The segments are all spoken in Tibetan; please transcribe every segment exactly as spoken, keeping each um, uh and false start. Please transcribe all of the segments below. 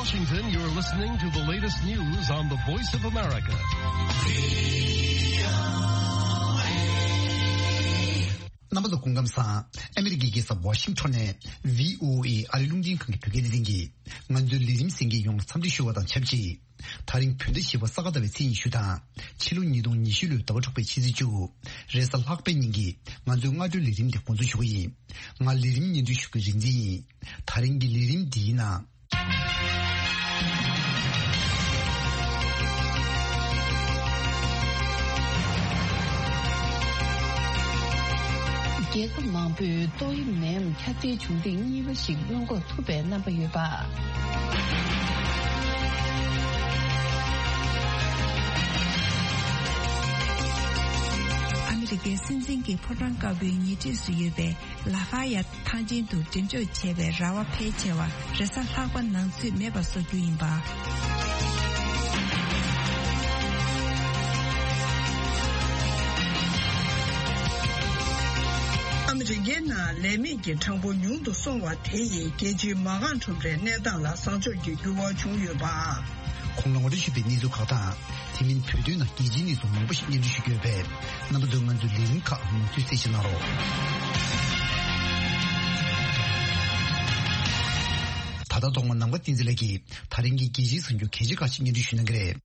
Washington, you're listening to the latest news on the Voice of America. རྣམ་པ་ཚོ་སྐུ་ཁམས་བཟང་། ཨ་མི་རི་ཀའི་རྒྱལ་ས་ཝ་ཤིང་ཊོན་ནས་བྷི་ཨོ་ཨེ་ཨ་རིའི་རླུང་འཕྲིན་ཁང་གི་བོད་སྐད་སྡེ་ཚན་གྱིས་ང་ཚོའི་ལས་རིམ་གསན་མཁན་ཡོངས་ལ་འཚམས་འདྲི་ཞུ་བ་དང་ཆབས་ཅིག་ད་རིང་བོད་ཟླ་བཞི་པ་ས་ག་ཟླ་བའི་ཚེས་ཉི་ཤུ་དང་ཕྱི་ལོ་ཉིས་སྟོང་ཉི་ཤུ་ལོའི་ཟླ་བ་དྲུག་པའི་ཕྱི་ཚེས་བཅུ། རེས་གཟའ་ལྷག་པའི་ཉིན་གྱི་ང་ཚོའི་སྔ་དྲོའི་ལས་རིམ་དེ་འགོ་འཛུགས་ཞུ་གི་ཡིན། ང་ལས་རིམ་སྙན་སྒྲོན་ཞུ་མཁན་རིག་འཛིན་ཡིན། ད་རིང་གི་ལས་རིམ་འདིའི་ནང་། རྒྱལ་ཁབ་མང་པོས་ཏོག་དབྱིབས་ནད་ཡམས་ཁྱབ་གདལ་བྱུང་རིགས་གཉིས་པ་ཞིག་སྔོན་འགོག་ཐུབ་པའི་རྣམ་པ་ཡོད་པ། ཨ་མི་རི་ཀའི་སྲིད་འཛིན་གྱི་ཕོ་བྲང་དཀར་པོའི་ཉེ་འཁྲིས་སུ་ཡོད་པའི་ལ་ཧྥ་ཡ་ཐང་ཆེན་དུ་འགྲེམས་འཇོག་བྱས་པའི་ར་བ་ཕལ་ཆེ་བ་རེས་གཟའ་ལྷག་པ་ནང་ཚུད་མེད་པ་བཟོ་རྒྱུ་ཡིན་པ། ཨ་མི་རི་ཀའི་ནང་ལས་མེད་ཀྱི་གྲངས་འབོར་ཉུང་དུ་སོང་བ་དེ་ཡིས་རྒྱལ་སྤྱིའི་མ་རྐང་ཁྲོམ་རའི་གནས་སྟངས་ལ་བཟང་ཕྱོགས་ཀྱི་འགྱུར་བ་བྱུང་ཡོད་པ། གོང་ལ་ངོ་སྤྲོད་ཞུས་པའི་གནས་ཚུལ་ཁག་དང་། དེ་མིན་བོད་དོན་ནང་རྒྱལ་སྤྱིའི་གནས་ཚུལ་མང་པོ་ཞིག་སྙན་སྒྲོན་ཞུ་རྒྱུ་ཡོད་པས། རྣམ་པ་ཚོས་ང་ཚོའི་ལས་རིམ་ཁག་མུ་མཐུད་གསན་བཞེས་གནང་རོགས། ད་ལྟ་ཐོག་མར་ནམ་མཁའ་བསྟན་འཛིན་ལགས་ཀྱིས་ད་རིང་གི་རྒྱལ་སྤྱིའི་གསར་འགྱུར་གལ་ཆེ་ཁག་ཅིག་སྙན་སྒྲོན་ཞུ་གནང་གི་རེད།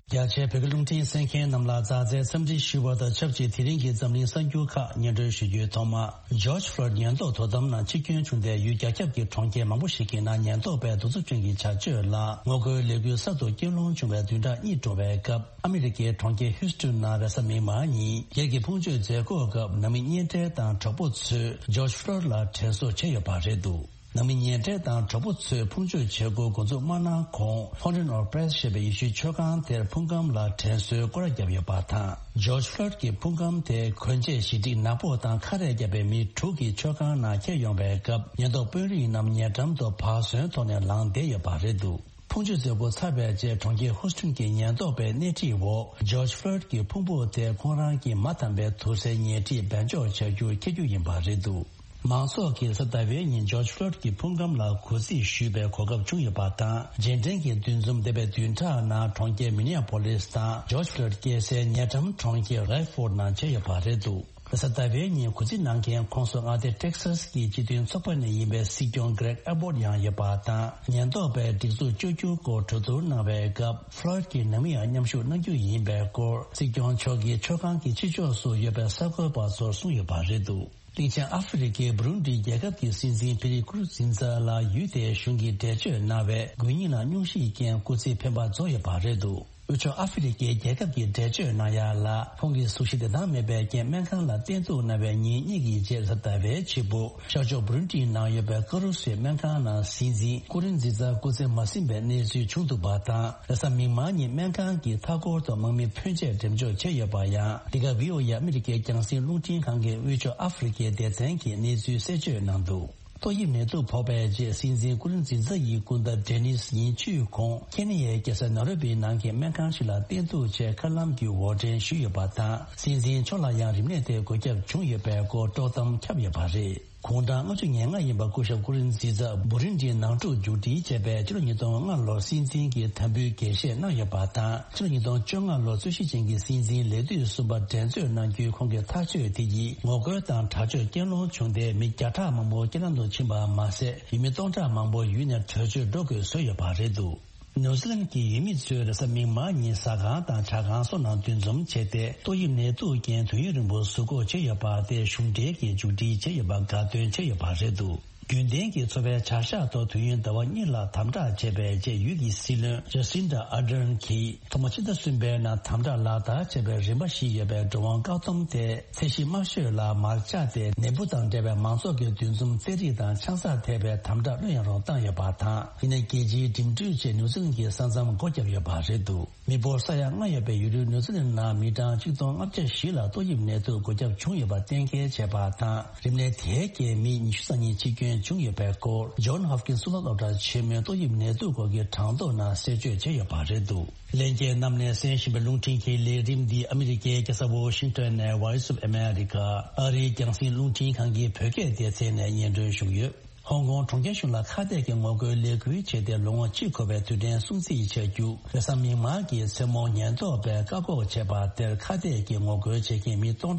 རྒྱ་ཆེའི་བོད་ཀྱི་རླུང་འཕྲིན་གསན་མཁན་རྣམས་ལ་མཛའ་བརྩེའི་འཚམས་འདྲི་ཞུ་བ་དང་ཆབས་ཅིག་དེ་རིང་གི་འཛམ་གླིང་གསར་འགྱུར་ཁག་སྙན་སྒྲོན་ཞུ་རྒྱུའི་ཐོག་མ། ཇོརྗ་ཕློའིཌ་ཉེན་རྟོག་དོ་དམ་ནང་འཆི་སྐྱོན་བྱུང་སྟེ། ཡུལ་རྒྱ་ཁྱབ་ཀྱི་གྲོང་ཁྱེར་མང་པོ་ཞིག་གི་ནང་ཉེན་རྟོག་པས་གདུག་རྩུབ་ཅན་གྱི་བྱ་སྤྱོད་ལ་ངོ་རྒོལ་ལས་འགུལ་གསར་དུ་སྐྱོན་སློང་བྱུང་བའི་བདུན་ཕྲག་གཉིས་འགྲོ་བའི་སྐབས། ཨ་མི་རི་ཀའི་གྲོང་ཁྱེར་ཧིའུ་སི་ཊོན་ནང་རེས་གཟའ་མིག་དམར་ཉིན་སྒེར་གྱི་ཕུང་མཆོད་མཛད་སྒོའི་སྐབས། ནང་མི་གཉེན་འབྲེལ་དང་གྲོགས་པོ་ཚོས་ཇོརྗ་ཕློའིཌ་ལ་དྲན་གསོ་བྱས་ཡོད་པ་རེད་འདུག་ནང་མི་གཉེན་འབྲེལ་དང་གྲོགས་པོ་ཚོས་ཕུང་མཆོད་བྱེད་སྒོ་འགོ་འཛུགས་མ་གནང་གོང་། Fountain of Praise ཞེས་པའི་ཡེ་ཤུའི་མཆོད་ཁང་དེར་ཕུང་ཁམས་ལ་དྲན་གསོའི་སྐོར་ར་བརྒྱབ་ཡོད་པ་དང་། ཇོརྗ་ཕློའིཌ་ཀྱི་ཕུང་ཁམས་དེ་གོན་ཆས་ཞི་སྒྲིག་ནག་པོ་དང་ཁ་རས་བརྒྱབ་པའི་མི་དྲུག་གིས་མཆོད་ཁང་ནང་འཁྱེར་ཡོང་བའི་སྐབས། ཉེན་རྟོག་དཔོན་རིགས་རྣམས་ཉེ་འགྲམ་དུ་བག་ཟོན་ཐོག་ནས་ལངས་བསྡད་ཡོད་པ་རེད་འདུག་ཕུང་མཆོད་མཛད་སྒོ་ཚར་བའི་རྗེས། གྲོང་ཁྱེར་ཧུ་སི་ཊོན་གྱི་ཉེན་རྟོག་པས་སྣེ་ཁྲིད་འོག་ཇོརྗ་ཕློའིཌ་ཀྱི་ཕུང་པོ་དེ་ཁོང་རང་གི་མ་དམ་པའི་དུར་སའི་ཉལ་ཁྲིར་སྦས་འཇོག་བྱ་རྒྱུར་འཁྱེར་རྒྱུ་ཡིན་པ་རེད་འདུག་མང་ཚོགས་ཀྱིས་རེས་གཟའ་ཟླ་བའི་ཉིན་ཇོརྗ་ཕློའིཌ་ཀྱི་ཕུང་ཁམས་ལ་གུས་བརྩི་ཞུས་པའི་གོ་སྐབས་བྱུང་ཡོད་པ་དང་། རྗེས་དྲན་གྱི་འདུ་འཛོམས་འདས་པའི་བདུན་ཕྲག་ནང་གྲོང་ཁྱེར་མི་ནི་ཡ་པོ་ལིས་དང་ཇོརྗ་ཕློའིཌ་སྐྱེས་སའི་ཉེ་འགྲམ་གྲོང་ཁྱེར་རེཌ་ཕོར་ཌི་ནང་བྱས་ཡོད་པ་རེད་འདུག་རེས་གཟའ་ཟླ་བའི་ཉིན་གུས་བརྩི་གནང་མཁན་ཁོངས་སུ་མངའ་སྡེ་ཊེག་སཱས་ཀྱི་སྤྱི་མཐུན་ཚོགས་པ་ནས་ཡིན་པའི་སྲིད་སྐྱོང་གྷི་རེག་ཨེ་བྷོར་ཌི་ཡང་ཡོད་པ་དང་། ཉེན་རྟོག་པས་སྒྲིག་འཛུགས་གཅོད་རྒྱུའི་སྐོར་གྲོས་བསྡུར་གནང་བའི་སྐབས། ཕློའིཌ་ཀྱི་ནང་མི་ཡང་མཉམ་ཞུགས་གནང་རྒྱུ་ཡིན་པའི་སྐོར་སྲིད་སྐྱོང་མཆོག་གིས་མཆོད་ཁང་གི་ཕྱི་ཕྱོགས་སུ་ཡོད་པའི་གསར་འགོད་པ་ཚོར་གསུངས་ཡོད་པ་རེད་འདུག་གླིང་ཆེན་ཨ་ཧྥེ་རི་ཁའི་བུ་རུན་ཌི་རྒྱལ་ཁབ་ཀྱི་སྲིད་འཛིན་པི་རི་ཀུ་རུ་ཛིན་ཛ་ལ་ཡུལ་དེའི་གཞུང་གིས་འགྲེལ་བརྗོད་གནང་བའི་དགོས་ཉེན་ལ་སྙུང་གཞི་རྐྱེན་སྐུ་ཚེ་འཕེན་པ་རྫོགས་ཡོད་པ་རེད་འདུག་དབུས་ཕྱོགས་ཨ་ཧྥེ་རི་ཁའི་རྒྱལ་ཁབ་ཀྱིས་འགྲེལ་བརྗོད་གནང་ཡ་ལ། ཁོང་གི་གཟུགས་གཞི་བདེ་ཐང་མེད་པའི་རྐྱེན་སྨན་ཁང་ལ་བསྟེན་གཏུགས་གནང་བའི་ཉིན་གཉིས་ཀྱི་རྗེས། རེས་གཟའ་ཟླ་བའི་ཕྱི་པོ་ཤར་ཕྱོགས་བུ་རུན་ཌིའི་ནང་ཡོད་པའི་ཀ་རུ་སེའི་སྨན་ཁང་ནང་སྲིད་འཛིན་ཀུ་རིན་ཛི་ཛ་སྐུ་ཚེ་མ་ཟིན་པའི་གནས་ཚུལ་བྱུང་འདུག་པ་དང་། རེས་གཟའ་མིག་དམར་ཉིན་སྨན་ཁང་གིས་མཐའ་འཁོར་དུ་དམག་མི་ཕོན་ཆེ་འགྲེམས་འཇོག་བྱས་ཡོད་པ་ཡང་། འདི་ག་བྷི་ཨོ་ཨེ་ཨ་མི་རི་ཀའི་རྒྱང་སྲིང་རླུང་འཕྲིན་ཁང་གི་དབུས་ཕྱོགས་ཨ་ཧྥེ་རི་ཁའི་སྡེ་ཚན་གྱིས་གནས་ཚུལ་གསལ་བརྗོད་གནང་འདུག་ཏོག་དབྱིབས་ནད་དུག་ཕོག་པའི་རྗེས། སྲིད་འཛིན་ཀུ་རིན་ཛི་ཛ་ཡི་སྐུ་ཟླ་ཌེ་ནིས་ཉིན་བཅུའི་གོང་ཁེ་ནི་ཡའི་རྒྱལ་ས་ནཱ་རོ་པིའི་ནང་གི་སྨན་ཁང་ཞིག་ལ་བསྟེན་གཏུགས་ཆེད་མཁའ་ལམ་བརྒྱུད་འོར་འདྲེན་ཞུས་ཡོད་པ་དང་། སྲིད་འཛིན་མཆོག་ལ་ཡང་རིམས་ནད་དེ་འགོས་ཁྱབ་བྱུང་ཡོད་པའི་སྐོར་དཀྲོག་གཏམ་ཁྱབ་ཡོད་པ་རེད། དགུང་གྲངས་ལྔ་བཅུ་ང་ལྔ་ཡིན་པ་སྐུ་ཞབས་ཀུ་རིན་ཛི་ཛ་བུ་རིན་ཌིའི་ནང་འཁྲུག་མཇུག་སྒྲིལ་བྱས་པའི་ཕྱི་ལོ་ཉིས་སྟོང་ལྔ་ལོར་སྲིད་འཛིན་གྱི་དམ་འབུལ་འགྱེད་བཞེས་གནང་ཡོད་པ་དང་། ཕྱི་ལོ་ཉིས་སྟོང་བཅོ་ལྔ་ལོར་རྩོད་གཞི་ཅན་གྱི་སྲིད་འཛིན་ལས་དུས་གསུམ་པ་འགྲན་རྩོད་གནང་རྒྱུའི་ཁོང་གི་ཐག་གཅོད་དེ་ཡིས་ངོ་རྒོལ་དང་དྲག་སྤྱོད་སྐྱོན་སློང་བྱུང་སྟེ། མི་བརྒྱ་ཕྲག་མང་པོ་རྐྱེན་ལམ་དུ་ཕྱིན་པ་མ་ཟད། ཡུལ་མི་སྟོང་ཕྲག་མང་པོ་ཡུལ་ནས་བྲོས་བྱོལ་འགྲོ་དགོས་བཟོས་ཡོད་པ་རེད་འདུག་ནིའུ་ཛི་ལན་གྱི་ཡུལ་མི་ཚོས་རེས་གཟའ་མིག་དམར་ཉིན་ཟ་ཁང་དང་ཇ་ཁང་སོགས་ནང་འདུ་འཛོམས་བྱས་ཏེ། ཏོག་དབྱིབས་ནད་དུག་རྐྱེན་དུས་ཡུན་རིང་པོ་ཟུར་འགོག་བྱས་ཡོད་པ་དེ་གཞུང་འབྲེལ་གྱིས་མཇུག་སྒྲིལ་བྱས་ཡོད་པ་དགའ་སྟོན་བྱས་ཡོད་པ་རེད་འདུག་རྒྱུན་ལྡན་གྱི་འཚོ་བའི་བྱ་གཞག་ཐོག་དུས་ཡུན་ཟླ་བ་གཉིས་ལ་དམ་དྲག་བྱས་པའི་རྗེས། ཡུལ་གྱི་སྲིད་བློན་ཇ་སིན་ཌ་ཨར་ཌན་གྱིས་ཐོག་མ་ཕྱི་ཟླ་གསུམ་པའི་ནང་དམ་དྲག་ལག་བསྟར་བྱས་པའི་རིམ་པ་བཞི་ཡོད་པའི་འགྲོ་འོང་བཀག་སྡོམ་དེ་ཚད་གཞི་དམའ་ཤོས་ལ་མར་བཅག་སྟེ། ནད་འབུ་དང་འབྲེལ་བའི་མང་ཚོགས་ཀྱི་འདུ་འཛོམས་རྩེད་རིགས་དང་ཆང་ས་ཐེ་བའི་དམ་དྲག་ལྷོད་ཡངས་རུ་བཏང་ཡོད་པ་དང་། ཡིན་ནའི་རྒྱལ་སྤྱིའི་འགྲིམ་འགྲུལ་བཅས་ནིའུ་ཛི་ལན་གྱི་ས་མཚམས་སྒོ་བརྒྱབ་ཡོད་པ་རེད་འདུག་མི་འབོར་ས་ཡ་ལྔ་ཡོད་པའི་ཡུལ་གྲུ་ནིའུ་ཛི་ལན་ནང་མི་གྲངས་ཆིག་སྟོང་ལྔ་བརྒྱ་བཞི་ལ་ཏོག་དབྱིབས་ནད་དུག་འགོས་ཁྱབ་བྱུང་ཡོད་པ་གཏན་འཁེལ་བྱས་པ་དང་། རིམས་ནད་དེའི་རྐྱེན་མི་ཉི་ཤུ་རྩ་གཉིས་འཆི་སྐྱོན་ བྱུང་ཡོད་པའི་སྐོར། ཇོན་ཧོབ་ཀིན་གཙུག་ལག་སློབ་གྲྭ་ཆེན་མོའི་ཏོག་དབྱིབས་ནད་དུག་སྐོར་གྱི་གྲངས་ཐོ་ནང་གསལ་བརྗོད་བྱས་ཡོད་པ་རེད་འདུག་ལྷན་རྒྱས་རྣམས་ནས་གསན་བཞིན་པའི་རླུང་འཕྲིན་གྱི་ལས་རིམ་འདི་ཨ་མི་རི་ཀའི་རྒྱལ་ས་ཝོ་ཤིང་ཏོན་ནས་Voice of America ཨ་རིའི་རྒྱང་སྲིང་རླུང་འཕྲིན་ཁང་གི་བོད་སྐད་སྡེ་ཚན་ནས་སྙན་སྒྲོན་ཞུས་ཡོད། ཧོང་ཀོང་གྲོང་ཁྱེར་གཞུང་ལ་ཁ་གཏད་ཀྱི་ངོ་རྒོལ་ལས་འགུལ་བྱས་ཏེ་ལོ་ངོ་གཅིག་འཁོར་བའི་དུས་དྲན་སྲུང་བརྩི་བྱ་རྒྱུ། རེས་གཟའ་མིག་དམར་གྱི་མཚན་མོ་ཉེན་རྟོག་པས་བཀག་འགོག་བྱས་པ་དེར་ཁ་གཏད་ཀྱི་ངོ་རྒོལ་བྱེད་མཁན་མི་སྟོང་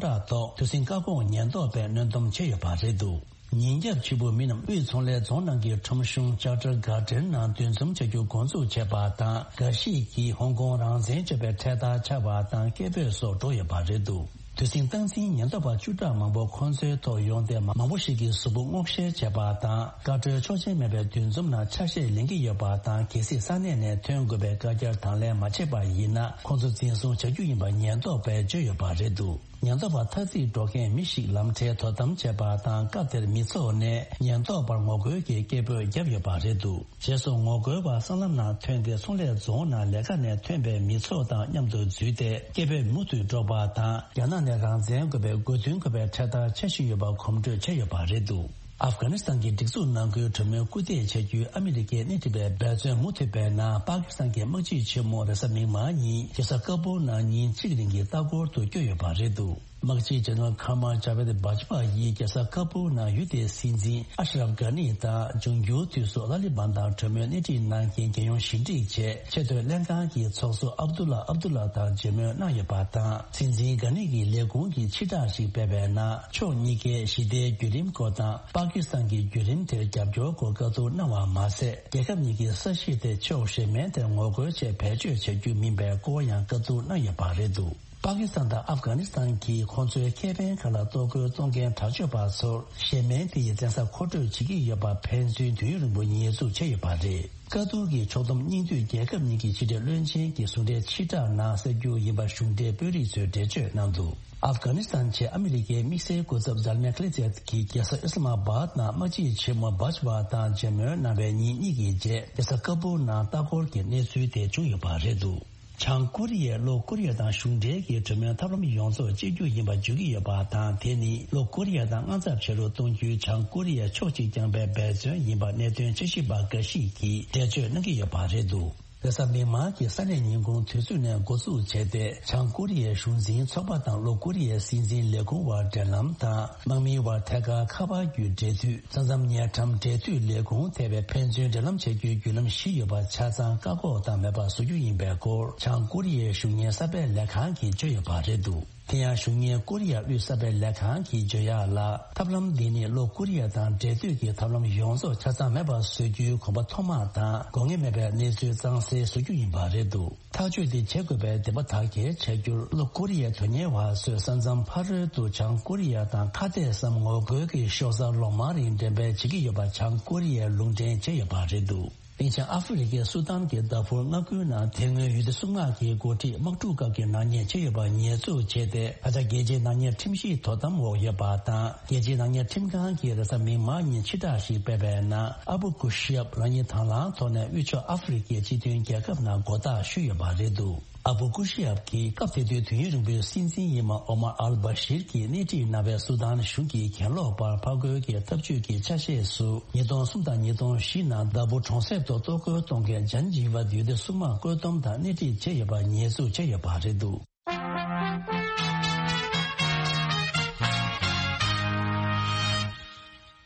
ཕྲག་ཐོག་དུས་ཟིང་བཀག་འགོག་ཉེན་རྟོག་པས་གནོན་སྡོམ་བྱས་ཡོད་པ་རེད་འདུག་ཉིན་རྒྱབ་ཕྱི་པོ་མི་རྣམས་དབུས་ཚོང་ལས་རྫོང་ནང་གི་ཁྲོམ་གཞུང་Charter Garden ནང་འདུ་འཛོམས་བྱ་རྒྱུ་འགོ་འཛུགས་བྱས་པ་དང་། འགའ་ཞིག་གིས་ཧོང་ཀོང་རང་བཙན་བརྗོད་པའི་འཕྲེད་དར་འཕྱར་བ་དང་སྐད་འབོད་སོགས་འགྲོ་ཡོད་པ་རེད་འདུག་དུས་ཟིང་སྟངས་འཛིན་ཉེན་རྟོག་པ་བཅུ་ཕྲག་མང་པོ་ཁོང་ཚོའི་ཐོག་ཡོང་སྟེ། མང་པོ་ཞིག་གིས་གཟུགས་པོ་སྔོག་བཤེར་བྱས་པ་དང་། བཀའ་འཁྲོལ་ཆོག་མཆན་མེད་པའི་འདུ་འཛོམས་ནང་ཆ་ཤས་ལེན་གྱི་ཡོད་པ་དང་། གལ་སྲིད་ས་གནས་ནས་ཐོན་དགོས་པའི་བཀའ་རྒྱར་དང་ལེན་མ་བྱས་པ་ཡིན་ན། ཁོང་ཚོ་འཛིན་བཟུང་བྱ་རྒྱུ་ཡིན་པ་ཉེན་རྟོག་པས་བརྗོད་ཡོད་པ་རེད་འདུག་ཉེན་རྟོག་པ་ཐ་ཚིག་འགྲོ་མཁན་མི་ཞིག་ལམ་ཁྲལ་དོ་དམ་བྱས་པ་དང་། སྐབས་དེར་མི་ཚོགས་ནས་ཉེན་རྟོག་པར་ངོ་རྒོལ་གྱི་སྐད་འབོད་བརྒྱབ་ཡོད་པ་རེད་འདུག་རྗེས་སུ་ངོ་རྒོལ་བ་སྲང་ལམ་ནང་ཐོན་ཏེ། ཚོང་ལས་རྫོང་ནང་ལས་ཀ་ནས་ཐོན་པའི་མི་ཚོགས་དང་མཉམ་དུ་འཛུལ་ཏེ། སྐད་འབོད་མུ་མཐུད་སྒྲོག་པ་དང་། རྒྱ་ནག་ནས་རང་བཙན་དགོས་པའི་དགོས་འདུན་འཁོད་པའི་འཕྲེད་དར་འཕྱར་བཞིན་ཡོད་པ་གོམ་བགྲོད་བྱས་ཡོད་པ་རེད་འདུག་ཨབ་གྷ་ནི་སི་ཐན་གྱི་སྒྲིག་འཛུགས་ནང་ཁུལ་གྲོས་མོལ་སྐུལ་འདེད་བྱ་རྒྱུའི་ཨ་མི་རི་ཀའི་སྣེ་ཁྲིད་པའི་འབད་བརྩོན་མུ་མཐུད་པའི་ནང་། པ་ཀི་སི་ཐན་གྱི་དམག་སྤྱི་ཆེན་མོ་རེས་གཟའ་མིག་དམར་ཉིན་རྒྱལ་ས་ཀ་བུལ་ནང་ཉིན་གཅིག་རིང་གི་ལྟ་སྐོར་དུ་བསྐྱོད་ཡོད་པ་རེད་འདུག་དམག་སྤྱི་General Qamar Javed Bajwa ཡིས་རྒྱལ་ས་ཀ་བུལ་ནང་ཡུལ་དེའི་སྲིད་འཛིན་ཨ་ཤ་རབ་གྷ་ནི་དང་། འབྱུང་འགྱུར་དུས་སུ་ལ་ལི་བན་དང་གྲོས་མོལ་སྣེ་ཁྲིད་གནང་མཁན་རྒྱལ་ཡོངས་ཞི་འགྲིག་ཆེད་ཆེས་མཐོའི་ལྷན་ཁང་གི་ཚོགས་གཙོ་ཨབ་དུ་ལ་ཨབ་དུ་ལ་དང་མཇལ་མོལ་གནང་ཡོད་པ་དང་། སྲིད་འཛིན་གྷ་ནི་གི་ལས་ཁུངས་ཀྱིས་ཕྱིར་བསྒྲགས་ཤིག་སྤེལ་བའི་ནང་། ཕྱོགས་གཉིས་ཀས་ཞི་བདེའི་བརྒྱུད་རིམ་སྐོར་དང་། པ་ཀི་སི་ཐན་གྱི་བརྒྱུད་རིམ་དེར་རྒྱབ་སྐྱོར་སྐོར་བཀའ་བསྡུར་གནང་བ་མ་ཟད། རྒྱལ་ཁབ་གཉིས་ཀྱི་ས་གཞི་དེ་ཕྱོགས་གཞན་མའི་དེར་ངོ་རྒོལ་ཆེད་བེད་སྤྱོད་བྱ་རྒྱུ་མིན་པའི་སྐོར་ཡང་བཀའ་བསྡུར་གནང་ཡོད་པ་རེད་འདུག་པ་ཀི་སི་ཐན་དང་ཨབ་གྷ་ནི་སི་ཐན་གྱིས་ཁོང་ཚོའི་ཁེ་ཕན་ཁག་ལ་གཏོར་རྒོལ་གཏོང་མཁན་དྲག་སྤྱོད་པ་ཚོར་གཞན་མའི་དེ་ཡི་བཙན་ས་མཁོ་སྤྲོད་བྱེད་ཀྱི་ཡོད་པ་ཕན་ཚུན་དུས་ཡུན་རིང་པོ་ཉེས་འཛུགས་བྱས་ཡོད་པ་རེད། བཀའ་བསྡུར་གྱི་ཕྱོགས་བསྡོམས་སྙིང་བསྡུས་རྒྱལ་ཁབ་གཉིས་ཀྱི་ཕྱི་འབྲེལ་བློན་ཆེན་གྱི་ཟུང་འབྲེལ་ཕྱིར་བསྒྲགས་ནང་གསལ་རྒྱུ་ཡིན་པ་གཞུང་འབྲེལ་དཔོན་རིགས་ཚོས་འགྲེལ་བརྗོད་གནང་འདུག་ཨབ་གྷ་ནི་སི་ཐན་ཆེད་ཨ་མི་རི་ཀའི་དམིགས་བསལ་སྐུ་ཚབ་ཛལ་མེ་ཁ་ལི་ཛེད་ཀྱིས་རྒྱལ་ས་ཨི་སི་ལ་མ་བཱད་ནང་དམག་སྤྱི་ཆེན་མོ་བཱཇ་ཝ་དང་མཇལ་མོལ་གནང་བའི་ཉིན་གཉིས་ཀྱི་རྗེས། རྒྱལ་ས་ཀ་བུལ་ནང་ལྟ་སྐོར་གྱི་གནས་ཚུལ་དེ་བྱུང་ཡོད་པ་རེད་འདུག་བྱང་ཀོ་རི་ཡས་ལྷོ་ཀོ་རི་ཡ་དང་གཞུང་འབྲེལ་གྱི་གྲོས་མོལ་ཐབས་ལམ་ཡོངས་རྫོགས་གཅིག་གྱུར་ཡིན་པ་བརྗོད་ཀྱི་ཡོད་པ་དང་། དེ་ནི་ལྷོ་ཀོ་རི་ཡ་དང་དངངས་འཚབ་བྱེད་རོགས་གཏོང་རྒྱུའི་བྱང་ཀོ་རི་ཡས་ཕྱོགས་གཅིག་རྐྱང་པའི་འབད་བརྩོན་ཡིན་པ་གནད་དོན་དཔྱད་ཞིབ་པ་འགའ་ཞིག་གིས་འགྲེལ་བརྗོད་གནང་གི་ཡོད་པ་རེད་འདུག་རེས་གཟའ་མིག་དམར་གྱི་ས་གནས་ཉིན་གུང་དུས་ཚོད་ནས་འགོ་འཛུགས་བྱས་ཏེ། བྱང་ཀོ་རི་ཡའི་གཞུང་འཛིན་ཚོགས་པ་དང་ལྷོ་ཀོ་རི་ཡའི་སྲིད་འཛིན་ལས་ཁུངས་བར་འབྲེལ་ལམ་དང་། དམག་མིའི་བར་ཐད་ཀར་ཁ་པར་བརྒྱུད་འབྲེལ་མཐུད། ས་མཚམས་ཉེ་འགྲམ་འབྲེལ་མཐུད་ལས་ཁུངས་ཐད་པའི་ཕན་ཚུན་འབྲེལ་ལམ་བྱེད་རྒྱུའི་བརྒྱུད་ལམ་བཞི་ཡོད་པ་ཆ་ཚང་བཀག་འགོག་དང་མེད་པར་བཟོ་རྒྱུ་ཡིན་པའི་སྐོར། བྱང་ཀོ་རི་ཡའི་གཞུང་གཉེར་གསར་པའི་ལས་ཁང་གིས་བརྗོད་ཡོད་པ་རེད་འདུག་དེ་ཡང་གཞུང་གཉེར་ཀོ་རི་ཡ་དབུས་གསར་པའི་ལས་ཁང་གིས་བརྗོད་ཡག་ལ། ཐབས་ལམ་འདི་ནི་ལྷོ་ཀོ་རི་ཡ་དང་འབྲེལ་མཐུད་ཀྱི་ཐབས་ལམ་ཡོངས་རྫོགས་ཆ་ཚང་མེད་པར་བཟོ་རྒྱུའི་གོམ་པ་ཐོག་མ་དང་། དགོས་ངེས་མེད་པའི་གནས་ཚུལ་གཙང་སེལ་བཟོ་རྒྱུ་ཡིན་པ་རེད་འདུག་ཐག་གཅོད་འདི་བྱེད་དགོས་པའི་འདུན་པ་དག་གིས་བྱ་རྒྱུར། ལྷོ་ཀོ་རི་ཡའི་དོན་གཉེར་བ་ཚོས་ས་མཚམས་ཕ་རོལ་དུ་བྱང་ཀོ་རི་ཡ་དང་ཁ་གཏད་སམ་ངོ་རྒོལ་གྱི་ཤོག་གསར་ལོ་མང་རིང་འགྲེམས་སྤེལ་བྱེད་ཀྱི་ཡོད་པ་བྱང་ཀོ་རི་ཡས་ལུང་འདྲེན་བྱས་ཡོད་པ་རེད་འདུག་དེང་ཆེན་ཨ་ཧྥེ་རི་ཁའི་སུ་དཱན་གྱི་ཟླ་ཕོགས་མངའ་ཁུལ་ནང་དེ་སྔོན་ཡུལ་དེ་སྲུང་དམག་གི་འགོ་ཁྲིད་དམག་འཁྲུག་སྐབས་ཀྱི་ནག་ཉེས་བྱས་ཡོད་པ་ཉེས་འཛུགས་བྱས་ཏེ། ད་ཆ་རྒྱལ་སྤྱིའི་ནག་ཉེས་ཁྲིམས་གཞིའི་དོ་དམ་འོག་ཡོད་པ་དང་། རྒྱལ་སྤྱིའི་ནག་ཉེས་ཁྲིམས་ཁང་གིས་རེས་གཟའ་མིག་དམར་ཉིན་ཕྱིར་བསྒྲགས་ཤིག་སྤེལ་བའི་ནང་། ཨ་བུ་ཀུ་ཤི་ཡབ་རང་ཉིད་དང་བླངས་ཐོག་ནས་དབུས་ཕྱོགས་ཨ་ཧྥེ་རི་ཁའི་སྤྱི་མཐུན་རྒྱལ་ཁབ་ནང་མགོ་བཏགས་ཞུས་ཡོད་པ་རེད་འདུག་ཨ་བུ་ཀུ་ཤི་ཡབ་ཀྱིས་སྐབས་དེ་དུས་དུས་ཡུན་རིང་པོའི་སྲིད་འཛིན་ཡིན་པ་ཨོ་མར་ཨལ་བྷ་ཤིར་གྱིས་སྣེ་ཁྲིད་གནང་བའི་སུ་དཱན་གཞུང་གིས་གྱེན་ལོག་པར་ཕར་རྒོལ་གྱི་ཐབས་ཇུས་ཀྱི་ཆ་ཤས་སུ། ཉིས་སྟོང་གསུམ་དང་ཉིས་སྟོང་བཞི་ནང་ཟླ་ཕོགས་གྲོང་གསེབ་ཏུ་གཏོར་རྒོལ་གཏོང་མཁན་ཇན་ཇི་བ་ཡུལ་དེ་སྲུང་དམག་བཀོད་འདོམས་དང་སྣེ་ཁྲིད་བྱས་ཡོད་པ་ཉེས་འཛུགས་བྱས་ཡོད་པ་རེད་འདུག་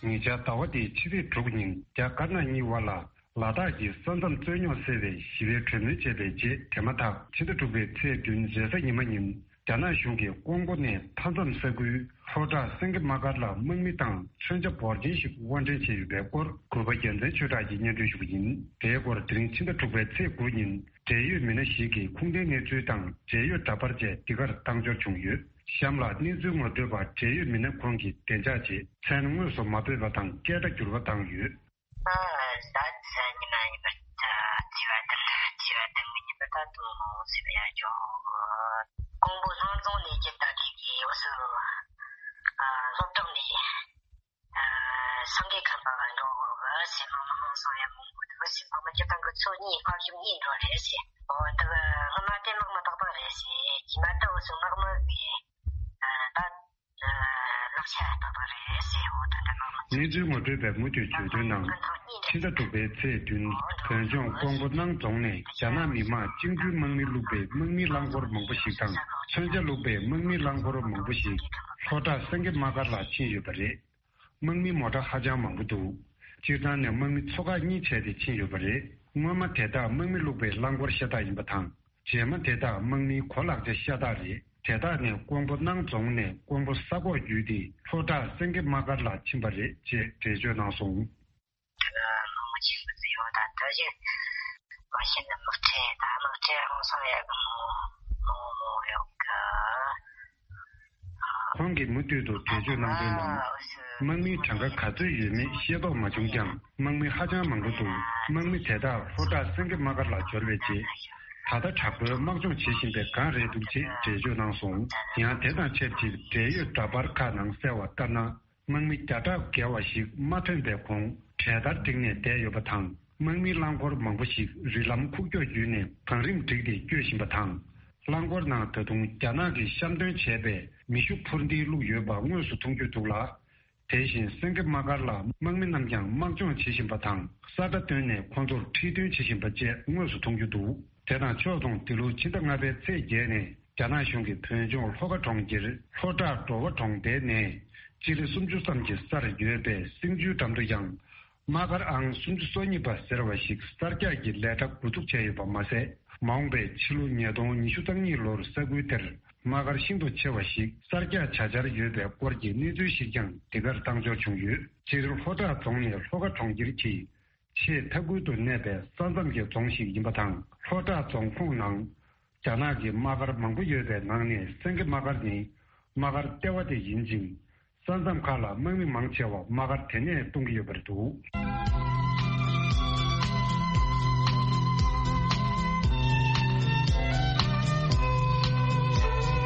ཉེ་ཆར་ཟླ་བ་འདིའི་ཕྱི་ཚེས་དྲུག་ཉིན་རྒྱ་དཀར་ནག་གཉིས་དབར་ལ། ལ་དྭགས་ཀྱི་ས་མཚམས་རྩོད་རྙོག་སེལ་བའི་ཞི་བའི་གྲོས་མོལ་བྱས་པའི་རྗེས། དེ་མ་ཐག་ཕྱི་ཟླ་དྲུག་པའི་ཚེས་བདུན་རེས་གཟའ་ཉི་མ་ཉིན། རྒྱ་ནག་གཞུང་གིས་ཀོང་པོ་ནས་མཐའ་མཚམས་ས་ཁུལ་ལྷོ་བྲག་སེང་གེ་དམག་སྒར་ལ་དམག་མི་དང་མཚོན་ཆ་འབོར་ཆེན་ཞིག་དབོར་འདྲེན་བྱས་ཡོད་པའི་སྐོར། གུས་པ་རྒྱལ་མཚན་ཆོས་གྲགས་ཀྱིས་སྙན་སྒྲོན་ཞུ་གི་ཡིན། དེའི་སྐོར། དེ་རིང་ཕྱི་ཟླ་དྲུག་པའི་ཚེས་དགུ་ཉིན། འབྲེལ་ཡོད་མི་སྣ་ཞིག་གིས་ཁུངས་ལྡན་གནས་ཚུལ་དང་། འབྲེལ་ཡོད་འདྲ་པར་བཅས་འདི་གར་བཏང་འབྱོར་བྱུང་ཡོད། གཤམ་ལ་གནས་ཚུལ་ངོ་སྤྲོད་པ་འབྲེལ་ཡོད་མི་སྣ་ཁོང་གི་བདེ་འཇགས་ཆེད་མཚན་དངོས་སུ་མ་འབོད་པ་དང་། སྐད་སྒྲ་འགྱུར་བ་བཏང་ཡོད། ཨ། ད་ཉི་མ་ཉི་མ་ད་བརྩེ་བ་དང་བརྩེ་བ་དང་ཉི་མ་ད་དུང་སེམས་ཡ་འཇོག་ཀོང་པོ་ལྷོ་རྫོང་ནས་ཀྱི་ད་ཐེངས་ཀྱི་འོ་སུ་ཨ་སློབ་གྲོགས་ནས་ཨ་སངས་རྒྱས་ཁམས་པ་ལ་འགྲོ་དགོས་གི་ཟེར། མ་མ་ཧང་སང་ཡ་མང་པོ་འདུག་ཟེར། མ་མ་སྤྱི་བཏང་གི་ཚོ་གཉིས་ཕ་ཤུམ་གཉིས་འགྲོ་རེད་ཟེར། འོ་ད་གི་སྔ་མ་དེ་མག་མ་ཏག་ཏག་རེད་ཟེར། རྗེས་མ་ད་འོ་སུ་མག་མ་གི་ཨ་ད། ལག་ཆ་ལྟ་བ་རེད་ཟེར། འོ་ད་འདྲ་མང་མང་ གནས་ཚུལ་ངོ་སྤྲོད་པས་མུ་མཐུད་བརྗོད་དོན་ནང་། ཕྱི་ཟླ་དྲུག་པའི་ཚེས་བདུན། བོད་ལྗོངས་ཀོང་པོ་སྣང་རྫོང་ནས་རྒྱ་ནག་མི་དམངས་བཅིངས་འགྲོལ་དམག་མི་བླུགས་པའི་དམག་མིའི་རླངས་འཁོར་མང་པོ་ཞིག་དང་། མཚོན་ཆ་བླུགས་པའི་དམག་མིའི་རླངས་འཁོར་མང་པོ་ཞིག་ལྷོ་བྲག་སེང་གེ་དམག་སྒར་ལ་ཕྱིན་ཡོད་པ་རེད། དམག་མིའི་མོ་ཊ་ཧ་ཅང་མང་པོ་འདུག་སྤྱིར་བཏང་ནས་དམག་མི་ཚོ་ཁག་གཉིས་བྱས་ཏེ་ཕྱིན་ཡོད་པ་རེད། སྔོན་མ་དེ་དག་དམག་མི་བླུགས་པའི་རླངས་འཁོར་ཤ་སྟག་ཡིན་པ་དང་། རྗེས་མ་དེ་དག་དམག་མིའི་གོ་ལག་ཆ་ཤ་སྟག་རེད། དེ་དག་ནི་ཀོང་པོ་སྣང་རྫོང་ནས་ཀོང་པོ་ས་ཁོག་བརྒྱུད་དེ་ལྷོ་བྲག་སེང་གེ་དམག་སྒར་ལ་ཕྱིན་པ་རེད་ཅེས་འགྲེལ་བརྗོད་གནང་སོང་། དམག་མི་ཆེན་པོ་ཡོད་ད་ལྟ་ཞིག་མ་གཞི་ནས་དམག་ཁྲལ་དང་དམག་ཁྲལ་ཧང་སང་ཡག་གི་མོ་མོ་ཡོད་གི། ཁོང་གིས་མུ་མཐུད་དུ་འགྲེལ་བརྗོད་གནང་དོན་ནང་། དམག་མིའི་གྲངས་ཀ་ག་ཚོད་ཡོད་མེད་ཤེས་རྟོགས་མ་བྱུང་ཀྱང་། དམག་མི་ཧ་ཅང་མང་པོ་འདུག་དམག་མི་དེ་དག་ལྷོ་བྲག་སེང་གེ་དམག་སྒར་ལ་འབྱོར་བའི་རྗེས། ད་ལྟ་དྲག་པོའི་དམག་སྦྱོང་བྱེད་བཞིན་པའི་སྒང་རེད་འདུག་ཅེས་འགྲེལ་བརྗོད་གནང་སོང་། ཡང་དེ་དང་ཆབས་ཅིག་འབྲེལ་ཡོད་འདྲ་པར་ཁག་ནང་གསལ་བ་ལྟར་ན། དམག་མི་བརྒྱ་ཕྲག་བརྒལ་བ་ཞིག་མ་ཐོན་པའི་གོང་གྲལ་སྟར་བསྒྲིགས་ནས་བསྡད་ཡོད་པ་དང་། དམག་མིའི་རླངས་འཁོར་མང་པོ་ཞིག་རི་ལམ་ཁུག་ཀྱོག་བརྒྱུད་ནས་བང་རིམ་བསྒྲིགས་ཏེ་སྐྱོད་བཞིན་པ་དང་། རླངས་འཁོར་ནང་ད་དུང་རྒྱ་ནག་གིས་གཤམ་སྟོན་བྱས་པའི་མེ་ཤུགས་འཕུར་མདེལ་བླུགས་ཡོད་པ་དངོས་སུ་མཐོང་རྒྱུ་འདུག་ལ། དེ་བཞིན་སེང་གེ་དམག་སྒར་ལ་དམག་མི་རྣམས་ཀྱང་དམག་སྦྱོང་བྱེད་བཞིན་པ་དང་། ས་ཁྲ་བཏོན་ནས་ཁོང་ཚོར་ཁྲིད་སྟོན་བྱེད་བཞིན་པ་བཅས་དངོས་སུ་མཐོང་རྒྱུ་འདུག་དེ་དང་ཕྱོགས་མཚུངས་འདི་ལོའི་ཕྱི་ཟླ་ལྔ་པའི་ཚེས་བརྒྱད་ནས། རྒྱ་ནག་གཞུང་གིས་བོད་ལྗོངས་ལྷོ་ཁ་གྲོང་ཁྱེར་ལྷོ་བྲག་འགྲོ་བ་གྲོང་རྡལ་ནས་སྤྱི་ལེ་སུམ་ཅུ་ཙམ་གྱི་སར་ཡོད་པའི་སེང་ཆུའི་འགྲམ་དུ་ཡང་དམག་སྒར་ཨང་སུམ་ཅུ་སོ་གཉིས་པ་ཟེར་བ་ཞིག་གསར་རྒྱག་གི་ལས་གྲྭ་འགོ་འཛུགས་བྱས་ཡོད་པ་མ་ཟད། མ་འོངས་པའི་ཕྱི་ལོ་ཉིས་སྟོང་ཉི་ཤུ་རྩ་གཉིས་ལོར་ས་ཁུལ་དེར་དམག་སྒར་ཤིན་ཏུ་ཆེ་བ་ཞིག་གསར་རྒྱག་བྱ་འཆར་ཡོད་པའི་སྐོར་གྱི་གནས་ཚུལ་ཞིག་ཀྱང་འདི་གར་བཏང་འབྱོར་བྱུང་ཡོད། སྤྱིར་ལྷོ་བྲག་རྫོང་ནི་ལྷོ་ཁ་གྲོང་ཁྱེར་གྱི་ཆེས་མཐའ་ཁུལ་དུ་གནས་པའི་ས་མཚམས་ཀྱི་རྫོང་ཞིག་ཡིན་པ་དང་། ལྷོ་བྲག་རྫོང་ཁོངས་ནང་རྒྱ་ནག་གི་དམག་སྒར་མང་པོ་ཡོད་པའི་ནང་ནས་སེང་གེ་དམག་སྒར་ནི་དམག་སྒར་ལྟེ་བ་དེ་ཡིན་ཅིང་། ས་མཚམས་ཁག་ལ་དམག་མི་མང་ཆེ་བ་དམག་སྒར་དེ་ནས་གཏོང་གི་ཡོད་པ་རེད་འདུག་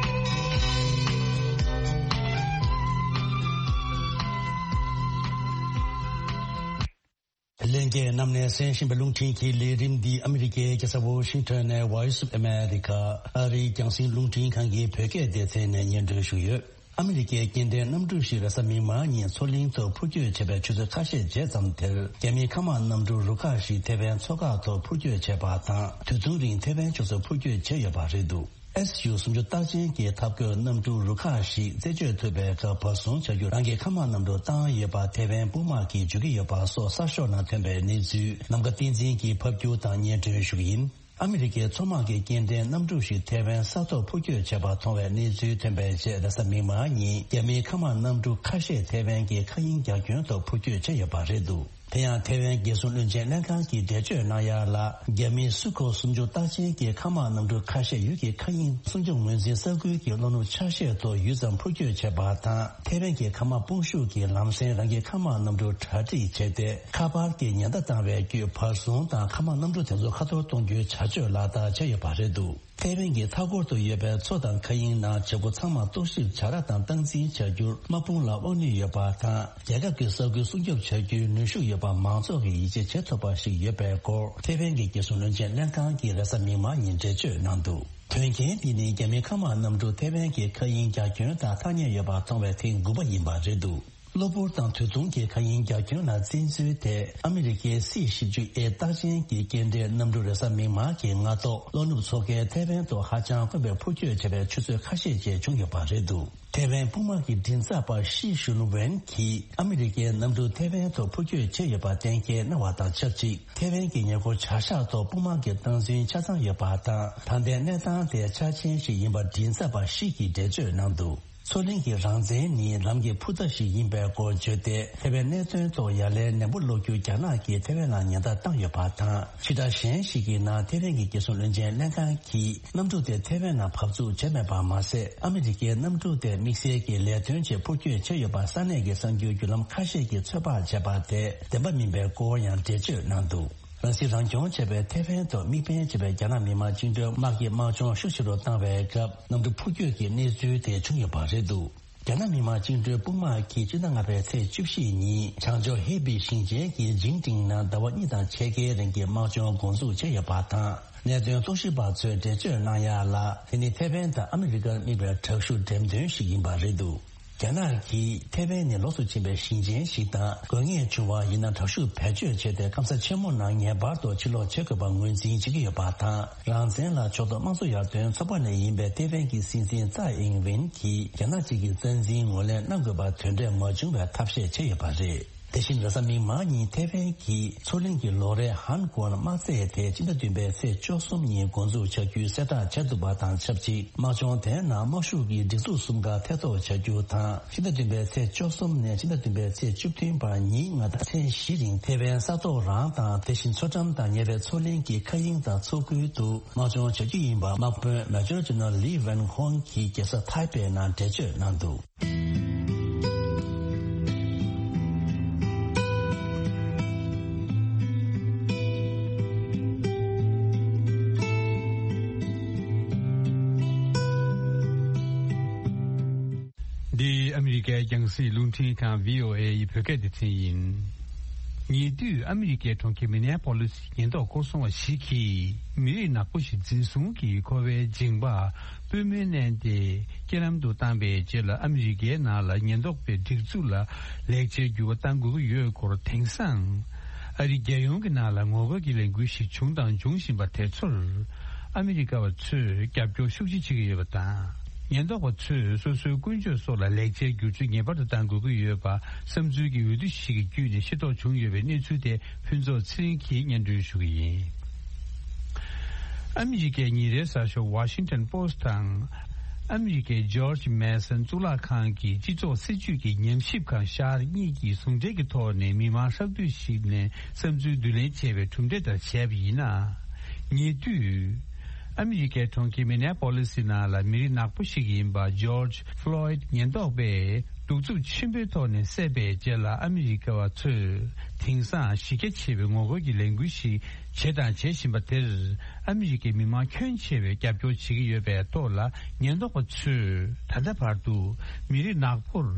ལྷན་རྒྱས་རྣམས་ནས་གསན་བཞིན་པའི་རླུང་འཕྲིན་གྱི་ལས་རིམ་འདི་ཨ་མི་རི་ཀའི་རྒྱལ་ས་ཝོ་ཤིང་ཊོན་ནས་Voice of America ཨ་རིའི་རྒྱང་སྲིང་རླུང་འཕྲིན་ཁང་གི་བོད་སྐད་སྡེ་ཚན་ནས་སྙན་སྒྲོན་ཞུས་ཡོད། ཨ་མི་རི་ཀའི་སྐྱེ་ལྡན་གནམ་གྲུ་ཞིག་རེས་གཟའ་མིག་དམར་ཉིན་མཚོ་གླིང་ཐོག་འཕུར་སྐྱོད་བྱས་པའི་ཆུ་ཚོད་ཁ་ཤས་རྗེས་ཙམ་དེར། རྒྱ་མིའི་མཁའ་དམག་གནམ་གྲུ་རུ་ཁག་ཞིག་ཐེ་ཝན་མཚོ་འགག་ཐོག་འཕུར་སྐྱོད་བྱས་པ་དང་། དུས་མཚུངས་རིང་ཐེ་ཝན་ཕྱོགས་སུ་འཕུར་སྐྱོད་བྱས་ཡོད་པ་རེད་འདུག་ཨེས་ཡུ་སུམ་ཅུ་རྟགས་ཅན་གྱི་འཐབ་རྒོལ་གནམ་གྲུ་རུ་ཁག་ཞིག་རྩད་གཅོད་ཐུབ་པའི་སྐབས་བར་སྲུང་བྱ་རྒྱུར་རང་གི་མཁའ་དམག་གནམ་གྲུ་བཏང་ཡོད་པ་ཐེ་ཝན་དཔུང་དམག་གིས་བརྗོད་ཀྱི་ཡོད་པ་སོགས་གསར་ཤོག་ནང་ཐོན་པའི་གནས་ཚུལ་ནམ་མཁའ་བསྟན་འཛིན་གྱིས་ཕབ་སྒྱུར་དང་སྙན་སྒྲོན་ཞུ་གི་ཡིན། ཨ་མི་རི་ཀའི་མཚོ་དམག་གི་སྐྱེ་ལྡན་གནམ་གྲུ་ཞིག་ཐེ་ཝན་ས་ཐོག་འཕུར་སྐྱོད་བྱས་པ་མཐོང་བའི་གནས་ཚུལ་ཐོན་པའི་རྗེས་རེས་གཟའ་མིག་དམར་ཉིན་རྒྱ་མིའི་མཁའ་དམག་གནམ་གྲུ་ཁ་ཤས་ཐེ་ཝན་གྱི་མཁའ་དབྱིངས་རྒྱ་ཁྱོན་ཐོག་འཕུར་སྐྱོད་བྱས་ཡོད་པ་རེད་འདུག་དེ་ཡང་ཐེ་ཝན་རྒྱལ་སྲུང་བློན་ཆེན་ལྷན་ཁང་གིས་འགྲེལ་བརྗོད་གནང་ཡ་ལ། རྒྱ་མིའི་སུ་ཁོ་སུམ་ཅུ་རྟགས་ཅན་གྱི་མཁའ་དམག་གནམ་གྲུ་ཁ་ཤས་ཡུལ་གྱི་མཁའ་དབྱིངས་སྲུང་སྐྱོབ་ངོས་འཛིན་ས་ཁུལ་གྱི་གློ་ནུབ་ཆ་ཤས་ཐོག་ཡུད་ཙམ་འཕུར་སྐྱོད་བྱས་པ་དང་། ཐེ་ཝན་གྱི་མཁའ་དམག་དཔུང་ཤུགས་ཀྱིས་ལམ་སེང་རང་གི་མཁའ་དམག་གནམ་གྲུ་གྲ་སྒྲིག་བྱས་ཏེ། ཁ་པར་གྱི་ཉེན་བརྡ་བཏང་བའི་བརྒྱུད་བར་སྲུང་དང་མཁའ་དམག་གནམ་གྲུ་དེ་ཚོ་ཁ་ཐོར་གཏོང་རྒྱུའི་བྱ་སྤྱོད་ལག་བསྟར་བྱས་ཡོད་པ་རེད་འདུག་ཐེ་ཝན་གྱི་མཐའ་འཁོར་དུ་ཡོད་པའི་མཚོ་དང་མཁའ་དབྱིངས་ནང་བྱེད་སྒོ་ཚང་མ་རྟོག་ཞིབ་བྱ་ར་དང་སྟངས་འཛིན་བྱ་རྒྱུར་དམག་དཔུང་ལ་དབང་ནུས་ཡོད་པ་དང་། རྒྱལ་ཁབ་ཀྱི་ས་ཁུལ་སྲུང་སྐྱོབ་བྱ་རྒྱུའི་ནུས་ཤུགས་ཡོད་པ་མང་ཚོགས་ཀྱིས་ཡིད་ཆེས་བྱེད་ཐུབ་པ་ཞིག་ཡོད་པའི་སྐོར་ཐེ་ཝན་གྱི་རྒྱལ་སྲུང་བློན་ཆེན་ལྷན་ཁང་གིས་རེས་གཟའ་མིག་དམར་ཉིན་འགྲེལ་བརྗོད་གནང་འདུག་དོན་རྐྱེན་འདི་ནི་རྒྱ་མིའི་མཁའ་དམག་གནམ་གྲུ་ཐེ་ཝན་གྱི་མཁའ་དབྱིངས་རྒྱ་ཁྱོན་དང་ཐག་ཉེ་ཡོད་པ་མཐོང་བའི་ཐེངས་དགུ་པ་ཡིན་པ་རེད་འདུག་གློ་བུར་དང་དུས་མཚུངས་ཀྱི་མཁའ་དབྱིངས་རྒྱ་ཁྱོན་ལ་བཙན་འཛུལ་ཐད་ཨ་མི་རི་ཀའི་སི་བཞི་བཅུ་ཨེ་རྟགས་ཅན་གྱི་སྐྱེལ་འདྲེན་གནམ་གྲུ་རེས་གཟའ་མིག་དམར་གྱི་སྔ་ཐོག་གློ་ནུབ་མཚོ་ཁའི་ཐེ་ཝན་ཐོག་ཧ་ཅང་དཀོན་པའི་འཕུར་སྐྱོད་བྱས་པའི་ཆུ་ཚོད་ཁ་ཤས་རྗེས་བྱུང་ཡོད་པ་རེད་འདུག་ཐེ་ཝན་དཔུང་དམག་གི་མགྲིན་ཚབ་པ་ཤི་ཞུན་ཝེན་གྱིས་ཨ་མི་རི་ཀའི་གནམ་གྲུ་ཐེ་ཝན་ཐོག་འཕུར་སྐྱོད་བྱས་ཡོད་པ་གཏན་འཁེལ་གནང་བ་དང་ཆབས་ཅིག་ཐེ་ཝན་གྱི་ཉེ་འཁོར་བྱ་གཞག་ཐོག་དཔུང་དམག་གི་སྟངས་འཛིན་ཆ་ཚང་ཡོད་པ་དང་། ད་ལྟའི་གནས་སྟངས་དེ་འཆར་ཅན་ཞིག་ཡིན་པ་མགྲིན་ཚབ་པ་ཤི་གིས་འགྲེལ་བརྗོད་གནང་འདུག་མཚོ་གླིང་གི་རང་བཙན་ནི་ལམ་གྱི་ཕུ་མདའ་ཞིག་ཡིན་པའི་སྐོར་བརྗོད་དེ། ཐེ་ཝན་གནད་དོན་ཐོག་ཡ་ལན་ནན་པོ་སློག་རྒྱུ་རྒྱ་ནག་གིས་ཐེ་ཝན་ལ་ཉེན་བརྡ་བཏང་ཡོད་པ་དང་། ཕྱི་དྲགས་གཞན་ཞིག་གི་ནང་ཐེ་ཝན་གྱི་རྒྱལ་སྲུང་བློན་ཆེན་ལྷན་ཁང་གིས་གནམ་གྲུ་དེ་ཐེ་ཝན་ནང་བབས་ཚུགས་བྱས་མེད་པ་མ་ཟད། ཨ་མི་རི་ཀའི་གནམ་གྲུ་དེ་དམིགས་བསལ་གྱི་ལས་དོན་ཆེད་འཕུར་སྐྱོད་བྱས་ཡོད་པ་ས་གནས་ཀྱི་གསར་འགྱུར་བརྒྱུད་ལམ་ཁ་ཤས་ཀྱིས་ཚོད་དཔག་བྱས་པ་དེ་བདེན་པ་མིན་པའི་སྐོར་ཡང་འགྲེལ་བརྗོད་གནང་འདུག་རང་སྲིད་རང་སྐྱོང་བྱས་པའི་ཐེ་ཝན་ཐོག་དམིགས་འབེན་བྱས་པའི་རྒྱ་ནག་མི་དམངས་བཅིངས་འགྲོལ་དམག་གི་དམག་སྦྱོང་ཤུགས་ཆེ་རུ་བཏང་བའི་སྐབས། གནམ་གྲུ་འཕུར་སྐྱོད་ཀྱི་གནས་ཚུལ་དེ་བྱུང་ཡོད་པ་རེད་འདུག་རྒྱ་ནག་མི་དམངས་བཅིངས་འགྲོལ་དཔུང་དམག་གིས་སྤྱི་ཟླ་ལྔ་པའི་ཚེས་བཅུ་བཞི་ཉིན་བྱང་ཕྱོགས་ཧེ་པི་ཞིང་ཆེན་གྱི་ཇིང་ཀྲིང་ནང་ཟླ་བ་གཉིས་དང་ཕྱེད་ཀའི་རིང་གི་དམག་སྦྱོང་འགོ་འཛུགས་བྱས་ཡོད་པ་དང་། གནད་དོན་རྟོག་ཞིབ་པ་ཚོས་འགྲེལ་བརྗོད་གནང་ཡ་ལ། དེ་ནི་ཐེ་ཝན་དང་ཨ་མི་རི་ཀར་དམིགས་པའི་དྲག་ཤུགས་འགྲེམས་སྟོན་ཞིག་ཡིན་པ་རེད་འདུག་རྒྱ་ནག་གིས་ཐེ་ཝན་ནི་ལོགས་སུ་ཕྱིན་པའི་ཞིང་ཆེན་ཞིག་དང་། དགོས་ངེས་བྱུང་བ་ཡིན་ན་དྲག་ཤུགས་བེད་སྤྱོད་བྱས་ཏེ་སྐམ་ས་ཆེན་མོ་ནང་ངེས་པར་དུ་ཕྱིར་ལོག་བྱེད་དགོས་པ་ངོས་འཛིན་བྱེད་ཀྱི་ཡོད་པ་དང་། རང་བཙན་ལ་ཕྱོགས་གཏོགས་དམངས་གཙོ་ཡར་ཐོན་ཚོགས་པ་ནས་ཡིན་པའི་ཐེ་ཝན་གྱི་སྲིད་འཛིན་ཙའེ་ཨིང་ཝེན་གྱིས་རྒྱ་ནག་གཅིག་གི་རྩ་འཛིན་ངོས་ལེན་གནང་དགོས་པ་དོན་འབྲས་མ་བྱུང་བའི་ཐབས་ཤེས་བྱས་ཡོད་པ་རེད། དེ་བཞིན་རེས་གཟའ་མིག་དམར་ཉིན་ཐེ་ཝན་གྱི་མཚོ་གླིང་གི་ལོ་རེའི་ཧན་གོན་དམག་རྩེད་དེ་སྤྱི་ཟླ་བདུན་པའི་ཚེས་བཅུ་གསུམ་ཉིན་འགོ་འཛུགས་བྱ་རྒྱུའི་གསལ་བསྒྲགས་བྱས་འདུག་པ་དང་ཆབས་ཅིག་དམག་སྦྱོང་དེའི་ནང་དམག་ཤུགས་ཀྱི་སྒྲིག་འཛུགས་གསུམ་ཀ་ཐེ་གཏོགས་བྱ་རྒྱུ་དང་། ཕྱི་ཟླ་བདུན་པའི་ཚེས་བཅུ་གསུམ་ནས་ཕྱི་ཟླ་བདུན་པའི་ཚེས་བཅུ་བདུན་བར་ཉིན་ལྔ་དང་ཚེས་བཞི་རིང་ཐེ་ཝན་ས་ཐོག་རང་དང་དེ་བཞིན་མཚོ་འགྲམ་དང་ཉེ་བའི་མཚོ་གླིང་གི་མཁའ་དབྱིངས་དང་མཚོ་ཁུལ་དུ་དམག་སྦྱོང་བྱ་རྒྱུ་ཡིན་པ་དམག་དཔོན་མེ་ཇར་ཇེ་ནེ་རལ་ལི་ཝན་ཧོང་གིས་རྒྱལ་ས་ཐའེ་པེ་ནང་འགྲེལ་བརྗོད་གནང་འདུག་འདི་ཨ་མི་རི་ཀའི་རྒྱང་སྲིང་རླུང་འཕྲིན་ཁང་བྷི་ཨོ་ཨེ་ཡི་བོད་སྐད་སྡེ་ཚན་ཡིན། ཉེ་དུས་ཨ་མི་རི་ཀའི་གྲོང་ཁྱེར་མི་ནེ་པོ་ལིས་ཉེན་རྟོག་སྐོར་སྲུང་བ་ཞིག་གིས་མི་རིགས་ནག་པོ་ཞིག་འཛིན་བཟུང་གིས་འཁོར་བའི་འགྱིང་བག་པུས་མོས་མནན་ཏེ་རྐྱེན་ལམ་དུ་བཏང་པའི་རྗེས་ལ། ཨ་མི་རི་ཀའི་ནང་ལ་ཉེན་རྟོག་པའི་སྒྲིག་འཛུགས་ལ་ལེགས་ཆའི་འགྱུར་བ་གཏང་དགོས་ཀྱི་ཡོད་སྐོར། དེང་སང་ཨ་རི་རྒྱལ་ཡོངས་ཀྱི་ནང་ལ་ངོ་རྒོལ་གྱི་ལས་འགུལ་ཞིག་བྱུང་དང་འབྱུང་བཞིན་པ་དེ་ཚོར་ཨ་མི་རི་ཀ་བ་ཚོས་རྒྱབ་སྐྱོར་ཤུགས་ཆེ་བྱེད་ཀྱི་ཡོད་པ་དང་། ཉེན་རྟོག་པ་ཚོས་སོ་སོའི་ཀུན་སྤྱོད་སོགས་ལ་ལེགས་ཆའི་བསྒྱུར་བཅོས་ངེས་པར་དུ་གཏང་དགོས་ཀྱི་ཡོད་པ་བསམ་ཚུལ་གྱི་འོས་བསྡུ་ཞིག་གི་བརྒྱུད་ནས་ཤེས་རྟོགས་བྱུང་ཡོད་པའི་གནས་ཚུལ་དེ་ཕུན་ཚོགས་ཚེ་རིང་གིས་སྙན་སྒྲོན་ཞུ་གི་ཡིན། ཨ་མི་རི་ཀའི་ཉིན་རེའི་གསར་ཤོག་ཝ་ཤིང་ཊོན་པོ་སི་ཊི་དང་། ཨ་མི་རི་ཀའི་ཇོརྗ་མེ་སོན་གཙུག་ལག་ཁང་གི་སྤྱི་ཚོགས་སྲིད་ཇུས་ཀྱི་ཉམས་ཞིབ་ཁང་ཤར་གཉིས་ཀྱིས་ཟུང་འབྲེལ་གྱི་ཐོག་ནས་མི་མང་ཧྲག་བསྡུས་ཤིག་ནས་བསམ་ཚུལ་བསྡུ་ལེན་བྱས་པའི་གྲུབ་འབྲས་ལྟར་བྱས་པ་ཡིན་ན། ཉེ་དུས། ཨ་མི་རི་ཀའི་གྲོང་ཁྱེར་མི་ནེ་པོ་ལི་སི་ནང་ལ་མི་རིགས་ནག་པོ་ཞིག་ཡིན་པ་ཇོརྗ་ཕློའིད་ཉེན་རྟོག་པས་གདུག་རྩུབ་ཆེན་པོའི་ཐོག་ནས་བསད་པའི་རྗེས་ལ། ཨ་མི་རི་ཀ་བ་ཚོས་དེང་སང་གཞི་རྒྱ་ཆེ་བའི་ངོ་རྒོལ་གྱི་ལས་འགུལ་ཞིག་བྱས་དང་བྱེད་བཞིན་པ་དེར། ཨ་མི་རི་ཀའི་མི་མང་ཁྱོན་ཆེ་བས་རྒྱབ་སྐྱོར་བྱེད་ཀྱི་ཡོད་པའི་ཐོག་ལ། ཉེན་རྟོག་པ་ཚོས་ད་ལྟ་བར་དུ་མི་རིགས་ནག་པོར་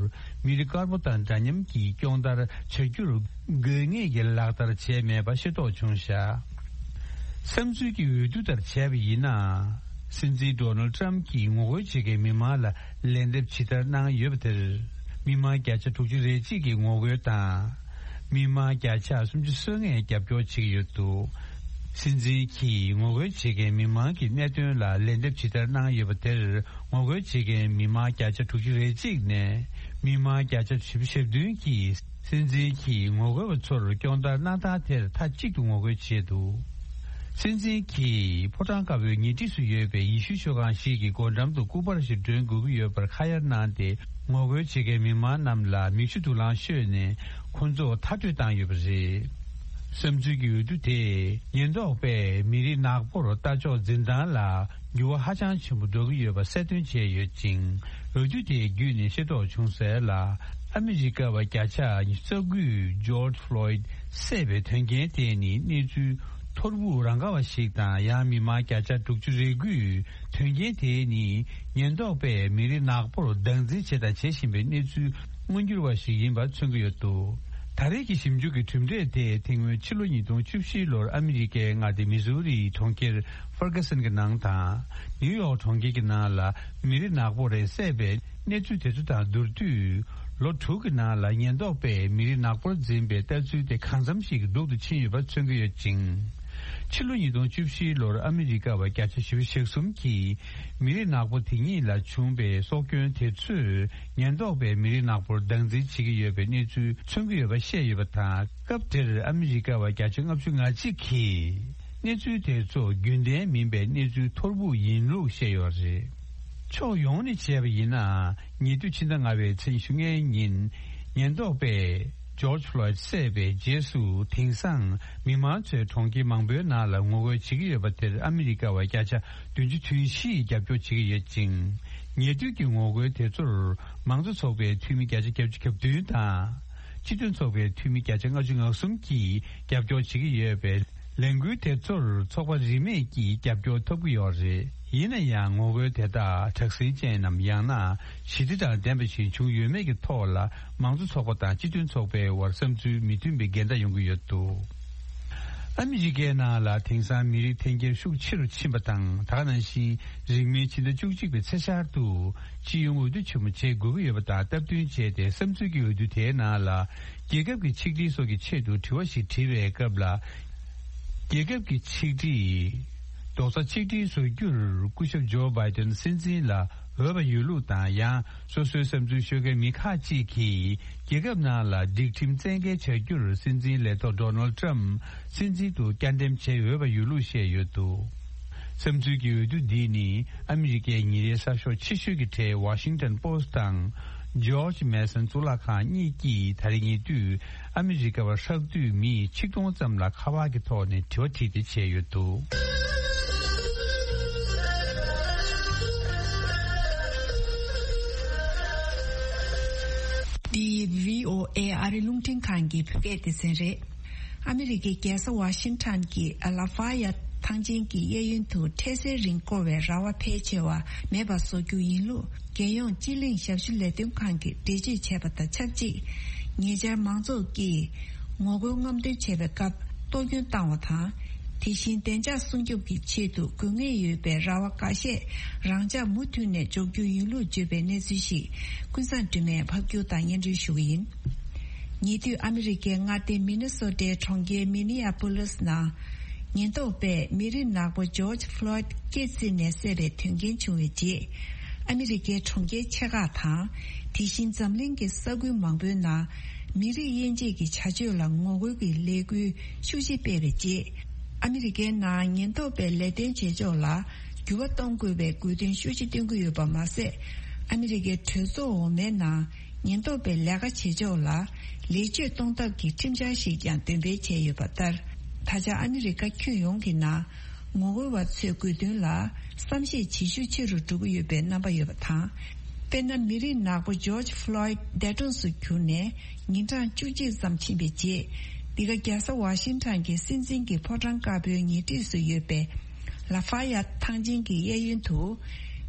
མི་རིགས་དཀར་པོ་དང་འདྲ་མཉམ་གྱི་སྐྱོང་བརྡར་བྱ་རྒྱུར་དགོས་ངེས་ཀྱི་ལག་བསྟར་བྱས་མེད་པ་ཤེས་རྟོགས་བྱུང་བཞག་བསམ་ཚུལ་གྱི་འོས་བསྡུ་ལྟར་བྱས་པ་ཡིན་ན། སྲིད་འཛིན་ཌོ་ནལ་ཊམ་གྱིས་ངོ་རྒོལ་བྱེད་མཁན་མི་མང་ལ་ལན་འདེབས་ཇི་ལྟར་གནང་ཡོད་པ་དེར། མི་མང་བརྒྱ་ཆ་དྲུག་ཅུ་རེ་གཅིག་གིས་ངོ་རྒོལ་དང་། མི་མང་བརྒྱ་ཆ་སུམ་ཅུ་སོ་ལྔས་རྒྱབ་སྐྱོར་བྱེད་ཀྱི་ཡོད་འདུག་སྲིད་འཛིན་གྱིས་ངོ་རྒོལ་བྱེད་མཁན་མི་མང་གི་གནད་དོན་ལ་ལན་འདེབས་ཇི་ལྟར་གནང་ཡོད་པ་དེར། ངོ་རྒོལ་བྱེད་མཁན་མི་མང་བརྒྱ་ཆ་དྲུག་ཅུ་རེ་གཅིག་ནས་མི་མང་བརྒྱ་ཆ་བཞི་བཅུ་ཞེ་བདུན་གྱིས། སྲིད་འཛིན་གྱིས་ངོ་རྒོལ་བ་ཚོར་སྐྱོང་བརྡར་གནང་སྟངས་དེར་མཐའ་གཅིག་ཏུ་ངོ་རྒོལ་བྱས་འདུག་སྲིད་འཛིན་གྱིས་ཕོ་བྲང་དཀར་པོའི་ཉེ་འཁྲིས་སུ་ཡོད་པའི་ཡེ་ཤུ་ཤོག་ཁང་ཞིག་གི་སྒོ་འགྲམ་དུ་སྐུ་པར་ཞིག་སྒྲོན་དགོས་ཀྱི་ཡོད་པར་ཁ་གཡར་གནང་སྟེ། ངོ་རྒོལ་བྱེད་མཁན་མི་མང་རྣམས་ལ་མིག་ཆུ་དུག་རླངས་བཤོས་ནས་ཁོང་ཚོ་མཐར་སྐྲོད་བཏང་ཡོད་པ་རེད། བསམ་ཚུལ་གྱི་འོས་བསྡུ་དེས་ཉེན་རྟོག་པས་མི་རིགས་ནག་པོར་ལྟ་ཕྱོགས་འཛིན་སྟངས་ལ། འགྱུར་བ་ཧ་ཅང་ཆེན་པོ་འགྲོ་གི་ཡོད་པ་གསལ་སྟོན་བྱས་ཡོད་ཅིང་། འོས་བསྡུ་དེ་བརྒྱུད་ནས་ཤེས་རྟོགས་བྱུང་གསལ་ལ། ཨ་མི་རི་ཀ་བ་བརྒྱ་ཆ་ཉི་ཤུ་རྩ་དགུས་ཇོརྗ་ཕློའིད་བསད་པའི་དོན་རྐྱེན་དེ་ནི་གནས་ཚུལ་ཐོར་བུ་རང་ག་བ་ཞིག་དང་། ཡང་མི་མང་བརྒྱ་ཆ་དྲུག་ཅུ་རེ་དགུས་དོན་རྐྱེན་དེ་ནི་ཉེན་རྟོག་པས་མི་རིགས་ནག་པོར་སྡང་འཛིན་བྱས་དང་བྱེད་བཞིན་པའི་གནས་ཚུལ་མངོན་འགྱུར་བ་ཞིག་ཡིན་པ་མཚོན་གྱི་ཡོད་འདུག་ད་རེས་ཀྱི་ཞིབ་འཇུག་གི་གྲུབ་འབྲས་དེ་དེ་སྔོན་ཕྱི་ལོ་ཉིས་སྟོང་བཅུ་བཞི་ལོར་ཨ་མི་རི་ཀའི་མངའ་སྡེ་མི་ཟུ་རིའི་གྲོང་ཁྱེར་ཧྥར་ག་སན་གྱི་ནང་དང་། ནིའུ་ཡོག་གྲོང་ཁྱེར་གྱི་ནང་ལ་མི་རིགས་ནག་པོ་རེ་བསད་པའི་གནས་ཚུལ་དེ་ཚོ་དང་བསྡུར་དུས། ལོ་དྲུག་གི་ནང་ལ་ཉེན་རྟོག་པས་མི་རིགས་ནག་པོར་འཛིན་པའི་ལྟ་ཚུལ་དེ་གང་འཚམ་ཞིག་གི་སྡུག་ཏུ་ཕྱིན་ཡོད་པ་མཚོན་གྱི་ཡོད་ཅིང་། ཕྱི་ལོ་ཉིས་སྟོང་བཅུ་བཞི་ལོར་ཨ་མི་རི་ཀ་བ་བརྒྱ་ཆ་བཞི་བཅུ་ཞེ་གསུམ་གྱིས་མི་རིགས་ནག་པོ་དེ་ཉིད་ལ་བྱུང་པའི་སྲོག་སྐྱོན་དེ་ཚོས། ཉེན་རྟོག་པས་མི་རིགས་ནག་པོར་སྡང་འཛིན་བྱེད་ཀྱི་ཡོད་པའི་གནས་ཚུལ་མཚོན་གྱི་ཡོད་པ་བཤད་ཡོད་པ་དང་། སྐབས་དེར་ཨ་མི་རི་ཀ་བ་བརྒྱ་ཆ་ལྔ་བཅུ་ང་གཅིག་གིས་གནས་ཚུལ་དེ་ཚོ་རྒྱུན་ལྡན་མིན་པའི་གནས་ཚུལ་ཐོར་བུ་ཡིན་ལུགས་བཤད་ཡོད་རེད། ཕྱོགས་ཡོངས་ནས་བྱས་པ་ཡིན་ན། ཉེ་དུས་ཕྱི་ཟླ་ལྔ་པའི་ཚེས་ཉི་ཤུ་ལྔའི་ཉིན། ཉེན་རྟོག་པས་ཇོརྗ་ཕློའིད་བསད་པའི་རྗེས་སུ། དེང་སང་མི་མང་ཚོས་གྲོང་ཁྱེར་མང་པོའི་ནང་ལ་ངོ་རྒོལ་བྱེད་ཀྱི་ཡོད་པ་དེར་ཨ་མི་རི་ཀ་བ་བརྒྱ་ཆ་བདུན་ཅུ་དོན་བཞིས་རྒྱབ་སྐྱོར་བྱེད་ཀྱི་ཡོད་ཅིང་། ཉེ་དུས་ཀྱི་ངོ་རྒོལ་དེ་ཚོར་མང་གཙོ་ཚོགས་པའི་འཐུས་མི་བརྒྱ་ཆ་བརྒྱད་ཅུ་གྱ་བདུན་དང་། སྤྱི་མཐུན་ཚོགས་པའི་འཐུས་མི་བརྒྱ་ཆ་ལྔ་བཅུ་ང་གསུམ་གྱིས་རྒྱབ་སྐྱོར་བྱེད་ཀྱི་ཡོད་པས། ལས་འགུལ་དེ་ཚོར་ཚོགས་པ་རིས་མེད་ཀྱིས་རྒྱབ་སྐྱོར་ཐོབ་ཀྱི་ཡོད་རེད། ཡིན་ན་ཡང་ངོ་རྒོལ་དེ་དག་དྲག་ཟིང་ཅན་ནམ། ཡང་ན་ཞི་བདེ་དང་ལྡན་པ་ཞིག་བྱུང་ཡོད་མེད་ཀྱི་ཐོག་ལ། མང་གཙོ་ཚོགས་པ་དང་སྤྱི་མཐུན་ཚོགས་པའི་དབར་བསམ་ཚུལ་མི་མཐུན་པའི་འགལ་ཟླ་ཡོང་གི་ཡོད་འདུག་ཨ་མི་རི་ཀའི་ནང་ལ་དེང་སང་མི་རིགས་འཐེན་འཁྱེར་ཤུགས་ཆེ་རུ་ཕྱིན་པ་དང་། ད་ག་ནང་བཞིན་རིང་མིན་ཕྱི་ཟླ་བཅུ་གཅིག་པའི་ཚེས་ཤར་དུ་སྤྱི་ཡོངས་འོས་བསྡུ་ཆེན་མོ་བྱེད་དགོས་ཀྱི་ཡོད་པ་དང་སྟབས་བསྟུན་བྱས་ཏེ། བསམ་ཚུལ་གྱི་འོས་བསྡུ་དེའི་ནང་ལ་རྒྱལ་ཁབ་ཀྱི་ཆིག་སྒྲིལ་སོགས་ཀྱི་ཆེད་དུ་དྲི་བ་ཞིག་དྲིས་པའི་སྐབས་ལ། རྒྱལ་ཁབ་ཀྱི་ཆིག་སྒྲིལ་རྡོག་རྩ་གཅིག་སྒྲིལ་བཟོ་རྒྱུར་སྐུ་ཞབས་ཇོ་བྷའི་ཏན་སྲིད་འཛིན་ལ་འོས་པ་ཡོད་ལུགས་དང་། ཡང་སོ་སོའི་བསམ་ཚུལ་ཤོད་མཁན་མི་ཁག་ཅིག་གིས་རྒྱལ་ཁབ་ནང་ལ་སྒྲིག་ཁྲིམས་བཙན་འགེལ་བྱ་རྒྱུར་སྲིད་འཛིན་ལས་ཐོག་ཌོ་ནལ་ཌི་ཊརམ་སྲིད་འཛིན་དུ་བསྐྱར་འདེམས་བྱེད་འོས་པ་ཡོད་ལུགས་བཤད་ཡོད་འདུག། བསམ་ཚུལ་གྱི་འོས་བསྡུ་འདི་ནི་ཨ་མི་རི་ཀའི་ཉིན་རེའི་གསར་ཤོག་ཆེ་ཤོས་ཀྱི་གྲས་Washington Post་དང་George Mason་གཙུག་ལག་ཁང་གཉིས་ཀྱིས་ད་རེས་ཉེ་དུས་ཨ་མི་རི་ཀ་བ་ཧྲག་བསྡུས་མི་ཆིག་སྟོང་ཙམ་ལ་ཁ་པར་གྱི་ཐོག་ནས་དྲི་བ་དྲིས་ཏེ་བྱས་ཡོད་འདུག། འདི་བྷི་ཨོ་ཨེ་ཨ་རི་རླུང་འཕྲིན་ཁང་གི་བོད་སྐད་སྡེ་ཚན་རེད། ཨ་མི་རི་ཀའི་རྒྱལ་ས་ཝ་ཤིང་ཊོན་གྱི་ལ་ཧྥ་ཡ་ཐང་ཆེན་གྱི་གཡས་གཡོན་དུ་འཕྲལ་སེལ་རིང་བསྐོར་བའི་ར་བ་ཕལ་ཆེ་བ་མེད་པ་བཟོ་རྒྱུ་ཡིན་ལུགས། རྒྱལ་ཡོངས་སྤྱི་གླིང་ཞབས་ཞུ་ལས་དོན་ཁང་གིས་འགྲེལ་བརྗོད་བྱས་པ་དང་ཆབས་ཅིག་ཉེ་ཆར་མང་ཚོགས་ཀྱིས་ངོ་རྒོལ་རྔམ་སྟོན་བྱས་པའི་སྐབས་གཏོར་སྐྱོན་བཏང་བ་དང་། དེ་བཞིན་བདེ་འཇགས་སྲུང་སྐྱོབ་ཀྱི་ཆེད་དུ་དགོས་ངེས་ཡོད་པའི་ར་བ་འགའ་ཤས་རང་འཇགས་མུ་མཐུད་ནས་འཇོག་རྒྱུ་ཡིན་ལུགས་བརྗོད་པའི་གནས་ཚུལ་ཞིག་ཀུན་བཟང་སྒྲོལ་མས་ཕབ་སྒྱུར་དང་སྙན་སྒྲོན་ཞུ་གི་ཡིན། ཉེ་དུས་ཨ་མི་རི་ཀའི་མངའ་སྡེ་མི་ནི་སོ་ཊའི་གྲོང་ཁྱེར་མི་ནི་ཨ་པོ་ལིས་ནང་ཉེན་རྟོག་པས་མི་རིགས་ནག་པོ་ཇོརྗ་ཕློའིད་སྐེ་བཙིར་ནས་བསད་པའི་དོན་རྐྱེན་བྱུང་བའི་རྗེས། ཨ་མི་རི་ཀའི་གྲོང་ཁྱེར་ཆེ་ཁག་དང་། དེ་བཞིན་འཛམ་གླིང་གི་ས་ཁུལ་མང་པོའི་ནང་མི་རིགས་དབྱེ་འབྱེད་ཀྱི་བྱ་སྤྱོད་ལ་ངོ་རྒོལ་གྱི་ལས་འགུལ་ཤུགས་ཆེ་སྤེལ་བའི་རྗེས། ཨ་མི་རི་ཀའི་ནང་ཉེན་རྟོག་པའི་ལས་དོན་བྱེད་ཕྱོགས་ལ་འགྱུར་བ་གཏོང་དགོས་པའི་དགོས་འདུན་ཤུགས་ཆེ་བཏོན་གྱི་ཡོད་པ་མ་ཟད། ཨ་མི་རི་ཀའི་གྲོས་ཚོགས་འོག་མའི་ནང་ཉེན་རྟོག་པའི་ལས་ཀ་བྱེད་ཕྱོགས་ལ་ལེགས་བཅོས་གཏོང་ཐབས་ཀྱི་ཁྲིམས་འཆར་ཞིག་ཀྱང་འདོན་སྤེལ་བྱས་ཡོད་པ་ལྟར། ད་ཆ་ཨ་མི་རི་ཀ་ཁྱོན་ཡོངས་ཀྱི་ནང་ངོ་རྒོལ་བ་ཚོའི་དགོས་འདུན་ལ་བསམ་ཤེས་བྱེད་ཤུགས་ཆེ་རུ་འགྲོ་གི་ཡོད་པའི་རྣམ་པ་ཡོད་པ་དང་། དཔེར་ན། མི་རིགས་ནག་པོ་ཇོརྗ་ཕློའིད་འདས་གྲོངས་སུ་གྱུར་ནས་ཉིན་གྲངས་བཅུ་གཅིག་ཙམ་ཕྱིན་པའི་རྗེས། འདི་ག་རྒྱལ་ས་ཝ་ཤིང་ཊོན་གྱི་སྲིད་འཛིན་གྱི་ཕོ་བྲང་དཀར་པོའི་ཉེ་འཁྲིས་སུ་ཡོད་པའི་ལ་ཧྥ་ཡ་ཐང་ཆེན་གྱི་གཡས་གཡོན་དུ་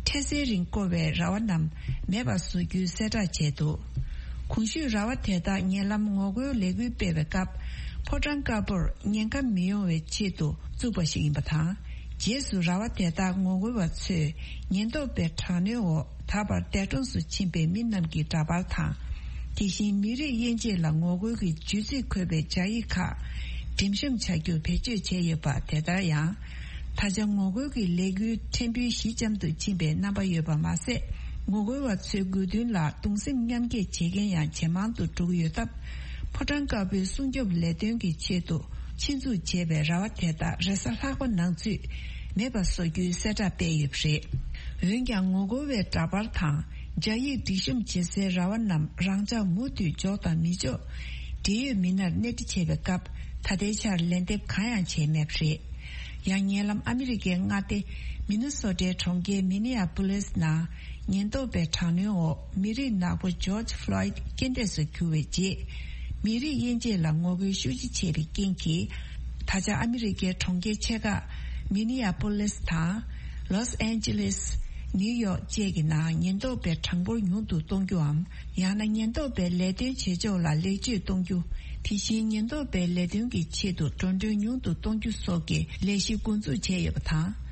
འཕྲལ་སེལ་རིང་བསྐོར་བའི་ར་བ་རྣམས་མེད་པར་བཟོ་རྒྱུའི་གསལ་བསྒྲགས་བྱས་འདུག། གོང་ཞུས་ར་བ་དེ་དག་ཉེ་ལམ་ངོ་རྒོལ་ལས་འགུལ་སྤེལ་བའི་སྐབས། ཕོ་བྲང་དཀར་པོར་ཉེན་ཁ་མི་ཡོང་བའི་ཆེད་དུ་བཙུགས་པ་ཞིག་ཡིན་པ་དང་། རྗེས་སུ་ར་བ་དེ་དག་ངོ་རྒོལ་བ་ཚོས་ཉེན་རྟོག་པའི་དྲག་གནོན་འོག་ད་བར་འདས་གྲོངས་སུ་ཕྱིན་པའི་མི་རྣམས་ཀྱི་འདྲ་པར་དང་། དེ་བཞིན་མི་རིགས་དབྱེ་འབྱེད་ལ་ངོ་རྒོལ་གྱི་བརྗོད་ཚིག་འཁོད་པའི་སྦྱར་ཡིག་ཁག་འགྲེམས་བཤམས་བྱ་རྒྱུ་བེད་སྤྱོད་བྱས་ཡོད་པ། དེ་ལྟར་ཡང་། ད་ཆ་ངོ་རྒོལ་གྱི་ལས་འགུལ་ཕྲན་བུ་ཞི་འཇམ་དུ་ཕྱིན་པའི་རྣམ་པ་ཡོད་པ་མ་ཟད། ངོ་རྒོལ་བ་ཚོའི་དགོས་འདུན་ལ་གདུང་སེམས་མཉམ་སྐྱེད་བྱེད་མཁན་ཡང་ཇེ་མང་དུ་འགྲོ་གི་ཡོད་སྟབས། ཕོ་བྲང་དཀར་པོའི་སྲུང་སྐྱོབ་ལས་དོན་གྱི་ཆེད་དུ་ཆེད་འཛུགས་བྱས་པའི་ར་བ་དེ་དག་རེས་གཟའ་ལྷག་པ་ནང་ཚུད་མེད་པ་བཟོ་རྒྱུའི་གསལ་བསྒྲགས་སྤེལ་ཡོད་པ་རེད། འོན་ཀྱང་། ངོ་རྒོལ་བའི་འདྲ་པར་དང་སྦྱར་ཡིག་སྒྲིག་གཤོམ་བྱེད་སའི་ར་བ་རྣམས་རང་འཇགས་མུ་མཐུད་འཇོག་དང་མི་འཇོག་འབྲེལ་ཡོད་མི་སྣར་སྣེ་ཁྲིད་བྱས་པའི་སྐབས། ད་ལྟའི་ཆར་ལན་འདེབས་གང་ཡང་བྱས་མེད་པ་རེད། ཡང་། ཉེ་ལམ་ཨ་མི་རི་ཀའི་མངའ་སྡེ་མི་ནི་སོ་ཊའི་གྲོང་ཁྱེར་མི་ནི་ཨ་པོ་ལིས་ནང་ཉེན་རྟོག་པའི་དྲག་གནོན་འོག་མི་རིགས་ནག་པོ་ཇོརྗ་ཕློའིད་རྐྱེན་འདས་སུ་གྱུར་བའི་རྗེས། མི་རིགས་དབྱེ་འབྱེད་ལ་ངོ་རྒོལ་ཤུགས་ཆེ་བྱས་པའི་རྐྱེན་གྱིས། ད་ཆ་ཨ་མི་རི་ཀའི་གྲོང་ཁྱེར་ཆེ་ཁག་མི་ནི་ཨ་པོ་ལིས་དང་། ལོས་ཨན་ཇི་ལིས། ནིའུ་ཡོག་བཅས་ཀྱི་ནང་ཉེན་རྟོག་པའི་གྲངས་འབོར་ཉུང་དུ་གཏོང་རྒྱུའམ། ཡང་ན་ཉེན་རྟོག་པའི་ལས་དོན་བྱེད་ཕྱོགས་ལ་ལེགས་བཅོས་གཏོང་རྒྱུ། དེ་བཞིན་ཉེན་རྟོག་པའི་ལས་དོན་གྱི་ཆེད་དུ་འགྲོ་གྲོན་ཉུང་དུ་གཏོང་རྒྱུ་སོགས་ཀྱི་ལས་གཞི་འགོ་འཛུགས་བྱས་ཡོད་པ་དང་།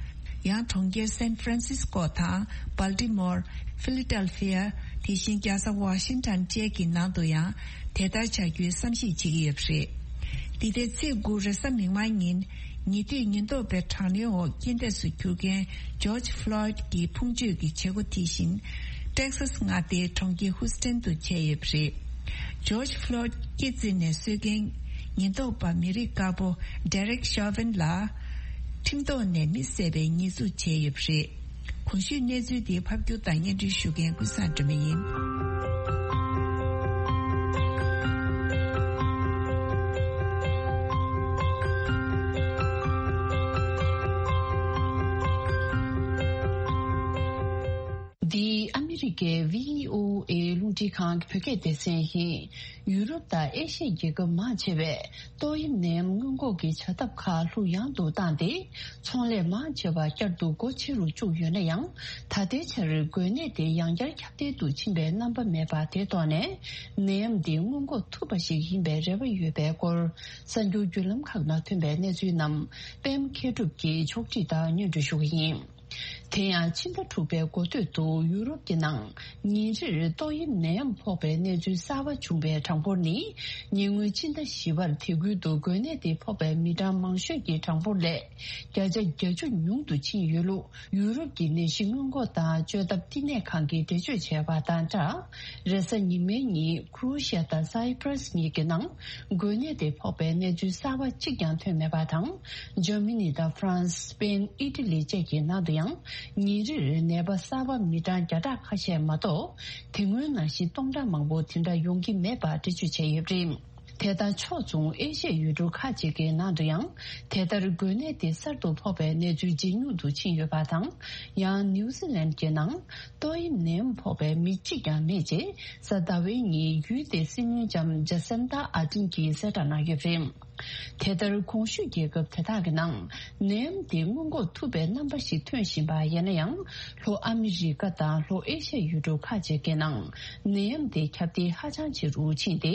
ཡང་། གྲོང་ཁྱེར་སན་ཧྥ་རན་སིས་ཀོ་དང་། སྦལ་ཏི་མོར། ཧྥི་ལི་ཏལ་ཧྥི་ཡ། དེ་བཞིན་རྒྱལ་ས་ཝ་ཤིང་ཊོན་བཅས་ཀྱི་ནང་དུ་ཡང་དེ་ལྟར་བྱ་རྒྱུའི་བསམ་གཞིག་བྱེད་ཀྱི་ཡོད་པ་རེད། འདི་ཟླའི་ཚེས་དགུ་རེས་གཟའ་མིག་དམར་ཉིན། ཉེ་དུས་ཉེན་རྟོག་པའི་དྲག་གནོན་འོག་རྐྱེན་འདས་སུ་གྱུར་མཁན་ཇོརྗ་ཕློའིད་ཀྱི་ཕུང་མཆོད་ཀྱི་བྱེད་སྒོ་དེ་བཞིན། ཏེག་སཱས་མངའ་སྡེའི་གྲོང་ཁྱེར་ཧུ་སི་ཐན་དུ་བྱས་ཡོད་པ་རེད། ཇོརྗ་ཕློའིད་སྐེ་བཙིར་ནས་གསོད་མཁན་ཉེན་རྟོག་པ་མི་རིགས་དཀར་པོ་ཌེ་རེག་ཤོ་ཝིན་ལ་ཁྲིམས་ཐོག་ནས་མི་བསད་པའི་ཉེས་འཛུགས་བྱས་ཡོད་པ་རེད། གོང་ཞུས་གནས་ཚུལ་འདི་ཕབ་སྒྱུར་དང་སྙན་སྒྲོན་ཞུ་མཁན་ཀུན་བཟང་སྒྲོལ་མ་ཡིན། འདི་ཨ་མི་རི་ གི་བྷི་ཨོ་ཨེ་རླུང་འཕྲིན་ཁང་གི་བོད་སྐད་སྡེ་ཚན་ཡིན། ཡུ་རོབ་དང་ཨེ་ཤི་ཡའི་རྒྱལ་ཁབ་མང་ཆེ་བས་ཏོག་དབྱིབས་ནད་ཡམས་སྔོན་འགོག་གི་བྱ་ཐབས་ཁག་ལྷུག་ཡངས་དུ་བཏང་སྟེ། ཚོང་ལས་མང་ཆེ་བ་བསྐྱར་དུ་སྒོ་ཕྱེ་རུ་བཅུག་ཡོད་ན་ཡང་། ད་ལྟའི་ཆར་འགོས་ནད་དེ་ཡང་བསྐྱར་ཁྱབ་གདལ་དུ་ཕྱིན་པའི་རྣམ་པ་མེད་པ་དེ་ཐོག་ནས། ནད་ཡམས་འདི་སྔོན་འགོག་ཐུབ་པ་ཞིག་ཡིན་པའི་རེ་བ་ཡོད་པའི་སྐོར། གསར་འགྱུར་བརྒྱུད་ལམ་ཁག་ནང་ཐོན་པའི་གནས་ཚུལ་རྣམས་པད་མ་མཁས་གྲུབ་ཀྱིས་ཕྱོགས་སྒྲིག་དང་སྙན་སྒྲོན་ཞུ་གི་ཡིན། དེ་ཡང་ཕྱི་ཟླ་དྲུག་པའི་འགོ་སྟོད་དུ་ཡུ་རོབ་ཀྱི་ནང་ཉིན་རེར་ཏོག་དབྱིབས་ནད་ཡམས་ཕོག་པའི་གནས་ཚུལ་གསར་པ་བྱུང་བའི་གྲངས་འབོར་ནི། ཉེ་སྔོན་ཕྱི་ཟླ་བཞི་པར་དེ་ཁུལ་དུ་འགོས་ནད་དེ་ཕོག་པའི་མི་གྲངས་མང་ཤོས་ཀྱི་གྲངས་འབོར་ལས་བརྒྱ་ཆ་བརྒྱད་ཅུ་ཉུང་དུ་ཕྱིན་ཡོད་ལུགས། ཡུ་རོབ་ཀྱི་ནད་གཞི་སྔོན་འགོག་དང་བཅོས་ཐབས་བསྟི་གནས་ཁང་གིས་འགྲེལ་བརྗོད་བྱས་པ་དང་སྦྲགས། རེས་གཟའ་ཉི་མའི་ཉིན་ཁུ་རོ་ཤི་ཡ་དང་སའི་པྲ་སི་གཉིས་ཀྱི་ནང་འགོས་ནད་དེ་ཕོག་པའི་གནས་ཚུལ་གསར་པ་གཅིག་ཀྱང་ཐོན་མེད་པ་དང་། འཇར་མ་ནི་དང་ཧྥ་རན་སི། སྤེན། ཨི་ཊ་ལི་བཅས་ཀྱི་ནང་དུ་ཡང་ཉིན་རེར་ནད་པ་གསར་པ་མི་གྲངས་བརྒྱ་ཕྲག་ཁ་ཤས་མ་གཏོགས། དེ་སྔོན་ནང་བཞིན་སྟོང་ཕྲག་མང་པོ་དེ་འདྲ་ཡོང་གི་མེད་པ་འགྲེལ་བརྗོད་བྱས་ཡོད་པ་རེད། དེ་དང་ཕྱོགས་མཚུངས་ཨེ་ཤ་ཡའི་ཡུལ་གྲུ་ཁག་ཅིག་གི་ནང་དུ་ཡང་། དེ་ལྟར་འགོས་ནད་དེ་གསར་དུ་ཕོག་པའི་གནས་ཚུལ་ཇེ་ཉུང་དུ་ཕྱིན་ཡོད་པ་དང་། ཡང་ནིའུ་ཛི་ལན་གྱི་ནང་ཏོག་དབྱིབས་ནད་ཡམས་ཕོག་པའི་མི་གཅིག་ཀྱང་མེད་ཅེས། གཟའ་ཟླ་བའི་ཉིན་ཡུལ་དེའི་སྲིད་བློན་ལྕམ་ཇ་སན་ཏཱ་ཨར་ཌེན་གྱིས་གསལ་བསྒྲགས་གནང་ཡོད་པ་རེད། དེ་ལྟར་གོང་ཞུས་རྒྱལ་ཁབ་དེ་དག་གི་ནང་ནད་ཡམས་དེ་སྔོན་འགོག་ཐུབ་པའི་རྣམ་པ་ཞིག་ཐོན་བཞིན་པ་ཡིན་ན་ཡང་། ལྷོ་ཨ་མི་རི་ཀ་དང་ལྷོ་ཨེ་ཤ་ཡའི་ཡུལ་གྲུ་ཁག་ཅིག་གི་ནང་ནད་ཡམས་དེ་ཁྱབ་གདལ་ཧ་ཅང་ཆེ་རུ་ཕྱིན་ཏེ།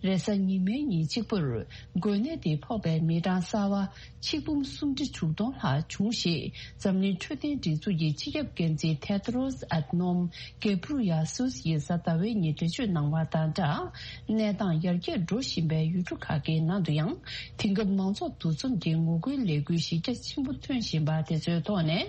རེས་གཟའ་ཉི་མའི་ཉིན་གཅིག་པུར་འགོས་ནད་དེ་ཕོག་པའི་མི་གྲངས་གསར་བ་ཆིག་འབུམ་སུམ་ཁྲི་དྲུག་སྟོང་ལྷག་བྱུང་ཞེས། འཛམ་གླིང་འཕྲོད་བསྟེན་སྒྲིག་འཛུགས་ཀྱི་སྤྱི་ཁྱབ་འགན་འཛིན་ཐེ་ཏྲོ་སི་ཨེ་ཏ་ནོམ་གེ་བྷུ་རུ་ཡ་སུས་ཡིས་གཟའ་ཟླ་བའི་ཉིན་འགྲེལ་བརྗོད་གནང་བ་དང་སྦྲགས། གནས་སྟངས་ཡར་རྒྱས་འགྲོ་བཞིན་པའི་ཡུལ་གྲུ་ཁག་གི་ནང་དུ་ཡང་། དེང་སྐབས་མང་ཚོགས་འདུ་འཛོམས་ཀྱི་ངོ་རྒོལ་ལས་འགུལ་གཞི་རྒྱ་ཆེན་པོ་ཐོན་བཞིན་པ་དེ་ཚོའི་ཐོག་ནས།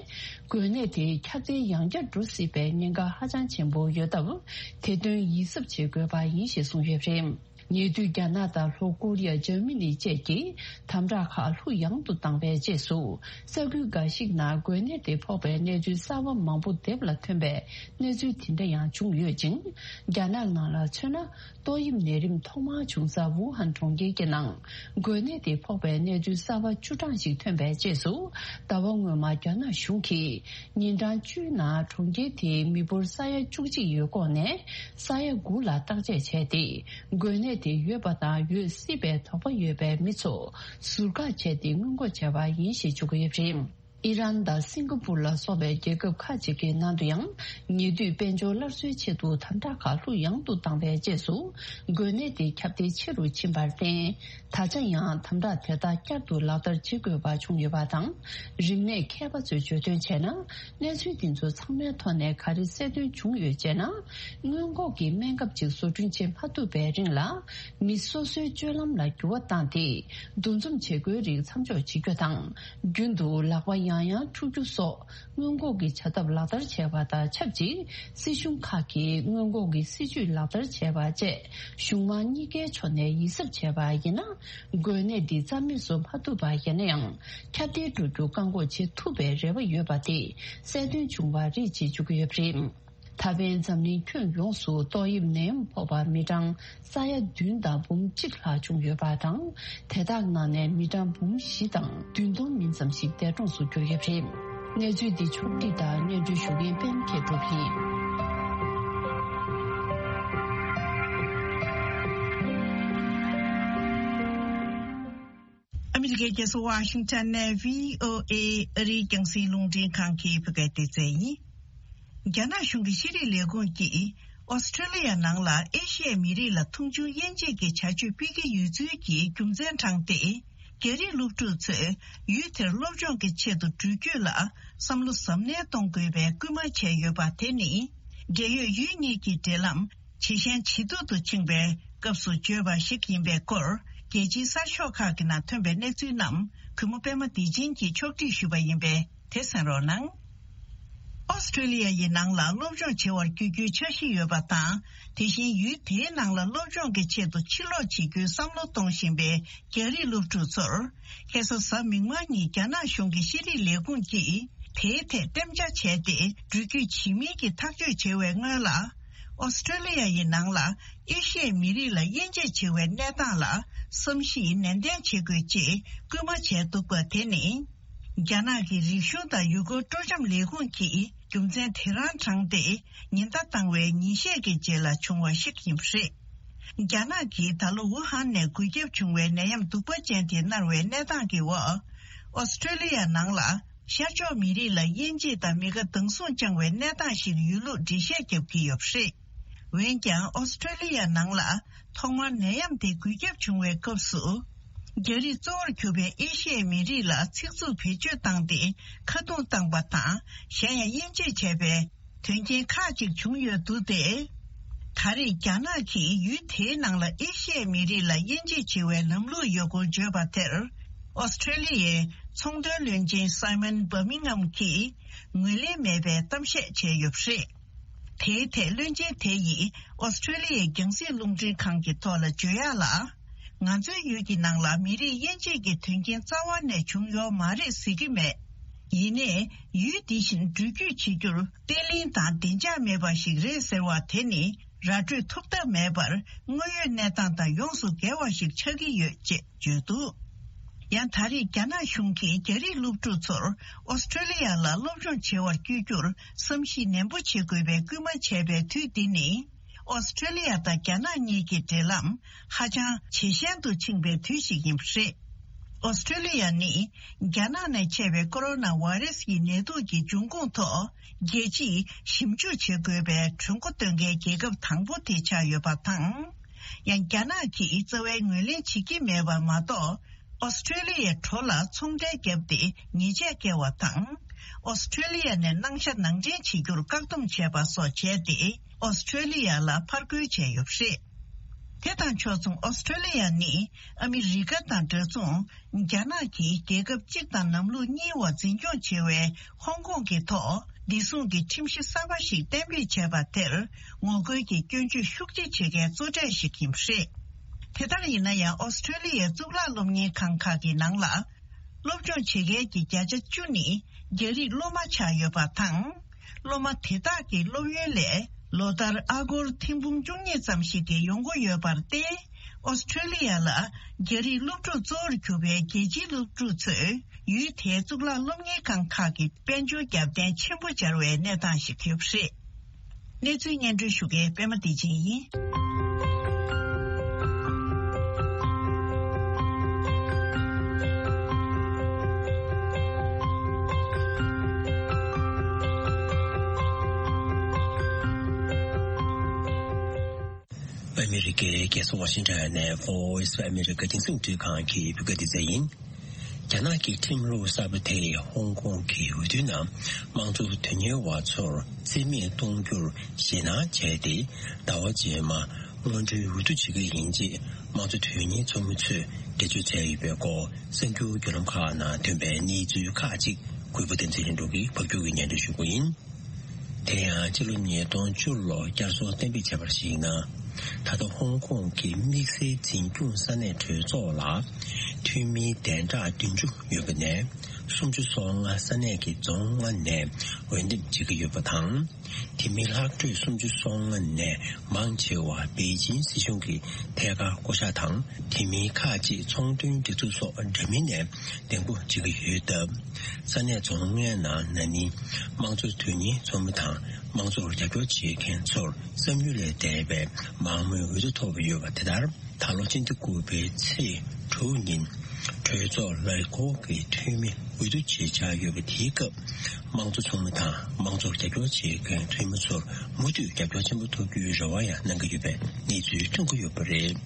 འགོས་ནད་དེ་ཁྱབ་གདལ་ཡང་བསྐྱར་འགྲོ་སྲིད་པའི་ཉེན་ཁ་ཧ་ཅང་ཆེན་པོ་ཡོད་སྟབས། དེ་དོན་ཡིད་གཟབ་བྱེད་དགོས་པ་ཡིན་ཞེས་གསུངས་ཡོད་པ་རེད། ཉེ་དུས་རྒྱ་ནག་དང་ལྷོ་ཀོ་རི་ཡ། འཇར་མ་ནི་བཅས་ཀྱིས་དམ་དྲག་ཁག་ལྷུག་ཡངས་དུ་བཏང་བའི་རྗེས་སུ། ས་ཁུལ་འགའ་ཞིག་ནང་འགོས་ནད་དེ་ཕོག་པའི་གནས་ཚུལ་གསར་པ་མང་པོ་དེབ་ལ་ཐོན་པའི་གནས་ཚུལ་དེ་འདྲ་ཡང་བྱུང་ཡོད་ཅིང་། རྒྱ་ནག་ནང་ལ་མཚོན་ན། ཏོག་དབྱིབས་ནད་རིམས་ཐོག་མར་བྱུང་ས་ཝུ་ཧན་གྲོང་ཁྱེར་གྱི་ནང་འགོས་ནད་དེ་ཕོག་པའི་གནས་ཚུལ་གསར་པ་བཅུ་གྲངས་ཤིག་ཐོན་པའི་རྗེས་སུ། ཟླ་བ་སྔོན་མ་རྒྱ་ནག་གཞུང་གིས་ཉིན་གྲངས་བཅུའི་ནང་གྲོང་ཁྱེར་དེའི་མི་འབོར་ས་ཡ་བཅུ་གཅིག་ཡོད་ཁོངས་ནས་ས་ཡ་དགུ་ལ་བརྟག་དཔྱད་བྱས་ཏེ། འགོས་ནད་དེ་ཡོད་པ་དང་ཡོད་སྲིད་པའི་དོགས་པ་ཡོད་པའི་མི་ཚོ་ཟུར་བཀག་བྱས་ཏེ་སྔོན་འགོག་བྱས་པ་ཡིན་ཞེས་བརྗོད་ཀྱི་ཡོད་པ་རེད། ཨི་རན་དང་སིང་ག་པུར་ལ་སོགས་པའི་རྒྱལ་ཁབ་ཁག་ཅིག་གི་ནང་དུ་ཡང་། ཉེ་དུས་དཔལ་འབྱོར་སླར་གསོའི་ཆེད་དུ་དམ་དྲག་ཁག་ལྷུག་ཡངས་དུ་བཏང་བའི་རྗེས་སུ། འགོས་ནད་དེ་ཁྱབ་གདལ་ཆེ་རུ་ཕྱིན་པར་བརྟེན། ད་ཆ་ཡང་དམ་དྲག་དེ་དག་བསྐྱར་དུ་ལག་བསྟར་བྱེད་དགོས་པ་བྱུང་ཡོད་པ་དང་། རིག་གནས་མཁས་པ་ཚོས་བརྗོད་དོན་བྱས་ན། གནས་ཚུལ་འདི་ཚོ་ཚང་མའི་ཐོག་ནས་ག་རེ་གསལ་སྟོན་བྱུང་ཡོད་ཅེ་ན། སྔོན་འགོག་གི་སྨན་ཁབ་ཅིག་བཟོ་སྐྲུན་བྱེད་མ་ཐུབ་པའི་རིང་ལ། མི་སོ་སོའི་སྤྱོད་ལམ་ལ་འགྱུར་བ་བཏང་སྟེ། འདུ་འཛོམས་བྱེད་སྒོའི་རིགས་མཚམས་འཇོག་བྱེད་རྒྱུ་དང་། རྒྱུན་དུ་ལག་པ་ཡང་ཡང་འཁྲུ་རྒྱུ་སོགས་སྔོན་འགོག་གི་བྱ་ཐབས་ལག་བསྟར་བྱས་པ་དང་ཆབས་ཅིག་སྲིད་གཞུང་ཁག་གིས་སྔོན་འགོག་གི་སྲིད་ཇུས་ལག་བསྟར་བྱས་པ་བཅས་གཞུང་མང་གཉིས་ཀའི་ཕྱོགས་ནས་ཡིད་གཟབ་བྱས་པ་ཡིན་ན། འགོས་ནད་འདི་རྩ་མེད་བཟོ་མ་ཐུབ་པ་ཡིན་ན་ཡང་། ཁྱབ་གདལ་འགྲོ་རྒྱུ་བཀག་འགོག་བྱེད་ཐུབ་པའི་རེ་བ་ཡོད་པ་དེ་གསལ་སྟོན་བྱུང་བ་རེད་ཅེས་བརྗོད་ཀྱི་ཡོད་པ་རེད། ད་ཕན་འཛམ་གླིང་ཁྱོན་ཡོངས་སུ་ཏོག་དབྱིབས་ནད་ཡམས་ཕོག་པ་མི་གྲངས་ས་ཡ་བདུན་དང་འབུམ་གཅིག་ལྷག་བྱུང་ཡོད་པ་དང་། དེ་དག་ནང་ནས་མི་གྲངས་འབུམ་བཞི་དང་བདུན་སྟོང་མིན་ཙམ་ཞིག་འདས་གྲོངས་སུ་གྱུར་ཡོད་པ་རེད། གནས་ཚུལ་འདི་ཕྱོགས་བསྒྲིགས་དང་སྙན་སྒྲོན་ཞུ་མཁན་པད་མ་མཁས་གྲུབ་ཡིན། ཨ་མི་རི་ཀའི་རྒྱལ་ས་ཝ་ཤིང་ཊོན་ནས་བྷི་ཨོ་ཨེ་ཨ་རིའི་རྒྱང་སྲིང་རླུང་འཕྲིན་ཁང་གི་བོད་སྐད་སྡེ་ཚན་ཡིན། རྒྱ་ནག་གཞུང་གི་ཤེས་རིག་ལས་ཁུངས་ཀྱིས་ཨོ་སི་ཁྲེ་ལི་ཡ་ནང་ལ་ཨེ་ཤི་ཡའི་མི་རིགས་ལ་མཐོང་ཆུང་དབྱེ་འབྱེད་ཀྱི་བྱ་སྤྱོད་སྤེལ་གྱི་ཡོད་ཚུལ་གྱི་རྒྱུ་མཚན་དྲངས་ཏེ། རྒྱ་རིགས་སློབ་ཕྲུག་ཚོས་ཡུལ་དེར་སློབ་སྦྱོང་གི་ཆེད་དུ་འགྲུལ་སྐྱོད་ལ་བསམ་བློ་གཟབ་ནན་གཏོང་དགོས་པའི་སྐུལ་མ་བྱས་ཡོད་པ་དེ་ནི། འབྲེལ་ཡོད་ཡུལ་གཉིས་ཀྱི་འབྲེལ་ལམ་ཇེ་ཞན་ཇེ་སྡུག་ཏུ་ཕྱིན་པའི་སྐབས་སུ་བརྗོད་པ་ཞིག་ཡིན་པའི་སྐོར། རྒྱལ་སྤྱིའི་གསར་ཤོག་ཁག་གི་ནང་ཐོན་པའི་གནས་ཚུལ་རྣམས་གུས་མོ་པད་མ་བདེ་ཆེན་གྱིས་ཕྱོགས་སྒྲིག་ཞུས་པ་ཡིན་པས། དེ་གསན་རོགས་གནང་། ཨོ་སི་ཁྲེ་ལི་ཡ་ཡི་ནང་ལ་སློབ་སྦྱོང་བྱེད་པར་བསྐྱོད་རྒྱུའི་འཆར་གཞི་ཡོད་པ་དང་། དེ་བཞིན་ཡུལ་དེའི་ནང་ལ་སློབ་སྦྱོང་གི་ཆེད་དུ་ཕྱིར་ལོག་བྱེད་རྒྱུའི་བསམ་བློ་གཏོང་བཞིན་པའི་རྒྱ་རིགས་སློབ་ཕྲུག་ཚོར། ཁ་སང་གཟའ་མིག་དམར་ཉིན་རྒྱ་ནག་གཞུང་གི་ཤེས་རིག་ལས་ཁུངས་ཀྱིས་དེའི་ཐད་གཏན་འཇགས་བྱས་ཏེ། འགྲུལ་སྐྱོད་བྱེད་མིན་གྱི་ཐག་གཅོད་བྱེད་པའི་སྔོན་ལ། ཨོ་སི་ཁྲེ་ལི་ཡ་ཡི་ནང་ལ་ཨེ་ཤི་ཡའི་མི་རིགས་ལ་དབྱེ་འབྱེད་བྱེད་པའི་གནས་སྟངས་ལ་བསམ་གཞིག་ནན་ཏན་བྱེད་དགོས་ཅེས་སྐུལ་མ་བྱས་འདུག་པ་དེ་ནི། རྒྱ་ནག་གི་རིག་གཞུང་དང་ཡུལ་སྐོར་སྤྲོ་འཆམ་ལས་ཁུངས་ཀྱིས་རྒྱུ་མཚན་དེ་རང་དྲངས་ཏེ་ཉེན་བརྡ་བཏང་བའི་ཉིན་ཤས་ཀྱི་རྗེས་ལ་བྱུང་བ་ཞིག་ཡིན་པ་རེད། རྒྱ་ནག་གིས་ད་ལོ་ཝུ་ཧན་ནས་འགོས་ཁྱབ་བྱུང་བའི་ནད་ཡམས་གདུག་པ་ཅན་དེ་མནར་བའི་གནས་སྟངས་ཀྱི་འོག་ཨོ་སི་ཀྲོ་ལི་ཡ་ནང་ལ་ཤར་ཕྱོགས་མི་རིགས་ལ་དབྱེ་འབྱེད་དང་མི་དགའ་སྡང་ཟུག་བཅངས་བའི་གནས་སྟངས་ཤིག་ཡོད་ལུགས་འགྲེལ་བཤད་བརྒྱབ་ཀྱི་ཡོད་པ་རེད། འོན་ཀྱང་ཨོ་སི་ཀྲོ་ལི་ཡ་ནང་ལ་ཐོག་མར་ནད་ཡམས་དེ་འགོས་ཁྱབ་བྱུང་བའི་སྐབས་སུ། རྒྱ་རིགས་གཙོ་བོར་གྱུར་པའི་ཨེ་ཤི་ཡའི་མི་རིགས་ལ་ཚིག་རྩུབ་བེད་སྤྱོད་བཏང་སྟེ་ཁ་རྡུང་བཏང་པ་དང་གཞན་ཡང་དབྱེ་འབྱེད་བྱས་པའི་དོན་རྐྱེན་ཁག་ཅིག་བྱུང་ཡོད་འདུག་སྟེ། ད་རེས་རྒྱ་ནག་གིས་ཡུལ་དེའི་ནང་ལ་ཨེ་ཤི་ཡའི་མི་རིགས་ལ་དབྱེ་འབྱེད་བྱེད་པའི་ལམ་ལུགས་ཡོད་སྐོར་བརྗོད་པ་དེར། ཨོ་སི་ཀྲོ་ལི་ཡའི་ཚོང་དོན་བློན་ཆེན་སའི་མོན་བྷར་མིང་ཧམ་གྱིས་ངོས་ལེན་མེད་པའི་གཏམ་བཤད་བྱས་ཡོད་པ་རེད། དེའི་ཐད་བློན་ཆེན་དེ་ཡིས་ཨོ་སི་ཀྲོ་ལི་ཡའི་རྒྱང་སྲིང་རླུང་འཕྲིན་ཁང་གི་ཐོག་ལ་བརྗོད་ཡག་ལ། ང་ཚོའི་ཡུལ་གྱི་ནང་ལ་མི་རིགས་དབྱེ་འབྱེད་ཀྱི་དོན་རྐྱེན་རྩ་བ་ནས་བྱུང་ཡོད་མ་རེད་ཟེར་གྱི་མེད། ཡིན་ནའི་ཡུལ་འདི་བཞིན་འགྲུལ་སྐྱོད་བྱེད་རྒྱུར་བརྟན་བརླིང་དང་བདེ་འཇགས་མེད་པ་ཞིག་རེད་ཟེར་བ་དེ་ནི་ར་སྤྲོད་ཐུབ་ཐབས་མེད་པར་དངོས་ཡོད་གནས་སྟངས་དང་ཡོངས་སུ་འགལ་བ་ཞིག་ཆགས་ཀྱི་ཡོད་ཅེས་བརྗོད་འདུག་ཡང་ད་རེས་རྒྱ་ནག་གཞུང་གིས་རྒྱ་རིགས་སློབ་ཕྲུག་ཚོར་ཨོ་སི་ཀྲོ་ལི་ཡ་ལ་སློབ་སྦྱོང་བྱེད་པར་བསྐྱོད་རྒྱུར་བསམ་གཞིག་ནན་པོ་བྱེད་དགོས་པའི་སྐུལ་མ་བྱས་པའི་དུས་འདི་ནི། ཨོ་སི་ཀྲོ་ལི་ཡ་དང་རྒྱ་ནག་གཉིས་ཀྱི་འབྲེལ་ལམ་ཧ་ཅང་ཇེ་ཞན་དུ་ཕྱིན་པའི་དུས་ཤིག་ཡིན་པ་རེད། ཨོ་སི་ཀྲོ་ལི་ཡ་ནི་རྒྱ་ནག་ནས་མཆེད་པའི་ཀོ་རོ་ན་བྷ་རེ་སི་ཡི་ནད་དུག་གི་འབྱུང་ཁུངས་ཐོག་རྒྱལ་སྤྱིས་ཞིབ་འཇུག་བྱེད་དགོས་པའི་གྲོས་འགོ་འདོན་མཁན་རྒྱལ་ཁབ་དང་པོ་དེ་ཆགས་ཡོད་པ་དང་། ཡང་རྒྱ་ནག་གིས་རྩ་བའི་ངོས་ལེན་བྱེད་ཀྱི་མེད་པ་མ་གཏོགས། ཨོ་སི་ཀྲོ་ལི་ཡའི་གྲོ་ལ་ཚོང་འབྲེལ་བརྒྱབ་སྟེ་ཉེས་ཆད་བཀལ་བ་དང་། ཨོ་སི་ཀྲོ་ལི་ཡ་ནས་སྣང་ཤ་ནང་འདྲེན་བྱེད་རྒྱུར་བཀག་སྡོམ་བྱས་པ་སོགས་བྱས་ཏེ། ཨོ་སི་ཀྲོ་ལི་ཡ་ལ་ཕར་རྒོལ་བྱས་ཡོད་པ་རེད། དེ་དང་ཕྱོགས་མཚུངས་ཨོ་སི་ཀྲོ་ལི་ཡ་ནི་ཨ་མི་རི་ཀ་དང་འདྲ་མཚུངས། རྒྱ་ནག་གིས་རྒྱལ་ཁབ་གཅིག་དང་ལམ་ལུགས་གཉིས་བར་འཛིན་སྐྱོང་བྱེད་པའི་ཧོང་ཀོང་གི་ཐོག་བདེ་སྲུང་གི་ཁྲིམས་གཞི་གསར་པ་ཞིག་གཏན་འབེབས་བྱས་པ་དེར་ངོ་རྒོལ་གྱི་སྐྱོན་བརྗོད་ཤུགས་ཆེ་བྱེད་མཁན་གཙོ་གྲས་ཤིག་ཡིན་པ་རེད། དེ་ལྟར་ཡིན་ན་ཡང་ཨོ་སི་ཀྲོ་ལི་ཡའི་གཙུག་ལག་སློབ་གཉེར་ཁང་ཁག་གི་ནང་ལ། སློབ་སྦྱོང་བྱེད་མཁན་གྱི་བརྒྱ་ཆ་བཅུ་ནི་རྒྱ་རིགས་སློབ་མ་ཆགས་ཡོད་པ་དང་། སློབ་མ་དེ་དག་གི་སློབ་ཡོན་ལས་ལོ་ལྟར་ཨ་སྒོར་ཐེར་འབུམ་བཅུ་གཉིས་ཙམ་ཞིག་གི་ཡོང་སྒོ་ཡོད་པར་བརྟེན། ཨོ་སི་ཀྲོ་ལི་ཡ་ལ་རྒྱ་རིགས་སློབ་ཕྲུག་གཙོ་བོར་གྱུར་པའི་རྒྱལ་སྤྱིའི་སློབ་ཕྲུག་ཚོས་ཡུལ་དེའི་གཙུག་ལག་སློབ་གཉེར་ཁང་ཁག་གི་དཔལ་འབྱོར་རྒྱབ་རྟེན་ཆེན་པོ་སྦྱར་བའི་གནས་སྟངས་ཤིག་ཡོད་པ་རེད། གནས་ཚུལ་སྙན་སྒྲོན་ཞུ་མཁན་པད་མ་བདེ་ཆེན་ཡིན། ཨ་མི་རི་ཀའི་རྒྱལ་ས་ཝ་ཤིང་ཊོན་ནས་Voice of America་རྒྱང་སྲིང་རླུང་འཕྲིན་ཁང་གི་བོད་སྐད་སྡེ་ཚན་ཡིན། རྒྱ་ནག་གི་ཁྲིམས་ལུགས་གསར་པ་དེས་ཧོང་ཀོང་གི་འོས་བསྡུའི་ནང་དམངས་གཙོ་དོན་གཉེར་བ་ཚོར་རྩིས་མེད་གཏོང་རྒྱུར་ཞེད་སྣང་བྱས་ཏེ། ཟླ་བ་རྗེས་མ་སྔོན་འགྲོའི་འོས་བསྡུ་བྱེད་ཀྱི་ཡིན་ཅེས་དམངས་གཙོ་དོན་གཉེར་ཚོགས་མི་ཚོས་འགྲེལ་བརྗོད་བྱས་ཡོད་པའི་སྐོར་གསར་འགྱུར་བརྒྱུད་ལམ་ཁག་ནང་ཐོན་པའི་གནས་ཚུལ་ཁག་ཅིག་གུས་པ་བསྟན་འཛིན་ལྷུན་གྲུབ་ཀྱིས་ཕབ་སྒྱུར་གྱིས་སྙན་སྒྲོན་ཞུ་གི་ཡིན། དེ་ཡང་ཕྱི་ལོ་ཉིས་སྟོང་བཅུ་ལོར་བསྐྱར་གསོ་གཏན་འབེབས་བྱས་པར་གཞིགས་ན། ད་ལྟ་ཧོང་ཀོང་གི་དམིགས་བསལ་འཛིན་སྐྱོང་ས་གནས་གྲོས་ཚོགས་ལ་འཐུས་མིའི་གདན་ཁྲག་བདུན་ཅུ་ཡོད་པ་ནས་སུམ་ཅུ་སོ་ལྔ་ས་གནས་ཀྱི་རྫོང་ལྔ་ནས་འོས་འདེམས་བྱེད་ཀྱི་ཡོད་པ་དང་། དེ་མིན་ལྷག་འཕྲོས་སུམ་ཅུ་སོ་ལྔ་ནས་མང་ཆེ་བ་པེ་ཅིན་སྲིད་གཞུང་གི་ཐད་ཀར་བསྐོ་གཞག་དང་། དེ་མིན་ཁག་ཅིག་ཚོང་དོན་སྒྲིག་འཛུགས་སོགས་འདྲ་མིན་ནས་འདེམས་བསྐོ་བྱེད་ཀྱི་ཡོད་སྟབས། ས་གནས་རྫོང་ལྔའི་ནང་ན་ནིང་དམངས་གཙོ་དོན་གཉེར་ཚོགས་མི་དང་དམངས་གཙོར་རྒྱབ་སྐྱོར་བྱེད་མཁན་ཚོར་བསམ་ཡུལ་ལས་འདས་པའི་མང་མོས་འོས་བསྡུ་ཐོབ་ཡོད་པ་དེ་ལྟར། ད་ལོ་སྤྱི་ཟླ་དགུ་པའི་ཚེས་དྲུག་ཉིན་གྲོས་ཚོགས་ལས་འཁོར་གྱི་འཐུས་མི་འོས་བསྡུ་བྱེད་འཆར་ཡོད་པ་དེའི་སྐབས། དམངས་གཙོ་ཚོགས་མི་དང་དམངས་གཙོར་རྒྱབ་སྐྱོར་བྱེད་མཁན་འཐུས་མི་ཚོར་མུ་མཐུད་རྒྱབ་སྐྱོར་ཆེན་པོ་ཐོབ་རྒྱུའི་རེ་བ་ཡང་གནང་གི་ཡོད་པའི་གནས་ཚུལ་ཐོན་གྱི་ཡོད་པ་རེད།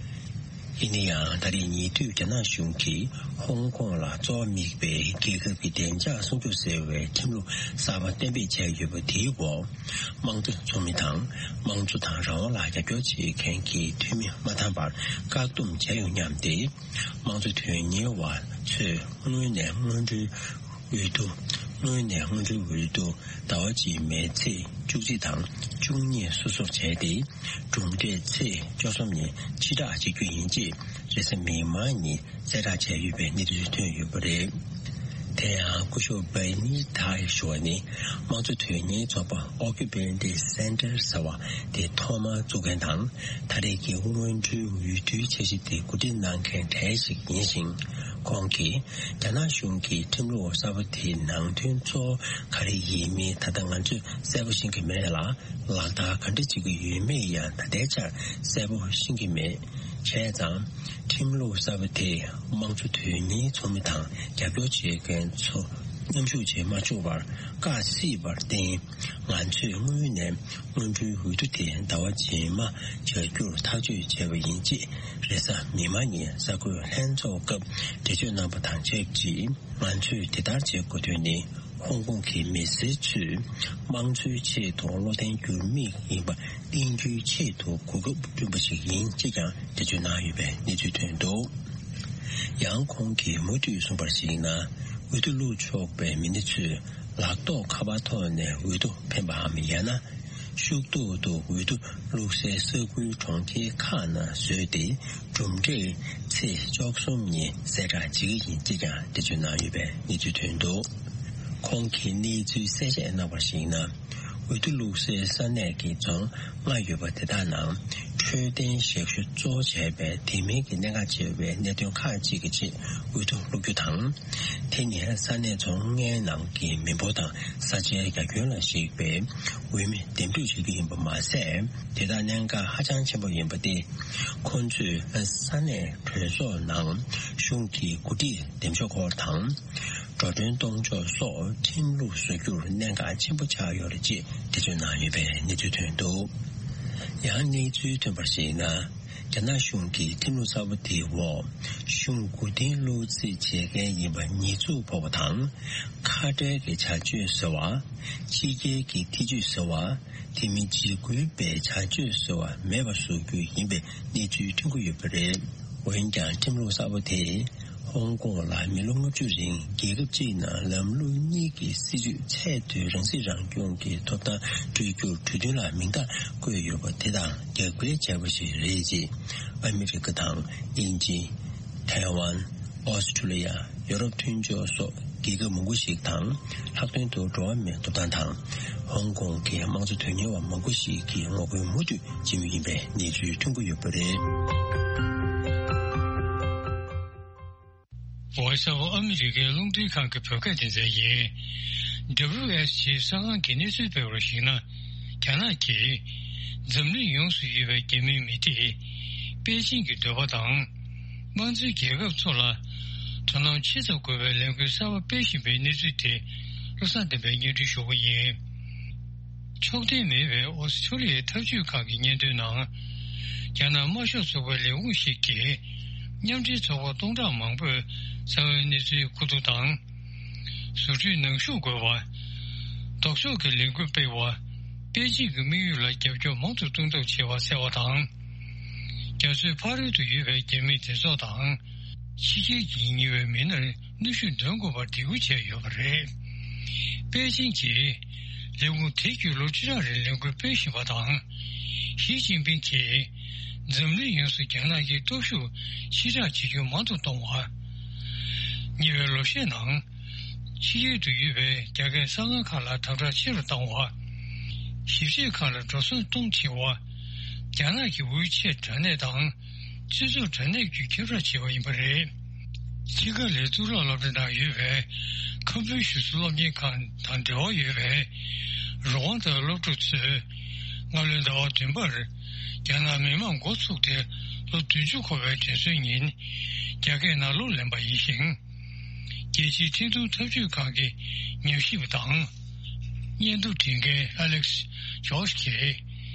ཡིན་ན་ཡང་ད་རེས་ཉེ་དུས་རྒྱ་ནག་གཞུང་གིས་ཧོང་ཀོང་ལ་གཙོ་བོ་དམིགས་པའི་རྒྱལ་ཁབ་ཀྱི་བདེ་འཇགས་སྲུང་སྐྱོབ་ཟེར་བའི་ཁྲིམས་ལུགས་གསར་པ་གཏན་འབེབས་བྱས་ཡོད་པ་དེའི་འོག་དམངས་གཙོ་ཚོགས་མི་དང་དམངས་གཙོ་དང་རང་དབང་ལ་རྒྱབ་སྐྱོར་བྱེད་མཁན་གྱི་འཐུས་མི་མ་འདང་བར་བཀག་སྡོམ་བྱས་ཡོང་སྙམ་སྟེ། དམངས་གཙོ་དོན་གཉེར་བ་ཚོས་སྔོན་ནས་སྔོན་འགྲོའི་འོས་བསྡུ། སྔོན་ནས་སྔོན་འགྲོའི་འོས་བསྡུ་ཟླ་བ་གཅིག་མའི་ཚེས་བཅུ་གཅིག་དང་བཅུ་གཉིས་སོ་སོར་བྱས་ཏེ། གྲུབ་འབྲས་ཚེས་བཅུ་གསུམ་ཉིན་ཕྱིར་བསྒྲགས་བྱེད་རྒྱུ་ཡིན་ཅེས་རེས་གཟའ་མིག་དམར་ཉིན་གསལ་བསྒྲགས་བྱས་ཡོད་པའི་གནས་ཚུལ་ཐོན་ཡོད་པ་རེད། དེ་ཡང་སྐུ་ཞབས་བྷེ་ནི་ཐའི་ཞུ་བ་ནི་དམངས་གཙོ་དོན་གཉེར་ཚོགས་པ་Occupant Center ཟེར་བ་དེ་ཐོག་མར་བཙུགས་མཁན་དང་། ད་རེས་ཀྱི་སྔོན་འགྲོའི་འོས་བསྡུའི་འཆར་གཞི་དེ་གོ་སྒྲིག་གནང་མཁན་གྲས་ཤིག་ཡིན་ཞིང་། ཁོང་གིས་རྒྱ་ནག་གཞུང་གིས་ཁྲིམས་ལུགས་གསར་པ་དེའི་ནང་དོན་གཙོ་བོ་ག་རེ་ཡིན་མིན་ད་ལྟ་ང་ཚོས་གསལ་པོ་ཤེས་ཀྱི་མེད་ལ། ལག་བསྟར་ག་འདྲ་བྱེད་ཀྱི་ཡོད་མེད་ཡང་ད་ལྟའི་ཆར་གསལ་པོ་ཤེས་ཀྱི་མེད། བྱས་ཙང་། ཁྲིམས་ལུགས་གསར་པ་དེས་དམངས་གཙོ་དོན་གཉེར་ཚོགས་མི་དང་རྒྱབ་སྐྱོར་བྱེད་མཁན་ཚོ་མཉམ་ཞུགས་བྱེད་མ་བཅུག་པར་བཀག་སྲིད་པར་བརྟེན། ང་ཚོས་སྔོན་ནས་སྔོན་འགྲོའི་འོས་བསྡུ་དེ་ཟླ་བ་རྗེས་མ་བྱ་རྒྱུར་ཐག་གཅོད་བྱས་པ་ཡིན། ཅེས་རེས་གཟའ་མིག་དམར་ཉིན་གསར་འགོད་ལྷན་ཚོགས་སྐབས་འགྲེལ་བརྗོད་གནང་པ་དང་ཆབས་ཅིག་ང་ཚོས་དེ་ལྟར་བྱེད་དགོས་དོན་ནི། ཧོང་ཀོང་གི་མི་སེར་ཚོས་དམངས་གཙོའི་ཆེད་དུ་བློ་བརྟན་འགྱུར་མེད་ཡིན་པ་བསྟན་རྒྱུའི་ཆེད་དུ་གོ་སྐབས་བསྐྲུན་པ་ཞིག་ཡིན། ཅེས་ཀྱང་འགྲེལ་བརྗོད་གནང་ཡོད་པའི་གནས་ཚུལ་ཐོན་འདུག་ཡང་ཁོང་གིས་མུ་མཐུད་གསུངས་པར་གཞིགས་ན། འོས་བསྡུ་བླུགས་ཆོག་པའི་མི་སྣ་ཚོས་ལག་ཐོགས་ཁ་པར་ཐོག་ནས་འོས་བསྡུ་འཕེན་པའམ་ཡང་ན། ཤུགས་ཐོག་ཏུ་འོས་བསྡུ་བླུགས་སའི་ས་ཁུལ་གྲོང་ཁྱེར་ཁག་ནང་བཟོས་ཏེ། གྲུབ་འབྲས་ཚེས་བཅུ་གསུམ་ཉིན་གསལ་བསྒྲགས་བྱེད་ཀྱི་ཡིན། ཅེས་ཀྱང་འགྲེལ་བརྗོད་གནང་ཡོད་པའི་གནས་ཚུལ་ཐོན་འདུག་ཁོང་གིས་གནས་ཚུལ་གསལ་བཤད་གནང་བར་གཞིགས་ན། འོས་བསྡུ་བླུགས་སའི་ས་གནས་ཀྱི་རྫོང་ལྔ་ཡོད་པ་དེ་དག་ནང་འཕྲོད་བསྟེན་ཞབས་ཞུ་གཙོ་བོ་བྱས་པའི་དེ་མིན་གྱི་གནད་འགག་ཆེ་བའི་གནད་དོན་ཁག་ཅིག་གི་ཆེད་འོས་བསྡུ་བླུག་རྒྱུ་དང་། དེ་ནི་ས་གནས་རྫོང་ལྔའི་ནང་གི་མི་འབོར་དང་ས་ཆའི་རྒྱ་ཁྱོན་ལ་གཞིགས་པའི་འོས་མི་འདེམས་སྒྲུག་བྱེད་རྒྱུ་ཡིན་པ་མ་ཟད། དེ་དག་གནད་འགག་ཧ་ཅང་ཆེན་པོ་ཡིན་པ་སྟེ། ཁོང་ཚོས་ས་གནས་གྲོས་ཚོགས་ནང་གཞུང་གི་འགོ་ཁྲིད་འདེམས་ཤོག་སྐོར་དང་། འགྲོ་གྲོན་གཏོང་ཕྱོགས་སོགས་ཁྲིམས་ལུགས་བཟོ་རྒྱུར་གནད་འགག་ཆེན་པོ་ཆགས་ཡོད་རེད། ཅེས་འགྲེལ་བརྗོད་གནང་ཡོད་པའི་གནས་ཚུལ་ཐོན་འདུག་ཡང་གནས་ཚུལ་ཐོན་པར་གཞིགས་ན། རྒྱ་ནག་གཞུང་གིས་ཁྲིམས་ལུགས་གསར་པ་དེའི་འོག་གཞུང་མགོ་རྟིང་སློག་རྩིས་བྱེད་མཁན་ཡིན་པ་ཉེས་འཛུགས་ཕོག་པ་དང་། ཁ་བྲལ་གྱི་བྱ་སྤྱོད་ཟེར་བ། ཕྱི་རྒྱལ་གྱི་ཐེ་ཇུས་ཟེར་བ། དེ་མིན་འཇིགས་སྐུལ་བའི་བྱ་སྤྱོད་ཟེར་བ་མེད་པ་བཟོ་རྒྱུ་ཡིན་པའི་གནས་ཚུལ་ཐོན་གྱི་ཡོད་པ་རེད། འོན་ཀྱང་ཁྲིམས་ལུགས་གསར་པ་དེས་ཧོང་ཀོང་ལ་མི་ལོ་ལྔ་བཅུ་རིང་རྒྱལ་ཁབ་གཅིག་ནང་ལམ་ལུགས་གཉིས་ཀྱི་སྲིད་བྱུས་ཚད་མཐོའི་རང་སྲིད་རང་སྐྱོང་གི་ཐོབ་ཐང་སྤྲོད་རྒྱུར་གྲོས་མཐུན་ལ་མིང་རྟགས་བཀོད་ཡོད་པ་དེ་དང་རྒྱབ་འགལ་བྱས་པ་ཞིག་རེད། ཅེས་ཨ་མི་རི་ཀ་དང་དབྱིན་ཇི། ཐའེ་ཝན། ཨོ་སི་ཁྲུ་ལི་ཡ། ཡོ་རོབ་མཐུན་ཕྱོགས་སོགས་རྒྱལ་ཁབ་མང་པོ་ཞིག་དང་ལྷག་དོན་དུ་འགྲོ་བ་མིའི་ཐོབ་ཐང་དང་ཧོང་ཀོང་གི་དམངས་གཙོ་དོན་གཉེར་བ་མང་པོ་ཞིག་གིས་ངོ་རྒོལ་མུ་མཐུད་བྱེད་མུས་ཡིན་པའི་གནས་ཚུལ་ཐོན་གྱི་ཡོད་པ་རེད། Voice of America རླུང་འཕྲིན་ཁང་གི་བོད་སྐད་སྡེ་ཚན་ཡིན། W S G གསར་ཁང་གིས་གནས་ཚུལ་སྤེལ་བར་གཞིགས་ན། རྒྱ་ནག་གིས་འཛམ་གླིང་ཡོངས་སུ་ཡོད་པའི་རྒྱ་མིའི་མི་སྡེ་པེ་ཅིང་གི་འདོད་པ་དང་། དམངས་གཙོའི་རྒྱལ་ཁབ་ཚོ་ལ་དོ་སྣང་ཆེ་ཙམ་དགོས་པའི་ལས་འགུལ་གསར་པ་སྤེལ་བཞིན་པའི་གནས་ཚུལ་དེ་བློ་བཟང་བསྟན་པས་སྙན་སྒྲོན་ཞུ་གི་ཡིན། ཕྱོགས་འཐེན་མེད་པའི་ཨོ་སི་ཁྲུ་ལི་ཡའི་འཐབ་ཇུས་ཁག་གི་སྙན་ཐོའི་ནང་། རྒྱ་ནག་དམར་ཤོག་ཚོགས་པའི་ལས་ཁུངས་ཤིག་གིས། མཉམ་འབྲེལ་ཚོགས་པ་སྟོང་ཕྲག་མང་པོས་གསང་བའི་གནས་ཚུལ་མཁོ་བསྡུ་དང་། བཟོ་སྐྲུན་ནང་ཞུགས་དགོས་པ། ལྡོག་ཕྱོགས་ཀྱི་ལས་འགུལ་སྤེལ་བ། པེ་ཅིང་གི་དམིགས་ཡུལ་ལ་རྒྱབ་སྐྱོར་མང་དུ་གཏོང་ཐབས་བྱེད་པ་གསལ་བ་དང་། རྒྱ་མཚོའི་ཕ་རོལ་ཏུ་ཡོད་པའི་རྒྱ་མིའི་སྡེ་ཚོགས་དང་། ཕྱི་རྒྱལ་གྱིས་ཉེ་བའི་མི་སྣར་གནོན་ཤུགས་འདོན་དགོས་པར་འབོད་སྐུལ་བྱས་ཡོད་པ་རེད། པེ་ཅིང་གིས་ལས་ཁུངས་དེ་བརྒྱུད་ལོ་བཅུ་ཕྲག་རིང་ལས་འགུལ་སྤེལ་བཞིན་པ་དང་། ཞི་ཅིན་ཕིང་གིས་འཛམ་གླིང་ཡོངས་སུ་རྒྱ་ནག་གི་སྟོབས་ཤུགས་ཕྱིར་བསྒྲགས་བྱེད་རྒྱུ་མང་དུ་གཏོང་བ། ཉེ་བའི་ལོ་ཤས་ནང་། ཕྱི་རྒྱལ་དུ་ཡོད་པའི་རྒྱ་སྐད་གསར་ཁང་ཁག་ལ་དམ་དྲག་ཆེ་རུ་བཏང་བ། ཞིབ་དཔྱོད་ཁག་ལ་འགྲོ་སོང་གཏོང་ཆེ་བ། རྒྱ་ནག་གི་དབུས་ཆད་དྲ་གནས་དང་། སྤྱི་ཚོགས་དྲ་གནས་བརྒྱུད་ཁྱབ་བསྒྲགས་བྱས་པ་ཡིན་པ་རེད། ཆི་ཀ་ལའི་གཙུག་ལག་སློབ་གྲྭ་ནང་ཡོད་པའི་ཁམ་བུའི་གཞུང་ཚབ་སློབ་གཉེར་ཁང་དང་འབྲེལ་བ་ཡོད་པའི་རུ་དབང་དང་སློབ་ཕྲུག་ཚོས་སྔ་ལོའི་ཟླ་བ་བདུན་པར་རྒྱ་ནག་མི་དམངས་འགོ་ཚུགས་ཏེ་ལོ་བདུན་ཅུ་འཁོར་བའི་དུས་ཚོད་ཉིན་རྒྱ་སྐད་ནང་གླུ་ལེན་པ་ཡིན་ཞིང་། རྒྱལ་སྤྱིའི་འཕྲིན་གཏོང་འཐབ་ཇུས་ཁང་གི་ཉམས་ཞིབ་པ་དང་། སྙན་ཐོ་འབྲི་མཁན་ཨ་ལེག་སི་ཇོརྗ་གིས།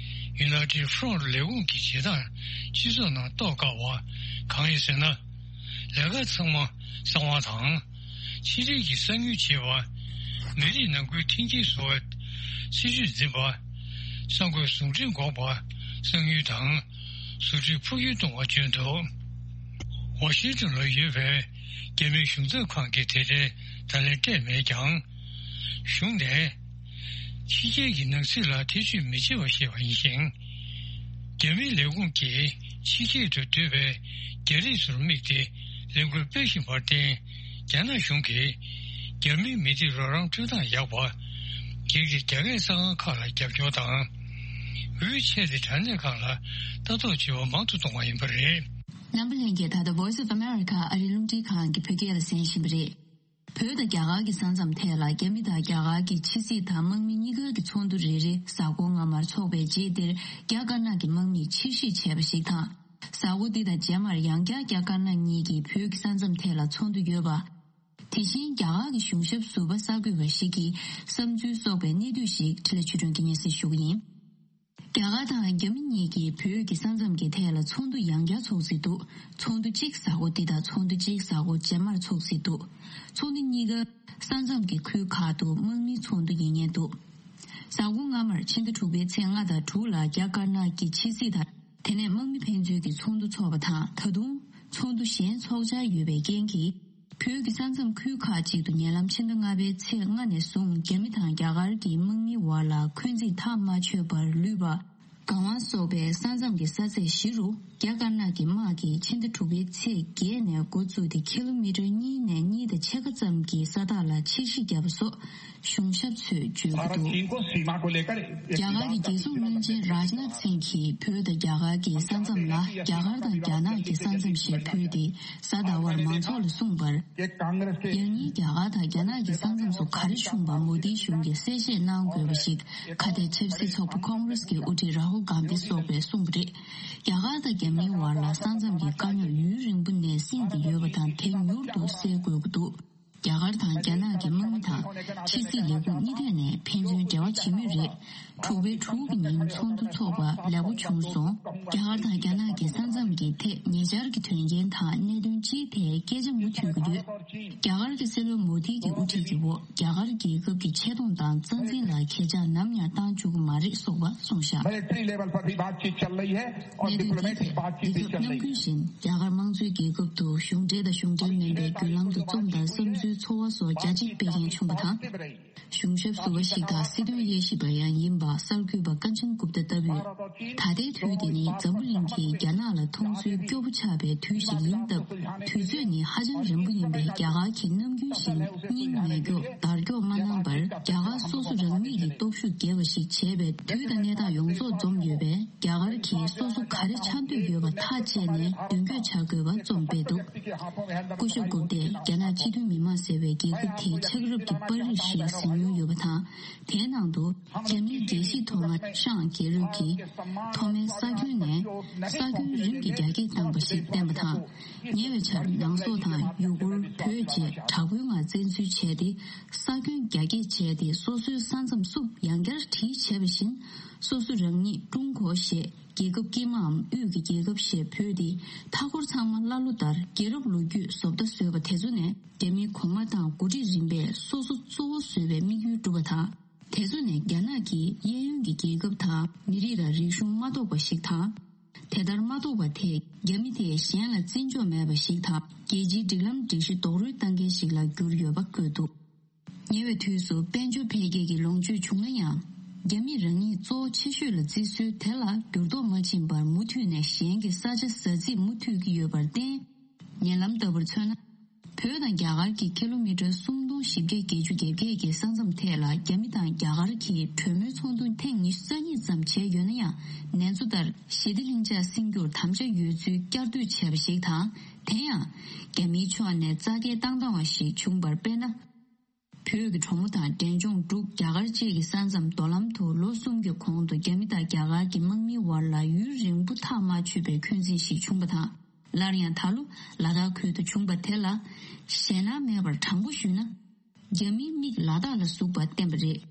United Front ལས་ཁུངས་ཀྱི་བྱེད་སྟངས་སྤྱི་ཚོགས་ནང་རྟོགས་དཀའ་བ་གང་ཡིན་ཟེར་ན། ལས་ཀ་ཚང་མ་གསང་བ་དང་། ཕྱི་འབྲེལ་གྱི་གསང་ཉུལ་བྱེད་པ། མི་རིགས་ནང་ཁུལ་མཐུན་རྐྱེན་བཟོ་བའི་སྲིད་ཇུས་འཛིན་པ། གསར་འགོད་ཟུང་འབྲེལ་འགོག་པ། གསང་ཉུལ་དང་། བཟོ་སྐྲུན་འཕོ་འགྱུར་གཏོང་བ་བརྗོད་འདུག་ཝ་ཤིང་ཏོན་ལ་ཡོད་པའི་རྒྱ་མིའི་གཞུང་ཚབ་ཁང་གིས་དེ་འབྲེལ་བརྡ་ལན་སྤྲད་མེད་ཀྱང་། གཞུང་ནས། ཕྱི་རྒྱལ་གྱི་ནང་སྲིད་ལ་ཐེ་བྱུས་མི་བྱེད་པ་ཞེས་པ་ཡིན་ཞིང་། རྒྱ་མིའི་ལས་ཁུངས་ཀྱིས་ཕྱི་རྒྱལ་དུ་སྡོད་པའི་རྒྱ་རིགས་ཚོར་དམིགས་ཏེ་ལས་འགུལ་སྤེལ་བཞིན་པར་བརྟེན། རྒྱ་ནག་གཞུང་གིས། རྒྱ་མིའི་མི་སྡེ་རོགས་རམ་སྤྲོད་སྟངས་ཡག་པ། སྒེར་གྱི་རྒྱ་སྐད་གསར་ཁང་ཁག་ལ་རྒྱབ་སྐྱོར་དང་། འོས་ཆད་དེ་དྲ་གནས་ཁག་ལ་ལྟ་རྟོག་བྱེད་པ་མང་དུ་གཏོང་བ་ཡིན་པ་རེད། འཛམ་བུ་གླིང་གི་ད་ལྟ་Voice of America ཨ་རིའི་རླུང་འཕྲིན་ཁང་གི་བོད་སྐད་ལ་གསན་བཞིན་པ་རེད། བོད་དང་རྒྱ་གར་གྱི་ས་མཚམས་ཐད་ལ་རྒྱ་མི་དང་རྒྱ་གར་གྱི་ཕྱི་སྲིད་དང་དམག་མི་གཉིས་ཀ་གི་ཚོགས་འདུ་རེ་རེ་གཟའ་འཁོར་སྔ་མར་འཚོགས་པའི་རྗེས་དེར་རྒྱ་དཀར་ནག་གི་དམག་མིས་ཕྱིར་བཤིག་བྱས་པ་ཞིག་དང་། གཟའ་འཁོར་འདི་དང་རྗེས་མར་ཡང་བསྐྱར་རྒྱ་དཀར་ནག་གཉིས་ཀྱིས་བོད་ཀྱི་ས་མཚམས་ཐད་ལ་ཚོགས་འདུ་ཡོད་པ། དེ་བཞིན་རྒྱ་གར་གྱི་གཞུང་ཞབས་ཟུར་པ་གསར་འགོད་པ་ཞིག་གིས་བསམ་ཚུལ་གསོག་པའི་གནས་སྡུད་ཞིག་འཕྲིན་ལས་ཆོས་སྒྲོན་གྱིས་སྙན་སེང་ཞུ་གི་ཡིན། རྒྱ་གར་དང་རྒྱ་མི་གཉིས་ཀྱིས་བོད་ཀྱི་ས་མཚམས་ཀྱི་ཐད་ལ་ཚོགས་འདུ་ཡང་བསྐྱར་ཚོགས་སྲིད་འདུག་ཚོགས་འདུ་གཅིག་གཟའ་འཁོར་འདི་དང་ཚོགས་འདུ་གཅིག་གཟའ་འཁོར་རྗེས་མར་ཚོགས་སྲིད་འདུག་ཚོགས་འདུ་གཉིས་ཀ་ས་མཚམས་ཀྱི་ཁུལ་ཁག་ཏུ་དམག་མིའི་ཚོགས་འདུ་ཡིན་ངེས་འདུག་གཟའ་འཁོར་སྔ་མར་ཕྱི་ཟླ་དྲུག་པའི་ཚེས་ལྔ་དང་དྲུག་ལ་རྒྱ་དཀར་ནག་གི་ཕྱི་སྲིད་དང་། དེ་ནས་དམག་མི་ཕན་ཚུན་གྱི་ཚོགས་འདུ་འཚོགས་པ་དང་། ད་དུང་ཚོགས་འདུ་གཞན་འཚོགས་འཆར་ཡོད་པའི་རྐྱེན་གྱིས། བོད་ཀྱི་ས་མཚམས་ཁུལ་ཁག་ཅིག་ཏུ་ཉེ་ལམ་ཕྱི་ཟླ་ལྔ་པའི་ཚེས་ལྔ་ནས་བཟུང་རྒྱ་མི་དང་རྒྱ་གར་གྱི་དམག་མིའི་བར་ལ་འཁོན་འཛིན་ཐག་མ་ཆོད་པར་ལུས་པ། གང་བ་སོགས་པའི་ས་མཚམས་ཀྱི་ས་ཚད་བཞི་རུ་རྒྱ་དཀར་ནག་གི་དམག་གིས་ཕྱི་ཟླ་དྲུག་པའི་ཚེས་བརྒྱད་ནས་འགོ་བཙུགས་ཏེ་ཁི་ལོ་མི་ཊར་གཉིས་ནས་གཉིས་དང་ཕྱེད་ཀ་ཙམ་གྱི་ས་ཐག་ལ་ཕྱིར་བཤིག་བརྒྱབ་པ་སོགས། གཞུང་ཞབས་ཚོས་བརྗོད་ཀྱི་འདུག་རྒྱ་གར་གྱི་རྒྱལ་སྲུང་བློན་ཆེན་རཱཇ་ནཱཐ་སིང་གིས་བོད་དང་རྒྱ་གར་གྱི་ས་མཚམས་ལ་རྒྱ་གར་དང་རྒྱ་ནག་གི་ས་མཚམས་ཞེས་འབོད་དེ་གཟའ་ཟླ་བར་མང་ཚོགས་ལ་གསུངས་པར། ཡང་སྙིང་རྒྱ་གར་དང་རྒྱ་ནག་གི་ས་མཚམས་སུ་ག་རེ་བྱུང་བ་མོ་དིའི་གཞུང་གིས་གསལ་བཤད་གནང་དགོས་པ་ཞིག་ཁ་གཏད་ཆབ་སྲིད་ཚོགས་པ་ཁོང་རེས་ཀྱི་དབུ་ཁྲིད་རཱ་ཧུལ་གྷན་དྷི་སོགས་པས་གསུངས་པ་རེད། རྒྱ་གར་དང་རྒྱ་མིའི་བར་ལ་ས་མཚམས་ཀྱི་དཀའ་རྙོག་ཡུན་རིང་པོ་ནས་བསྲིངས་ཏེ་ཡོད་པ་དང་དེ་མྱུར་དུ་སེལ་དགོས་ཀྱི་འདུག་རྒྱ་གར་དང་རྒྱ་ནག་གི་དམག་མི་དང་ཕྱི་སྲིད་ལས་ཁུངས་གཉིས་ཐད་ནས་ཕན་ཚུན་འབྲེལ་བ་བྱེད་མུས་རེད། དྲུག་པའི་དྲུག་གི་ཉིན་ཚོགས་འདུ་འཚོགས་པ་ལེགས་པོ་བྱུང་སོང་། རྒྱ་གར་དང་རྒྱ་ནག་གི་ས་མཚམས་ཀྱི་ཐད་ཉེ་ཆར་གྱི་དོན་རྐྱེན་དང་གནད་དོན་སྤྱིའི་ཐད་སྐད་ཆ་མུ་མཐུད་ཀྱི་ཡོད། རྒྱ་གར་གྱི་སྲིད་བློན་མོ་དྷི་གི་དབུ་ཁྲིད་ཀྱི་འོག་རྒྱ་གར་རྒྱལ་ཁབ་ཀྱི་ཆེ་མཐོང་དང་རྩ་འཛིན་ལ་ཁྱེད་ཅག་ནམ་ཡང་བཏང་བཅུག་གི་མ་རེད་སོགས་པ་གསུངས་བཞག་གནད་དོན་འདིའི་ཐད་རྒྱལ་ཁབ་ནམ་རྒྱུན་བཞིན་རྒྱ་གར་དམངས་གཙོའི་རྒྱལ་ཁབ་ཏུ་གཞུང་འབྲེལ་དང་གཞུང་འབྲེལ་མིན་པའི་བརྒྱུད་ལམ་དུ་རྩོམ་དང་བསམ་ཚུལ་ཚོར་བ་སོགས་རྒྱ་ཆེ་སྤེལ་མཁན་བྱུང་བ་དང་། གཞུང་ཞབས་ཟུར་པ་ཞིག་དང་སྲིད་དོན་དབྱེ་ཞིབ་པ་ཡང་ཡིན་པ་གསར་འགོད་པ་ཀན་ཅན་གུབ་ཏ་ལྟ་བུས། ད་ལྟའི་དུས་འདི་ནི་འཛམ་བུ་གླིང་གིས་རྒྱ་ནག་ལ་མཐོང་ཚུལ་སྐྱོ་པོ་ཆགས་པའི་དུས་ཤིག་ཡིན་སྟབས། དུས་ཚོད་ནི་ཧ་ཅང་རན་པོ་ཡིན་པས་རྒྱ་གར་གྱིས་ནམ་རྒྱུན་བཞིན་སྙིང་ཉེ་སྐྱོ་དར་ཀྱོག་མ་གནང་བར་རྒྱ་གར་སོ་སོ་རང་ཉིད་ཀྱི་སྟོབས་ཤུགས་རྒྱས་པ་ཞིག་བྱས་པའི་དུས་དང་གནས་སྟངས་ཡོངས་རྫོགས་འཛོམས་ཡོད་པས། རྒྱ་གར་གྱིས་སོ་སོ་ག་རེ་འཆར་འདོད་ཡོད་པ་ཐག་བཅད་ནས་མདུན་སྐྱོད་བྱ་དགོས་པ་རྩོམ་སྤེལ་འདུག་སྐུ་ཞབས་གུབ་ཏས་རྒྱ་ནག་སྤྱི་མཐུན་མི་དམངས་ཟེར་བའི་རྒྱལ་ཁབ་དེའི་ཆགས་རབས་ཀྱི་པར་རིས་ཤིག་གཟིགས་མྱོང་ཡོད་པ་དང་། དེའི་ནང་དུ་རྒྱ་མིའི་རྒྱལ་གཞིས་ཐོག་མར་ཤང་རྒྱལ་རབས་ཀྱིས་ཐོག་མའི་ས་ཁྱོན་ནས་ས་ཁྱོན་རིམ་གྱིས་རྒྱ་སྐྱེད་བཏང་བ་ཞིག་བསྟན་པ་དང་། ཉེ་བའི་ཆར་ནང་སོག་དང་ཡུ་གུར་བོད་བཅས་དྲག་པོའི་ངང་བཙན་འཛུལ་བྱས་ཏེ། ས་ཁྱོན་རྒྱ་སྐྱེད་བྱས་ཏེ་སོ་སོའི་ས་མཚམས་སུ་ཡང་བསྐྱར་བྲིས་བྱས་པ་བཞིན། སོ་སོ་རང་ཉིད་ཀྲུང་གོ་ཞེས་རྒྱལ་ཁབ་དཀྱིལ་མའམ་དབུས་ཀྱི་རྒྱལ་ཁབ་ཞེས་འབོད་དེ། མཐའ་འཁོར་ཚང་མ་ཀླ་ཀློ་ལྟར་རྒྱལ་རབས་ལོ་རྒྱུས་བཟོ་ལྟ་བཟོས་པ་དེ་ཚོ་ནས་རྒྱ་མིའི་གོང་མ་དང་འགོ་ཁྲིད་རིམ་པས་སོ་སོ་གཙོ་བོ་བཟོས་པའི་དམིགས་ཡུལ་བསྒྲུབས་པ་དང་། དེ་ཚོ་ནས་རྒྱ་ནག་གིས་གཡས་གཡོན་གྱི་རྒྱལ་ཁབ་དང་མི་རིགས་ལ་རིག་གཞུང་མ་གཏོགས་པ་ཞིག་དང་། དེ་ལྟར་མ་གཏོགས་པ་དེས་རྒྱ་མི་དེས་གཞན་ལ་བརྩི་འཇོག་མེད་པ་ཞིག་དང་། རྒྱལ་སྤྱིའི་སྒྲིག་ལམ་སྒྲིག་གཞི་རྡོག་རོལ་བཏང་མཁན་ཞིག་ལ་གྱུར་ཡོད་པ་བཀོད་འདུག་ཉེ་བའི་དུས་སུ་དཔལ་འབྱོར་འཕེལ་རྒྱས་ཀྱི་ལོངས་སྤྱོད་བྱུང་ན་ཡང་། རྒྱ་མིས་རང་ཉིད་གཙོ་བོ་ཆེ་ཤོས་ལ་བརྩི་སྲོལ་དེ་ལ་འགྱུར་ལྡོག་མ་ཕྱིན་པར་མུ་མཐུད་ནས་གཞན་གྱི་ས་ཆ་ཟ་རྩིས་མུ་མཐུད་ཀྱི་ཡོད་པར་བརྟེན། ཉེ་ལམ་ལྟ་བུར་མཚོན་ན། བོད་དང་རྒྱ་གར་གྱི་ཀི་ལོ་མི་ཊར་སུམ་སྟོང་བཞི་བརྒྱ་བརྒྱད་ཅུ་གྱ་བརྒྱད་ཀྱི་ས་མཚམས་ཐད་ལ་རྒྱ་མི་དང་རྒྱ་གར་གྱི་གྲོས་མོལ་ཚོགས་འདུ་ཐེངས་ཉི་ཤུ་རྩ་གཉིས་ཙམ་བྱས་ཡོད་ན་ཡང་། ནེ་ཙོ་ལྟར་ཞི་བདེ་ལྷིང་འཇགས་སྲུང་རྒྱུར་དམ་བཅའ་ཡོད་ཚུལ་བསྐྱར་ཟློས་བྱས་པ་ཞིག་དང་། དེ་ཡང་། རྒྱ་མིའི་ཕྱོགས་ནས་རྩ་འགལ་བཏང་བཏང་བ་ཞིག་བྱུང་བར་དཔེར་ན། བོད་ཀྱི་གྲོ་མོ་དང་འབྲས་ལྗོངས་འབྲུག་རྒྱ་གར་བཅས་ཀྱི་ས་མཚམས་མདོ་ལམ་དུ་ལོ་གསུམ་གྱི་གོང་དུ་རྒྱ་མི་དང་རྒྱ་གར་གྱི་དམག་མིའི་བར་ལ་ཡུན་རིང་པོ་ཐག་མ་ཆོད་པའི་འཁོན་འཛིན་ཞིག་བྱུང་བ་དང་། སླར་ཡང་ད་ལོ་ལ་དྭགས་ཁུལ་དུ་བྱུང་བ་དེ་ལ་ཞེད་སྣང་མེད་པར་དྲང་པོ་ཞུས་ན། རྒྱ་མིའི་མིག་ལ་དྭགས་ལ་ཟུག་པ་བསྟན་པ་རེད།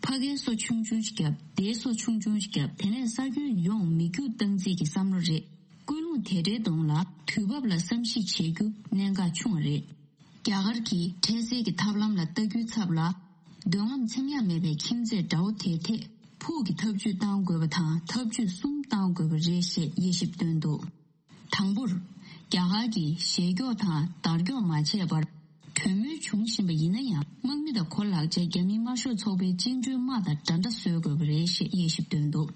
ཕ་གིའི་སོ་ཆུང་ཆུང་ཞིག་བརྒྱབ། སྡེའི་སོ་ཆུང་ཆུང་ཞིག་བརྒྱབ། དེ་ནས་ས་ཁྱོན་ཡོངས་མི་རྒྱུག་བཏང་རྩིས་ཀྱི་བསམ་བློ་རེད། ཀུན་སློང་དེ་འདྲའི་གདོང་ལ་དུས་བབ་ལ་བསམ་གཞིག་བྱེད་རྒྱུ་གནད་འགག་ཆུང་བ་རེད། རྒྱ་གར་གྱིས་འཕྲལ་སེལ་གྱི་ཐབས་ལམ་ལ་ལྟ་རྒྱུའི་ཚབ་ལ། འདོད་རྔམ་འཚེམ་ཡག་མེད་པའི་ཁྱིམ་མཚེས་དགྲ་བོ་དེའི་ཐད་ཕུགས་ཀྱི་ཐབས་ཇུས་བཏང་དགོས་པ་དང་། ཐབས་ཇུས་གསུམ་བཏང་དགོས་པ་རེད་ཞེས་དབྱེ་ཞིབ་བཏོན་འདུག་དང་པོར། རྒྱ་གར་གྱིས་ཞེད་སྐྱོ་དང་དར་ཀྱོག་མ་བྱས་པར། གྲོས་མོལ་བྱུང་བཞིན་པ་ཡིན་ན་ཡང་། དམག་མི་དང་གོ་ལག་བཅས་རྒྱ་མིའི་དམར་ཤོག་ཚོགས་པའི་བཅིངས་འགྲོལ་དམག་དང་འདྲ་འདྲ་བཟོ་དགོས་པ་རེད་ཞེས་དབྱེ་ཞིབ་བཏོན་འདུག་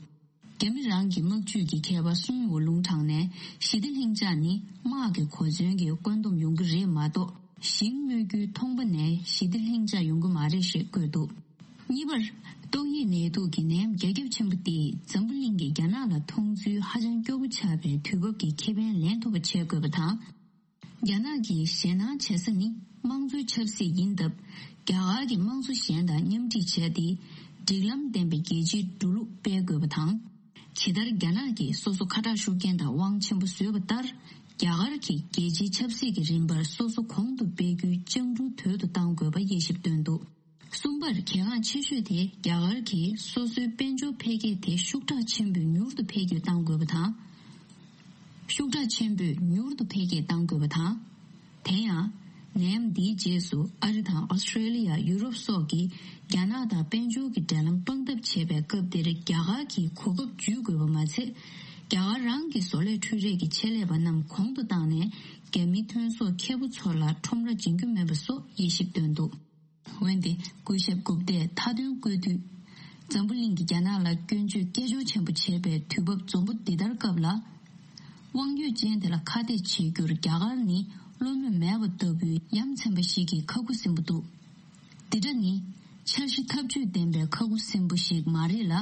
རྒྱ་མི་རང་གི་དམག་ཇུས་ཀྱི་མཁས་པ་སུན་ཝུ་ལུང་དྲངས་ནས། ཞི་བདེ་ལྷིང་འཇགས་ནི་དམག་གི་གོ་མཚོན་གྱི་བཀོད་འདོམས་ཡོང་གི་རེད་མ་གཏོགས། ཞིང་གནོད་རྒྱུའི་ཐོང་པ་ནས་ཞི་བདེ་ལྷིང་འཇགས་ཡོང་གི་མ་རེད་ཞེས་བཀོད་འདུག་གཉིས་པར། ཏོག་དབྱིབས་ནད་དུག་གི་ནད་ཡམས་རྒྱ་ཁྱབ་ཆེན་པོ་དེས་འཛམ་བུ་གླིང་གིས་རྒྱ་ནག་ལ་མཐོང་ཚུལ་ཧ་ཅང་སྐྱོ་པོ་ཆགས་པའི་དུས་བབ་ཀྱི་ཁེ་ཕན་ལེན་ཐུབ་པ་བྱེད་དགོས་པ་དང་། རྒྱ་ནག་གིས་ཞེད་སྣང་བྱེད་ས་ནི་དམངས་གཙོའི་ཆབ་སྲིད་ཡིན་སྟབས། རྒྱ་གར་གྱིས་དམངས་གཙོ་གཞན་དང་མཉམ་འཁྲིད་བྱས་ཏེ། སྒྲིག་ལམ་ལྡན་པའི་རྒྱལ་སྤྱིའི་འགྲོ་ལུགས་སྤེལ་དགོས་པ་དང་། ཇི་ལྟར་རྒྱ་ནག་གིས་སོ་སོ་ཁ་གྲག་ཤུགས་རྐྱེན་དང་དབང་ཆེན་པོ་བཟོས་པ་ལྟར། རྒྱ་གར་གྱིས་རྒྱལ་སྤྱིའི་ཆབ་སྲིད་ཀྱི་རིམ་པར་སོ་སོ་གོང་དུ་སྤེལ་རྒྱུའི་སྤྱང་གྲུང་དོད་དུ་གཏང་དགོས་པ་དབྱེ་ཞིབ་བཏོན་འདུག་གསུམ་པར་གལ་འགངས་ཆེ་ཤོས་དེ་རྒྱ་གར་གྱིས་སོ་སོའི་དཔལ་འབྱོར་འཕེལ་རྒྱས་དེ་ཤུགས་དྲག་ཆེན་པོས་མྱུར་དུ་འཕེལ་རྒྱས་གཏང་དགོས་པ་དང་། ཤུགས་དྲག་ཆེན་པོས་མྱུར་དུ་འཕེལ་རྒྱས་གཏང་དགོས་པ་དང་། དེ་ཡང་། ནད་ཡམས་འདིའི་རྗེས་སུ་ཨ་རི་དང་ཨོ་སི་ཀྲེ་ལི་ཡ། ཡུ་རོབ་སོགས་ཀྱིས་རྒྱ་ནག་དང་དཔལ་འབྱོར་གྱི་འབྲེལ་ལམ་སྤང་ཐབས་བྱེད་པའི་སྐབས་དེར་རྒྱ་གར་གྱིས་གོ་སྐབས་འཇུས་དགོས་པ་མ་ཚད། རྒྱ་གར་རང་གི་བཟོ་ལས་འཕྲུལ་རིག་གི་ཆེད་ལས་པ་རྣམས་གོང་དུ་བཏང་ནས། རྒྱ་མི་ཐོན་ཟོག་ཁེ་པོ་ཚོ་ལ་ཁྲོམ་ར་འབྱིན་རྒྱུ་མེད་པ་སོགས་དབྱེ་ཞིབ་བཏོན་འདུག་འོན་ཏེ། སྐུ་ཞབས་གུབ་ཏས་མཐའ་དོན་བཀོད་དུས། འཛམ་བུ་གླིང་གིས་རྒྱ་ནག་ལ་སྐྱོན་བརྗོད་སྐད་ཅོར་ཆེན་པོ་བྱེད་པའི་དུས་བབ་འཛོམས་པོ་འདི་ལྟར་སྐབས་ལ། དབང་ཡོད་ཅན་དེ་ལ་ཁ་གཏད་བྱེད་རྒྱུར་རྒྱ་གར་ནི་བློ་མོས་མེད་པ་ལྟ་བུའི་ཡ་མཚན་པ་ཞིག་གི་ཁ་ཁུ་སིམ་པོ་འདུག་འདི་འདྲ་ནི། འཆར་གཞི་ཐབས་ཇུས་ལྡན་པའི་ཁ་ཁུ་སིམ་པོ་ཞིག་མ་རེད་ལ།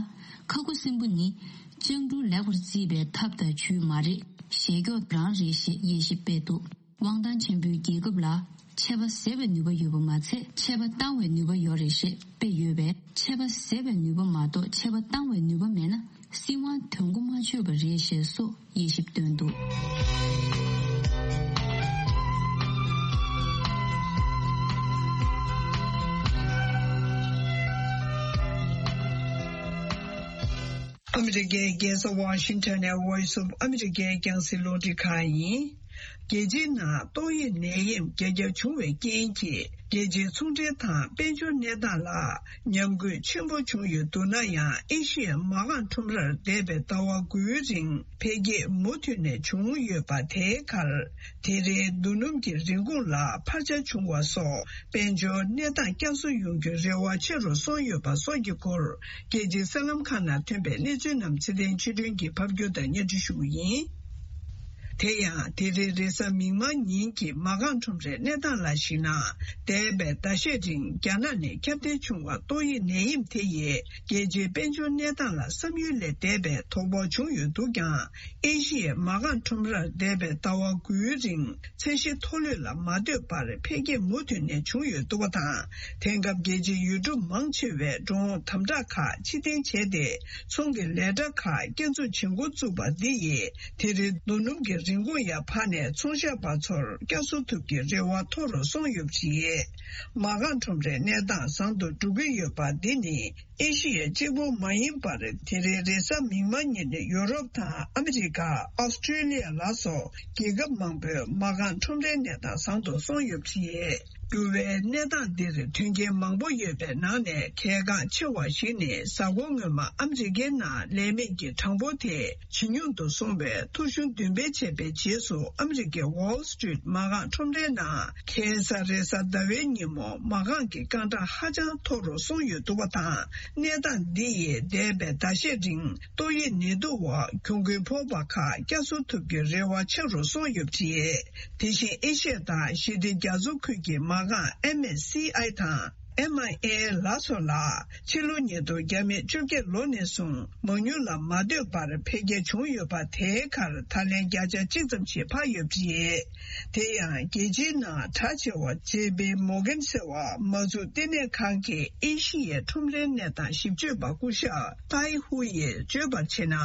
ཁ་ཁུ་སིམ་པོ་ནི། སྤྱང་གྲུང་ལེགས་པར་བརྩིས་པའི་ཐབས་དང་ཇུས་མ་རེད། ཞེ་སྐྱོ་རང་རེད་ཞེས་དབྱེ་ཞིབ་སྤེལ་འདུག་དབང་ཐང་ཆེན་པོའི་རྒྱལ་ཁབ་ལ་ཆད་པ་བཟོ་བའི་ནུས་པ་ཡོད་པ་མ་ཚད། ཆད་པ་བཏང་བའི་ནུས་པ་ཡོད་རེད་ཞེས་དཔེ་ཡོད་པས། ཆད་པ་བཟོ་བའི་ནུས་པ་མ་གཏོགས་ཆད་པ་བཏང་བའི་ནུས་པ་མེད་ན། སྲིད་དབང་དོན་གོ་མ་ཆོད་པ་རེད་ཞེས་སོགས་དབྱེ་ཞིབ་བཏོན་འདུག་ཨ་མི་རི་ཀའི་རྒྱལ་ས་ཝ་ཤིང་ཊོན་ནས་Voice of America་རྒྱང་སྲིང་རླུང་འཕྲིན་ཁང་ཡིན། རྒྱལ་སྤྱིའི་ནང་ཏོག་དབྱིབས་ནད་ཡམས་རྒྱ་ཁྱབ་བྱུང་བའི་རྐྱེན་གྱིས། རྒྱལ་སྤྱིའི་ཚོང་འབྲེལ་དང་དཔལ་འབྱོར་གནས་སྟངས་ལ་ཉམས་རྒུད་ཆེན་པོ་བྱུང་ཡོད་འདུག་ན་ཡང་། ཨེ་ཤི་ཡའི་མ་རྐང་ཁྲོམ་རར་འདས་པའི་ཟླ་བ་དགུའི་རིང་འཕེལ་རྒྱས་མུ་མཐུད་ནས་བྱུང་ཡོད་པ། དེའི་ཁར། དེ་རིང་རྡོ་སྣུམ་གྱི་རིན་གོང་ལ་འཕར་ཆ་བྱུང་བ་སོགས། དཔལ་འབྱོར་གནས་སྟངས་བསྐྱར་གསོ་ཡོང་རྒྱུའི་རེ་བ་ཆེ་རུ་སོང་ཡོད་པ་སོགས་ཀྱི་སྐོར། རྒྱལ་སྤྱིའི་གསར་ལམ་ཁག་ནང་ཐོན་པའི་གནས་ཚུལ་རྣམས་ཚེ་བརྟན་ཆོས་སྒྲོན་གྱིས་ཕབ་སྒྱུར་དང་སྙན་སྒྲོན་ཞུ་གི་ཡིན། དེ་ཡང་། དེ་རིང་རེས་གཟའ་མིག་དམར་ཉིན་གྱི་མ་རྐང་ཁྲོམ་རའི་གནས་སྟངས་ལ་གཞིགས་ན། འདས་པའི་ཟླ་ཤས་རིང་རྒྱ་ནག་ནས་ཁྱབ་གདལ་བྱུང་བ་ཏོག་དབྱིབས་ནད་ཡམས་དེ་ཡིས། རྒྱལ་སྤྱིའི་དཔལ་འབྱོར་གནས་སྟངས་ལ་བསམ་ཡུལ་ལས་འདས་པའི་དོ་ཕོག་བྱུང་ཡོད་འདུག་ཀྱང་། ཨེ་ཤི་ཡའི་མ་རྐང་ཁྲོམ་རར་འདས་པའི་ཟླ་བ་དགུའི་རིང་། ཚད་གཞི་མཐོ་ལོས་ལ་མ་ལྟོས་པར་འཕེལ་རྒྱས་མུ་མཐུད་ནས་བྱུང་ཡོད་འདུག་པ་དང་། དེང་སྐབས་རྒྱལ་སྤྱིའི་ཡུལ་གྲུ་མང་ཆེ་བས་འགྲོ་འོང་དམ་དྲག་ཁག་ཕྱིར་འཐེན་བྱས་ཏེ། ཚོང་གི་ལས་གྲྭ་ཁག་བསྐྱར་འཛུགས་བྱེད་འགོ་བཙུགས་པ་འདི་ཡིས། དེ་རིང་རྡོ་སྣུམ་གྱི་རིན་གོང་ཡང་འཕར་ནས། ཚོང་ཤག་པ་ཚོར་བསྐྱར་གསོ་ཐུབ་ཀྱི་རེ་བ་མཐོ་རུ་སོང་ཡོད་པ་རེད། མ་རྐང་ཁྲོམ་རའི་གནས་སྟངས་བཟང་དུ་འགྲོ་གི་ཡོད་པ་འདི་ནི། ཨེ་ཤི་ཡ་གཅིག་པུ་མ་ཡིན་པར། དེ་རིང་རེས་གཟའ་མིག་དམར་ཉིན་ཡུ་རོབ་དང་ཨ་མི་རི་ཀ། ཨོ་སི་ཀྲེ་ལི་ཡ་ལ་སོགས་རྒྱལ་ཁབ་མང་པོའི་མ་རྐང་ཁྲོམ་རའི་གནས་སྟངས་བཟང་དུ་སོང་ཡོད་པ་རེད། འགྱུར་བའི་གནས་སྟངས་འདིར་མཐུན་རྐྱེན་མང་པོ་ཡོད་པའི་ནང་ནས་གལ་འགངས་ཆེ་བ་ཞིག་ནི། གཟའ་འཁོར་སྔོན་མ་ཨ་མི་རི་ཀའི་ནང་ལས་མེད་ཀྱི་གྲངས་འབོར་དེ་ཇེ་ཉུང་དུ་སོང་བའི་ཐོ་གཞུང་བདུན་སྤེལ་བྱས་པའི་རྗེས་སུ། ཨ་མི་རི་ཀའི་Wall Street་མ་རྐང་ཁྲོམ་རའི་ནང་ཁ་སང་རེས་གཟའ་ཟླ་བའི་ཉིན་མོ་མ་རྐང་གི་རྐང་གྲངས་ཧ་ཅང་མཐོ་རུ་སོང་ཡོད་འདུག་པ་དང་། གནས་སྟངས་འདི་ཡིས་འདས་པའི་ཟླ་ཤས་རིང་ཏོག་དབྱིབས་ནད་དུག་འོག་གྱོང་གུན་ཕོག་པ་ཁག་བསྐྱར་གསོ་ཐུབ་རྒྱུའི་རེ་བ་ཆེ་རུ་སོང་ཡོད་པ་རེད། དེ་བཞིན་ཨེ་ཤི་ཡ་དང་ཞི་བདེ་རྒྱ་མཚོ་ཁུལ་གྱི་མ་རྐང་ཨེམ་ཨེས་སི་ཨའི་དང་ཨེམ་ཨའི་ཨེ་ལ་སོགས་ལ། ཕྱི་ལོ་ཉིས་སྟོང་བརྒྱ་མེད་བཅོ་བརྒྱད་ལོ་ནས་བཟུང་མང་ཉུང་ལ་མ་ལྟོས་པར་འཕེལ་རྒྱས་བྱུང་ཡོད་པ། དེའི་ཁར་ད་ལན་བརྒྱ་ཆ་གཅིག་ཙམ་ཞིག་འཕར་ཡོད་པ་རེད། དེ་ཡང་རྒྱལ་སྤྱིའི་ནང་གྲགས་ཆེ་བ་ཇེ་པི་མོར་གན་ཟེར་བ་མ་འཛུགས་ལྟེ་གནས་ཁང་གི་ཨེ་ཤི་ཡའི་ཁྲོམ་རའི་གནས་སྟངས་ཞིབ་དཔྱོད་པ་སྐུ་ཞབས་ཏའི་ཧུ་ཡིས་བརྗོད་པར་བྱས་ན།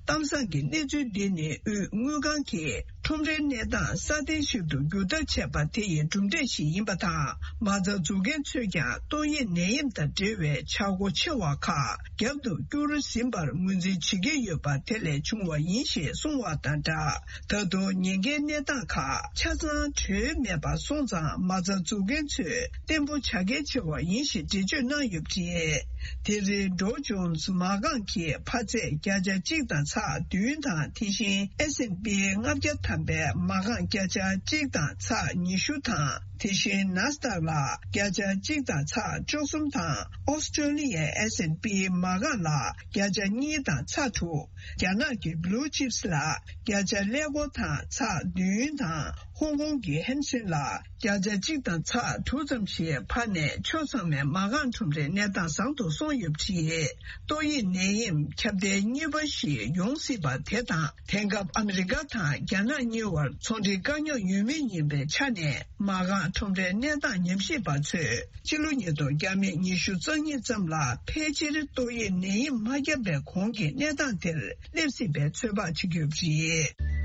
གཏམ་བཟང་གི་གནས་ཚུལ་འདི་ནི་དབུས་དངུལ་ཁང་གིས་ཁྲོམ་རའི་གནས་སྟངས་སྲ་བརྟན་ཞིག་ཏུ་བསྒྱུར་ཐབས་བྱས་པ་དེ་ཡི་གྲུབ་འབྲས་ཤིག་ཡིན་པ་དང་། མ་རྩ་འཛུགས་མཁན་ཚོས་ཀྱང་ཏོག་དབྱིབས་ནད་ཡམས་དང་འབྲེལ་བའི་ཆག་སྒོ་ཆེ་བ་ཁག་རྒྱབ་ཏུ་བསྐྱུར་ཟིན་པར་ངོས་འཛིན་བྱེད་ཀྱི་ཡོད་པ་དེ་ལས་བྱུང་བ་ཡིན་ཞེས་གསུངས་བ་དང་སྦྲགས། ད་དུང་ཉེན་ཁའི་གནས་སྟངས་ཁག་ཆ་ཚང་གྲོལ་མེད་པར་སོང་ཙང་། མ་རྩ་འཛུགས་མཁན་ཚོས་བརྟན་པོ་བྱ་གལ་ཆེ་བ་ཡིན་ཞེས་འགྲེལ་བརྗོད་གནང་ཡོད་པ་རེད། དེ་རིང་ཌོ་ཇོན་སི་མ་རྐང་གི་འཕར་ཚད་བརྒྱ་ཆ་གཅིག་དང་ཚེག་བདུན་དང་། དེ་བཞིན་ཨེས་ཨེན་པི་ལྔ་བརྒྱ་ཐམ་པའི་མ་རྐང་བརྒྱ་ཆ་གཅིག་དང་ཚེག་ཉི་ཤུ་དང་། དེ་བཞིན་ནཱ་སི་ཌག་ལ་བརྒྱ་ཆ་གཅིག་དང་ཚེག་བཅུ་གསུམ་དང་། ཨོ་སི་ཀྲོ་ལི་ཡའི་ཨེས་ཨེན་པི་མ་རྐང་ལ་བརྒྱ་ཆ་གཉིས་དང་ཚེག་དྲུག་རྒྱ་ནག་གི་བྷུ་ལུ་ཅིབ་སི་ལ་བརྒྱ་ཆ་ཀླད་ཀོར་དང་ཚེག་བདུན་དང་། ཧོང་ཀོང་གི་ཧན་སེན་ལ་ བརྒྱ་ཆ་གཅིག་དང་ཚེག་དྲུག་ཙམ་ཞིག་འཕར་ནས་ཕྱོགས་ཚང་མའི་མ་རྐང་ཁྲོམ་རའི་གནས་སྟངས་བཟང་དུ་སོང་ཡོད་པ་རེད། ཏོག་དབྱིབས་ནད་ཡམས་ཁྱབ་གདལ་གཉིས་པ་ཞིག་ཡོང་སྲིད་པ་དེ་དང་། དེང་སྐབས་ཨ་མི་རི་ཀ་དང་རྒྱ་ནག་གཉིས་བར་ཚོང་འབྲེལ་དཀའ་རྙོག་ཡོད་མུས་ཡིན་པའི་ཆ་ནས། མ་རྐང་ཁྲོམ་རའི་གནས་སྟངས་ཉམས་ཞིབ་པ་ཚོས་ཕྱི་ལོ་ཉིས་སྟོང་བརྒྱ་མེད་ཉི་ཤུ་རྩ་གཉིས་ཙམ་ལ་ཕལ་ཆེར་ཏོག་དབྱིབས་ནད་ཡམས་མ་བརྒྱབ་པའི་གོང་གི་གནས་སྟངས་དེར་སླེབས་སྲིད་པའི་ཚོད་དཔག་བྱེད་ཀྱི་ཡོད་པ་རེད།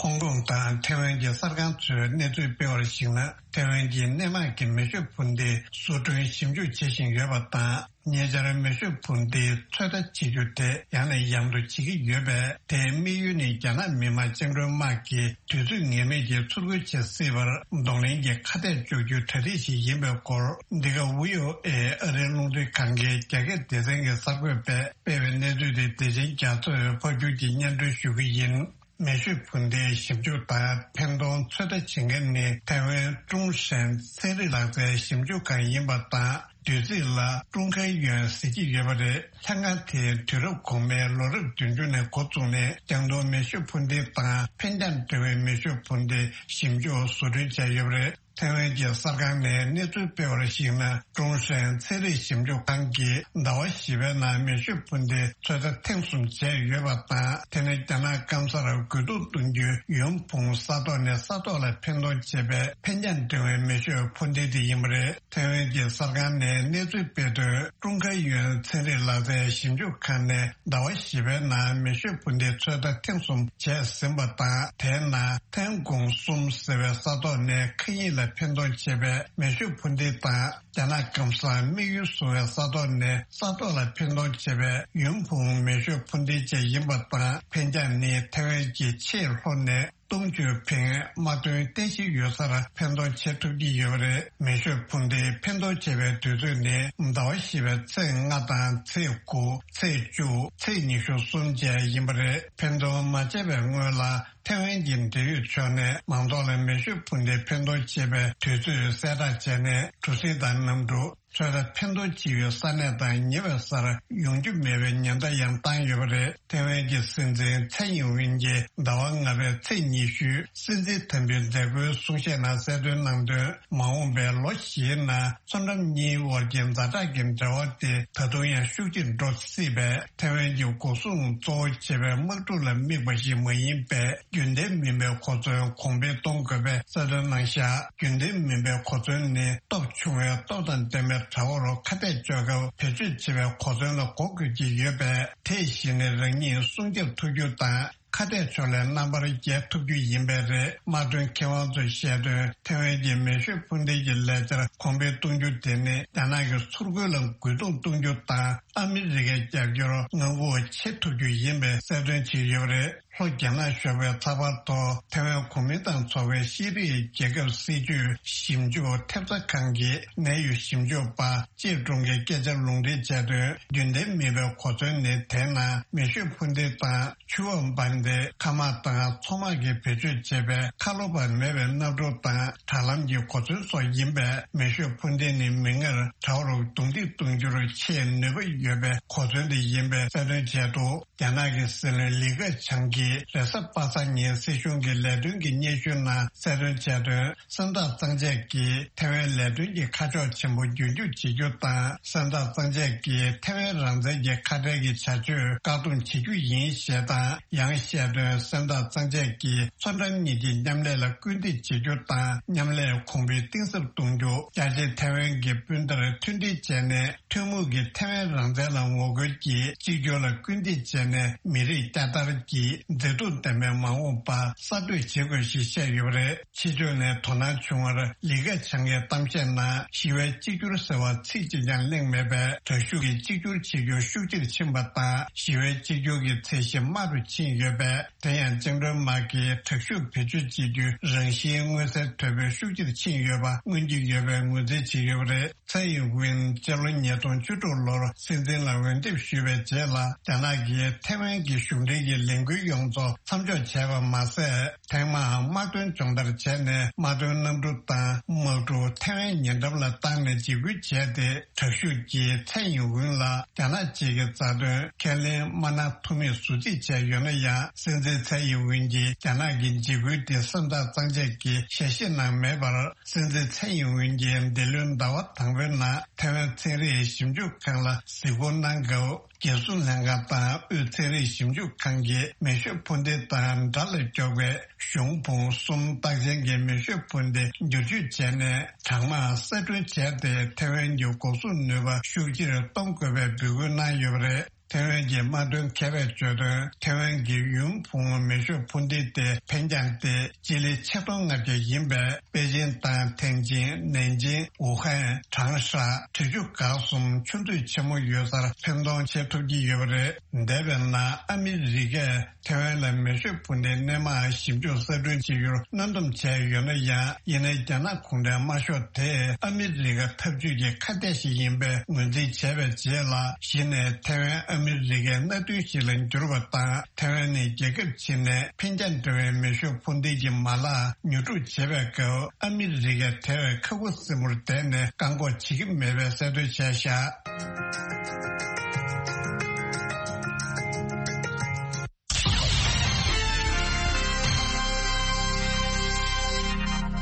ཧོང་ཀོང་དང་ཐེ་ཝན་གྱི་གསར་ཁང་ཚོས་གནས་ཚུལ་སྤེལ་བར་གཞིགས་ན། ཐེ་ཝན་གྱི་སྣེ་མང་གི་མེ་ཤོད་འཕུར་མདེལ་བཟོ་སྐྲུན་ཞིབ་འཇུག་བྱེད་བཞིན་ཡོད་པ་དང་། ཉེ་ཆར་མེ་ཤོད་འཕུར་མདེལ་ཚོད་ལྟ་བྱེད་རྒྱུ་དེ་ཡང་ནས་ཡང་དུ་བྱེད་ཀྱི་ཡོད་པས། དེའི་དམིགས་ཡུལ་ནི་རྒྱ་ནག་མི་དམངས་བཅིངས་འགྲོལ་དམག་གིས་དུས་ཚོད་ངེས་མེད་ཀྱི་ཚུར་རྒོལ་བྱེད་སྲིད་པར་གདོང་ལེན་གྱི་ཁ་གཏད་གཅོག་རྒྱུའི་གྲ་སྒྲིག་ཞིག་ཡིན་པའི་སྐོར། འདི་ག་ཝི་ཨོ་ཨེ་ཨ་རིའི་རླུང་འཕྲིན་ཁང་གི་རྒྱ་སྐད་སྡེ་ཚན་གྱི་གསར་འགོད་པས་སྤེལ་བའི་གནས་ཚུལ་དེ། བདེ་ཆེན་རྒྱ་མཚོས་ཕབ་སྒྱུར་གྱིས་སྙན་སྒྲོན་ཞུ་གི་ཡིན། མེ་ཤོད་འཕུར་མདེལ་ཞིབ་འཇུག་དང་འཕེན་གཏོང་ཚོད་ལྟ་བྱེད་མཁན་ནི་ཐའེ་ཝན་ཀྲུང་ཧྲན་ཚན་རིག་ལག་རྩལ་ཞིབ་འཇུག་ཁང་ཡིན་པ་དང་། བསྡུས་ཚིག་ལ་ཀྲུང་ཁའེ་ཡོན་ཟེར་གྱི་ཡོད་པ་རེད། ལྷན་ཁང་དེས་དུས་རབས་གོང་མའི་ལོ་རབས་བདུན་ཅུ་ནས་འགོ་བཙུགས་ནས། རྒྱང་མཐོང་མེ་ཤོད་འཕུར་མདེལ་དང་འཕེན་རྒྱང་འདྲ་བའི་མེ་ཤོད་འཕུར་མདེལ་ཞིབ་འཇུག་བཟོ་སྐྲུན་བྱས་ཡོད་པ་རེད། ཐའེ་ཝན་གྱི་གསར་ཁང་ནས་གནས་ཚུལ་སྤེལ་བར་གཞིགས་ན། ཀྲུང་ཧྲན་ཚན་རིག་ཞིབ་འཇུག་ཁང་གིས་ཟླ་བ་བཞི་པའི་ནང་མེ་ཤོད་འཕུར་མདེལ་ཚོད་ལྟ་ཐེངས་གསུམ་བྱས་ཡོད་པ་དང་། དེ་ནི་རྒྱ་ནག་སྐམ་སར་རྒོལ་རྡུང་གཏོང་རྒྱུའི་ཡོན་ཕུང་ས་ཐོག་ནས་ས་ཐོག་ལ་འཕེན་གཏོང་བྱེད་པའི་འཕེན་རྒྱང་འདྲ་བའི་མེ་ཤོད་འཕུར་མདེལ་དེ་ཡིན་པ་རེད། ཐའེ་ཝན་གྱི་གསར་ཁང་ནས་གནས་ཚུལ་སྤེལ་དོན། ཀྲུང་ཁའེ་ཡོན་ཚན་རིག་ལག་རྩལ་ཞིབ་འཇུག་ཁང་ནས་ཟླ་བ་བཞི་པའི་ནང་མེ་ཤོད་འཕུར་མདེལ་ཚོད་ལྟ་ཐེངས་གསུམ་བྱས་ཟིན་པ་དང་། དེའི་ནང་ཐན་གོང་གསུམ་ཟེར་བའི་ས་ཐོག་ནས་མཁའ་དབྱིངས་ལ་འཕེན་གཏོང་བྱེད་པའི་མེ་ཤོད་འཕུར་མདེལ་དང་། རྒྱ་ནག་སྐམ་སར་དམིགས་ཡུལ་བཟུང་བའི་ས་ཐོག་ནས་ས་ཐོག་ལ་འཕེན་གཏོང་བྱེད་པའི་ཡོན་ཕུང་མེ་ཤོད་འཕུར་མདེལ་བཅས་ཡིན་པ་དང་། འཕེན་རྒྱང་ནི་ཐའེ་ཝན་གྱི་ཆེས་ལྷོ་ནས་སྟོང་ཆུ་ཕིང་དམག་དོན་རྟེན་གཞི་ཡོད་སར་འཕེན་གཏོང་བྱེད་ཐུབ་ཀྱི་ཡོད་པ་རེད། མེ་ཤོད་འཕུར་མདེལ་འཕེན་གཏོང་བྱེད་པའི་དུས་ཚོད་ནི་ཟླ་བ་བཞི་པའི་ཚེས་ལྔ་དང་ཚེས་དགུ། ཚེས་བཅུ། ཚེས་ཉི་ཤུ་གསུམ་བཅས་ཡིན་པ་རེད། འཕེན་གཏོང་མ་བྱས་པའི་སྔོན་ལ་ཐའེ་ཝན་གྱི་འབྲེལ་ཡོད་ཕྱོགས་ནས་མང་ཚོགས་ལ་མེ་ཤོད་འཕུར་མདེལ་འཕེན་གཏོང་བྱེད་པའི་དུས་ཚོད་གསལ་བསྒྲགས་བྱས་ནས། གྲུ་གཟིངས་དང་གནམ་གྲུ། ཚོད་ལྟ་འཕེན་གཏོང་བྱེད་ཡུལ་ས་གནས་དང་ཉེ་བའི་སར་ཡོང་རྒྱུ་མེད་པའི་ཉེན་བརྡ་ཡང་བཏང་ཡོད་པ་རེད། ཐའེ་ཝན་གྱི་སྲིད་འཛིན་ཚའེ་ཡིན་ཝིན་གྱིས་ཟླ་བ་ལྔ་པའི་ཚེས་ཉི་ཤུའི་སྲིད་འཛིན་དམ་འབུལ་མཛད་སྒོའི་གསུང་བཤད་ནང་གསལ་སྟོན་གནང་དོན། མ་འོངས་པའི་ལོ་བཞིའི་ནང་མཚོ་འགྲམ་གཉིས་དབར་གྱི་ཛ་དྲག་གི་འབྲེལ་བ་དེ་ད་དུང་ཡང་ཤུགས་ཆེར་འགྲོ་སྲིད་པས། ཐའེ་ཝན་གྱི་འགོག་སྲུང་གཙོ་བོ་བྱེད་པའི་དམག་འཁྲུག་ལ་དམིགས་པ་ཞིག་མ་ཡིན་པས། རྒྱུན་ལྡན་མིན་པའི་གོ་མཚོན་གོང་འཕེལ་གཏོང་དགོས་པའི་གསལ་སྟོན་གནང་བཞག་རྒྱུན་ལྡན་མིན་པའི་གོ་མཚོན་ནི་སྟོབས་ཆུང་བའི་སྟོབས་དང་ལྡན་པའི་དགྲ་བོར་ཁ་གཏད་གཅོག་སྐབས་བེད་སྤྱོད་བྱེད་པའི་གོ་མཚོན་ལ་གོ་དགོས་ཀྱི་ཡོད་པས། དེ་བཞིན་ནི་རང་ཉིད་སྲུང་སྐྱོབ་ཐུབ་རྒྱུ་དང་། ཁ་གཏད་ཕྱོགས་ལས་རྣམ་པར་རྒྱལ་ཐུབ་རྒྱུ་ཡིན་པས་རེད། དམག་དོན་མཁས་དབང་ཚོས་བཤད་དོན། ཐའེ་ཝན་གྱི་མེ་ཤོད་འཕུར་མདེལ་གྱི་ལས་འཆར་གོང་འཕེལ་གཏོང་རྒྱུ་དེ་ནི་རྒྱ་ནག་གི་ཚུར་རྒོལ་ལ་རྒོལ་རྡུང་གཏོང་རྒྱུ་དང་། ཨ་མི་རི་ཀའི་རྒྱབ་སྐྱོར་མངའ་ཁོངས་བྱེད་ཐུབ་རྒྱུ་ཡིན་པའི་གསལ་སྟོན་བྱས་ཡོད་པ་རེད། ལྷོ་རྒྱ་ནག་གཞུང་གིས་ཚགས་པར་ཐོག་ཐའེ་ཝན་གོ་མིན་ཏང་ཚོགས་པའི་ཤེས་རིག་རྒྱལ་ཁབ་སྲིད་ཇུས་ཞིབ་འཇུག་ཐེབས་རྩ་ཁང་གི་ནད་ཡོད་ཞིབ་འཇུག་པ་ཅེ་ཀྲུང་གིས་སྐད་ཆར་ལུང་འདྲེན་བྱས་དོན། རྒྱུན་ལྡན་མིན་པའི་གོ་མཚོན་ནི་དེའི་ནང་མེ་ཤོད་འཕུར་མདེལ་དང་ཆུ་འོག་འབར་མདེལ། མཁའ་དམག་དང་མཚོ་དམག་གིས་བེད་སྤྱོད་བྱེད་པའི་ཁ་ལོ་བ་མེད་པའི་གནམ་གྲུ་དང་དྲ་ལམ་གྱི་གོ་མཚོན་སོགས་ཡིན་པས། མེ་ཤོད་འཕུར་མདེལ་ནི་མིག་སྔར་དགྲ་བོར་རྡུང་རྡེག་གཏོང་རྒྱུར་ཆེས་ནུས་པ་ཡོད་པའི་གོ་མཚོན་དེ་ཡིན་པའི་གསལ་སྟོན་བྱས་འདུག་རྒྱ་ནག་གི་སྲིད་བློན་ལི་ཁེ་ཆང་གིས་རེས་གཟའ་པ་སངས་ཉིན་སྲིད་གཞུང་གི་ལས་དོན་གྱི་སྙན་ཞུའི་ནང་གསལ་སྟོན་བྱས་དོན། སེམས་ཐག་གཙང་བཅད་ཀྱིས་ཐའེ་ཝན་ལས་དོན་གྱི་ཁ་ཕྱོགས་ཆེན་པོ་བསྒྱུར་བཅོས་བྱེད་རྒྱུ་དང་། སེམས་ཐག་གཙང་བཅད་ཀྱིས་ཐའེ་ཝན་རང་བཙན་གྱི་ཁ་བྲལ་གྱི་བྱ་སྤྱོད་བཀག་སྡོམ་བྱེད་རྒྱུ་ཡིན་ཞེས་དང་། ཡང་བཤད་དོན། སེམས་ཐག་གཙང་བཅད་ཀྱིས་མཚོ་འགྲམ་གཉིས་ཀྱི་མཉམ་ལས་ལ་སྐུལ་འདེད་བྱེད་རྒྱུ་དང་། མཉམ་ལས་གོང་འཕེལ་གཏིང་ཟབ་གཏོང་རྒྱུ། རྒྱ་ཆེ་ཐའེ་ཝན་གྱི་སྤུན་ཟླར་མཐུན་སྒྲིལ་བྱས་ནས། ཐུན་མོང་གི་ཐའེ་ཝན་རང་བཙན་ལ་ངོ་རྒོལ་གྱིས་གཅིག་གྱུར་ལ་སྐུལ་འདེད་བྱས་ནས། མི་རིགས་བསྐྱར་དར་གྱི་མཛེས་སྡུག་ལྡན་པའི་མ་འོངས་པ་གསར་གཏོད་བྱེད་དགོས་ཞེས་བཤད་ཡོད་པ་རེད། ཕྱི་ཕྱོགས་ནས་དོ་སྣང་བྱུང་བར། ལི་ཁེ་ཆང་གིས་གཏམ་བཤད་ནང་ཞི་བའི་གཅིག་གྱུར་ཟེར་བ་ཚིག་གཅིག་ཀྱང་གླེང་མེད་པས། དྲག་ཤུགས་ཀྱིས་གཅིག་གྱུར་བྱེད་རྒྱུ་ཤུགས་ཆེར་ཕྱིན་པ་དང་། ཞི་བའི་གཅིག་གྱུར་གྱི་ཚད་གཞི་དམའ་རུ་ཕྱིན་ཡོད་པས། དེ་ཡང་བཅིངས་འགྲོལ་དམག་གིས་དྲག་ཤུགས་བེད་སྤྱོད་བྱེད་རྒྱུའི་རང་བཞིན་མངོན་གསལ་དོད་པོས་ཤུགས་ཆེར་ཕྱིན་ཡོད་པ་མངོན་གྱི་ཡོད་པའི་ངོས་འཛིན་བྱས་ཡོད་པ་རེད། ཚའེ་ཡིན་ཝིན་སྤྱི་ལོ་ཉིས་སྟོང་བཅུ་དྲུག་ལོར་སྲིད་འཛིན་ལ་འོས་འདེམས་ཞུས་པའི་རྗེས་ལ། རྒྱ་ནག་གིས་ ཐེ་ཝན་གྱི་གཞུང་འབྲེལ་གྱི་ལས་འགུལ་ཡོངས་རྫོགས་མཚམས་འཇོག་བྱས་པ་མ་ཟད། ཐེངས་མའང་དམག་དོན་སྦྱོང་བརྡར་བྱས་ནས་དམག་དོན་གནམ་གྲུ་དང་དམག་གྲུ་ཐེ་ཝན་ཉེ་འགྲམ་ལ་བཏང་ནས་འཇིགས་སྐུལ་བྱས་ཏེ། དྲག་ཤུགས་ཀྱིས་ཚའེ་ཡིན་ཝུན་ལ་རྒྱ་ནག་གཅིག་གི་རྩ་དོན་ཁས་ལེན་མ་གནང་ཐུབ་མིན་ཟུར་རྩིས་བྱས་ཡོད་ན་ཡང་། སྲིད་འཛིན་ཚའེ་ཡིན་ཝུན་གྱིས་རྒྱ་ནག་གི་འཇིགས་སྐུལ་དེ་སེམས་ཐག་གཙང་བཅད་ཀྱིས་ཞལ་བཞེས་གནང་མེད་པར། སྲིད་འཛིན་ཚའེ་ཡིན་ཝུན་གྱིས་འདི་ལོའི་ཟླ་བ་དང་པོའི་ནང་ཐེ་ཝན་ཚན་རིག་ཞིབ་འཇུག་ཁང་ལ་གཟིགས་སྐོར་གནང་སྐབས། རྒྱལ་སྲུང་ལྷན་ཁང་དང་དབུས་ཚན་རིག་ཞིབ་འཇུག་ཁང་གིས་མེ་ཤོད་འཕུར་མདེལ་དང་དགྲ་ལ་སྐྱོབ་པའི་གཞུང་འབུམ་གསུམ་རྟགས་ཅན་གྱི་མེ་ཤོད་འཕུར་མདེལ་བསྒྱུར་བཅོས་བྱས་ནས་གྲངས་མང་གསར་སྐྲུན་བྱས་ཏེ། ཐེ་ཝན་གྱི་འགོག་སྲུང་ནུས་པ་ཤུགས་ཆེར་གཏོང་དགོས་པའི་འབོད་སྐུལ་གནང་ཡོད་པ་རེད། ཐེ་ཝན་གྱི་དམག་དོན་མཁས་པས་བརྗོད་དོན། ཐེ་ཝན་གྱི་ཡུན་ཕུང་མེ་ཤོད་འཕུར་མདེལ་དེ་འཕེན་རྐྱང་སྟེ་སྤྱི་ལེ་ཆིག་སྟོང་ལྔ་བརྒྱ་ཡིན་པས། པེ་ཅིན་དང་ཐེན་ཅིན། ནན་ཅིང་། ཝུ་ཧན། ཁྲང་ཧྲ། ཁྲི་ཆུ་སྒང་གསུམ་ཆུ་མཛོད་ཆེན་མོ་ཡོད་སར་འཕེན་གཏོང་བྱེད་ཐུབ་ཀྱི་ཡོད་པ་རེད། འདས་པའི་ནང་ཨ་མི་རི་ཀས་ཐེ་ཝན་ལ་མེ་ཤོད་འཕུར་མདེལ་སྣེ་མང་ཞིབ་འཇུག་གསར་སྐྲུན་བྱེད་རྒྱུར་གནོན་སྡོམ་བྱས་ཡོད་ན་ཡང་། ཡིན་ནའི་རྒྱ་ནག་གུང་ཁྲན་དམར་ཤོག་དེས་ཨ་མི་རི་ཀ་འཐབ་ཇུས་ཀྱི་ཁ་གཏད་ཞིག་ཡིན་པའི་ངོས་འཛིན་བྱས་པའི་རྗེས་ལ། གཞི་ནས་ཐེ་ཝན་ཨ་མི་རི་ཀའི་མནའ་མཐུན་ཞིག་ལ་འགྱུར་བ་དང་། ཐེ་ཝན་ནི་རྒྱལ་ཁབ་ཕྱི་ནས་འཕེན་རྐྱང་འདྲ་བའི་མེ་ཤོད་འཕུར་མདེལ་གྱི་མ་ལག་ཉོ་སྒྲུབ་བྱེད་པའི་སྐབས། ཨ་མི་རི་ཀས་དེ་བས་ཁ་ཁུ་སིམ་པོར་བསྡད་ནས་བཀག་འགོག་བྱེད་ཀྱི་མེད་པའི་གསལ་སྟོན་བྱས་བཞག་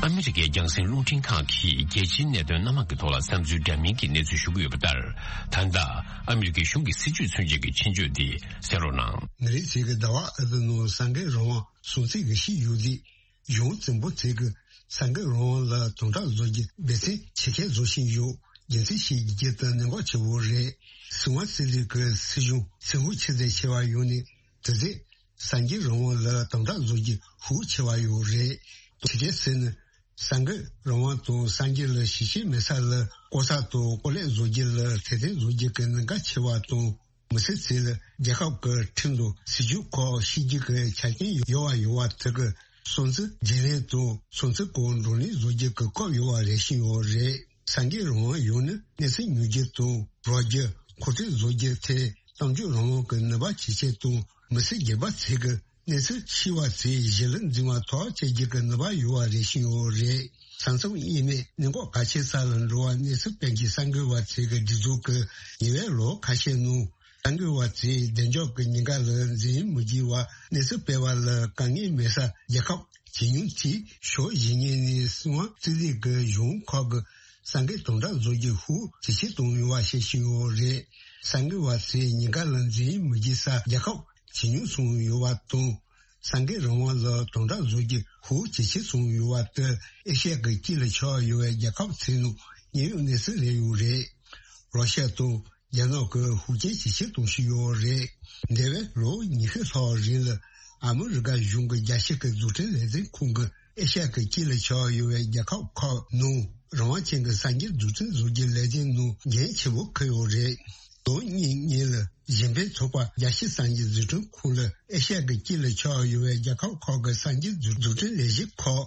ཨ་མི་རི་ཀའི་རྒྱང་སྲིང་རླུང་འཕྲིན་ཁང་གིས་རྒྱལ་སྤྱིའི་གནད་དོན་སྣ་མང་གི་ཐོག་ལ་བསམ་ཚུལ་འདྲ་མིན་གྱི་གནས་ཚུལ་ཞུ་གི་ཡོད་པ་ལྟར། ད་ལྟ་ཨ་མི་རི་ཀའི་གཞུང་གི་སྲིད་ཇུས་མཚོན་བྱེད་ཀྱི་ཆེད་བརྗོད་འདི་གསན་རོགས་གནང་། མི་རིགས་ཚོས་ཀྱི་ཟླ་བ་ཨ་ཏི་ནང་གསར་འགོད་རང་དབང་སྲུང་བརྩི་གི་ཞིག་ཡོད་དེ། གཞུང་བཙན་པོ་ཚོས་ཀྱི་གསར་འགོད་རང་དབང་ལ་དམ་དྲག་བཟོ་རྒྱུ་འབད་བརྩོན་ཇེ་ཆེར་བཟོ་བཞིན་ཡོད། རྒྱུ་མཚན་ཞིག་རྒྱུ་དེ་གནད་འགག་ཆེ་བོ་རེད། སྲིད་དབང་རྩོད་ལས་ཀྱི་སྲིད་གཞུང་སེམས་ཤུགས་ཆེ་ཙམ་ཆེ་བ་ཡོད་ནས། དེ་ཚོས་གསར་འགོད་རང་དབང་ལ་དམ་དྲག་བཟོ་རྒྱུ་ཤུགས་ཆེ་བ་ཡོད་རེད། དེ་གས་ཟེར་ན། གསར་འགོད་རང་དབང་དང་གསར་འགྱུར་ལ་ཞིབ་བཤེར་མེད་ས་ལ་ལྐོག་ཟ་དང་ལྐོག་ལས་བཟོ་རྒྱུ་ལ་ཐེར་འདོན་བཟོ་རྒྱུ་གི་གནད་འགག་ཆེ་བ་དང་། མི་སེར་ཚོས་ལ་རྒྱལ་ཁབ་ཀྱི་ཁྲིམས་དང་སྲིད་ཇུས་ཁག་ཤེས་རྒྱུ་གི་ཆ་རྐྱེན་ཡོད་པ་ཡོད་པ་དེ་གི་སྲུང་བརྩི་བརྗེ་ལེན་དང་སྲུང་བརྩི་སྐོར་བགྲོ་གླེང་བཟོ་རྒྱུ་གི་སྐབས་ཡོད་པ་རེ་བཞིན་ཡོད་རེད། གསར་འགྱུར་རང་དབང་ཡོད་ན་གནས་ཚུལ་ཉོ་རྒྱུ་དང་རོགས་རྒྱུ། མཁོ་སྤྲོད་བཟོ་རྒྱུ་ཐད་གཏམ་བརྗོད་རང་དབང་གི་ནུས་པ་ཇེ་ཆེ་དང་། མི་སེར་སྒེར་པ་ཚོས་ཀྱི་གནས་ཚུལ་ཤེས་པ་ཚོས་གཞི་ལ་འཛིན་པ་ཐག་བཅད་རྒྱུ་གི་ནུས་པ་ཡོད་པ་རེ་བཞིན་ཡོད་རེད། ས་མཚམས་དབྱེ་མེད་གནད་འགག་གལ་ཆེ་ས་ལ་འགྲོ་བ་གནས་ཚུལ་སྤེལ་མཁན་གསར་འགོད་པ་ཚོས་ཀྱི་སྒྲིག་འཛུགས་ཀྱི་ཉེ་བའི་ལོ་ཁ་ཤས་ནང་། གསར་འགོད་པ་ཚོས་བདེ་འཇགས་ཀྱི་ཉེན་ཁ་ལ་འཛེམ་མི་བགྱིད་པར་གནས་ཚུལ་སྤེལ་བ་ལ་དཀའ་ངལ་མེད་ས་རྒྱལ་ཁབ་ཇེ་ཉུང་དེ་ཕྱོགས་གཞན་ངོས་ནས་སྲིད་དབང་རྩོད་ལས་ཀྱི་གཞུང་ཁག་གི་གསར་འགོད་དམ་དྲག་བཟོ་རྒྱུ་ཤུགས་ཇེ་ཆེར་གཏོང་ཡོང་བ་བཤད་བཞིན་ཡོད་རེད། གསར་འགོད་པ་ཚོས་ཉེན་ཁ་ལ་འཛེམ་མི་བགྱིད་ས་རྒྱལ་ཁབ་ཇེ་ཉུང་སོང་ཡོད་པ་དང་། གསར་འགོད་རང་དབང་ལ་དམ་དྲག་བཟོ་རྒྱུ་ཤུགས་ཇེ་ཆེར་སོང་ཡོད་པ་དེ་ཨེ་ཤ་ཡ་གི་དཀྱིལ་ལ་ཆགས་ཡོད་པའི་རྒྱལ་ཁབ་ཚོའི་ནང་དམིགས་ཡུལ་གནས་ཚུལ་རེད་ཡོད་རེད། རོ་ཤ་དང་རྒྱ་ནག་གི་ཤུགས་རྐྱེན་ཇེ་ཆེར་གཏོང་བཞིན་ཡོད་རེད། འདས་པའི་ལོ་ཉི་ཤུ་ལྷག་རིང་ལ་ཨ་མི་རི་ཀ་གཞུང་གི་རྒྱལ་སྤྱི་གི་འཛུགས་སྐྲུན་ལས་དོན་ཁང་གིས་ཨེ་ཤ་ཡ་གི་དཀྱིལ་ལ་ཆགས་ཡོད་པའི་རྒྱལ་ཁབ་ཁག་ནང་རང་དབང་ཅན་གྱི་གསར་འགྱུར་འཛུགས་སྐྲུན་བཟོ་རྒྱུའི་ལས་དོན་ནང་འགན་ཆེན་པོ་འཁུར་ཡོད་རེད། ལོ་གཉིས་སྔོན་ལ་གཞན་ཕན་ཚོགས་པ་རྒྱལ་སྤྱིའི་གསར་འགྱུར་འཛུགས་སྐྲུན་ཁང་ལ་ཨེ་ཤ་ཡ་གི་དཀྱིལ་ལ་ཆགས་ཡོད་པའི་རྒྱལ་ཁབ་ཁག་གི་གསར་འགྱུར་འཛུགས་སྐྲུན་ལས་གཞི་ཁག་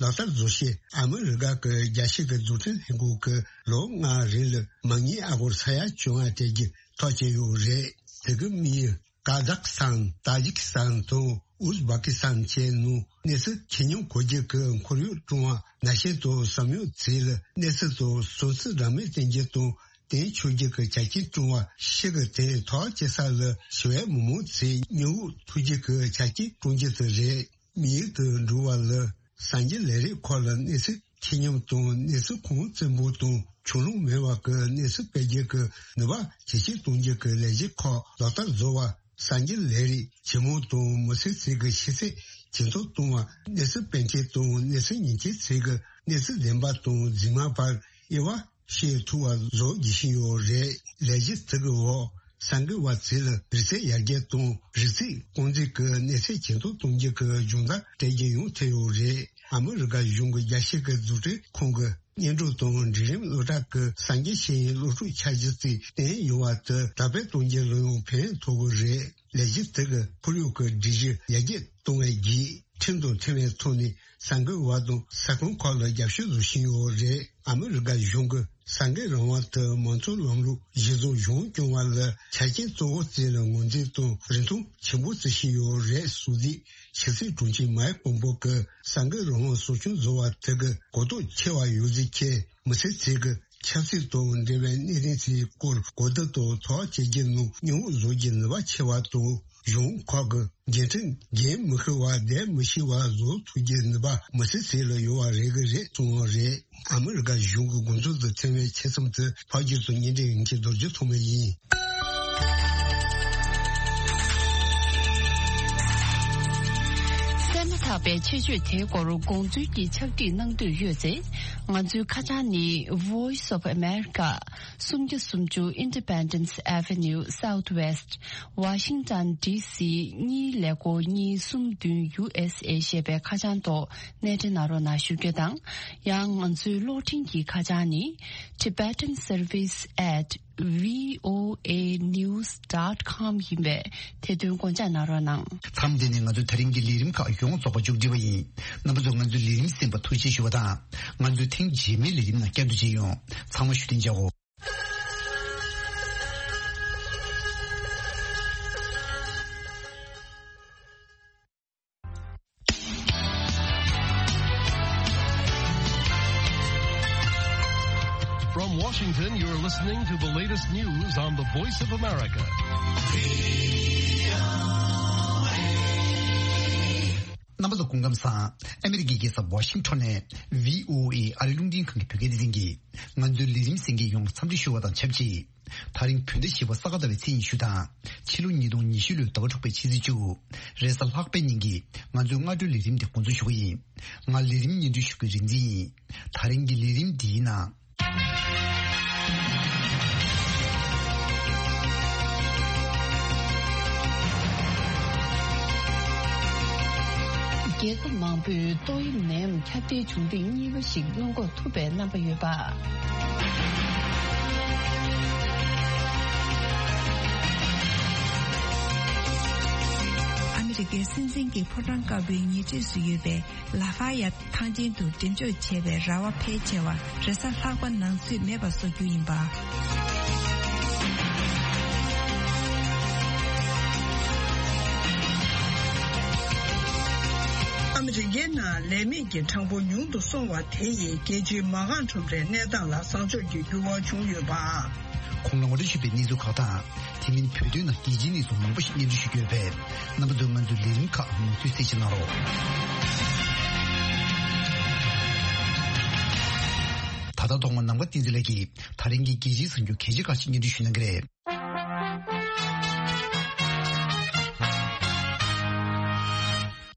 ལག་བསྟར་བཟོ་ཆེད་ཨ་མི་རི་ཀ་གི་རྒྱལ་སྤྱི་གི་འཛུགས་སྐྲུན་ལྷན་ཁང་གིས་ལོ་ལྔའི་རིང་ལ་མ་དངུལ་ཨ་སྒོར་ས་ཡ་བཅོ་ལྔ་སྤྲད་རྒྱུ་ཐག་བཅད་ཡོད་རེད། དེ་གི་དམིགས་ཡུལ་ཀ་ཛག་སི་ཐན། ཏཱ་ཇིག་སི་ཐན་དང་ཨུ་ཛི་བྷ་ཀི་སི་ཐན་བཅས་ནང་གནས་ཚུལ་ཆེ་སྙོམས་གོ་རྒྱུ་གི་ཁོར་ཡུག་བསྐྲུན་པ། ན་གཞོན་དང་གསར་སྤྱོད་ཚོས་ལ་གནས་ཚུལ་དང་སྲུང་བརྩི་འདྲ་མིན་བསྟན་རྒྱུ་དང་བསྟན་ཆོག་རྒྱུ་གི་ཆ་རྐྱེན་བསྐྲུན་པ། ཤི་གི་དེ་ཐག་བཅད་ས་ལ་ཞི་བའི་མི་མང་ཚོས་མྱི་དབུགས་ཐུག་རྒྱུ་གི་ཆ་རྐྱེན་བསྐྲུན་རྒྱུ་དེ་རེད། དམིགས་ཡུལ་དེ་འགྲུབ་པ་ལ་གསར་འགྱུར་ལས་རིགས་ཁག་ལ་གནས་ཚུལ་ཆེ་སྙོམས་དང་གནས་ཚུལ་ཁུངས་བཙུན་པོ་དང་ཕྱོགས་ལྷུང་མེད་པ་གི་གནས་ཚུལ་སྤེལ་རྒྱུ་གི་ནུས་པ་ཇེ་ཆེར་གཏོང་རྒྱུ་གི་ལས་གཞི་ཁག་ལག་བསྟར་བཟོ་བ། གསར་འགྱུར་ལས་རིགས་ཇེ་མང་དང་མི་སེར་ཚོས་གི་ཤེས་ཚད་ཇེ་མཐོར་གཏོང་བ། གནས་ཚུལ་སྤེལ་མཁན་དང་གནས་ཚུལ་ཉན་མཁན་ཚོས་གི་གནས་ཚུལ་བདེན་པ་དང་རྫུན་མ་བར་དབྱེ་བ་ཕྱེ་ཐུབ་པ་བཟོ་དགོས་བཞིན་ཡོད་རེད། ལས་གཞི་དེ་གི་འོག་གསར་འགོད་པ་ཚོས་ལ་རིག་རྩལ་ཡར་རྒྱས་དང་རིག་རྩལ་རྐང་འཛིན་གྱི་གནས་ཚད་ཇེ་མཐོར་གཏོང་རྒྱུ་གི་སྦྱོང་བརྡར་སྤྲད་རྒྱུ་ཡང་ཐེ་ཡོད་རེད། ཨ་མི་རི་ཀ་གཞུང་གི་རྒྱལ་སྤྱི་གི་འཛུགས་སྐྲུན་ཁང་གི་སྙན་སྒྲོན་དང་འབྲིང་རིམ་གློག་དྲ་གི་གསར་འགྱུར་ཤེས་ཡོན་སློབ་ཕྲུག་འཆར་གཞི་དེ་བཏོན་ཡོད་པ་དེ་དར་སྤེལ་གཏོང་རྒྱུ་ལ་ཡང་ཕན་ཐོགས་ཀྱི་རེད། ལས་གཞི་དེ་གི་ཁོར་ཡུག་གི་སྒྲིག་གཞི་ཡར་རྒྱས་གཏོང་བའི་བརྒྱུད་ཁྲིམས་དང་མཐུན་པའི་ཐོག་ནས་གསར་འགོད་པ་དང་ས་ཁོངས་ཁག་ལ་རྒྱབ་སྐྱོར་བཟོ་བཞིན་ཡོད་རེད། ཨ་མི་རི་ཀ་གཞུང་གི་ གསར་འགོད་རང་དབང་དུ་མང་གཙོའི་ལམ་ལུགས་གཞི་བཟུང་གཞུང་སྐྱོང་བ་ལ་ཆ་རྐྱེན་གཙོ་བོ་བརྩིས་ལ་ངོས་འཛིན་དང་རིན་ཐང་ཆེན་པོ་བརྩི་བཞིན་ཡོད་རེད་གསུངས་ཏེ། ཕྱི་སྲིད་དྲུང་ཆེ་མཱིག་པོམ་པོ་གིས་གསར་འགོད་རང་དབང་སྲུང་སྐྱོང་བཟོ་བ་དེ་གི་གོ་རྟོགས་ཆེ་བ་ཡོད་ཚུལ་བཅས། མི་སེར་ཚོས་ཀྱི་ཆབ་སྲིད་དང་འབྲེལ་བའི་གནད་དོན་ཚོའི་སྐོར་གོ་བསྡུར་དང་ཐོག་བཅར་རྒྱུ་ནང་མཉམ་བཞུགས་བཟོ་རྒྱུའི་ནུས་པ་ཆེ་བ་དང་། གཞུང་ཁག་གི་འགན་འཁྲི་འགན་མི་ཤེས་པ་བསྡད་མི་ཤེས་པ་བཟོ་ཐུབ་རྒྱུའི་ནུས་པ་མི་སེར་ཚོ་ལ་ཡོད་པ་རེད་གི་རེད་གསུངས་པ་རེད། ཨ་མི་རི་ཀ་གཞུང་གི་དགོངས་ཚུལ་དང་འཚམས་པའི་ཆེད་རྩོམ་དེ་ཕབ་སྒྱུར་དང་སྙན་སྒྲོན་ཡིན་གྱི་རྡོ་རྗེ་ཐོགས་མེད་ཡིན། གསན་མ་ཐག་པའི་ཆེད་བརྗོད་དེའི་སྐོར་དགོངས་ཚུལ་གྱི་ཕྱག་བྲིས་གནང་འདོད་ཡོད་ཚེ། ང་ཚོའི་ཁ་བྱང་ནི། Voice of America། སུམ་བརྒྱ་སུམ་ཅུ་Independence Avenue Southwest། Washington D C གཉིས་ཀླད་ཀོར་གཉིས་གསུམ་བདུན། U S A ཞེས་པའི་ཁ་བྱང་ཐོག་གནས་འབྲེལ་གནང་རོགས་གནང་ཞུ་རྒྱུ་དང་། ཡང་ང་ཚོའི་གློག་འཕྲིན་གྱི་ཁ་བྱང་ནི། Tibetan Service at V O A news dot com ཡིན་པས་དེ་དོན་དགོངས་འཇགས་གནང་རོགས་གནང་། མཚམས་འདི་ནས་ང་ཚོའི་ད་རིང་གི་ལས་རིམ་ཁག་ཡོངས་རྫོགས་པ་མཇུག་སྒྲིལ་བ་ཡིན། རྣམ་པ་ཚོས་ང་ཚོའི་ལས་རིམ་གསན་པར་ཐུགས་རྗེ་ཆེ་ཞུ་བ་དང་། ང་ཚོའི་ཐེངས་རྗེས་མའི་ལས་རིམ་ནང་བསྐྱར་དུ་མཇལ་ཡོང་། ཚང་མ་བཞུགས་གདན་འཇགས་འོ། From Washington, you're listening to the latest news on the Voice of America. རྣམ་པ་ཚོ་སྐུ་ཁམས་བཟང་། ཨ་མི་རི་ཀའི་རྒྱལ་ས་ཝ་ཤིང་ཊོན་ནས་V O A ཨ་རི་རླུང་འཕྲིན་ཁང་གི་བོད་སྐད་སྡེ་ཚན་གྱིས་ང་ཚོའི་ལས་རིམ་གསན་མཁན་ཡོངས་ལ་འཚམས་འདྲི་ཞུ་བ་དང་ཆབས་ཅིག་ད་རིང་བོད་ཟླ་བཞི་པ་ས་ག་ཟླ་བའི་ཚེས་ཉི་ཤུ་དང་ཕྱི་ལོ་ཉིས་སྟོང་ཉི་ཤུ་ལོའི་ཟླ་བ་དྲུག་པའི་ཕྱི་ཚེས་བཅུ། རེས་གཟའ་ལྷག་པའི་ཉིན་གྱི་ང་ཚོའི་སྔ་དྲོའི་ལས་རིམ་དེ་འགོ་འཛུགས་ཞུ་གི་ཡིན། ང་ལས་རིམ་སྙན་སྒྲོན་ཞུ་མཁན་རིག་འཛིན་ཡིན། ད་རིང་གི་ལས་རིམ་འདིའི་ནང་། རྒྱལ་ཁབ་མང་པོས་ཏོག་དབྱིབས་ནད་ཡམས་ཁྱབ་གདལ་བྱུང་སྟེང་གཉིས་པ་ཞིག་སྔོན་འགོག་ཐུབ་པའི་རྣམ་པ་ཡོད་པ། ཨ་མི་རི་ཀའི་སྲིད་འཛིན་གྱི་ཕོ་བྲང་དཀར་པོའི་ཉེ་འཁྲིས་སུ་ཡོད་པའི་ལ་ཧྥ་ཡ་ཐང་ཆེན་དུ་འགྲེམས་འཇོག་བྱས་པའི་ར་བ་ཕལ་ཆེ་བ་རེས་གཟའ་ལྷག་པ་ནང་ཚུད་མེད་པ་བཟོ་རྒྱུ་ཡིན་པ། ཨ་མི་རི་ཀའི་ནང་ལས་མེད་ཀྱི་གྲངས་འབོར་ཉུང་དུ་སོང་བ་དེ་ཡིས་རྒྱལ་སྤྱིའི་མ་རྐང་ཁྲོམ་རའི་གནས་སྟངས་ལ་བཟང་ཕྱོགས་ཀྱི་འགྱུར་བ་བྱུང་ཡོད་པ། གོང་ལ་ངོ་སྤྲོད་ཞུས་པའི་གནས་ཚུལ་ཁག་དང་། དེ་མིན་བོད་དོན་ནང་རྒྱལ་སྤྱིའི་གནས་ཚུལ་མང་པོ་ཞིག་སྙན་སྒྲོན་ཞུ་རྒྱུ་ཡོད་པས། རྣམ་པ་ཚོས་ང་ཚོའི་ལས་རིམ་ཁག་མུ་མཐུད་གསན་བཞེས་གནང་རོགས། ད་ལྟ་ཐོག་མར་ནམ་མཁའ་བསྟན་འཛིན་ལགས་ཀྱིས་ད་རིང་གི་རྒྱལ་སྤྱིའི་གསར་འགྱུར་གལ་ཆེ་ཁག་ཅིག་སྙན་སྒྲོན་ཞུ་གནང་གི་རེད།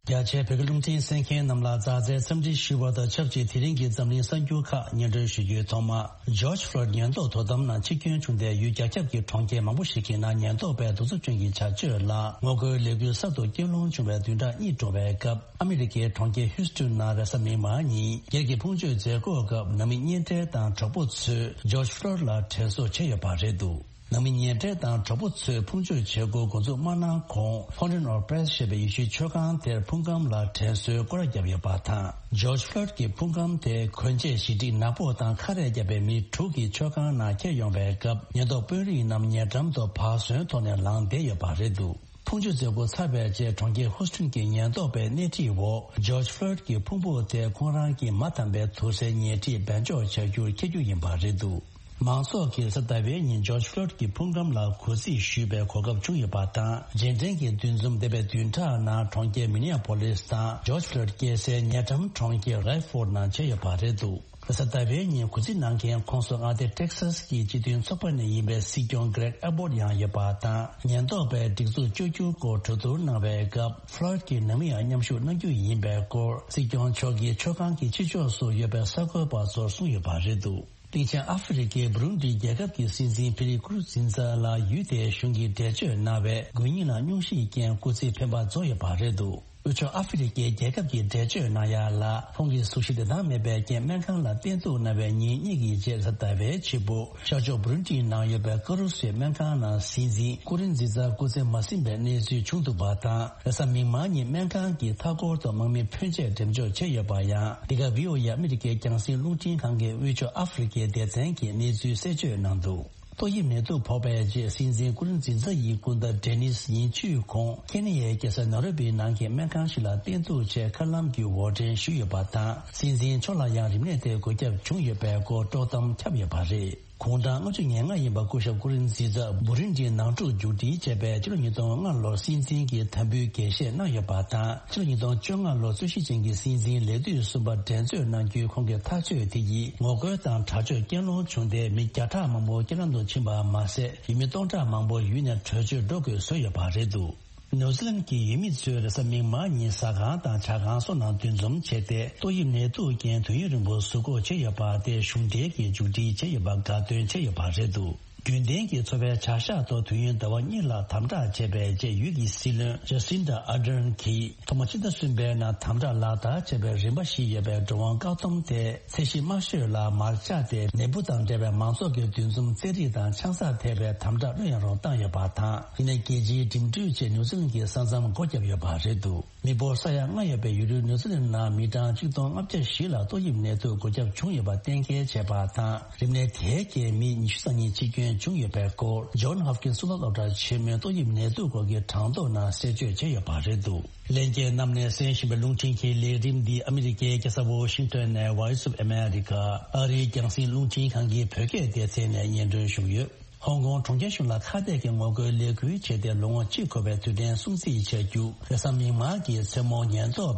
རྒྱ་ཆེའི་བོད་ཀྱི་རླུང་འཕྲིན་གསན་མཁན་རྣམས་ལ་མཛའ་བརྩེའི་འཚམས་འདྲི་ཞུ་བ་དང་ཆབས་ཅིག་དེ་རིང་གི་འཛམ་གླིང་གསར་འགྱུར་ཁག་སྙན་སྒྲོན་ཞུ་རྒྱུའི་ཐོག་མ། ཇོརྗ་ཕློའིཌ་ཉེན་རྟོག་དོ་དམ་ནང་འཆི་སྐྱོན་བྱུང་སྟེ། ཡུལ་རྒྱ་ཁྱབ་ཀྱི་གྲོང་ཁྱེར་མང་པོ་ཞིག་གི་ནང་ཉེན་རྟོག་པས་གདུག་རྩུབ་ཅན་གྱི་བྱ་སྤྱོད་ལ་ངོ་རྒོལ་ལས་འགུལ་གསར་དུ་སྐྱོན་སློང་བྱུང་བའི་བདུན་ཕྲག་གཉིས་འགྲོ་བའི་སྐབས། ཨ་མི་རི་ཀའི་གྲོང་ཁྱེར་ཧིའུ་སི་ཊོན་ནང་རེས་གཟའ་མིག་དམར་ཉིན་སྒེར་གྱི་ཕུང་མཆོད་མཛད་སྒོའི་སྐབས། ནང་མི་གཉེན་འབྲེལ་དང་གྲོགས་པོ་ཚོས་ཇོརྗ་ཕློའིཌ་ལ་དྲན་གསོ་བྱས་ཡོད་པ་རེད་འདུག་ནང་མི་གཉེན་འབྲེལ་དང་གྲོགས་པོ་ཚོས་ཕུང་མཆོད་བྱེད་སྒོ་འགོ་འཛུགས་མ་གནང་གོང་། Fountain of Praise ཞེས་པའི་ཡེ་ཤུའི་མཆོད་ཁང་དེར་ཕུང་ཁམས་ལ་དྲན་གསོའི་སྐོར་ར་བརྒྱབ་ཡོད་པ་དང་། ཇོརྗ་ཕློའིཌ་ཀྱི་ཕུང་ཁམས་དེ་གོན་ཆས་ཞི་སྒྲིག་ནག་པོ་དང་ཁ་རས་བརྒྱབ་པའི་མི་དྲུག་གིས་མཆོད་ཁང་ནང་འཁྱེར་ཡོང་བའི་སྐབས། ཉེན་རྟོག་དཔོན་རིགས་རྣམས་ཉེ་འགྲམ་དུ་བག་ཟོན་ཐོག་ནས་ལངས་བསྡད་ཡོད་པ་རེད་འདུག་ཕུང་མཆོད་མཛད་སྒོ་ཚར་བའི་རྗེས་གྲོང་ཁྱེར་ཧུ་སི་ཐོན་གྱི་ཉེན་རྟོག་པས་སྣེ་ཁྲིད་འོག་ཇོརྗ་ཕློའིཌ་ཀྱི་ཕུང་པོ་དེ་ཁོང་རང་གི་མ་དམ་པའི་དུར་སའི་ཉེ་འཁྲིས་སྦས་འཇོག་བྱ་རྒྱུར་འཁྱེར་རྒྱུ་ཡིན་པ་རེད་འདུག་མང་ཚོགས་ཀྱིས་གཟའ་ཟླ་བའི་ཉིན་ཇོརྗ་ཕློའིཌ་ཀྱི་ཕུང་ཁམས་ལ་གུས་བརྩི་ཞུས་པའི་གོ་སྐབས་བྱུང་ཡོད་པ་དང་། རྗེས་དྲན་གྱི་འདུ་འཛོམས་འདས་པའི་བདུན་ཕྲག་ནང་གྲོང་ཁྱེར་མི་ནི་ཨ་པོ་ལིས་དང་ཇོརྗ་ཕློའིཌ་སྐྱེས་སའི་ཉེ་འགྲམ་གྲོང་ཁྱེར་རེཌ་ཕོར་ཌ་ནང་བྱས་ཡོད་པ་རེད་འདུག་གཟའ་ཟླ་བའི་ཉིན་གུས་བརྩི་གནང་མཁན་ཁོངས་སུ་མངའ་སྡེ་ཊེག་སཱས་ཀྱི་སྤྱི་མཐུན་ཚོགས་པ་ནས་ཡིན་པའི་སྲིད་སྐྱོང་གྷི་རེག་ཨེ་བྷོར་ཡང་ཡོད་པ་དང་། ཉེན་རྟོག་པས་སྒྲིག་འཛུགས་བཅོས་བསྒྱུར་སྐོར་གྲོས་བསྡུར་གནང་བའི་སྐབས། ཕློའིཌ་ཀྱིས་ནང་མི་ཡང་མཉམ་ཞུགས་གནང་རྒྱུ་ཡིན་པའི་སྐོར་སྲིད་སྐྱོང་མཆོག་གིས་མཆོད་ཁང་གི་ཕྱི་ཕྱོགས་སུ་ཡོད་པའི་གསར་འགོད་པ་ཚོར་གསུངས་ཡོད་པ་རེད་འདུག་གླིང་ཆེན་ཨ་ཧྥེ་རི་ཁའི་བྷུ་རུན་ཌི་རྒྱལ་ཁབ་ཀྱི་སྲིད་འཛིན་ཕི་ལི་ཀུར་ཛིན་ཛ་ལ་ཡུལ་དེའི་གཞུང་གིས་འགྲེལ་བརྗོད་གནང་བའི་དགོས་ཉེན་ལ་སྙུང་གཞི་རྐྱེན་སྐུ་ཚེ་འཕེན་པ་རྫོགས་ཡོད་པ་རེད་འདུག་དབུས་ཕྱོགས་ཨ་ཧྥེ་རི་ཁའི་རྒྱལ་ཁབ་ཀྱིས་འགྲེལ་བརྗོད་གནང་ཡ་ལ། ཁོང་གིས་གཟུགས་གཞི་བདེ་ཐང་མེད་པའི་རྐྱེན་སྨན་ཁང་ལ་བསྟེན་གཏུགས་གནང་བའི་ཉིན་གཉིས་ཀྱི་རྗེས། གཟའ་ཟླ་བའི་ཕྱི་པོ་ཤར་ཕྱོགས་བུ་རུན་ཏི་ནང་ཡོད་པའི་ཀ་རུ་སུའི་སྨན་ཁང་ནང་སྲིད་འཛིན་ཀུ་རིན་ཛི་ཛ་སྐུ་ཚེ་མ་ཟིན་པའི་གནས་ཚུལ་བྱུང་འདུག་པ་དང་། རེས་གཟའ་མིག་དམར་ཉིན་སྨན་ཁང་གིས་མཐའ་འཁོར་དུ་དམག་མི་ཕོན་ཆེ་འགྲེམས་འཇོག་བྱས་ཡོད་པ་ཡང་། འདི་ག་བྷི་ཨོ་ཨེ་ཨ་མི་རི་ཀའི་རྒྱང་སྲིང་རླུང་འཕྲིན་ཁང་གི་དབུས་ཕྱོགས་ཨ་ཧྥེ་རི་ཁའི་སྡེ་ཚན་གྱིས་གནས་ཚུལ་གསལ་བརྗོད་གནང་འདུག་ཏོག་དབྱིབས་ནད་དུག་ཕོག་པའི་རྗེས། སྲིད་འཛིན་ཀུ་རིན་ཛི་ཛ་ཡི་སྐུ་ཟླ་ཌེ་ནིས་ཡིན་ཆུས་ཁོང་ཁེ་ནི་ཡའི་རྒྱལ་ས་ནཱ་རོ་པིའི་ནང་གི་སྨན་ཁང་ཞིག་ལ་བསྟེན་གཏུགས་ཆེད་མཁའ་ལམ་གྱི་འོར་འདྲེན་ཞུས་ཡོད་པ་དང་། སྲིད་འཛིན་མཆོག་ལ་ཡང་རིམས་ནད་དེ་འགོས་ཁྱབ་བྱུང་ཡོད་པའི་སྐོར་དཀྲོག་གཏམ་ཁྱབ་ཡོད་པ་རེད། དགུང་གྲངས་ལྔ་བཅུ་ང་ལྔ་ཡིན་པ་སྐུ་ཞབས་ཀུ་རིན་ཛི་ཛ་བུ་རུན་ཌིའི་ནང་འཁྲུག་མཇུག་སྒྲིལ་བྱས་པའི་ཕྱི་ལོ་ཉིས་སྟོང་ལྔ་ལོར་སྲིད་འཛིན་གྱི་དམ་འབུལ་འགེལ་བཤད་གནང་ཡོད་པ་དང་། ཕྱི་ལོ་ཉིས་སྟོང་བཅོ་ལྔ་ལོར་རྩོད་གཞི་ཅན་གྱི་སྲིད་འཛིན་ལས་དུས་གསུམ་པ་འགྲན་རྩོད་གནང་རྒྱུའི་ཁོང་གི་ཐག་གཅོད་དེ་ཡིས་ངོ་རྒོལ་དང་དྲག་སྤྱོད་སྐྱོན་སློང་བྱུང་སྟེ། མི་བརྒྱ་ཕྲག་མང་པོ་རྐྱེན་ལམ་དུ་ཕྱིན་པ་མ་ཟད། ཡུལ་མི་སྟོང་ཕྲག་མང་པོ་ཡུལ་ནས་བྲོས་བྱོལ་འགྲོ་དགོས་བཟོས་ཡོད་པ་རེད་འདུག་ནིའུ་ཛི་ལན་གྱི་ཡུལ་མི་ཚོས་རེས་གཟའ་མིག་དམར་ཉིན་ཟ་ཁང་དང་ཇ་ཁང་སོགས་ནང་འདུ་འཛོམས་བྱས་ཏེ། ཏོག་དབྱིབས་ནད་དུག་རྐྱེན་དུས་ཡུན་རིང་པོ་ཟུར་འགོག་བྱས་ཡོད་པ་དེ་གཞུང་འབྲེལ་གྱིས་མཇུག་སྒྲིལ་བྱས་ཡོད་པ་དགའ་སྟོན་བྱས་ཡོད་པ་རེད་འདུག་རྒྱུན་ལྡན་གྱི་འཚོ་བའི་བྱ་གཞག་ཐོག་དུས་ཡུན་ཟླ་བ་གཉིས་ལ་དམ་དྲག་བྱས་པའི་རྗེས། ཡུལ་གྱི་སྲིད་བློན་ཇ་སིན་ཌ་ཨར་ཌན་གྱིས་ཐོག་མ་ཕྱི་ཟླ་གསུམ་པའི་ནང་དམ་དྲག་ལག་བསྟར་བྱས་པའི་རིམ་པ་བཞི་ཡོད་པའི་འགྲོ་འོང་བཀག་སྡོམ་དེ་ཚད་གཞི་དམའ་ཤོས་ལ་མར་བཅད་དེ། ནད་འབུ་དང་འབྲེལ་བའི་མང་ཚོགས་ཀྱི་འདུ་འཛོམས་རྩེད་རིགས་དང་ཆང་ས་ཐེག་པའི་དམ་དྲག་ལྷོད་ཡངས་རུ་བཏང་ཡོད་པ་དང་། ཡིན་ནའི་རྒྱལ་སྤྱིའི་འགྲིམ་འགྲུལ་ཆེད་ནིའུ་ཛི་ལན་གྱི་ས་མཚམས་སྒོ་བརྒྱབ་ཡོད་པ་རེད་འདུག་མི་འབོར་ས་ཡ་ལྔ་ཡོད་པའི་ཡུལ་གྲུ་ནིའུ་ཛི་ལན་ནང་མི་གྲངས་ཆིག་སྟོང་ལྔ་བརྒྱ་བཞི་ལ་ཏོག་དབྱིབས་ནད་དུག་འགོས་ཁྱབ་བྱུང་ཡོད་པ་གཏན་འཁེལ་བྱས་པ་དང་། རིམས་ནད་དེའི་རྐྱེན་མི་ཉི་ཤུ་རྩ་གཉིས་འཆི་སྐྱོན་བྱུང་ཡོད་པའི་སྐོར། ཇོན་ཧོབ་ཀིན་སི་གཙུག་ལག་སློབ་གྲྭ་ཆེན་མོའི་ཏོག་དབྱིབས་ནད་དུག་སྐོར་གྱི་གྲངས་ཐོ་ནང་གསལ་བརྗོད་བྱས་ཡོད་པ་རེད་འདུག་ལྷན་རྒྱས་རྣམས་ནས་གསན་བཞིན་པའི་རླུང་འཕྲིན་གྱི་ལས་རིམ་འདི་ཨ་མི་རི་ཀའི་རྒྱལ་ས་ཝོ་ཤིང་ཏོན་ནས་Voice of America ཨ་རིའི་རྒྱང་སྲིང་རླུང་འཕྲིན་ཁང་གི་བོད་སྐད་སྡེ་ཚན་ནས་སྙན་སྒྲོན་ཞུས་ཡོད། ཧོང་ཀོང་གྲོང་ཁྱེར་གཞུང་ལ་ཁ་གཏད་ཀྱི་ངོ་རྒོལ་ལས་འགུལ་བྱས་ཏེ། ལོ་ངོ་གཅིག་འཁོར་བའི་དུས་དྲན་སྲུང་བརྩི་བྱ་རྒྱུ། རེས་གཟའ་མིག་དམར་གྱི་མཚན་མོ་ཉེན་རྟོག་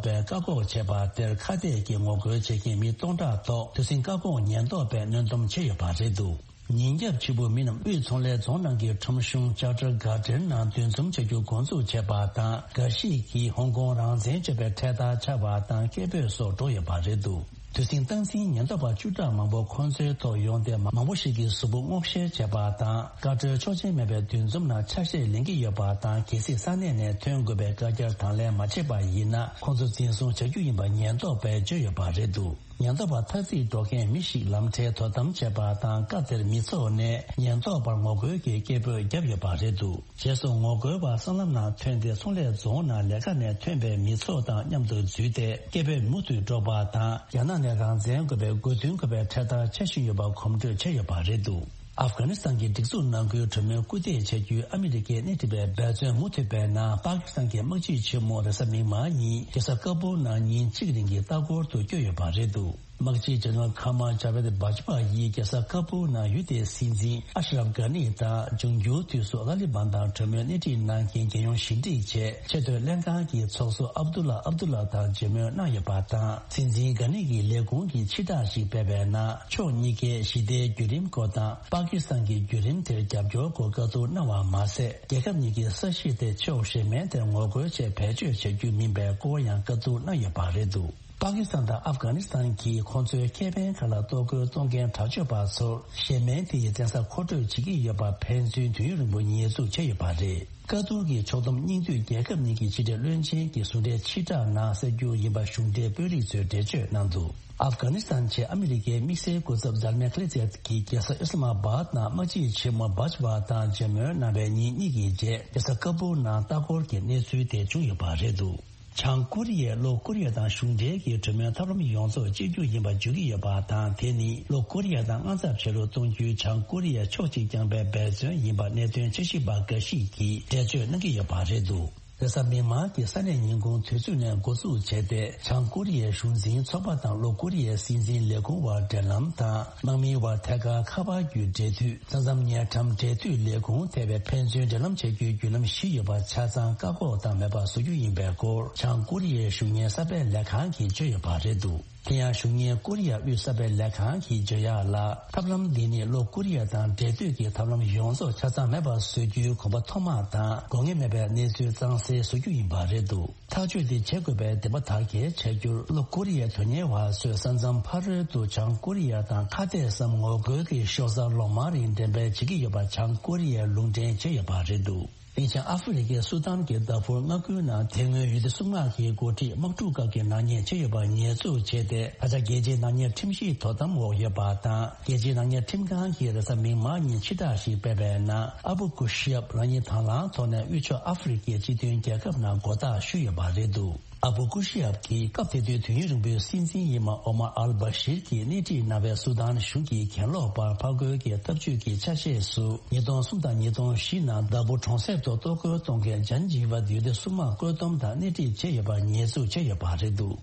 པས་བཀག་འགོག་བྱས་པ་དེར། ཁ་གཏད་ཀྱི་ངོ་རྒོལ་བྱེད་མཁན་མི་སྟོང་ཕྲག་ཐོག་དུས་ཟིང་བཀག་འགོག་ཉེན་རྟོག་པས་གནོན་སྡོམ་བྱས་ཡོད་པ་རེད་འདུག་ཉིན་རྒྱབ་ཕྱི་པོ་མི་རྣམས་དབུས་ཚོང་ལས་རྫོང་ནང་གི་ཁྲོམ་གཞུང་Charter Garden ནང་འདུ་འཛོམས་བྱ་རྒྱུ་འགོ་འཛུགས་བྱས་པ་དང་། འགའ་ཞིག་གིས་ཧོང་ཀོང་རང་བཙན་བརྗོད་པའི་འཕྲེད་དར་འཕྱར་བ་དང་སྐད་འབོད་སོགས་འགྲོ་ཡོད་པ་རེད་འདུག་དུས་ཟིང་སྟངས་འཛིན་ཉེན་རྟོག་པ་བཅུ་ཕྲག་མང་པོ་ཁོང་ཚོའི་ཐོག་ཡོང་སྟེ། མང་པོ་ཞིག་གིས་གཟུགས་པོ་སྔོག་བཤེར་བྱས་པ་དང་། བཀའ་འཁྲོལ་ཆོག་མཆན་མེད་པའི་འདུ་འཛོམས་ནང་ཆ་ཤས་ལེན་གྱི་ཡོད་པ་དང་། གལ་སྲིད་ས་གནས་ནས་ཐོན་དགོས་པའི་བཀའ་རྒྱར་དང་ལེན་མ་བྱས་པ་ཡིན་ན། ཁོང་ཚོ་འཛིན་བཟུང་བྱ་རྒྱུ་ཡིན་པ་ཉེན་རྟོག་པས་བརྗོད་ཡོད་པ་རེད་འདུག་ཉེན་རྟོག་པ་ཐ་ཚིག་སྒྲོག་མཁན་མི་ཞིག་ལམ་ཁྲལ་དོ་དམ་བྱས་པ་དང་། སྐབས་དེར་མི་ཚོགས་ནས་ཉེན་རྟོག་པར་ངོ་རྒོལ་གྱི་སྐད་འབོད་བརྒྱབ་ཡོད་པ་རེད་འདུག་རྗེས་སུ་ངོ་རྒོལ་བ་སྲང་ལམ་ནང་ཐོན་ཏེ། ཚོང་ལས་རྫོང་ནང་ལས་ཀ་ནས་ཐོན་པའི་མི་ཚོགས་དང་མཉམ་དུ་འཛུལ་ཏེ། སྐད་འབོད་མུ་མཐུད་སྒྲོག་པ་དང་། རྒྱ་ནག་ནས་རང་བཙན་དགོས་པའི་དགོས་འདུན་དགོས་པའི་འཕྲེད་དར་འཕྱར་བཞིན་ཡོད་པ་གོམ་བགྲོད་བྱས་ཡོད་པ་རེད་འདུག་ཨབ་གྷ་ནི་སི་ཐན་གྱི་སྒྲིག་འཛུགས་ནང་ཁུལ་གྲོས་མོལ་སྐུལ་འདེད་བྱ་རྒྱུའི་ཨ་མི་རི་ཀའི་སྣེ་ཁྲིད་པའི་འབད་བརྩོན་མུ་མཐུད་པའི་ནང་། པ་ཀི་སི་ཐན་གྱི་དམག་སྤྱི་ཆེན་མོ་རེས་གཟའ་མིག་དམར་ཉིན་རྒྱལ་ས་ཀ་བུལ་ནང་ཉིན་གཅིག་རིང་གི་ལྟ་སྐོར་དུ་བསྐྱོད་ཡོད་པ་རེད་འདུག་དམག་སྤྱི་ཇེ་ནེ་རལ་ཁ་མ་ཇ་བེད་བྷ་ཇ་པ་ཡིས་རྒྱལ་ས་ཀ་བུལ་ནང་ཡུལ་དེའི་སྲིད་འཛིན་ཨ་ཤ་རབ་གྷ་ནི་དང་། འབྱུང་འགྱུར་དུས་སུ་ཏཱ་ལི་བན་དང་གྲོས་མོལ་སྣེ་ཁྲིད་གནང་མཁན་རྒྱལ་ཡོངས་ཞི་འགྲིག་ཆེད་ཆེས་མཐོའི་ལྷན་ཁང་གི་ཚོགས་གཙོ་ཨབ་དུ་ལ་ཨབ་དུ་ལ་དང་མཇལ་མོལ་གནང་ཡོད་པ་དང་། སྲིད་འཛིན་གྷ་ནི་གིས་ལས་ཁུངས་ཀྱི་ཕྱི་བསྒྲགས་ཤིག་སྤེལ་བའི་ནང་། ཕྱོགས་གཉིས་ཀས་ཞི་བདེའི་བརྒྱུད་རིམ་སྐོར་དང་། པ་ཀི་སི་ཐན་གྱི་བརྒྱུད་རིམ་དེར་རྒྱབ་སྐྱོར་སྐོར་བཀའ་བསྡུར་གནང་བ་མ་ཟད། རྒྱལ་ཁབ་གཉིས་ཀྱི་ས་གཞི་དེ་ཕྱོགས་གཞན་མའི་དེར་ངོ་རྒོལ་ཆེད་བེད་སྤྱོད་བྱ་རྒྱུ་མིན་པའི་སྐོར་ཡང་བཀའ་བསྡུར་གནང་ཡོད་པ་རེད་འདུག་པ་ཀི་སི་ཐན་དང་ཨབ་གྷ་ནི་སི་ཐན་གྱིས་ཁོང་ཚོའི་ཁེ་ཕན་ཁག་ལ་གཏོར་རྒོལ་གཏོང་མཁན་དྲག་སྤྱོད་པ་ཚོར་གཞན་མའི་དེ་ཡི་བཙན་ས་མཁོ་སྤྲོད་བྱེད་ཀྱི་ཡོད་པ་ཕན་ཚུན་དུས་ཡུན་རིང་པོ་ཉེས་འཛུགས་བྱས་ཡོད་པ་རེད། བཀའ་བསྡུར་གྱི་ཕྱོགས་བསྡོམས་སྙིང་བསྡུས་རྒྱལ་ཁབ་གཉིས་ཀྱི་ཕྱི་འབྲེལ་བློན་ཆེན་གྱིས་ཟུང་འབྲེལ་ཕྱིར་བསྒྲགས་ནང་གསལ་རྒྱུ་ཡིན་པ་གཞུང་འབྲེལ་དཔོན་རིགས་ཚོས་འགྲེལ་བརྗོད་གནང་འདུག་ཨབ་གྷ་ནི་སི་ཐན་ཆེད་ཨ་མི་རི་ཀའི་དམིགས་བསལ་སྐུ་ཚབ་ཛལ་མེ་ཁ་ལི་ཛེད་ཀྱིས་རྒྱལ་ས་ཨི་སི་ལ་མ་བཱད་ནང་དམག་སྤྱི་ཆེན་མོ་བྷ་ཇ་པ་དང་མཇལ་མོལ་གནང་བའི་ཉིན་གཉིས་ཀྱི་རྗེས། རྒྱལ་ས་ཀ་བུལ་ནང་ལྟ་སྐོར་གྱི་གནས་ཚུལ་དེ་བྱུང་ཡོད་པ་རེད་འདུག་བྱང་ཀོ་རི་ཡས་ལྷོ་ཀོ་རི་ཡ་དང་གཞུང་འབྲེལ་གྱི་གྲོས་མོལ་ཐབས་ལམ་ཡོངས་རྫོགས་བཅད་རྒྱུ་ཡིན་པ་བརྗོད་ཀྱི་ཡོད་པ་དང་། དེ་ནི་ལྷོ་ཀོ་རི་ཡ་དང་མངའ་ཚབ་བྱེད་རོགས་གཏོང་རྒྱུའི་བྱང་ཀོ་རི་ཡའི་ཕྱོགས་གཅིག་རྐྱང་པའི་འབད་བརྩོན་ཡིན་པ་གནད་དོན་འཆར་གཞི་པ་འགའ་ཞིག་གིས་འགྲེལ་བརྗོད་གནང་གི་ཡོད་པ་རེད་འདུག་རེས་གཟའ་མིག་དམར་གྱི་ས་གནས་ཉིན་གུང་དུས་ཚོད་ནས་འགོ་འཛུགས་བྱས་ཏེ། བྱང་ཀོ་རི་ཡའི་གཞུང་འཛིན་ཚོགས་པ་དང་ལྷོ་ཀོ་རི་ཡའི་སྲིད་འཛིན་ལས་ཁུངས་དབར་འབྲེལ་ལམ་དང་། དམག་མིའི་དབར་ཐད་ཀར་ཁ་པར་བརྒྱུད་འབྲེལ་མཐུད། ས་མཚམས་ཉེ་འགྲམ་འབྲེལ་མཐུད་ལས་ཁུངས་ཐེ་བའི་ཕན་ཚུན་འབྲེལ་ལམ་བྱེད་རྒྱུའི་བརྒྱུད་ལམ་བཞི་ཡོད་པ་ཆ་ཚང་བཀག་འགོག་དང་མེད་པར་བཟོ་རྒྱུ་ཡིན་པའི་སྐོར། བྱང་ཀོ་རི་ཡའི་གཞུང་གཉེར་གསར་སྤེལ་ལས་ཁང་གིས་བརྗོད་ཡོད་པ་རེད་འདུག་དེ་ཡང་གཞུང་གཉེར་ཀོ་རི་ཡ་དབུས་གསར་སྤེལ་ལས་ཁང་གིས་བརྗོད་ཡག་ལ། ཐབས་ལམ་འདི་ནི་ལྷོ་ཀོ་རི་ཡ་དང་འབྲེལ་མཐུད་ཀྱི་ཐབས་ལམ་ཡོངས་རྫོགས་ཆ་ཚང་མེད་པར་བཟོ་རྒྱུའི་དགོངས་པ་མཐོ་དམག་དང་། དགོས་ངེས་མེད་པའི་གནས་ཚུལ་གཙང་སེལ་བཟོ་རྒྱུ་ཡིན་པ་རེད་འདུག་ཐག་གཅོད་འདི་བྱེད་དགོས་པའི་འདུན་པ་དར་རྒྱས་བྱ་རྒྱུར། ལྷོ་ཀོ་རི་ཡའི་དོན་གཉེར་བ་ཚོས་ས་མཚམས་ཕ་རོལ་དུ་བྱང་ཀོ་རི་ཡ་དང་ཁ་གཏད་སའམ་ངོ་རྒོལ་གྱི་ཤོག་གསར་ལོ་མང་རིང་འགྲེམས་སྤེལ་བྱེད་ཀྱི་ཡོད་པ་བྱང་ཀོ་རི་ཡས་ལུང་འདྲེན་བྱས་ཡོད་པ་རེད་འདུག་དེང་ཆེན་ཨ་ཧྥེ་རི་ཁའི་སུ་དཱན་གྱི་དཱ་ཕུར་མངའ་ཁུལ་ནང་དེ་སྔོན་ཡུལ་དེ་སྲུང་དམག་གི་འགོ་ཁྲིད་དམག་འཁྲུག་སྐབས་ཀྱི་ནག་ཉེས་བྱས་ཡོད་པར་ཉེས་འཛུགས་བྱས་ཏེ། ད་ཆ་རྒྱལ་སྤྱིའི་ནག་ཉེས་ཁྲིམས་ཞིབ་དོ་དམ་འོག་ཡོད་པ་དང་། རྒྱལ་སྤྱིའི་ནག་ཉེས་ཁྲིམས་ཁང་གིས་རེས་གཟའ་མིག་དམར་ཉིན་ཕྱིར་བསྒྲགས་ཤིག་སྤེལ་བའི་ནང་། ཨ་བུ་ཀུ་ཤི་ཡབ་རང་ཉིད་དང་བླངས་ཐོག་ནས་དབུས་ཕྱོགས་ཨ་ཧྥེ་རི་ཁའི་སྤྱི་མཐུན་རྒྱལ་ཁབ་ནང་མགོ་བཏགས་ཞུས་ཡོད་པ་རེད་འདུག་ཨ་བུ་ཀུ་ཤི་ཡབ་ཀྱིས་སྐབས་དེ་དུས་དུས་ཡུན་རིང་པོའི་སྲིད་འཛིན་ཡིན་པ་ཨོ་མར་ཨལ་བྷ་ཤིར་གྱིས་སྣེ་ཁྲིད་གནང་བའི་སུ་དཱན་གཞུང་གི་གྱེན་ལོག་པར་ཕར་རྒོལ་གྱི་ཐབས་ཇུས་ཀྱི་ཆ་ཤས་སུ། ཉིས་སྟོང་གསུམ་དང་ཉིས་སྟོང་བཞི་ནང་དཱ་ཕུར་གྲོང་གསེབ་ཏུ་གཏོར་རྒོལ་གཏོང་མཁན་ཇན་ཇི་བ་ཡུལ་དེ་སྲུང་དམག་བཀོད་འདོམས་དང་སྣེ་ཁྲིད་བྱས་ཡོད་པར་ཉེས་འཛུགས་བྱས་ཡོད་པ་རེད་འདུག་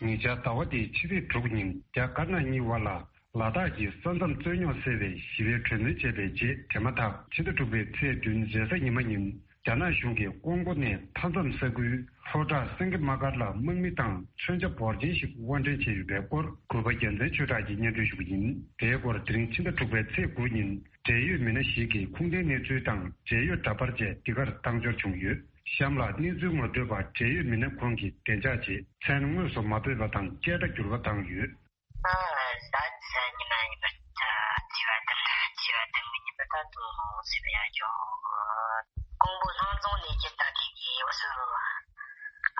ཉེ་ཆར་ཟླ་བ་འདིའི་ཕྱི་ཚེས་དྲུག་ཉིན་རྒྱ་དཀར་ནག་གཉིས་དབར་ལ། ལ་དྭགས་ཀྱི་ས་མཚམས་རྩོད་རྙོག་སེལ་བའི་ཞི་བའི་གྲོས་མོལ་བྱས་པའི་རྗེས། དེ་མ་ཐག་ཕྱི་ཟླ་དྲུག་པའི་ཚེས་བདུན་རེས་གཟའ་ཉི་མ་ཉིན། རྒྱ་ནག་གཞུང་གིས་ཀོང་པོ་ནས་མཐའ་མཚམས་ས་ཁུལ་ལྷོ་བྲག་སེང་གེ་དམག་སྒར་ལ་དམག་མི་དང་མཚོན་ཆ་འབོར་ཆེན་ཞིག་དབོར་འདྲེན་བྱས་ཡོད་པའི་སྐོར། གུས་པ་རྒྱལ་མཚན་ཆོས་གྲགས་ཀྱིས་སྙན་སྒྲོན་ཞུ་གི་ཡིན། དེའི་སྐོར་དེ་རིང་ཕྱི་ཟླ་དྲུག་པའི་ཚེས་དགུ་ཉིན། འབྲེལ་ཡོད་མི་སྣ་ཞིག་གིས་ཁུངས་ལྡན་གནས་ཚུལ་དང་འབྲེལ་ཡོད་འདྲ་པར་བཅས་འདི་གར་བཏང་འབྱོར་བྱུང་ཡོད། གཤམ་ལ་གནས་ཚུལ་ངོ་སྤྲོད་པ་འབྲེལ་ཡོད་མི་སྣ་ཁོང་གིས་བདེ་འཇགས་ཆེད་མཚན་དངོས་སུ་མ་འབོད་པ་དང་སྐད་སྒྲ་འགྱུར་བ་བཏང་ཡོད། ཨ། ད་ཉི་མ་ཉི་མ་ད་བྱིས་པ་དང་བྱིས་པ་དང་མི་ཉི་མ་ད་དུང་སེམས་ཡང་ཅོག་ཀོང་པོ་སྣང་རྫོང་ནས་ཀྱི་ད་ཐེངས་ཀྱི་འུ་ཚོ་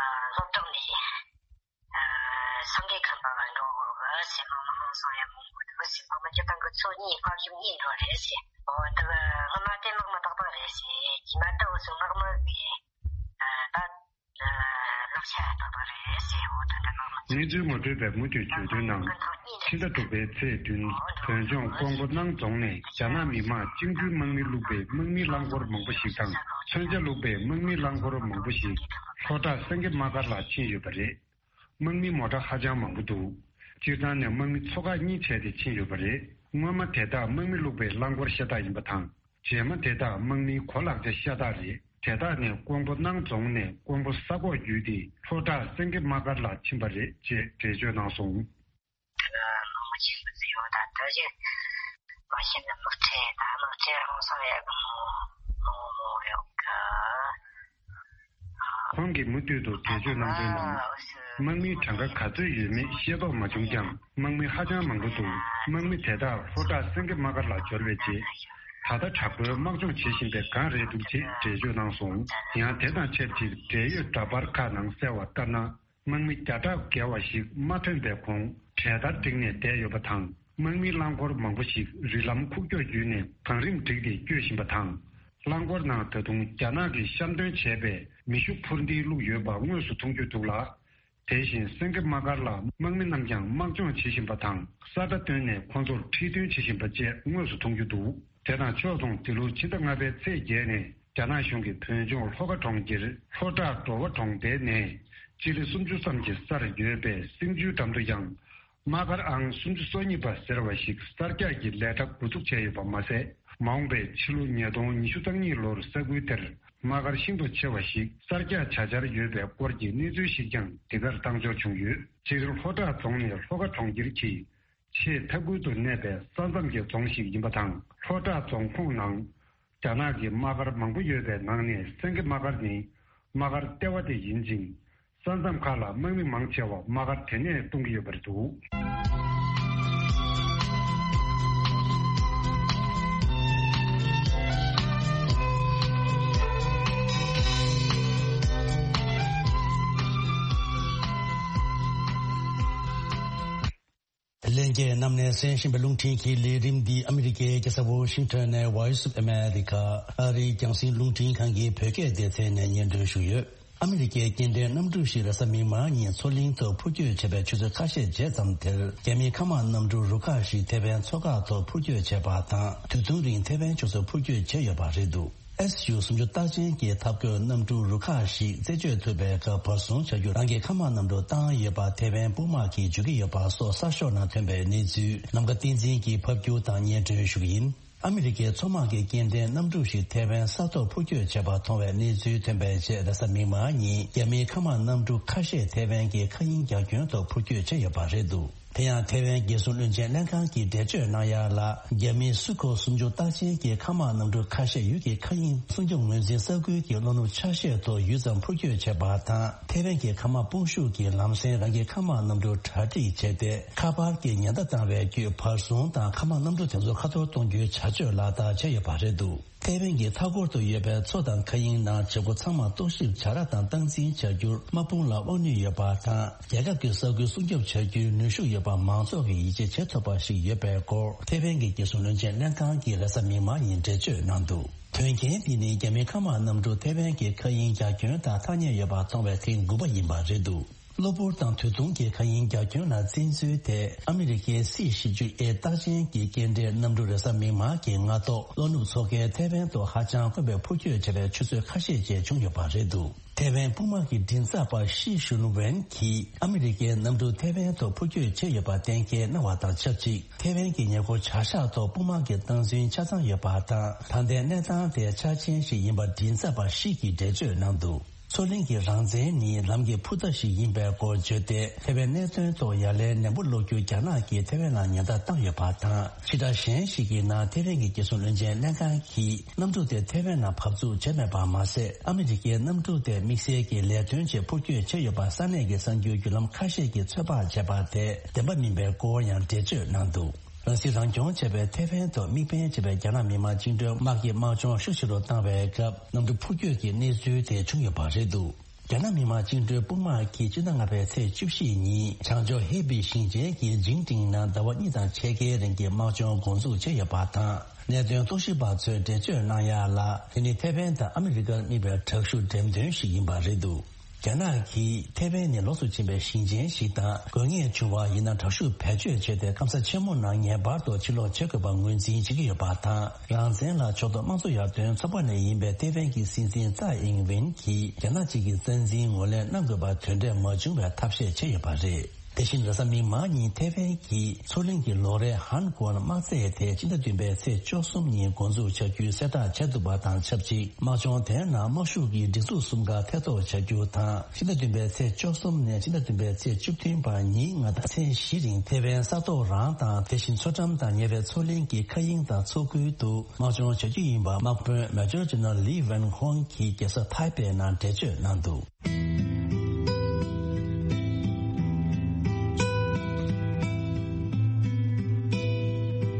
ཨ་སློབ་གྲོགས་ནས་ཨ་སངས་རྒྱས་ཁམས་པ་ལ་འགྲོ་དགོས་གི་ཟེར། མ་མ་ཧང་སང་ཡང་མང་པོ་འདུག་ཟེར། མ་མ་སྤྱིར་བཏང་གི་ཚོ་གཉིས་དཔའ་ཞུམ་གཉིས་འགྲོ་རེད་ཟེར། འོ་འདི་གི་སྔོན་མ་དེ་དམག་མི་ཏག་ཏག་རེད་ཟེར། རྗེས་མ་ད་འུ་ཚོ་དམག་མི་གི་ཨ་ད། ལག་ཆ་ཐོབ་པ་རེད་ཟེར། འོ་ད་ལྟ་ནང་། གནས་ཚུལ་ངོ་སྤྲོད་པས་མུ་མཐུད་བརྗོད་དོན་ནང་། ཕྱི་ཟླ་དྲུག་པའི་ཚེས་བདུན། བོད་ལྗོངས་ཀོང་པོ་སྣང་རྫོང་ནས་རྒྱ་ནག་མི་དམངས་བཅིངས་འགྲོལ་དམག་མི་བླུགས་པའི་དམག་མིའི་རླངས་འཁོར་མང་པོ་ཞིག་དང་། མཚོན་ཆ་བླུགས་པའི་དམག་མིའི་རླངས་འཁོར་མང་པོ་ཞིག་ལྷོ་བྲག་སེང་གེ་དམག་སྒར་ལ་ཕྱིན་ཡོད་པ་རེད། དམག་མི་མོ་ཊ་ཧ་ཅང་མང་པོ་འདུག་སྤྱིར་བཏང་ནས་དམག་མི་ཚོ་ཁག་གཉིས་བྱས་ཏེ་ཕྱིན་ཡོད་པ་རེད། སྔོན་མ་དེ་དག་དམག་མི་བླུགས་པའི་རླངས་འཁོར་ཤ་སྟག་ཡིན་པ་དང་། རྗེས་མ་དེ་དག་དམག་མིའི་གོ་ལག་ཆ་ཤ་སྟག་རེད། དེ་དག་ནས་ཀོང་པོ་སྣང་རྫོང་ནས་ཀོང་པོ་ས་ཁོག་བརྒྱུད་དེ་ལྷོ་བྲག་སེང་གེ་དམག་སྒར་ལ་ཕྱིན་པ་རེད་ཅེས་འགྲེལ་བརྗོད་གནང་སོང་། དམག་མི་ཆེན་པོ་ཚོས་ཡོད་ད་ལྟ་བཞིན་མ་ཤེས་ན་དམག་ཁྲལ་དང་དམག་ཁྲལ་ཧང་སང་ཡག་གི་མོ་མོ་མོ་ཡོད་གི། ཁོང་གིས་མུ་མཐུད་དུ་འགྲེལ་བརྗོད་གནང་དོན་ནང་། དམག་མིའི་གྲངས་ཀ་ག་ཚོད་ཡོད་མེད་ཤེས་རྟོགས་མ་བྱུང་ཀྱང་། དམག་མི་ཧ་ཅང་མང་པོ་འདུག་དམག་མི་དེ་དག་ལྷོ་བྲག་སེང་གེ་དམག་སྒར་ལ་འབྱོར་བའི་རྗེས། ད་ལྟ་དྲག་པོའི་དམག་སྦྱོང་བྱེད་བཞིན་པའི་སྒང་རེད་འདུག་ཅེས་འགྲེལ་བརྗོད་གནང་སོང་། ཡང་དེ་དང་ཆབས་ཅིག་འབྲེལ་ཡོད་འདྲ་པར་ཁག་ནང་གསལ་བ་ལྟར་ན། དམག་མི་བརྒྱ་ཕྲག་བརྒལ་བ་ཞིག་མ་ཐོན་པའི་གོང་གྲལ་སྟར་བསྒྲིགས་ནས་བསྡད་ཡོད་པ་དང་། དམག་མིའི་རླངས་འཁོར་མང་པོ་ཞིག་རི་ལམ་ཁུག་ཀྱོག་བརྒྱུད་ནས་བང་རིམ་བསྒྲིགས་ཏེ་སྐྱོད་བཞིན་པ་དང་། རླངས་འཁོར་ནང་ད་དུང་རྒྱ་ནག་གིས་གཤམ་སྟོན་བྱས་པའི་མེ་ཤུགས་འཕུར་མདེལ་བླུགས་ཡོད་པ་དངོས་སུ་མཐོང་རྒྱུ་འདུག་ལ། དེ་བཞིན་སེང་གེ་དམག་སྒར་ལ་དམག་མི་རྣམས་ཀྱང་དམག་སྦྱོང་བྱེད་བཞིན་པ་དང་། ས་ཁྲ་བཏོན་ནས་ཁོང་ཚོར་ཁྲིད་སྟོན་བྱེད་བཞིན་པ་བཅས་དངོས་སུ་མཐོང་རྒྱུ་འདུག་དེ་དང་ཕྱོགས་མཚུངས་འདི་ལོའི་ཕྱི་ཟླ་ལྔ་པའི་ཚེས་བརྒྱད་ནས་རྒྱ་ནག་གཞུང་གིས་བོད་ལྗོངས་ལྷོ་ཁ་གྲོང་ཁྱེར་ལྷོ་བྲག་འགྲོ་བ་གྲོང་རྡལ་ནས་སྤྱི་ལེ་སུམ་ཅུ་ཙམ་གྱི་སར་ཡོད་པའི་སེང་ཆུའི་འགྲམ་དུ་ཡང་། དམག་སྒར་ཨང་སུམ་ཅུ་སོ་གཉིས་པ་ཟེར་བ་ཞིག་གསར་རྒྱག་གི་ལས་གྲྭ་འགོ་འཛུགས་བྱས་ཡོད་པ་མ་ཟད། མ་འོངས་པའི་ཕྱི་ལོ་ཉིས་སྟོང་ཉི་ཤུ་རྩ་གཉིས་ལོར་ས་ཁུལ་དེར་དམག་སྒར་ཤིན་ཏུ་ཆེ་བ་ཞིག་གསར་རྒྱག་བྱ་འཆར་ཡོད་པའི་སྐོར་གྱི་གནས་ཚུལ་ཞིག་ཀྱང་འདི་གར་བཏང་འབྱོར་བྱུང་ཡོད། སྤྱིར་ལྷོ་བྲག་རྫོང་ནས་ལྷོ་ཁ་གྲོང་ཁྱེར་གྱི་ཆེས་མཐའ་ཁུལ་དུ་གནས་པའི་ས་མཚམས་ཀྱི་རྫོང་ཞིག་ཡིན་པ་དང་། ལྷོ་བྲག་རྫོང་ཁོངས་ནང་རྒྱ་ནག་གི་དམག་སྒར་མང་པོ་ཡོད་པའི་ནང་ནས་སེང་གེ་དམག་སྒར་ནི་དམག་སྒར་ལྟེ་བ་དེ་ཡིན་ཅིང་། ས་མཚམས་ཁག་ལ་དམག་མི་མང་ཆེ་བ་དམག་སྒར་དེ་ནས་གཏོང་གི་ཡོད་པ་རེད་འདུག་ལྷན་རྒྱས་རྣམས་ནས་གསན་བཞིན་པའི་རླུང་འཕྲིན་གྱི་ལས་རིམ་འདི་ཨ་མི་རི་ཀའི་རྒྱལ་ས་ཝོ་ཤིང་ཊོན་ནས་Voice of America ཨ་རིའི་རྒྱང་སྲིང་རླུང་འཕྲིན་ཁང་གི་བོད་སྐད་སྡེ་ཚན་ནས་སྙན་སྒྲོན་ཞུས་ཡོད། ཨ་མི་རི་ཀའི་སྐྱེ་ལྡན་གནམ་གྲུ་ཞིག་རེས་གཟའ་མིག་དམར་ཉིན་མཚོ་གླིང་དུ་འཕུར་སྐྱོད་བྱས་པའི་ཆུ་ཚོད་ཁ་ཤས་རྗེས་ཙམ་དེར། རྒྱ་མིའི་མཁའ་དམག་གནམ་གྲུ་རུ་ཁག་ཞིག་ཐེ་ཝན་མཚོ་འགག་ཐོག་འཕུར་སྐྱོད་བྱས་པ་དང་། དུས་ཐུང་རིང་ཐེ་ཝན་ཕྱོགས་སུ་འཕུར་སྐྱོད་བྱས་ཡོད་པ་རེད་འདུག་ཨེས་ཡུ་སུམ་ཅུ་རྟགས་ཅན་གྱི་འཐབ་རྒོལ་གནམ་གྲུ་རུ་ཁག་ཞིག་རྩད་གཅོད་ཐུབ་པའི་སྐབས་བར་སྲུང་བྱ་རྒྱུར་རང་གི་མཁའ་དམག་གནམ་གྲུ་བཏང་ཡོད་པ་ཐེ་ཝན་དཔུང་དམག་གིས་བརྗོད་ཀྱི་ཡོད་པ་སོགས་གསར་ཤོག་ནང་ཐོན་པའི་གནས་ཚུལ་ནམ་མཁའ་བསྟན་འཛིན་གྱིས་ཕབ་སྒྱུར་དང་སྙན་སྒྲོན་ཞུ་གི་ཡིན། ཨ་མི་རི་ཀའི་མཚོ་དམག་གི་སྐྱེ་ལྡན་གནམ་གྲུ་ཞིག་ཐེ་ཝན་ས་ཐོག་འཕུར་སྐྱོད་བྱས་པ་མཐོང་བའི་གནས་ཚུལ་ཐོན་པའི་རྗེས་རེས་གཟའ་མིག་དམར་ཉིན་རྒྱ་མིའི་མཁའ་དམག་གནམ་གྲུ་ཁ་ཤས་ཐེ་ཝན་གྱི་མཁའ་དབྱིངས་རྒྱ་ཁྱོན་ཐོག་འཕུར་སྐྱོད་བྱས་ཡོད་པ་རེད་འདུག་དེ་ཡང་ཐེ་ཝན་རྒྱལ་སྲུང་བློན་ཆེན་ལྷན་ཁང་གིས་འགྲེལ་བརྗོད་གནང་ཡ་ལ། རྒྱ་མིའི་སུ་ཁོ་སུམ་ཅུ་རྟགས་ཅན་གྱི་མཁའ་དམག་གནམ་གྲུ་ཁ་ཤས་ཡུལ་གྱི་མཁའ་དབྱིངས་སྲུང་སྐྱོབ་ངོས་འཛིན་ས་ཁུལ་གྱི་ལྷོ་ནུབ་ཆ་ཤས་ཐོག་ཡུད་ཙམ་འཕུར་སྐྱོད་བྱས་པ་དང་། ཐེ་ཝན་གྱི་མཁའ་དམག་དཔུང་ཤུགས་ཀྱིས་ལམ་སེང་རང་གི་མཁའ་དམག་གནམ་གྲུ་གྲ་སྒྲིག་བྱས་ཏེ། ཁ་པར་གྱི་ཉེན་བརྡ་བཏང་བའི་བརྒྱུད་བར་སྲུང་དང་མཁའ་དམག་གནམ་གྲུ་དེ་ཚོ་ཁ་ཐོར་གཏོང་རྒྱུའི་བྱ་སྤྱོད་ལག་བསྟར་བྱས་ཡོད་པ་རེད་འདུག་ཐེ་ཝན་གྱི་མཐའ་འཁོར་དུ་ཡོད་པའི་མཚོ་དང་མཁའ་དབྱིངས་ནང་བྱེད་སྒོ་ཚང་མ་རྟོག་ཞིབ་བྱ་ར་དང་སྟངས་འཛིན་བྱ་རྒྱུར་དམག་དཔུང་ལ་དབང་ནུས་ཡོད་པ་དང་། རྒྱལ་ཁབ་ཀྱི་ས་ཁུལ་སྲུང་སྐྱོབ་བྱ་རྒྱུའི་ནུས་ཤུགས་ཡོད་པ་མང་ཚོགས་ཀྱིས་ཡིད་ཆེས་བྱེད་ཐུབ་པ་ཞིག་ཡོད་པའི་སྐོར། ཐེ་ཝན་གྱི་རྒྱལ་སྲུང་བློན་ཆེན་ལྷན་ཁང་གིས་རེས་གཟའ་མིག་དམར་ཉིན་འགྲེལ་བརྗོད་གནང་འདུག་དོན་རྐྱེན་འདི་ནི་རྒྱ་མིའི་མཁའ་དམག་གནམ་གྲུ་ཐེ་ཝན་གྱི་མཁའ་དབྱིངས་རྒྱ་ཁྱོན་དང་ཐག་ཉེ་ཡོད་པ་མཐོང་བའི་ཐེངས་དགུ་པ་ཡིན་པ་རེད་འདུག་གློ་བུར་དང་དུས་ཐུང་གི་མཁའ་དབྱིངས་རྒྱ་ཁྱོན་ལ་བཙན་འཛུལ་དེ། ཨ་མི་རི་ཀའི་སི་བཞི་བཅུ་ཨེ་རྟགས་ཅན་གྱི་སྐྱེལ་འདྲེན་གནམ་གྲུ་རེས་གཟའ་མིག་དམར་གྱི་སྔ་ཐོག་ལྷོ་ནུབ་མཚོ་ཁའི་ཐེ་ཝན་ཐོག་ཧ་ཅང་དཀོན་པའི་འཕུར་སྐྱོད་བྱས་པའི་ཆུ་ཚོད་ཁ་ཤས་རྗེས་བྱུང་ཡོད་པ་རེད་འདུག་ཐེ་ཝན་དཔུང་དམག་གི་མགྲིན་ཚབ་པ་ཤི་ཤུན་ཝེན་གྱིས་ཨ་མི་རི་ཀའི་གནམ་གྲུ་ཐེ་ཝན་ཐོག་འཕུར་སྐྱོད་བྱས་ཡོད་པ་གཏན་འཁེལ་གནང་བ་དང་ཆབས་ཅིག་ཐེ་ཝན་གྱི་ཉེ་འཁོར་བྱ་གཞག་ཐོག་དཔུང་དམག་གི་སྟངས་འཛིན་ཆ་ཚང་ཡོད་པ་དང་། ད་ལྟའི་གནས་སྟངས་དེ་འཆར་ཅན་ཞིག་ཡིན་པ་མགྲིན་ཚབ་པ་ཤི་གིས་འགྲེལ་བརྗོད་གནང་འདུག་མཚོ་གླིང་གི་རང་བཙན་ནི་ལམ་གྱི་ཕུ་ཐག་ཞིག་ཡིན་པའི་སྐོར་བརྗོད་དེ། ཐེ་ཝན་གནད་དོན་ཐོག་ཡ་ལན་ནན་པོ་སློག་རྒྱུར་རྒྱ་ནག་གིས་ཐེ་ཝན་ལ་ཉེན་བརྡ་བཏང་ཡོད་པ་དང་། ཕྱི་དྲགས་གཞན་ཞིག་གི་ནང་ཐེ་ཝན་གྱི་རྒྱལ་སྲུང་བློན་ཆེན་ལྷན་ཁང་གིས་གནམ་གྲུ་དེ་ཐེ་ཝན་ལ་བབས་ཚུགས་བྱས་མེད་པ་མ་ཟད། ཨ་མི་རི་ཀའི་གནམ་གྲུ་དེ་དམིགས་བསལ་གྱི་ལས་དོན་ཆེད་འཕུར་སྐྱོད་བྱས་ཡོད་པ་ས་གནས་ཀྱི་གསར་འགྱུར་བརྒྱུད་ལམ་ཁ་ཤས་ཀྱིས་ཚོད་དཔག་བྱས་པ་དེ་བདེན་པ་མིན་པའི་སྐོར་ཡང་འགྲེལ་བརྗོད་གནང་འདུག་རང་སྲིད་རང་སྐྱོང་བྱས་པའི་ཐེ་ཝན་ཐོག་དམིགས་འབེན་བྱས་པའི་རྒྱ་ནག་མི་དམངས་བཅིངས་འགྲོལ་དམག་གིས་དམག་སྦྱོང་ཤུགས་ཆེ་རུ་བཏང་བའི་སྐབས། གནམ་གྲུ་འཕུར་སྐྱོད་ཀྱི་གནས་ཚུལ་དེ་བྱུང་ཡོད་པ་རེད་འདུག་རྒྱ་ནག་མི་དམངས་བཅིངས་འགྲོལ་དཔུང་དམག་གིས་སྤྱི་ཟླ་ལྔ་པའི་ཚེས་བཅུ་བཞི་ཉིན་བྱང་ཕྱོགས་ཧེ་པི་ཞིང་ཆེན་གྱི་ཇིང་ཀྲིང་ནང་ཟླ་བ་གཉིས་དང་ཕྱེད་ཀའི་རིང་གི་དམག་སྦྱོང་འགོ་འཛུགས་བྱས་ཡོད་པ་དང་། གནད་དོན་རྟོག་ཞིབ་པ་ཚོས་འགྲེལ་བརྗོད་གནང་ཡ་ལ། དེ་ནི་ཐེ་ཝན་དང་ཨ་མི་རི་ཀར་དམིགས་པའི་དྲག་ཤུགས་འགྲེམས་སྟོན་ཞིག་ཡིན་པ་རེད་འདུག་རྒྱ་ནག་གིས་ཐེ་ཝན་ནི་ལོགས་སུ་ཕྱིན་པའི་ཞིང་ཆེན་ཞིག་དང་། དགོས་ངེས་བྱུང་བ་ཡིན་ན། དྲག་ཤུགས་བེད་སྤྱོད་བྱས་ཏེ། སྐམ་ས་ཆེན་མོ་ནང་ངེས་པར་དུ་ཕྱིར་ལོག་བྱེད་དགོས་པ་ངོས་འཛིན་བྱེད་ཀྱི་ཡོད་པ་དང་། རང་བཙན་ལ་ཕྱོགས་གཏོགས་དམངས་གཙོ་ཡར་ཐོན་ཚོགས་པ་ནས་ཡིན་པའི་ཐེ་ཝན་གྱི་སྲིད་འཛིན་ཙའེ་ཨིང་ཝེན་གྱིས་རྒྱ་ནག་གཅིག་གི་རྩ་འཛིན་ངོས་ལེན་གནང་དགོས་པ་དོན་འབྲས་མ་བྱུང་བའི་ཐབས་ཤེས་བྱས་ཡོད་པ་རེད། དེ་བཞིན་རེས་གཟའ་མིག་དམར་ཉིན་ཐེ་ཝན་གྱིས་མཚོ་གླིང་གི་ལོ་རེའི་ཧན་གོན་དམག་རྩེད་དེ་ཕྱི་ཟླ་བདུན་པའི་ཚེས་བཅུ་གསུམ་ཉིན་འགོ་འཛུགས་བྱ་རྒྱུའི་གསལ་བསྒྲགས་བྱས་འདུག་པ་དང་ཆབས་ཅིག་དམག་སྦྱོང་དེའི་ནང་དམག་ཤུགས་ཀྱི་སྒྲིག་འཛུགས་གསུམ་ཀ་ཐེ་གཏོགས་བྱ་རྒྱུ་དང་། ཕྱི་ཟླ་བདུན་པའི་ཚེས་བཅུ་གསུམ་ནས་ཕྱི་ཟླ་བདུན་པའི་ཚེས་བཅུ་བདུན་བར་ཉིན་ལྔ་དང་ཚེས་བཞི་རིང་ཐེ་ཝན་ས་ཐོག་རང་དང་། དེ་བཞིན་མཚོ་འགྲམ་དང་ཉེ་བའི་མཚོ་གླིང་གི་མཁའ་དབྱིངས་དང་མཚོ་ཁུལ་དུ་དམག་སྦྱོང་བྱ་རྒྱུ་ཡིན་པ་དམག་དཔོན་མེ་ཇར་ཇེ་ནརལ་ལི་ཝན་ཧོང་གིས་རྒྱལ་ས་ཐའེ་པེ་ནང་འགྲེལ་བརྗོད་གནང་འདུག་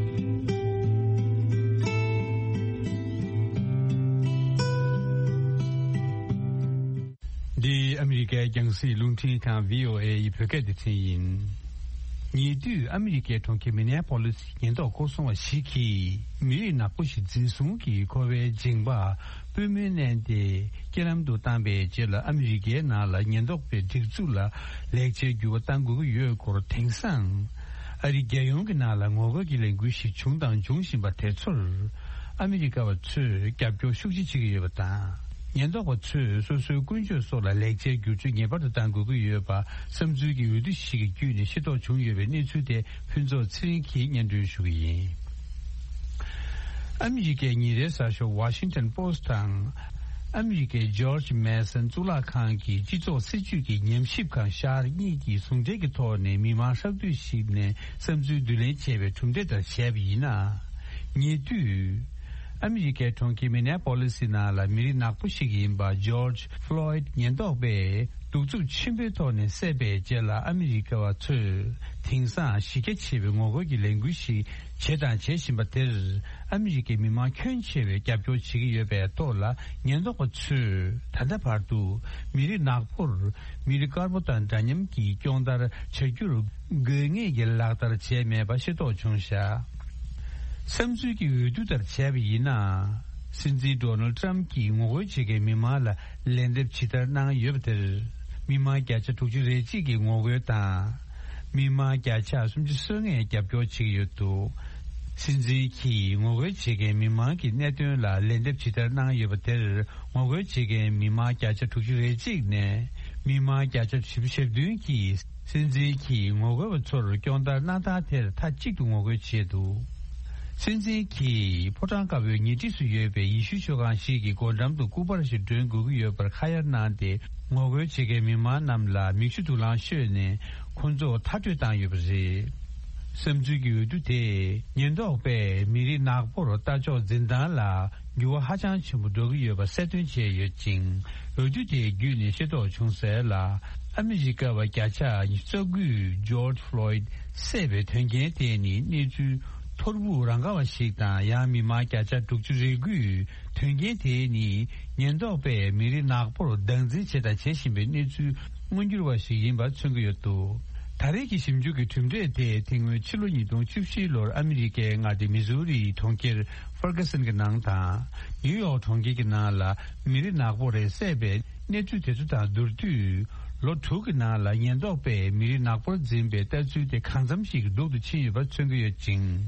འདི་ཨ་མི་རི་ཀའི་རྒྱང་སྲིང་རླུང་འཕྲིན་ཁང་བྷི་ཨོ་ཨེ་ཡི་བོད་སྐད་སྡེ་ཚན་ཡིན། ཉེ་དུས་ཨ་མི་རི་ཀའི་གྲོང་ཁྱེར་མི་ནེ་པོ་ལི་སི་ཉེན་རྟོག་སྐོར་སྲུང་བ་ཞིག་གིས་མི་རིགས་ནག་པོ་ཞིག་འཛིན་བཟུང་གིས་འཁོར་བའི་འགྱིང་བག་པུས་མོས་མནན་ཏེ་རྐྱེན་ལམ་དུ་བཏང་པའི་རྗེས་ལ། ཨ་མི་རི་ཀའི་ནང་ལ་ཉེན་རྟོག་པའི་སྒྲིག་འཛུགས་ལ་ལེགས་ཆའི་འགྱུར་བ་གཏང་དགོས་ཀྱི་ཡོད་སྐོར། དེང་སང་ཨ་རི་རྒྱལ་ཡོངས་ཀྱི་ནང་ལ་ངོ་རྒོལ་གྱི་ལས་འགུལ་ཞིག་བྱུང་དང་འབྱུང་བཞིན་པ་དེ་ཚོར། ཨ་མི་རི་ཀ་བ་ཚོས་རྒྱབ་སྐྱོར་ཤུགས་ཆེ་བྱེད་ཀྱི་ཡོད་པ་དང་། ཉེན་རྟོག་པ་ཚོས་སོ་སོའི་ཀུན་སྤྱོད་སོགས་ལ་ལེགས་ཆའི་བསྒྱུར་བཅོས་ངེས་པར་དུ་གཏང་དགོས་ཀྱི་ཡོད་པ་བསམ་ཚུལ་གྱི་འོས་བསྡུ་ཞིག་གི་བརྒྱུད་ནས་ཤེས་རྟོགས་བྱུང་ཡོད་པའི་གནས་ཚུལ་དེ་ཕུན་ཚོགས་ཚེ་རིང་གིས་སྙན་སྒྲོན་ཞུ་གི་ཡིན། ཨ་མི་རི་ཀའི་ཉིན་རེའི་གསར་ཤོག་Washington Post་དང་། ཨ་མི་རི་ཀའི་George Mason་གཙུག་ལག་ཁང་གི་སྤྱི་ཚོགས་སྲིད་ཇུས་ཀྱི་ཉམས་ཞིབ་ཁང་ཤར་གཉིས་ཀྱིས་ཟུང་འབྲེལ་གྱི་ཐོག་ནས་མི་མང་ཧྲག་བསྡུས་ཤིག་ནས་བསམ་ཚུལ་བསྡུ་ལེན་བྱས་པའི་གྲུབ་འབྲས་ལྟར་བྱས་པ་ཡིན་ན། ཉེ་དུས། ཨ་མི་རི་ཀའི་གྲོང་ཁྱེར་མི་ནེ་པོ་ལི་སི་ནང་ལ་མི་རིགས་ནག་པོ་ཞིག་ཡིན་པ་George Floyd་ཉེན་རྟོག་པས་གདུག་རྩུབ་ཆེན་པོའི་ཐོག་ནས་བསད་པའི་རྗེས་ལ། ཨ་མི་རི་ཀ་བ་ཚོས་དེང་སང་གཞི་རྒྱ་ཆེ་བའི་ངོ་རྒོལ་གྱི་ལས་འགུལ་ཞིག་བྱས་དང་བྱེད་བཞིན་པ་དེར། ཨ་མི་རི་ཀའི་མི་མང་ཁྱོན་ཆེ་བས་རྒྱབ་སྐྱོར་བྱེད་ཀྱི་ཡོད་པའི་ཐོག་ལ། ཉེན་རྟོག་པ་ཚོས་ད་ལྟ་བར་དུ་མི་རིགས་ནག་པོར་མི་རིགས་དཀར་པོ་དང་འདྲ་མཉམ་གྱི་སྐྱོང་བརྡར་བྱ་རྒྱུར་དགོས་ངེས་ཀྱི་ལག་བསྟར་བྱས་མེད་པ་ཤེས་རྟོགས་བྱུང་བཞག་བསམ་ཚུལ་གྱི་འོས་བསྡུ་ལྟར་བྱས་པ་ཡིན་ན། སྲིད་འཛིན་ཌོ་ནལ་ཊམ་གྱིས་ངོ་རྒོལ་བྱེད་མཁན་མི་མང་ལ་ལན་འདེབས་ཇི་ལྟར་གནང་ཡོད་པ་དེར། མི་མང་བརྒྱ་ཆ་དྲུག་ཅུ་རེ་གཅིག་གིས་ངོ་རྒོལ་དང་། མི་མང་བརྒྱ་ཆ་སུམ་ཅུ་སོ་ལྔས་རྒྱབ་སྐྱོར་བྱེད་ཀྱི་ཡོད་འདུག་སྲིད་འཛིན་གྱིས་ངོ་རྒོལ་བྱེད་མཁན་མི་མང་གི་གནད་དོན་ལ་ལན་འདེབས་ཇི་ལྟར་གནང་ཡོད་པ་དེར། ངོ་རྒོལ་བྱེད་མཁན་མི་མང་བརྒྱ་ཆ་དྲུག་ཅུ་རེ་གཅིག་ནས་མི་མང་བརྒྱ་ཆ་བཞི་བཅུ་ཞེ་བདུན་གྱིས། སྲིད་འཛིན་གྱིས་ངོ་རྒོལ་བ་ཚོར་སྐྱོང་བརྡར་གནང་སྟངས་དེར་མཐའ་གཅིག་ཏུ་ངོ་རྒོལ་བྱས་འདུག་སྲིད་འཛིན་གྱིས་ཕོ་བྲང་དཀར་པོའི་ཉེ་འཁྲིས་སུ་ཡོད་པའི་ཡེ་ཤུ་ཆོས་ཁང་ཞིག་གི་སྒོ་འགྲམ་དུ་སྐུ་པར་ཞིག་སྒྲོན་དགོས་ཀྱི་ཡོད་པར་ཁ་ཡར་གནང་སྟེ། ངོ་རྒོལ་བྱེད་མཁན་མི་མང་རྣམས་ལ་མིག་ཆུ་དུག་རླངས་གཤོད་ནས་ཁོང་ཚོ་མཐར་སྐྲོད་བཏང་ཡོད་པ་རེད། བསམ་ཚུལ་གྱི་འོས་བསྡུ་དེས་ཉེན་རྟོག་པས་མི་རིགས་ནག་པོར་ལྟ་ཕྱོགས་འཛིན་སྟངས་ལ་འགྱུར་བ་ཧ་ཅང་ཆེན་པོ་འགྲོ་གི་ཡོད་པ་གསལ་སྟོན་བྱས་ཡོད་ཅིང་། འོས་བསྡུ་དེ་བརྒྱུད་ནས་ཤེས་རྟོགས་བྱུང་གསལ་ལ། ཨ་མི་རི་ཀ་བ་བརྒྱ་ཆ་ཉི་ཤུ་རྩ་དགུས་ཇོརྗ་ཕློའིད་བསད་པའི་དོན་རྐྱེན་དེ་ནི་གནས་ཚུལ་ཐོར་བུ་རང་ག་བ་ཞིག་དང་། ཡང་མི་མང་བརྒྱ་ཆ་དྲུག་ཅུ་རེ་དགུས་དོན་རྐྱེན་དེ་ནི་ཉེན་རྟོག་པས་མི་རིགས་ནག་པོར་སྟངས་འཛིན་བྱས་དང་བྱེད་བཞིན་པའི་གནས་ཚུལ་མངོན་འགྱུར་བ་ཞིག་ཡིན་པ་མཚོན་གྱི་ཡོད་འདུག་ད་རེས་ཀྱི་ཞིབ་འཇུག་གི་གྲུབ་འབྲས་དེ་དེ་སྔོན་ཕྱི་ལོ་ཉིས་སྟོང་བཅུ་བཞི་ལོར་ཨ་མི་རི་ཀའི་མངའ་སྡེ་མི་ཟུ་རིའི་གྲོང་ཁྱེར་ཧྥར་ག་སན་གྱི་ནང་དང་། ནིའུ་ཡོག་གྲོང་ཁྱེར་གྱི་ནང་ལ་མི་རིགས་ནག་པོ་རེ་བསད་པའི་གནས་ཚུལ་དེ་ཚོ་དང་བསྡུར་དུས། ལོ་དྲུག་གི་ནང་ལ་ཉེན་རྟོག་པས་མི་རིགས་ནག་པོར་འཛིན་པའི་ལྟ་ཚུལ་དེ་གང་འཚམ་ཞིག་སྡུག་ཏུ་ཕྱིན་ཡོད་པ་མཚོན་གྱི་ཡོད་ཅིང་།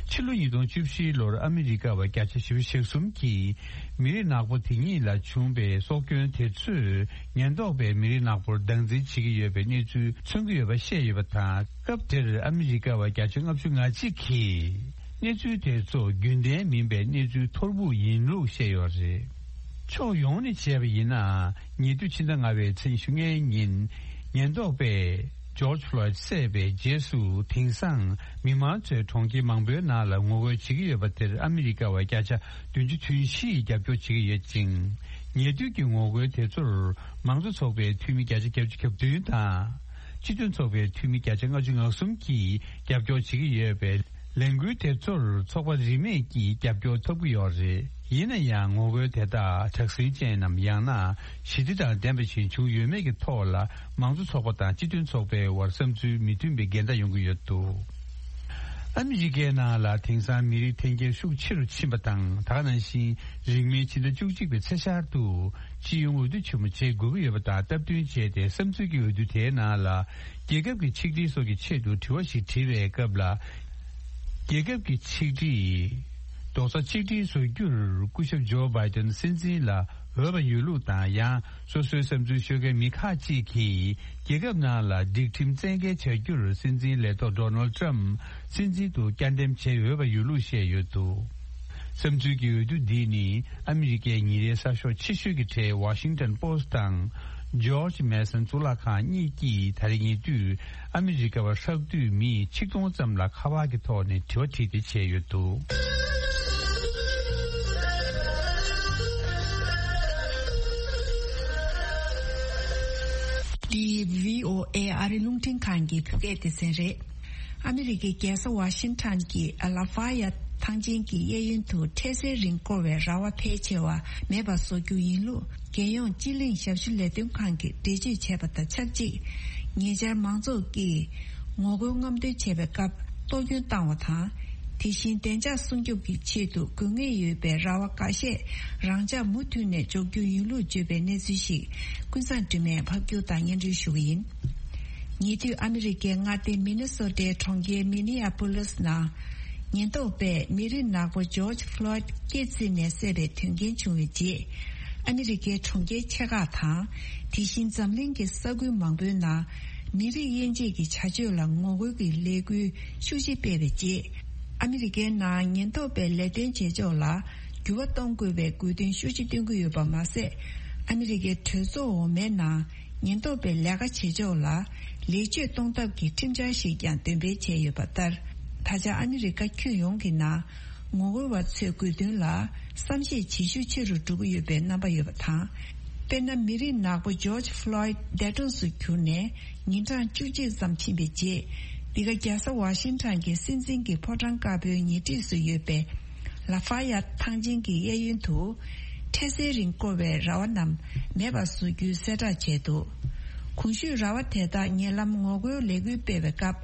ཕྱི་ལོ་ཉིས་སྟོང་བཅུ་བཞི་ལོར་ཨ་མི་རི་ཀ་བ་བརྒྱ་ཆ་བཞི་བཅུ་ཞེ་གསུམ་གྱིས་མི་རིགས་ནག་པོ་དེ་ཉིད་ལ་བྱུང་པའི་སྲོག་སྐྱོན་དེ་ཚོས་ཉེན་རྟོག་པས་མི་རིགས་ནག་པོར་སྟངས་འཛིན་བྱེད་ཀྱི་ཡོད་པའི་གནས་ཚུལ་མཚོན་གྱི་ཡོད་པ་བཤད་ཡོད་པ་དང་། སྐབས་དེར་ཨ་མི་རི་ཀ་བ་བརྒྱ་ཆ་ལྔ་བཅུ་ང་གཅིག་གིས་གནས་ཚུལ་དེ་ཚོ་རྒྱུན་ལྡན་མིན་པའི་གནས་ཚུལ་ཐོར་བུ་ཡིན་ལུགས་བཤད་ཡོད་རེད། ཕྱོགས་ཡོངས་ནས་བྱས་པ་ཡིན་ནའང་། ཉེ་དུས་ཕྱི་ཟླ་ལྔ་པའི་ཚེས་ཉི་ཤུ་ལྔའི་ཉིན། ཉེན་རྟོག་པས་ཇོརྗ་ཕློའིད་བསད་པའི་རྗེས་སུ། དེང་སང་མི་མང་ཚོས་གྲོང་ཁྱེར་མང་པོའི་ནང་ལ་ངོ་རྒོལ་བྱེད་ཀྱི་ཡོད་པ་དེར་ཨ་མི་རི་ཀ་བ་བརྒྱ་ཆ་བདུན་ཅུ་དོན་བཞིས་རྒྱབ་སྐྱོར་བྱེད་ཀྱི་ཡོད་ཅིང་། ཉེ་དུས་ཀྱི་ངོ་རྒོལ་དེ་ཚོར་མང་གཙོ་ཚོགས་པའི་འཐུས་མི་བརྒྱ་ཆ་བརྒྱད་ཅུ་གྱ་བདུན་དང་། སྤྱི་མཐུན་ཚོགས་པའི་འཐུས་མི་བརྒྱ་ཆ་ལྔ་བཅུ་ང་གསུམ་གྱིས་རྒྱབ་སྐྱོར་བྱེད་ཀྱི་ཡོད་པས། ལས་འགུལ་དེ་ཚོར་ཚོགས་པ་རིས་མེད་ཀྱིས་རྒྱབ་སྐྱོར་ཐོབ་ཀྱི་ཡོད་རེད། ཡིན་ན་ཡང་ངོ་རྒོལ་དེ་དག་དྲག་ཟིང་ཅན་ནམ། ཡང་ན་ཞི་བདེ་དང་ལྡན་པ་ཞིག་བྱུང་ཡོད་མེད་ཀྱི་ཐོག་ལ། མང་གཙོ་ཚོགས་པ་དང་སྤྱི་མཐུན་ཚོགས་པའི་དབར་བསམ་ཚུལ་མི་མཐུན་པའི་འགལ་ཟླ་ཡོང་གི་ཡོད་འདུག་ཨ་མི་རི་ཀའི་ནང་ལ་དེང་སང་མི་རིགས་འཐེན་འཁྱེར་ཤུགས་ཆེ་རུ་ཕྱིན་པ་དང་། ད་ག་ནང་བཞིན་རིང་མིན་ཕྱི་ཟླ་བཅུ་གཅིག་པའི་ཚེས་ཤར་དུ་སྤྱི་ཡོངས་འོས་བསྡུ་ཆེན་མོ་བྱེད་དགོས་ཀྱི་ཡོད་པ་དང་སྟབས་བསྟུན་བྱས་ཏེ། བསམ་ཚུལ་གྱི་འོས་བསྡུ་དེའི་ནང་ལ། རྒྱལ་ཁབ་ཀྱི་ཆིག་སྒྲིལ་སོགས་ཀྱི་ཆེད་དུ་དྲི་བ་ཞིག་དྲིས་པའི་སྐབས་ལ། རྒྱལ་ཁབ་ཀྱི་ཆིག་སྒྲིལ་རྡོག་རྩ་གཅིག་སྒྲིལ་བཟོ་རྒྱུར་སྐུ་ཞབས་ཇོ་བྷའི་ཏན་སྲིད་འཛིན་ལ་འོས་པ་ཡོད་ལུགས་དང་། ཡང་སོ་སོའི་བསམ་ཚུལ་ཤོད་མཁན་མི་ཁག་ཅིག་གིས་རྒྱལ་ཁབ་ནང་ལ་སྒྲིག་ཁྲིམས་བཙན་འགེལ་བྱ་རྒྱུར་སྲིད་འཛིན་ལས་ཐོག་ཌོ་ནལ་ཌི་ཊརམ་ཕི་སྲིད་འཛིན་དུ་བསྐྱར་འདེམས་བྱེད་འོས་པ་ཡོད་ལུགས་བཤད་ཡོད་འདུག་བསམ་ཚུལ་གྱི་འོས་བསྡུ་འདི་ནི་ཨ་མི་རི་ཀའི་ཉིན་རེའི་གསར་ཤོག་ཆེ་ཤོས་ཀྱི་གྲས་Washington Post དང་George Mason གཙུག་ལག་ཁང་གཉིས་ཀྱིས་ད་རེས་ཉེ་དུས་ཨ་མི་རི་ཀ་བ་ཧྲག་བསྡུས་མི་ཆིག་སྟོང་ཙམ་ལ་ཁ་པར་གྱི་ཐོག་ནས་དྲི་བ་དྲིས་ཏེ་བྱས་ཡོད་འདུག་འདི་བྷི་ཨོ་ཨེ་ཨ་རི་རླུང་འཕྲིན་ཁང་གི་བོད་སྐད་སྡེ་ཚན་རེད། ཨ་མི་རི་ཀའི་རྒྱལ་ས་ཝ་ཤིང་ཊོན་གྱི་ལ་ཧྥ་ཡ་ཐང་ཆེན་གྱི་གཡས་གཡོན་དུ་འཕྲལ་སེལ་རིང་བསྐོར་བའི་ར་བ་ཕལ་ཆེ་བ་མེད་པ་བཟོ་རྒྱུ་ཡིན་ལུགས། རྒྱལ་ཡོངས་སྤྱི་གླིང་ཞབས་ཞུ་ལས་དོན་ཁང་གིས་འགྲེལ་བརྗོད་བྱས་པ་དང་ཆབས་ཅིག་ཉེ་ཆར་མང་ཚོགས་ཀྱིས་ངོ་རྒོལ་རྔམ་སྟོན་བྱས་པའི་སྐབས་གཏོར་སྐྱོན་བཏང་བ་དང་། དེ་བཞིན་བདེ་འཇགས་སྲུང་སྐྱོབ་ཀྱི་ཆེད་དུ་དགོས་ངེས་ཡོད་པའི་ར་བ་འགའ་ཤས་རང་འཇགས་མུ་མཐུད་ནས་འཇོག་རྒྱུ་ཡིན་ལུགས་བརྗོད་པའི་གནས་ཚུལ་ཞིག་ཀུན་བཟང་སྒྲོལ་མས་ཕབ་སྒྱུར་དང་སྙན་སྒྲོན་ཞུ་གི་ཡིན། ཉེ་དུས་ཨ་མི་རི་ཀའི་མངའ་སྡེ་མི་ནི་སོ་ཊའི་གྲོང་ཁྱེར་མི་ནི་ཨ་པོ་ལིས་ནང་། ཉེན་རྟོག་པས་མི་རིགས་ནག་པོ་ཇོརྗ་ཕློའིད་སྐེ་བརྫིས་ནས་བསད་པའི་དོན་རྐྱེན་བྱུང་བའི་རྗེས། ཨ་མི་རི་ཀའི་གྲོང་ཁྱེར་ཆེ་ཁག་དང་། དེ་བཞིན་འཛམ་གླིང་གི་ས་ཁུལ་མང་པོའི་ནང་། མི་རིགས་དབྱེ་འབྱེད་ཀྱི་བྱ་སྤྱོད་ལ་ངོ་རྒོལ་གྱི་ལས་འགུལ་ཤུགས་ཆེ་སྤེལ་བའི་རྗེས། ཨ་མི་རི་ཀའི་ནང་ཉེན་རྟོག་པའི་ལས་དོན་བྱེད་ཕྱོགས་ལ་འགྱུར་བ་གཏོང་དགོས་པའི་དགོས་འདུན་ཤུགས་ཆེ་བཏོན་གྱི་ཡོད་པ་མ་ཟད། ཨ་མི་རི་ཀའི་གྲོས་ཚོགས་འོག་མའི་ནང་ཉེན་རྟོག་པའི་ལས་ཀ་བྱེད་ཕྱོགས་ལ་ལེགས་བཅོས་གཏོང་ཐབས་ཀྱི་ཁྲིམས་འཆར་ཞིག་ཀྱང་འདོན་སྤེལ་བྱས་ཡོད་པ་ལྟར། ད་ཆ་ཨ་མི་རི་ཀ་ཁྱོན་ཡོངས་ཀྱི་ནང་ངོ་རྒོལ་བ་ཚོའི་དགོས་འདུན་ལ་བསམ་ཤེས་བྱེད་ཤུགས་ཆེ་རུ་འགྲོ་གི་ཡོད་པའི་རྣམ་པ་ཡོད་པ་དང་། དཔེར་ན། མི་རིགས་ནག་པོ་ཇོརྗ་ཕློའིད་འདས་གྲོངས་སུ་གྱུར་ནས་ཉིན་གྲངས་བཅུ་གཅིག་ཙམ་ཕྱིན་པའི་རྗེས། འདི་ག་རྒྱལ་ས་ཝ་ཤིང་ཊོན་གྱི་སྲིད་འཛིན་གྱི་ཕོ་བྲང་དཀར་པོའི་ཉེ་འཁྲིས་སུ་ཡོད་པའི་ལ་ཧྥ་ཡ་ཐང་ཆེན་གྱི་གཡས་གཡོན་དུ། འཕྲལ་སེལ་རིང་བསྐོར་བའི་ར་བ་རྣམས་མེད་པར་བཟོ་རྒྱུའི་གསལ་བསྒྲགས་བྱས་འདུག་གོང་ཞུས་ར་བ་དེ་དག་ཉེ་ལམ་ངོ་རྒོལ་ལས་འགུལ་སྤེལ་བའི་སྐབས།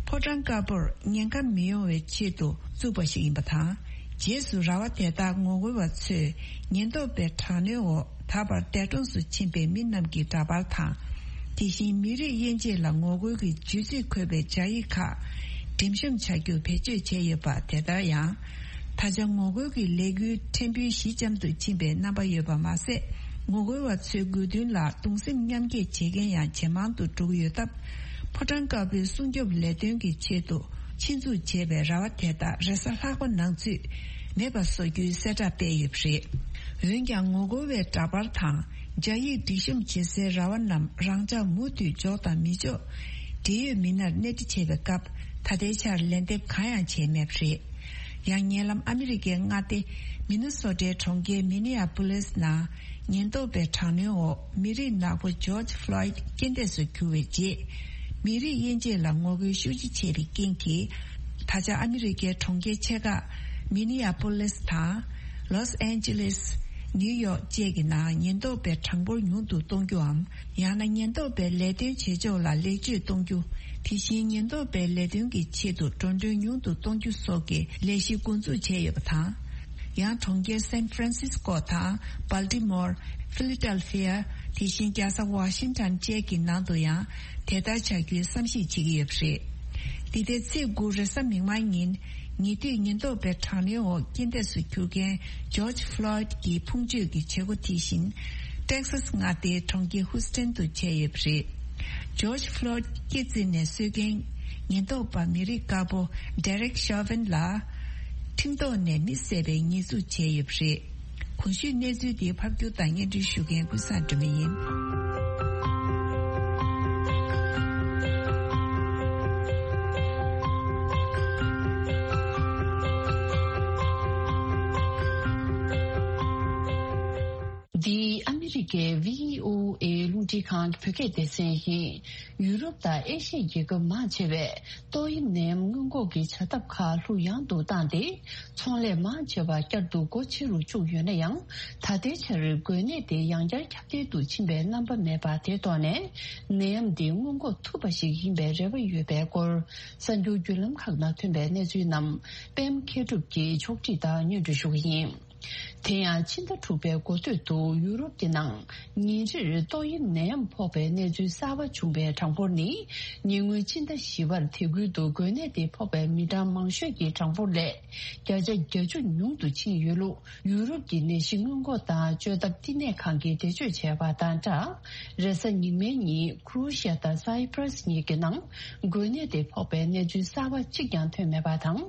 ཕོ་བྲང་དཀར་པོར་ཉེན་ཁ་མི་ཡོང་བའི་ཆེད་དུ་བཙུགས་པ་ཞིག་ཡིན་པ་དང་། རྗེས་སུ་ར་བ་དེ་དག་ངོ་རྒོལ་བ་ཚོས་ཉེན་རྟོག་པའི་དྲག་གནོན་འོག་ད་བར་འདས་གྲོངས་སུ་ཕྱིན་པའི་མི་རྣམས་ཀྱི་འདྲ་པར་དང་། དེ་བཞིན་མི་རིགས་དབྱེ་འབྱེད་ལ་ངོ་རྒོལ་གྱི་བརྗོད་ཚིག་འཁོད་པའི་སྦྱར་ཡིག་ཁག་འགྲེམས་བཤམས་བྱ་རྒྱུ་བེད་སྤྱོད་བྱས་ཡོད་པ། དེ་ལྟར་ཡང་། ད་ཆ་ངོ་རྒོལ་གྱི་ལས་འགུལ་ཕྲན་བུའི་ཞི་འཇམ་དུ་ཕྱིན་པའི་རྣམ་པ་ཡོད་པ་མ་ཟད། ངོ་རྒོལ་བ་ཚོའི་དགོས་འདུན་ལ་གདུང་སེམས་མཉམ་སྐྱེད་བྱེད་མཁན་ཡང་ཇེ་མང་དུ་འགྲོ་གི་ཡོད་སྟབས། ཕོ་བྲང་དཀར་པོའི་སྲུང་སྐྱོབ་ལས་དོན་གྱི་ཆེད་དུ་ ཆེད་འཛུགས་བྱས་པའི་ར་བ་དེ་དག་རེས་གཟའ་ལྷག་པ་ནང་ཚུད་མེད་པ་བཟོ་རྒྱུའི་གསལ་བསྒྲགས་སྤེལ་ཡོད་པ་རེད། འོན་ཀྱང་ངོ་རྒོལ་བའི་འདྲ་པར་དང་སྦྱར་ཡིག་སྒྲིག་གཤོམ་བྱེད་སའི་ར་བ་རྣམས་རང་འཇགས་མུ་མཐུད་འཇོག་དང་མི་འཇོག་འབྲེལ་ཡོད་མི་སྣར་སྣེ་ཁྲིད་བྱས་པའི་སྐབས་ད་ལྟའི་ཆར་ལན་འདེབས་གང་ཡང་བྱས་མེད་པ་རེད། ཡང་ཉེ་ལམ་ཨ་མི་རི་ཀའི་མངའ་སྡེ་མི་ནི་སོ་ཊའི་གྲོང་ཁྱེར་མི་ནི་ཨ་པོ་ལིས་ནང་ཉེན་རྟོག་པའི་དྲག་གནོན་འོག་མི་རིགས་ནག་པོ་ཇོརྗ་ཕློའིད་རྐྱེན་འདས་སུ་གྱུར་བའི་རྗེས། མི་རིགས་དབྱེ་འབྱེད་ལ་ངོ་རྒོལ་ཤུགས་ཆེ་བྱས་པའི་རྐྱེན་གྱིས། ད་ཆ་ཨ་མི་རི་ཀའི་གྲོང་ཁྱེར་ཆེ་ཁག་མི་ནི་ཨ་པོ་ལིས་དང་། ལོས་ཨན་ཇི་ལིས། ནིའུ་ཡོག་བཅས་ཀྱི་ནང་ཉེན་རྟོག་པའི་གྲངས་འབོར་ཉུང་དུ་གཏོང་རྒྱུའམ། ཡང་ན་ཉེན་རྟོག་པའི་ལས་དོན་བྱེད་ཕྱོགས་ལ་ལེགས་བཅོས་གཏོང་རྒྱུ། དེ་བཞིན་ཉེན་རྟོག་པའི་ལས་དོན་གྱི་ཆེད་དུ་འགྲོ་གྲོན་ཉུང་དུ་གཏོང་རྒྱུ་སོགས་ཀྱི་ལས་གཞི་འགོ་འཛུགས་བྱས་ཡོད་པ་དང་། ཡང་གྲོང་ཁྱེར་སན་ཧྥ་རན་སིས་ཀོ་དང་། སྦལ་ཏི་མོར། ཕི་ལི་ཏལ་ཕི་ཡ། དེ་བཞིན་རྒྱལ་ས་ཝ་ཤིང་ཊོན་བཅས་ཀྱི་ནང་དུ་ཡང་དེ་ལྟར་བྱ་རྒྱུའི་བསམ་གཞིག་བྱེད་ཀྱི་ཡོད་པ་རེད། འདི་ཟླའི་ཚེས་དགུ་རེས་གཟའ་མིག་དམར་ཉིན། ཉེ་དུས་ཉེན་རྟོག་པའི་དྲག་གནོན་འོག་རྐྱེན་འདས་སུ་གྱུར་མཁན་ཇོརྗ་ཕློའིད་ཀྱི་ཕུང་མཆོད་ཀྱི་བྱེད་སྒོ་དེ་བཞིན། ཏེག་སཱས་མངའ་སྡེའི་གྲོང་ཁྱེར་ཧུ་སི་ཊན་དུ་བྱས་ཡོད་པ་རེད། ཇོརྗ་ཕློའིད་སྐེ་བཙིར་ནས་གསོད་མཁན་ཉེན་རྟོག་པ་མི་རིགས་དཀར་པོ་ཌེ་རེག་ཤོ་ཝིན་ལ། ཁྲིམས་ཐོག་ནས་མི་བསད་པའི་ཉེས་འཛུགས་བྱས་ཡོད་པ་རེད། གོང་ཞུས་གནས་ཚུལ་དེ་ཕབ་སྒྱུར་དང་སྙན་སྒྲོན་ཞུ་མཁན་ཀུན་བཟང་སྒྲོལ་མ་ཡིན། འདི་ཨ་མི་རི་ཀའི་བྷི་ཨོ་ཨེ་རླུང་འཕྲིན་ཁང་གི་བོད་སྐད་སྡེ་ཚན་ཡིན། ཡུ་རོབ་དང་ཨེ་ཤི་ཡའི་རྒྱལ་ཁབ་མང་ཆེ་བས་ཏོག་དབྱིབས་ནད་ཡམས་སྔོན་འགོག་གི་བྱ་ཐབས་ཁག་ལྷུག་ཡངས་དུ་བཏང་སྟེ། ཚོང་ལས་མང་ཆེ་བ་བསྐྱར་དུ་སྒོ་ཕྱེ་རུ་བཅུག་ཡོད་ན་ཡང་། ད་ལྟའི་ཆར་འགོས་ནད་དེ་ཡང་བསྐྱར་ཁྱབ་གདལ་དུ་ཕྱིན་པའི་རྣམ་པ་མེད་པ་དེ་ཐོག་ནས། ནད་ཡམས་འདི་སྔོན་འགོག་ཐུབ་པ་ཞིག་ཡིན་པའི་རེ་བ་ཡོད་པའི་སྐོར། གསར་འགྱུར་བརྒྱུད་ལམ་ཁག་ནང་ཐོན་པའི་གནས་ཚུལ་རྣམས་པད་མ་མཁས་གྲུབ་ཀྱིས་ཕྱོགས་སྒྲིག་དང་སྙན་སྒྲོན་ཞུ་གི་ཡིན། དེ་ཡང་ཕྱི་ཟླ་དྲུག་པའི་འགོ་སྟོད་དུ་ཡུ་རོབ་ཀྱི་ནང་ཉིན་རེར་ཏོག་དབྱིབས་ནད་ཡམས་ཕོག་པའི་གནས་ཚུལ་གསར་པ་བྱུང་བའི་གྲངས་འབོར་ནི། ཉེ་སྔོན་ཕྱི་ཟླ་བཞི་པར་དེ་ཁུལ་དུ་འགོས་ནད་དེ་ཕོག་པའི་མི་གྲངས་མང་ཤོས་ཀྱི་གྲངས་འབོར་ལས་བརྒྱ་ཆ་བརྒྱད་ཅུ་ཉུང་དུ་ཕྱིན་ཡོད་ལུགས། ཡུ་རོབ་ཀྱི་ནད་གཞི་སྔོན་འགོག་དང་བཅོས་ཐབས་བསྟི་གནས་ཁང་གིས་འགྲེལ་བརྗོད་བྱས་པ་དང་སྦྲགས། རེས་གཟའ་ཉི་མའི་ཉིན་ཁུ་རོ་ཤི་ཡ་དང་སའི་པྲ་སི་གཉིས་ཀྱི་ནང་འགོས་ནད་དེ་ཕོག་པའི་གནས་ཚུལ་གསར་པ་གཅིག་ཀྱང་ཐོན་མེད་པ་དང་།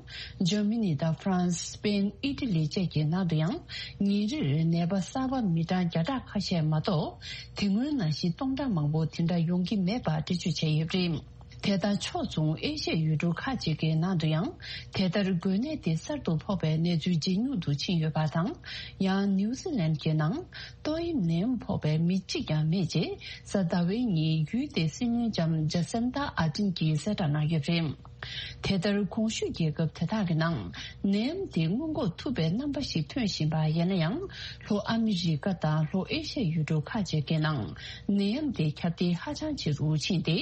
འཇར་མ་ནི་དང་ཧྥ་རན་སི། སི་པེན། ཨི་ཊ་ལི་བཅས་ཀྱི་ནང་དུ་ཡང་ཉིན་རེར་ནད་པ་གསར་པ་མི་གྲངས་བརྒྱ་ཕྲག་ཁ་ཤས་མ་གཏོགས། དེ་སྔོན་ནང་བཞིན་སྟོང་ཕྲག་མང་པོ་དེ་འདྲ་ཡོང་གི་མེད་པ་འགྲེལ་བརྗོད་བྱས་ཡོད་པ་རེད། དེ་དང་ཕྱོགས་མཚུངས་ཨེ་ཤ་ཡའི་ཡུལ་གྲུ་ཁག་ཅིག་གི་ནང་དུ་ཡང་དེ་ལྟར་འགོས་ནད་དེ་གསར་དུ་ཕོག་པའི་གནས་ཚུལ་ཇེ་ཉུང་དུ་ཕྱིན་ཡོད་པ་དང་། ཡང་ནིའུ་ཟི་ལན་གྱི་ནང་ཏོག་དབྱིབས་ནད་ཡམས་ཕོག་པའི་མི་གཅིག་ཀྱང་མེད་ཅེས་གཟའ་ཟླ་བའི་ཉིན་ཡུལ་དེའི་སྲིད་བློན་ལྕམ་ཇ་སིན་ཏཱ་ཨར་ཌེན་གྱིས་གསལ་བསྒྲགས་གནང་ཡོད་པ་རེད། དེ་ལྟར་གོང་ཞུས་རྒྱལ་ཁབ་དེ་དག་གི་ནང་ནད་ཡམས་དེ་སྔོན་འགོག་ཐུབ་པའི་རྣམ་པ་ཞིག་ཐོན་བཞིན་པ་ཡིན་ན་ཡང་། ལྷོ་ཨ་མི་རི་ཀ་དང་ལྷོ་ཨེ་ཤ་ཡའི་ཡུལ་གྲུ་ཁག་ཅིག་གི་ནང་ནད་ཡམས་དེ་ཁྱབ་གདལ་ཧ་ཅང་ཆེ་རུ་ཕྱིན་ཏེ།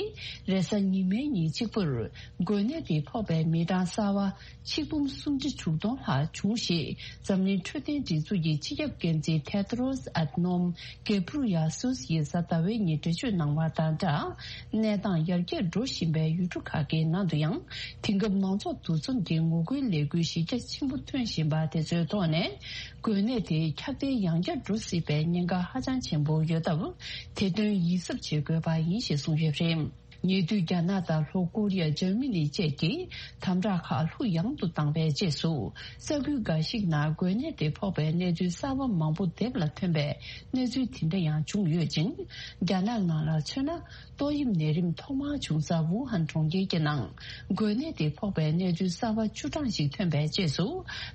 རེས་གཟའ་ཉི་མའི་ཉིན་གཅིག་པུར་འགོས་ནད་དེ་ཕོག་པའི་མི་གྲངས་གསར་བ་ཆིག་འབུམ་སུམ་ཁྲི་དྲུག་སྟོང་ལྷག་བྱུང་ཞེས་འཛམ་གླིང་འཕྲོད་བསྟེན་སྒྲིག་འཛུགས་ཀྱི་སྤྱི་ཁྱབ་འགན་འཛིན་ཐེ་ཏྲོས་ཨད་ནོམ་གེ་བྷུ་རུ་ཡ་སུས་ཡིས་གཟའ་ཟླ་བའི་ཉིན་འགྲེལ་བརྗོད་གནང་བ་དང་སྦྲགས། གནས་སྟངས་ཡར་རྒྱས་འགྲོ་བཞིན་པའི་ཡུལ་གྲུ་ཁག་གི་ནང་དུ་ཡང་། དེང་སྐབས་མང་ཚོགས་འདུ་འཛོམས་ཀྱི་ངོ་རྒོལ་ལས་འགུལ་གཞི་རྒྱ་ཆེན་པོ་ཐོན་བཞིན་པ་དེ་ཚོའི་ཐོག་ནས། འགོས་ནད་དེ་ཁྱབ་གདལ་ཡང་བསྐྱར་འགྲོ་སྲིད་པའི་ཉེན་ཁ་ཧ་ཅང་ཆེན་པོ་ཡོད་སྟབས། དེ་དོན་ཡིད་གཟབ་བྱེད་དགོས་པ་ཡིན་ཞེས་གསུངས་ཡོད་པ་རེད། ཉེ་དུས་རྒྱ་ནག་དང་ལྷོ་ཀོ་རི་ཡ། འཇར་མ་ནི་བཅས་ཀྱིས་དམ་དྲག་ཁག་ལྷུག་ཡངས་དུ་བཏང་བའི་རྗེས་སུ། ས་ཁུལ་འགའ་ཞིག་ནང་འགོས་ནད་དེ་ཕོག་པའི་གནས་ཚུལ་གསར་པ་མང་པོ་དེབ་ལ་ཐོན་པའི་གནས་ཚུལ་དེ་འདྲ་ཡང་བྱུང་ཡོད་ཅིང་། རྒྱ་ནག་ནང་ལ་མཚོན་ན། ཏོག་དབྱིབས་ནད་རིམས་ཐོག་མར་བྱུང་ས་ཝུ་ཧན་གྲོང་ཁྱེར་གྱི་ནང་འགོས་ནད་དེ་ཕོག་པའི་གནས་ཚུལ་གསར་པ་བཅུ་གྲངས་ཤིག་ཐོན་པའི་རྗེས་སུ།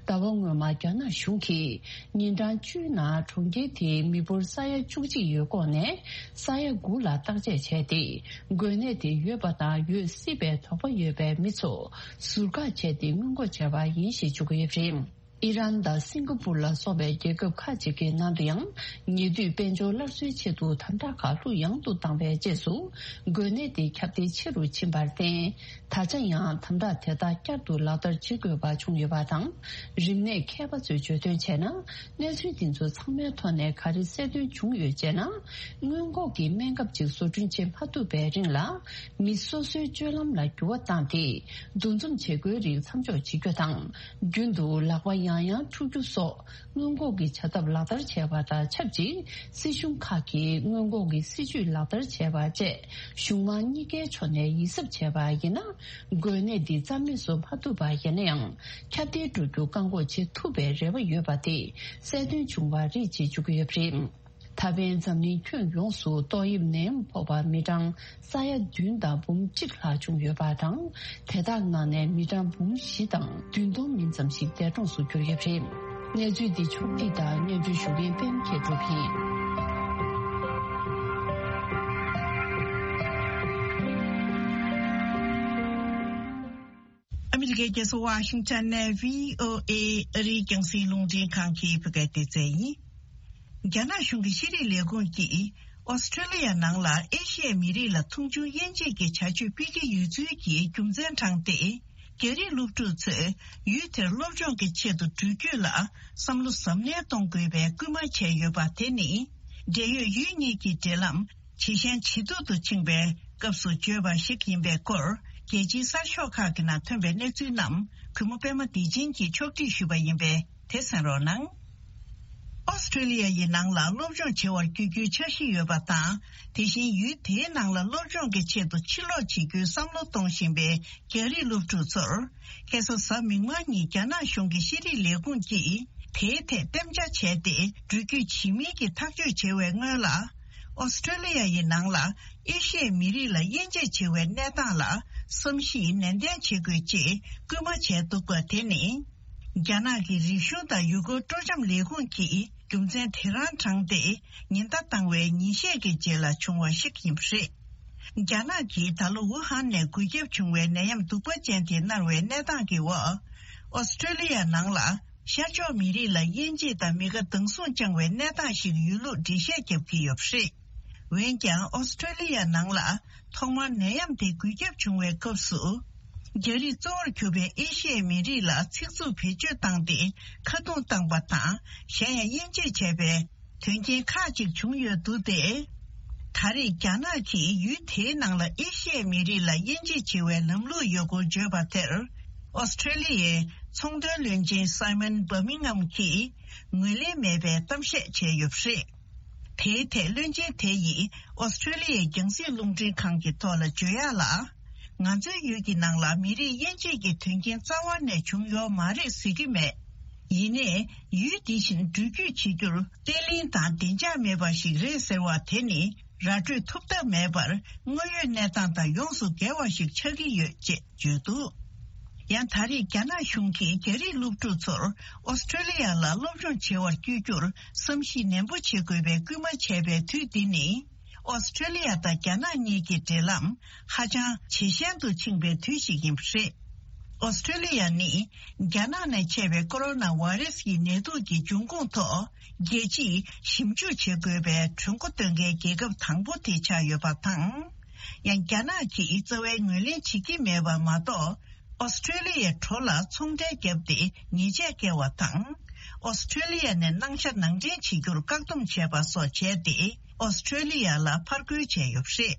ཟླ་བ་སྔོན་མ་རྒྱ་ནག་གཞུང་གིས་ཉིན་གྲངས་བཅུའི་ནང་གྲོང་ཁྱེར་དེའི་མི་འབོར་ས་ཡ་བཅུ་གཅིག་ཡོད་སྐོར་ནས་ས་ཡ་དགུ་ལ་བརྟག་དཔྱད་བྱས་ཏེ། འགོས་ནད་དེ་ཡོད་པ་དང་ཡོད་སྲིད་པའི་དོགས་པ་ཡོད་པའི་མི་ཚོ་ཟུར་བཀག་བྱས་ཏེ་སྔོན་འགོག་བྱས་པ་ཡིན་ཞེས་བརྗོད་ཀྱི་ཡོད་པ་རེད། ཨི་རན་དང་སིང་ག་པུར་ལ་སོགས་པའི་རྒྱལ་ཁབ་ཁག་ཅིག་གི་ནང་དུ་ཡང་། ཉེ་དུས་དཔལ་འབྱོར་སླར་གསོའི་ཆེད་དུ་དམ་དྲག་ཁག་ལྷུག་ཡངས་དུ་བཏང་བའི་རྗེས་སུ། འགོས་ནད་དེ་ཁྱབ་གདལ་ཆེ་རུ་ཕྱིན་པར་བརྟེན། ད་ཆ་ཡང་དམ་དྲག་དེ་དག་བསྐྱར་དུ་ལག་བསྟར་བྱེད་དགོས་པ་བྱུང་ཡོད་པ་དང་། རིམས་ནད་མཁས་པ་ཚོས་བརྗོད་དོན་བྱས་ན། གནས་ཚུལ་འདི་ཚོ་ཚང་མའི་ཐོག་ནས་ག་རེ་གསལ་སྟོན་བྱུང་ཡོད་ཅེ་ན། སྔོན་འགོག་གི་སྨན་ཁབ་ཅིག་བཟོ་སྐྲུན་བྱེད་མ་ཐུབ་པའི་རིང་ལ། མི་སོ་སོའི་སྤྱོད་ལམ་ལ་འགྱུར་བ་བཏང་སྟེ། འདུ་འཛོམས་བྱེད་སྒོའི་རིགས་མཚམས་འཇོག་བྱེད་རྒྱུ་དང་། རྒྱུན་དུ་ལག་པ་ཡང་ ཡང་འཁྲུག་རྒྱུ་སོགས་སྔོན་འགོག་གི་བྱ་ཐབས་ལག་བསྟར་བྱས་པ་དང་ཆབས་ཅིག་སྲིད་གཞུང་ཁག་གིས་སྔོན་འགོག་གི་སྲིད་ཇུས་ལག་བསྟར་བྱས་པ་བཅས་གཞུང་མང་གཉིས་ཀའི་ཕྱོགས་ནས་ཡིད་གཟབ་བྱས་པ་ཡིན་ན། འགོས་ནད་འདི་རྩ་མེད་བཟོ་མ་ཐུབ་པ་ཡིན་ན་ཡང་ཁྱབ་གདལ་འགྲོ་རྒྱུ་བཀག་འགོག་བྱེད་ཐུབ་པའི་རེ་བ་ཡོད་པ་དེ་གསལ་སྟོན་བྱུང་བ་རེད་ཅེས་བརྗོད་ཀྱི་ཡོད་པ་རེད། ད་ཕན་འཛམ་གླིང་ཁྱོན་ཡོངས་སུ་ཏོག་དབྱིབས་ནད་ཡམས་ཕོག་པ་མི་གྲངས་ས་ཡ་བདུན་དང་འབུམ་གཅིག་ལྷག་བྱུང་ཡོད་པ་དང་། དེ་དག་ནང་ནས་མི་གྲངས་འབུམ་བཞི་དང་བདུན་སྟོང་མིན་ཙམ་ཞིག་འདས་གྲོངས་སུ་གྱུར་ཡོད་པ་རེད། གནས་ཚུལ་འདི་ཕྱོགས་བསྒྲིགས་དང་སྙན་སྒྲོན་ཞུ་མཁན་པད་མ་མཁས་གྲུབ་ཡིན། ཨ་མི་རི་ཀའི་རྒྱལ་ས་ཝ་ཤིང་ཊོན་ནས་བྷི་ཨོ་ཨེ་ཨ་རིའི་རྒྱང་སྲིང་རླུང་འཕྲིན་ཁང་གི་བོད་སྐད་སྡེ་ཚན་ཡིན། རྒྱ་ནག་གཞུང་གི་ཤེས་རིག་ལས་ཁུངས་ཀྱིས་ཨོ་སི་ཀྲོ་ལི་ཡ་ནང་ལ་ཨེ་ཤི་ཡའི་མི་རིགས་ལ་མཐོང་ཆུང་དབྱེ་འབྱེད་ཀྱི་བྱ་སྤྱོད་སྤེལ་གྱི་ཡོད་ཚུལ་གྱི་རྒྱུ་མཚན་དྲངས་ཏེ། རྒྱ་རིགས་སློབ་ཕྲུག་ཚོས་ཡུལ་དེར་སློབ་སྦྱོང་གི་ཆེད་དུ་འགྲུལ་སྐྱོད་ལ་བསམ་བློ་གཟབ་ནན་གཏོང་དགོས་པའི་སྐུལ་མ་བྱས་ཡོད་པ་དེ་ནི། འབྲེལ་ཡོད་ཡུལ་གཉིས་ཀྱི་འབྲེལ་ལམ་ཇེ་ཞན་ཇེ་སྡུག་ཏུ་ཕྱིན་པའི་སྐབས་སུ་བརྗོད་པ་ཞིག་ཡིན་པའི་སྐོར། རྒྱལ་སྤྱིའི་གསར་ཤོག་ཁག་གི་ནང་ཐོན་པའི་གནས་ཚུལ་རྣམས་གུས་མོ་པད་མ་བདེ་ཆེན་གྱིས་ཕྱོགས་སྒྲིག་ཞུས་པ་ཡིན་པས། དེ་གསན་རོགས་གནང་། ཨོ་སི་ཀྲོ་ལི་ཡ་ཡི་ནང་ལ་སློབ་སྦྱོང་བྱེད་པར་བསྐྱོད་རྒྱུའི་འཆར་གཞི་ཡོད་པ་དང་། དེ་བཞིན་ཡུལ་དེའི་ནང་ལ་སློབ་སྦྱོང་གི་ཆེད་དུ་ཕྱིར་ལོག་བྱེད་རྒྱུའི་བསམ་བློ་གཏོང་བཞིན་པའི་རྒྱ་རིགས་སློབ་ཕྲུག་ཚོར། ཁ་སང་གཟའ་མིག་དམར་ཉིན་རྒྱ་ནག་གཞུང་གི་ཤེས་རིག་ལས་ཁུངས་ཀྱིས་དེའི་ཐད་གཏན་འཇགས་བྱས་ཏེ། འགྲུལ་སྐྱོད་བྱེད་མིན་གྱི་ཐག་གཅོད་བྱེད་པའི་སྔོན་ལ། ཨོ་སི་ཀྲོ་ལི་ཡ་ཡི་ནང་ལ་ཨེ་ཤི་ཡའི་མི་རིགས་ལ་དབྱེ་འབྱེད་བྱེད་པའི་གནས་སྟངས་ལ་བསམ་གཞིག་ནན་ཏན་བྱེད་དགོས་ཅེས་སྐུལ་མ་བྱས་འདུག་པ་དེ་ནི། རྒྱ་ནག་གི་རིག་གཞུང་དང་ཡུལ་སྐོར་སྤྲོ་འཆམ་ལས་ཁུངས་ཀྱིས་རྒྱུ་མཚན་དེ་རང་དྲངས་ཏེ། ཉེན་བརྡ་བཏང་བའི་ཉིན་ཤས་ཀྱི་རྗེས་ལ་བྱུང་བ་ཞིག་ཡིན་པ་རེད། རྒྱ་ནག་གིས་ད་ལོ་ཝུ་ཧན་ནས་འགོས་ཁྱབ་བྱུང་བའི་ནད་ཡམས་གདུག་པ་ཅན་དེ་མནར་བའི་གནས་སྟངས་ཀྱི་འོག་ཨོ་སི་ཀྲོ་ལི་ཡ་ནང་ལ་ཤར་ཕྱོགས་མི་རིགས་ལ་དབྱེ་འབྱེད་དང་མི་དགའ་སྡང་ཟུག་བཅངས་པའི་གནས་སྟངས་ཤིག་ཡོད་ལུགས་འགྲེལ་བཤད་བརྒྱབ་ཀྱི་ཡོད་པ་རེད། འོན་ཀྱང་ཨོ་སི་ཀྲོ་ལི་ཡ་ནང་ལ་ཐོག་མར་ནད་ཡམས་དེ་འགོས་ཁྱབ་བྱུང་བའི་སྐབས་སུ། རྒྱ་རིགས་གཙོ་བོར་གྱུར་པའི་ཨེ་ཤི་ཡའི་མི་རིགས་ལ་ཚིག་རྩུབ་བེད་སྤྱོད་བཏང་སྟེ་ཁ་རྡུང་བཏང་པ་དང་། གཞན་ཡང་དབྱེ་འབྱེད་བྱས་པའི་དོན་རྐྱེན་ཁག་ཅིག་བྱུང་ཡོད་འདུག་སྟེ། ད་རེས་རྒྱ་ནག་གིས་ཡུལ་དེའི་ནང་ལ་ཨེ་ཤི་ཡའི་མི་རིགས་ལ་དབྱེ་འབྱེད་བྱེད་པའི་ལམ་ལུགས་ཡོད་སྐོར་བརྗོད་པ་དེར། ཨོ་སི་ཀྲོ་ལི་ཡའི་ཚོང་དོན་བློན་ཆེན་སའི་མོན་བྷར་མིང་ཧམ་གྱིས་ངོས་ལེན་མེད་པའི་གཏམ་བཤད་བྱས་ཡོད་པ་རེད། དེའི་ཐད་བློན་ཆེན་དེ་ཡིས་ཨོ་སི་ཀྲོ་ལི་ཡའི་རྒྱང་སྲིང་རླུང་འཕྲིན་ཁང་གི་ཐོག་ལ་བརྗོད་ཡག་ལ། ང་ཚོའི་ཡུལ་གྱི་ནང་ལ་མི་རིགས་དབྱེ་འབྱེད་ཀྱི་དོན་རྐྱེན་རྩ་བ་ནས་བྱུང་ཡོད་མ་རེད་ཟེར་གྱི་མེད། ཡིན་ནའི་ཡུལ་འདི་བཞིན་འགྲུལ་སྐྱོད་བྱེད་རྒྱུར་བརྟན་བརླིང་དང་བདེ་འཇགས་མེད་པ་ཞིག་རེད་ཟེར་བ་དེ་ནི་ར་སྤྲོད་ཐུབ་ཐབས་མེད་པར་དངོས་ཡོད་གནས་སྟངས་དང་ཡོངས་སུ་འགལ་བ་ཞིག་ཆགས་ཀྱི་ཡོད་ཅེས་བརྗོད་འདུག་ཡང་ད་རེས་རྒྱ་ནག་གཞུང་གིས་རྒྱ་རིགས་སློབ་ཕྲུག་ཚོར་ཨོ་སི་ཀྲོ་ལི་ཡ་ལ་སློབ་སྦྱོང་བྱེད་པར་བསྐྱོད་རྒྱུར་བསམ་གཞིག་ནན་པོ་བྱེད་དགོས་པའི་སྐུལ་མ་བྱས་པའི་དུས་འདི་ནི། ཨོ་སི་ཀྲོ་ལི་ཡ་དང་རྒྱ་ནག་གཉིས་ཀྱི་འབྲེལ་ལམ་ཧ་ཅང་ཇེ་ཞན་དུ་ཕྱིན་པའི་དུས་ཤིག་ཡིན་པ་རེད། ཨོ་སི་ཀྲོ་ལི་ཡ་ནི་རྒྱ་ནག་ནས་མཆེད་པའི་ཀོ་རོ་ན་བྷ་རེ་སི་ཡི་ནད་དུག་གི་འབྱུང་ཁུངས་ཐོག་རྒྱལ་སྤྱིས་ཞིབ་འཇུག་བྱེད་དགོས་པའི་གྲོས་འགོ་འདོན་མཁན་རྒྱལ་ཁབ་དང་པོ་དེ་ཆགས་ཡོད་པ་དང་། ཡང་རྒྱ་ནག་གིས་རྩ་བའི་ངོས་ལེན་བྱེད་ཀྱི་མེད་པ་མ་གཏོགས། ཨོ་སི་ཀྲོ་ལི་ཡའི་གྲོ་ལ་ཚོང་འབྲེལ་བརྒྱབ་སྟེ་ཉེས་ཆད་བཀལ་བ་དང་། ཨོ་སི་ཀྲོ་ལི་ཡ་ནས་གནང་ཤ་ནང་འདྲེན་བྱེད་རྒྱུར་བཀག་སྡོམ་བྱས་པ་སོགས་བྱས་ཏེ། ཨོ་སི་ཀྲོ་ལི་ཡ་ལ་ཕར་རྒོལ་བྱས་ཡོད་པ་རེད།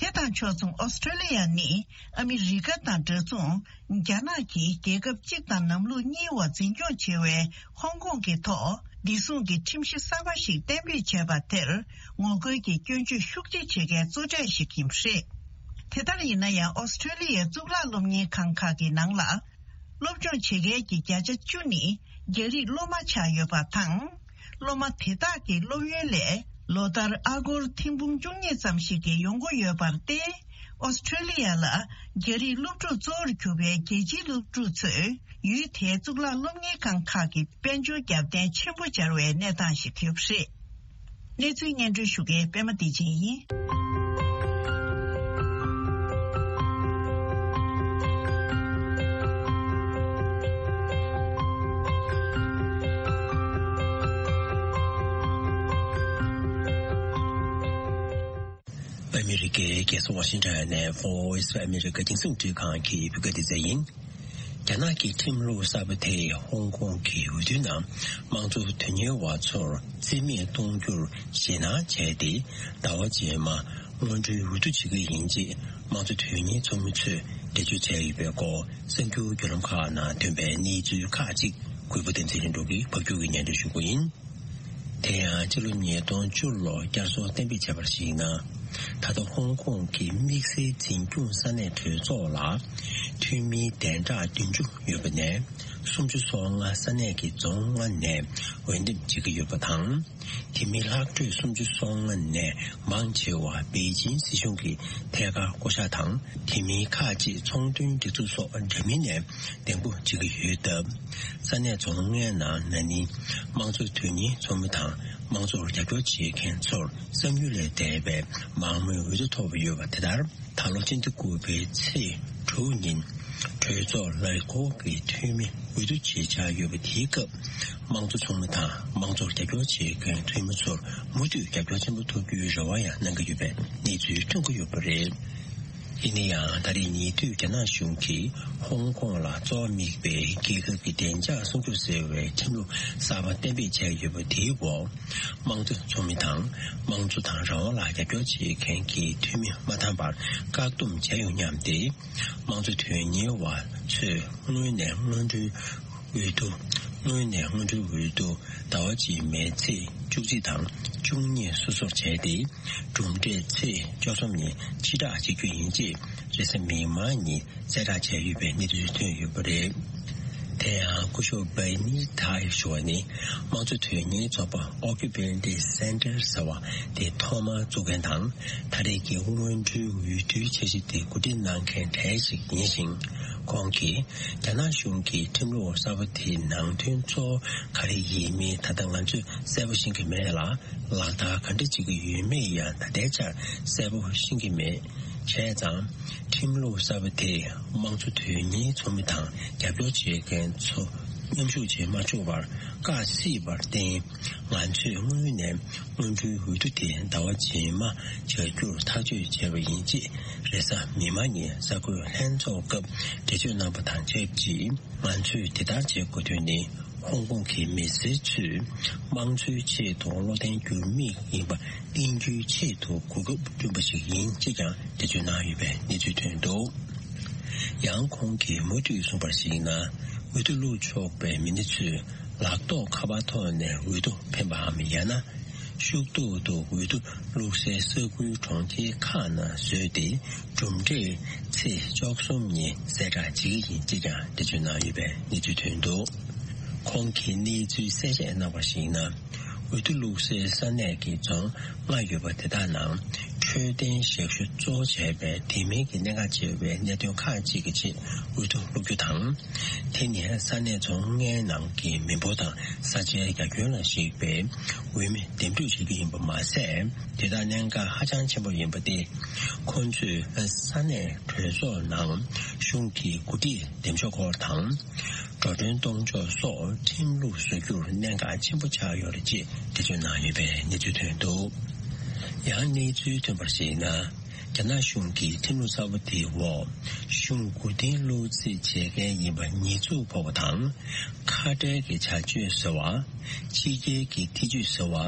དེ་དང་ཕྱོགས་མཚུངས་ཨོ་སི་ཀྲོ་ལི་ཡ་ནི་ཨ་མི་རི་ཀ་དང་འདྲ་མཚུངས། རྒྱ་ནག་གིས་རྒྱལ་ཁབ་གཅིག་དང་ལམ་ལུགས་གཉིས་འོག་འཛིན་སྐྱོང་བྱེད་པའི་ཧོང་ཀོང་གི་ཐོག་བདེ་སྲུང་གི་ཁྲིམས་གཞི་གསར་པ་ཞིག་གཏན་འབེབས་བྱས་པ་དེར་ངོ་རྒོལ་གྱི་སྐྱོན་བརྗོད་ཤུགས་ཆེ་བྱེད་མཁན་གཙོ་གྲས་ཤིག་ཡིན་པ་རེད། དེ་ལྟར་ཡིན་ན་ཡང་ཨོ་སི་ཀྲོ་ལི་ཡའི་གཙུག་ལག་སློབ་གཉེར་ཁང་ཁག་གི་ནང་ལ། སློབ་སྦྱོང་བྱེད་མཁན་གྱི་བརྒྱ་ཆ་བཅུ་ནི་རྒྱ་རིགས་སློབ་མ་ཆགས་ཡོད་པ་དང་། སློབ་མ་དེ་དག་གི་སློབ་ཡོན་ལས་ལོ་ལྟར་ཨ་སྒོར་ཐེར་འབུམ་བཅུ་གཉིས་ཙམ་ཞིག་གི་ཡོང་སྒོ་ཡོད་པར་བརྟེན། ཨོ་སི་ཀྲོ་ལི་ཡ་ལ་རྒྱ་རིགས་སློབ་ཕྲུག་གཙོ་བོར་གྱུར་པའི་རྒྱལ་སྤྱིའི་སློབ་ཕྲུག་ཚོས་ཡུལ་དེའི་གཙུག་ལག་སློབ་གཉེར་ཁང་ཁག་གི་དཔལ་འབྱོར་རྒྱབ་རྟེན་ཆེན་པོ་སྦྱར་བའི་གནས་སྟངས་ཤིག་ཡོད་པ་རེད། གནས་ཚུལ་སྙན་སྒྲོན་ཞུ་མཁན་པད་མ་བདེ་ཆེན་ཡིན། ཨ་མི་རི་ཀའི་རྒྱལ་ས་ཝ་ཤིང་ཊོན་ནས་Voice of America རྒྱང་སྲིང་རླུང་འཕྲིན་ཁང་གི་བོད་སྐད་སྡེ་ཚན་ཡིན། རྒྱ་ནག་གི་ཁྲིམས་ལུགས་གསར་པ་དེས་ཧོང་ཀོང་གི་འོས་བསྡུའི་ནང་དམངས་གཙོ་དོན་གཉེར་བ་ཚོར་རྩིས་མེད་གཏོང་རྒྱུར་ཞེད་སྣང་བྱས་ཏེ། ཟླ་བ་རྗེས་མ་སྔོན་འགྲོའི་འོས་བསྡུ་བྱེད་ཀྱི་ཡིན་ཅེས་དམངས་གཙོ་དོན་གཉེར་ཚོགས་མི་ཚོས་འགྲེལ་བརྗོད་བྱས་ཡོད་པའི་སྐོར། གསར་འགྱུར་བརྒྱུད་ལམ་ཁག་ནང་ཐོན་པའི་གནས་ཚུལ་ཁག་ཅིག་ གུས་པ་བསྟན་འཛིན་ལྷུན་གྲུབ་ཀྱིས་ཕབ་སྒྱུར་གྱིས་སྙན་སྒྲོན་ཞུ་གི་ཡིན། དེ་ཡང་ཕྱི་ལོ་ཉིས་སྟོང་བཅུ་ལོར་བསྐྱར་གསོ་གཏན་འབེབས་བྱས་པར་གཞིགས་ན། ད་ལྟ་ཧོང་ཀོང་གི་དམིགས་བསལ་འཛིན་སྐྱོང་ས་གནས་གྲོས་ཚོགས་ལ་འཐུས་མིའི་གདན་ཕྲག་བདུན་ཅུ་ཡོད་པ་ནས། སུམ་ཅུ་སོ་ལྔ་ས་གནས་ཀྱི་རྫོང་ལྔ་ནས་འོས་འདེམས་བྱེད་ཀྱི་ཡོད་པ་དང་། དེ་མིན་ལྷག་འཕྲོས་སུམ་ཅུ་སོ་ལྔ་ནས་མང་ཆེ་བ་པེ་ཅིན་སྲིད་གཞུང་གི་ཐད་ཀར་བསྐོ་གཞག་དང་། དེ་མིན་ཁག་ཅིག་ཚོང་དོན་སྒྲིག་འཛུགས་སོགས་འདྲ་མིན་ནས་གདན་འཁུར་བྱེད་ཀྱི་ཡོད་སྟབས། ས་གནས་རྫོང་ལྔའི་ནང་ན་ནིང་དམངས་གཙོ་དོན་གཉེར་ཚོགས་མི་དང་དམངས་གཙོར་རྒྱབ་སྐྱོར་བྱེད་མཁན་ཚོར་བསམ་ཡུལ་ལས་འདས་པའི་མང་མོས་འོས་བསྡུ་ཐོབ་ཡོད་པ་དེ་ལྟར། ད་ལོ་སྤྱི་ཟླ་དགུ་པའི་ཚེས་དྲུག་ཉིན་གྲོས་ཚོགས་ལས་འཁོར་གྱི་འཐུས་མི་འོས་བསྡུ་བྱེད་འཆར་ཡོད་པ་དེའི་སྐབས། དམངས་གཙོ་ཚོགས་མི་དང་དམངས་གཙོར་རྒྱབ་སྐྱོར་བྱེད་མཁན་འཐུས་མི་ཚོར་མུ་མཐུད་རྒྱབ་སྐྱོར་ཆེན་པོ་ཐོབ་རྒྱུའི་རེ་བ་ཡང་གནང་གི་ཡོད་པའི་གནས་ཚུལ་ཐོན་གྱི་ཡོད་པ་རེད། ཡིན་ན་ཡང་། ད་རེས་ཉེ་དུས་རྒྱ་ནག་གཞུང་གིས་ཧོང་ཀོང་ལ་གཙོ་བོ་དམིགས་པའི་རྒྱལ་ཁབ་ཀྱི་བདེ་འཇགས་སྲུང་སྐྱོབ་ཟེར་བའི་ཁྲིམས་ལུགས་གསར་པ་གཏན་འབེབས་བྱས་ཡོད་པ་དེའི་འོག་དམངས་གཙོ་ཚོགས་མི་དང་དམངས་གཙོ་དང་རང་དབང་ལ་རྒྱབ་སྐྱོར་བྱེད་མཁན་གྱི་འཐུས་མི་མ་འདང་བར་བཀག་སྡོམ་བྱས་ཡོང་སྙམ་སྟེ། དམངས་གཙོ་དོན་གཉེར་བ་ཚོས་སྔོན་ནས་སྔོན་འགྲོའི་འོས་བསྡུ། སྔོན་ནས་སྔོན་འགྲོའི་འོས་བསྡུ་ཟླ་བ་གཅིག་མའི་ཚེས་བཅུ་གཅིག་དང་བཅུ་གཉིས་སོ་སོར་བྱས་ཏེ། གྲུབ་འབྲས་ཚེས་བཅུ་གསུམ་ཉིན་ཕྱིར་བསྒྲགས་བྱེད་རྒྱུ་ཡིན་ཅེས་རེས་གཟའ་མིག་དམར་ཉིན་གསལ་བསྒྲགས་བྱས་ཡོད་པའི་གནས་ཚུལ་ཐོན་ཡོད་པ་རེད། དེ་ཡང་སྐུ་ཞབས་བྷེ་ནི་ཐའི་ཞུ་བ་ནི། དམངས་གཙོ་དོན་གཉེར་ཚོགས་པ་Occupante Center ཟེར་བ་དེ་ཐོག་མར་བཙུགས་མཁན་དང་། ད་རེས་ཀྱི་སྔོན་འགྲོའི་འོས་བསྡུའི་འཆར་གཞི་དེ་གོ་སྒྲིག་གནང་མཁན་གྲས་ཤིག་ཡིན་ཞིང་། ཁོང་གིས་རྒྱ་ནག་གཞུང་གི་ཁྲིམས་ལུགས་གསར་པ་དེའི་ནང་དོན་གཙོ་བོ་ག་རེ་ཡིན་མིན་ད་ལྟ་ང་ཚོས་གསལ་པོ་ཤེས་ཀྱི་མེད་ལ། ལག་བསྟར་ག་འདྲ་བྱེད་ཀྱི་ཡོད་མེད་ཡང་ད་ལྟའི་ཆར་གསལ་པོ་ཤེས་ཀྱི་མེད། བྱས་ཙང་། ཁྲིམས་ལུགས་གསར་པ་དེས་དམངས་གཙོ་དོན་གཉེར་ཚོགས་མི་དང་རྒྱབ་སྐྱོར་བྱེད་མཁན་ཚོ་མཉམ་ཞུགས་བྱེད་མ་ཆོག་པར་བཀག་སྲིད་པར་བརྟེན། ང་ཚོས་སྔོན་ནས་སྔོན་འགྲོའི་འོས་བསྡུ་དེ་ཟླ་བ་རྗེས་མ་བྱ་རྒྱུར་ཐག་གཅོད་བྱས་པ་ཡིན་ཅེས་རེས་གཟའ་མིག་དམར་ཉིན་གསར་འགོད་ལྷན་ཚོགས་སྐབས་འགྲེལ་བརྗོད་གནང་པ་དང་ཆབས་ཅིག་ང་ཚོས་དེ་ལྟར་བྱེད་དགོས་དོན་ནི། ཧོང་ཀོང་གི་མི་སེར་ཚོས་དམངས་གཙོའི་ཆེད་དུ་བློ་བརྟན་འགྱུར་མེད་ཡིན་པ་བསྟན་རྒྱུའི་ཆེད་དུ་གོ་སྐབས་བསྐྲུན་པ་ཞིག་ཡིན་ཅེས་ཀྱང་འགྲེལ་བརྗོད་གནང་ཡོད་པའི་གནས་ཚུལ་ཐོན་འདུག་ཡང་ཁོང་གིས་མུ་མཐུད་གསུངས་པར་གཞིགས་ན། འོས་བསྡུ་བླུག་ཆོག་པའི་མི་སྣ་ཚོས་ལག་ཐོགས་ཁ་པར་ཐོག་ནས་འོས་བསྡུ་འཕེན་པའམ་ཡང་ན། ཤུགས་ཐོག་ཏུ་འོས་བསྡུ་བླུག་སའི་ས་ཁུལ་གྲོང་ཁྱེར་ཁག་ནང་བཟོས་ཏེ། གྲུབ་འབྲས་ཚེས་བཅུ་གསུམ་ཉིན་གསལ་བསྒྲགས་བྱེད་ཀྱི་ཡིན་ཅེས་ཀྱང་འགྲེལ་བརྗོད་གནང་ཡོད་པའི་གནས་ཚུལ་ཐོན་འདུག་ཁོང་གིས་གནས་ཚུལ་གསལ་བཤད་གནང་བར་གཞིགས་ན། འོས་བསྡུ་བླུག་སའི་ས་གནས་ཀྱི་རྫོང་ལྔ་ཡོད་པ་དེ་དག་ནང་འཕྲོད་བསྟེན་ཞབས་ཞུ་གཙོ་བོ་བྱས་པའི་དེ་མིན་གྱི་གནད་འགག་ཆེ་བའི་གནད་དོན་ཁག་ཅིག་གི་ཆེད་འོས་བསྡུ་བླུག་རྒྱུ་དང་། དེ་ནི་ས་གནས་རྫོང་ལྔའི་ནང་གི་མི་འབོར་དང་ས་ཆའི་རྒྱ་ཁྱོན་ལ་གཞིགས་པའི་འོས་མི་འདེམས་སྒྲུག་བྱེད་རྒྱུ་ཡིན་པ་མ་ཟད། དེ་དག་གནད་འགག་ཧ་ཅང་ཆེན་པོ་ཡིན་པ་སྟེ། ཁོང་ཚོས་ས་གནས་གྲོས་ཚོགས་ནང་གཞུང་གི་འགོ་ཁྲིད་འདེམས་ཕྱོགས་སྐོར་དང་། འགྲོ་གྲོན་གཏོང་ཕྱོགས་སོགས་ཁྲིམས་ལུགས་བཟོ་རྒྱུར་གནད་འགག་ཆེན་པོ་ཆགས་ཡོད་རེད་ཅེས་འགྲེལ་བརྗོད་གནང་ཡོད་པའི་གནས་ཚུལ་ཐོན་འདུག་ཡང་གནས་ཚུལ་ཐོན་པར་གཞིགས་ན། རྒྱ་ནག་གཞུང་གིས་ཁྲིམས་ལུགས་གསར་པ་དེའི་འོག་གཞུང་མགོ་རྟིང་བསླུག་རྩིས་བྱེད་མཁན་ཡིན་པ་ཉེས་འཛུགས་ཕོག་པ་དང་། ཁ་བྲལ་གྱི་བྱ་སྤྱོད་ཟེར་བ། ཕྱི་རྒྱལ་གྱི་ཐེ་ཇུས་ཟེར་བ།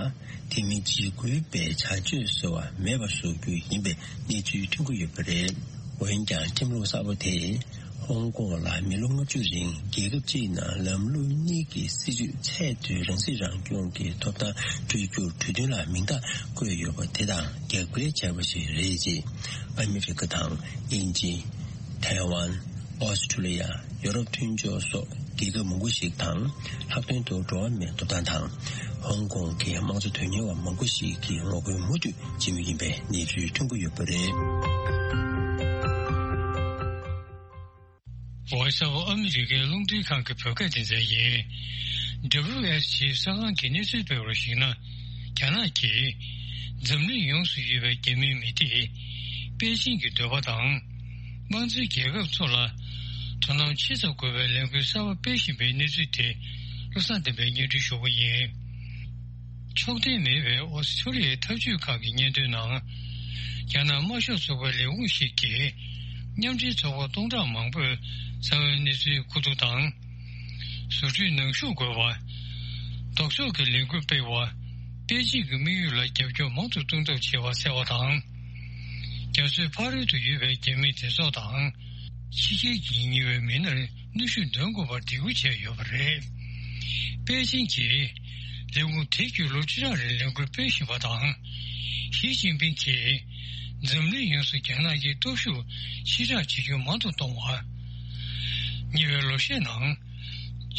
དེ་མིན་འཇིགས་སྐུལ་པའི་བྱ་སྤྱོད་ཟེར་བ་མེད་པར་བཟོ་རྒྱུ་ཡིན་པའི་གནས་ཚུལ་ཐོན་གྱི་ཡོད་པ་རེད། འོན་ཀྱང་ཁྲིམས་ལུགས་གསར་པ་དེས་ཧོང་ཀོང་ལ་མི་ལོ་ལྔ་བཅུ་རིང་རྒྱལ་ཁབ་གཅིག་ནང་ལམ་ལུགས་གཉིས་ཀྱི་སྲིད་བྱུས་ཚད་མཐོའི་རང་སྲིད་རང་སྐྱོང་གི་ཐོབ་ཐང་སྤྲོད་རྒྱུར་གྲོས་མཐུན་ལ་མིང་རྟགས་བཀོད་ཡོད་པ་དེ་དང་རྒྱབ་འགལ་བྱས་པ་ཞིག་རེད་ཅེས་ཨ་མི་རི་ཀ་དང་དབྱིན་ཇི། ཐའེ་ཝན། ཨོ་སི་ཁྲུ་ལི་ཡ། ཡོ་རོབ་མཐུན་ཕྱོགས་སོགས་རྒྱལ་ཁབ་མང་པོ་ཞིག་དང་། ལྷག་དོན་དུ་འགྲོ་བ་མིའི་ཐོབ་ཐང་དང་། ཧོང་ཀོང་གི་དམངས་གཙོ་དོན་གཉེར་བ་མང་པོ་ཞིག་གིས་ངོ་རྒོལ་མུ་མཐུད་བྱེད་མུས་ཡིན་པའི་གནས་ཚུལ་ཐོན་གྱི་ཡོད་པ་རེད། འོ་གསར་པ་ཨ་མི་རི་ཀའི་རླུང་འཕྲིན་ཁང་གི་བོད་སྐད་སྡེ་ཚན་ཡིན། W S G གསར་ཁང་གིས་གནས་ཚུལ་སྤེལ་བར་གཞིགས་ན། རྒྱ་ནག་གིས་འཛམ་གླིང་ཡོངས་སུ་ཡོད་པའི་རྒྱ་མིའི་མི་སྡེ་པེ་ཅིང་གི་འདོད་པ་དང་། དམངས་གཙོའི་རྒྱལ་ཁབ་ཚོ་ལ་དོ་སྣང་ཆེ་ཙམ་དགོས་པའི་ལས་འགུལ་གསར་པ་སྤེལ་བཞིན་པའི་གནས་ཚུལ་དེ་བློ་བཟང་བསྟན་པས་སྙན་སྒྲོན་ཞུ་གི་ཡིན། ཕྱོགས་འཐེན་མེད་པའི་ཨོ་སི་ཁྲུ་ལི་ཡའི་ཐབས་ཇུས་ཁག་གི་སྙན་ཐོའི་ནང་། རྒྱ་ནག་དམར་ཤོག་ཚོགས་པའི་ལས་ཁུངས་ཤིག་གིས་མཉམ་འབྲེལ་ཚོགས་པ་སྟོང་ཕྲག་མང་པོས་གསང་བའི་གནས་ཚུལ་མཁོ་བསྡུ་དང་། བཟོ་སྐྲུན་ནང་ཞུགས་དགོས་པ། ལྡོག་ཕྱོགས་ཀྱི་ལས་འགུལ་སྤེལ་བ། པེ་ཅིང་གི་དམིགས་ཡུལ་ལ་རྒྱབ་སྐྱོར་མང་དུ་གཏོང་ཐབས་བྱེད་པ་གསལ་བ་དང་། རྒྱ་མཚོའི་ཕ་རོལ་དུ་ཡོད་པའི་རྒྱ་མིའི་སྡེ་ཚོགས་དང་། ཕྱི་རྒྱལ་གྱིས་ཉེ་བའི་མི་སྣར་གནོན་ཤུགས་འདོན་དགོས་པར་འདེད་སྐུལ་བྱས་ཡོད་པ་རེད། པེ་ཅིང་གིས་ལས་ཁུངས་དེ་བརྒྱུད་ལོ་ཁྲི་ཕྲག་རིང་ལས་འགུལ་སྤེལ་བཞིན་པ་དང་། ཞི་ཅིན་ཕིང་གིས་འཛམ་གླིང་ཡོངས་སུ་རྒྱ་ནག་གི་སྟོབས་ཤུགས་ཕྱིར་བསྒྲགས་བྱེད་རྒྱུ་མང་དུ་གཏོང་བ། ཉེ་བའི་ལོ་ཤས་ནང་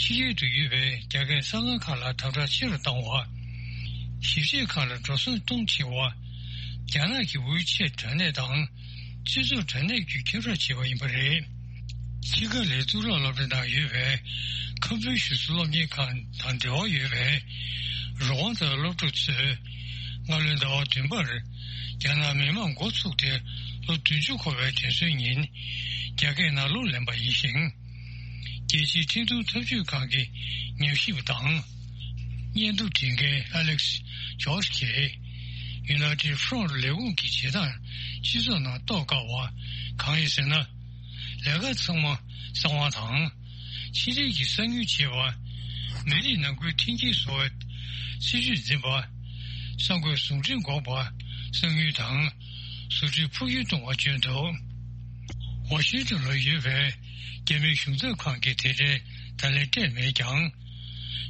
ཕྱི་རྒྱལ་དུ་ཡོད་པའི་རྒྱ་སྐད་གསར་ཁང་ཁག་ལ་དམ་དྲག་ཆེ་རུ་བཏང་བ། ཞིབ་བཤེར་ཁག་ལ་འགྲོ་སོང་གཏོང་ཆེ་བ། རྒྱ་ནག་གི་ཝི་ཆེ་དྲ་གནས་དང་སྤྱི་ཚོགས་དྲ་གནས་བརྒྱུད་ཁྱབ་བསྒྲགས་བྱས་པ་ཡིན་པ་རེད། ཕྱི་དགའ་ལའི་གཙུག་ལག་སློབ་གྲྭའི་ནང་ཡོད་པའི་ཁམ་ཕུའུ་ཞུ་སི་སློབ་གཉེར་ཁང་དང་འབྲེལ་བ་ཡོད་པའི་རོགས་དབང་དང་སློབ་ཕྲུག་ཚོས་སྔ་ལོའི་ཟླ་བ་བདུན་པར་རྒྱ་ནག་མི་དམངས་འགོ་ཚུགས་ཏེ་ལོ་བདུན་ཅུ་འཁོར་བའི་དུས་ཚོད་ཉིན། རྒྱ་སྐད་ནང་གླུ་ལེན་པ་ཡིན་ཞིང་། རྒྱལ་སྤྱིའི་འཕྲིན་གཏོང་འཐབ་ཇུས་ཁང་གི་ཉམས་ཞིབ་པ་དང་། བརྙན་ཐུང་འབྲི་མཁན་Alex Jones གྱིས་United Front ལས་ཁུངས་ཀྱི་བྱེད་སྟངས་སྤྱི་ཚོགས་ནང་རྟོགས་དཀའ་བ་གང་ཡིན་ཟེར་ན། ལས་ཀ་ཚང་མ་གསང་བ་དང་། ཕྱི་འབྲེལ་གྱི་གསང་ཉུལ་བྱེད་པ། མི་རིགས་ནང་ཁུལ་མཐུན་རྐྱེན་བཟོ་བའི་སྲིད་ཇུས་འཛིན་པ། གསར་འགོད་ཟུང་འབྲེལ་འགོག་པ། གསང་ཉུལ་དང་ཟུར་ཁྲིད་འཕོ་འགྱུར་གཏོང་བ་བྱོན་འདུག་ཝ་ཤིང་ཏོན་ལ་ཡོད་པའི་རྒྱ་མིའི་གཞུང་ཚབ་ཁང་གིས་དེ་འབྲེལ་བརྡ་ལན་སྤྲད་མེད་ཀྱང་།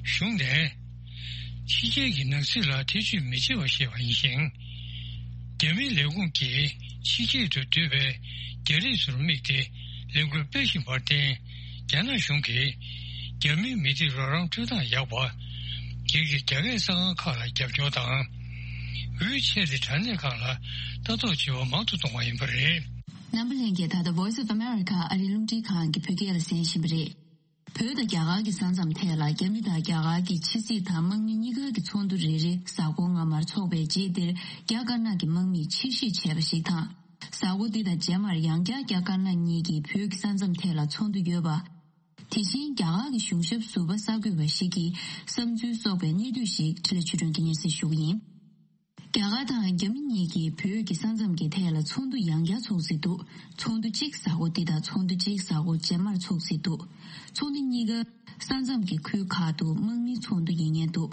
གཞུང་ནས་ཕྱི་རྒྱལ་གྱི་ནང་སྲིད་ལ་ཐེ་བྱུས་མི་བྱེད་པ་ཞེས་པ་ཡིན་ཞིང་། རྒྱ་མིའི་ལས་ཁུངས་ཀྱིས་ཕྱི་རྒྱལ་དུ་སྡོད་པའི་རྒྱ་རིགས་ཚོར་དམིགས་ཏེ་ལས་འགུལ་སྤེལ་བཞིན་པར་བརྟེན། རྒྱ་ནག་གཞུང་གིས་རྒྱ་མིའི་མི་སྡེ་རོགས་རམ་སྤྲོད་སྟངས་ཡག་པ། སྒེར་གྱི་རྒྱ་སྐད་གསར་ཁང་ཁག་ལ་རྒྱབ་སྐྱོར་དང་། ཝི་ཆེ་ཊི་དྲ་གནས་ཁག་ལ་ལྟ་རྟོག་བྱེད་པ་མང་དུ་གཏོང་བ་ཡིན་པ་རེད། རྣམ་པ་ལྷན་རྒྱས། ད་ལྟ་Voice of America ཨ་རིའི་རླུང་འཕྲིན་ཁང་གི་བོད་སྐད་ལ་གསན་བཞིན་པ་རེད། བོད་དང་རྒྱ་གར་གྱི་ས་མཚམས་ཐད་ལ་རྒྱ་མི་དང་རྒྱ་གར་གྱི་ཕྱི་སྲིད་དང་དམག་མི་གཉིས་ཀ་གི་ཚོགས་འདུ་རེ་རེ་གཟའ་འཁོར་སྔ་མར་འཚོགས་པའི་རྗེས། འདིར་རྒྱ་དཀར་ནག་གི་དམག་མིས་ཕྱིར་བཤིག་བྱས་པ་ཞིག་དང་། གཟའ་འཁོར་འདི་དང་རྗེས་མར་ཡང་བསྐྱར་རྒྱ་དཀར་ནག་གཉིས་ཀྱིས་བོད་ཀྱི་ས་མཚམས་ཐད་ལ་ཚོགས་འདུ་ཡོད་པ། དེ་བཞིན་རྒྱ་གར་གྱི་གཞུང་ཞབས་ཟུར་པ་གསར་འགོད་པ་ཞིག་གི་བསམ་ཚུལ་སོགས་པའི་གནས་ཚུལ་ཞིག་འཕྲིན་ལས་ཆོས་སྒྲོན་གྱིས་སྙན་སེང་ཞུ་གི་ཡིན། རྒྱ་གར་དང་རྒྱ་མི་གཉིས་ཀྱིས་བོད་ཀྱི་ས་མཚམས་ཀྱི་ཐད་ལ་ཚོགས་འདུ་ཡང་བསྐྱར་འཚོགས་སྲིད་འདུག་ཚོགས་འདུ་གཅིག་གཟའ་འཁོར་འདི་དང་ཚོགས་འདུ་གཅིག་གཟའ་འཁོར་རྗེས་མར་འཚོགས་སྲིད་འདུག་ཚོགས་འདུ་གཉིས་ཀ་ས་མཚམས་ཀྱི་ཁུལ་ཁག་ཏུ་དམག་མིའི་ཚོགས་འདུ་ཡིན་ངེས་འདུག་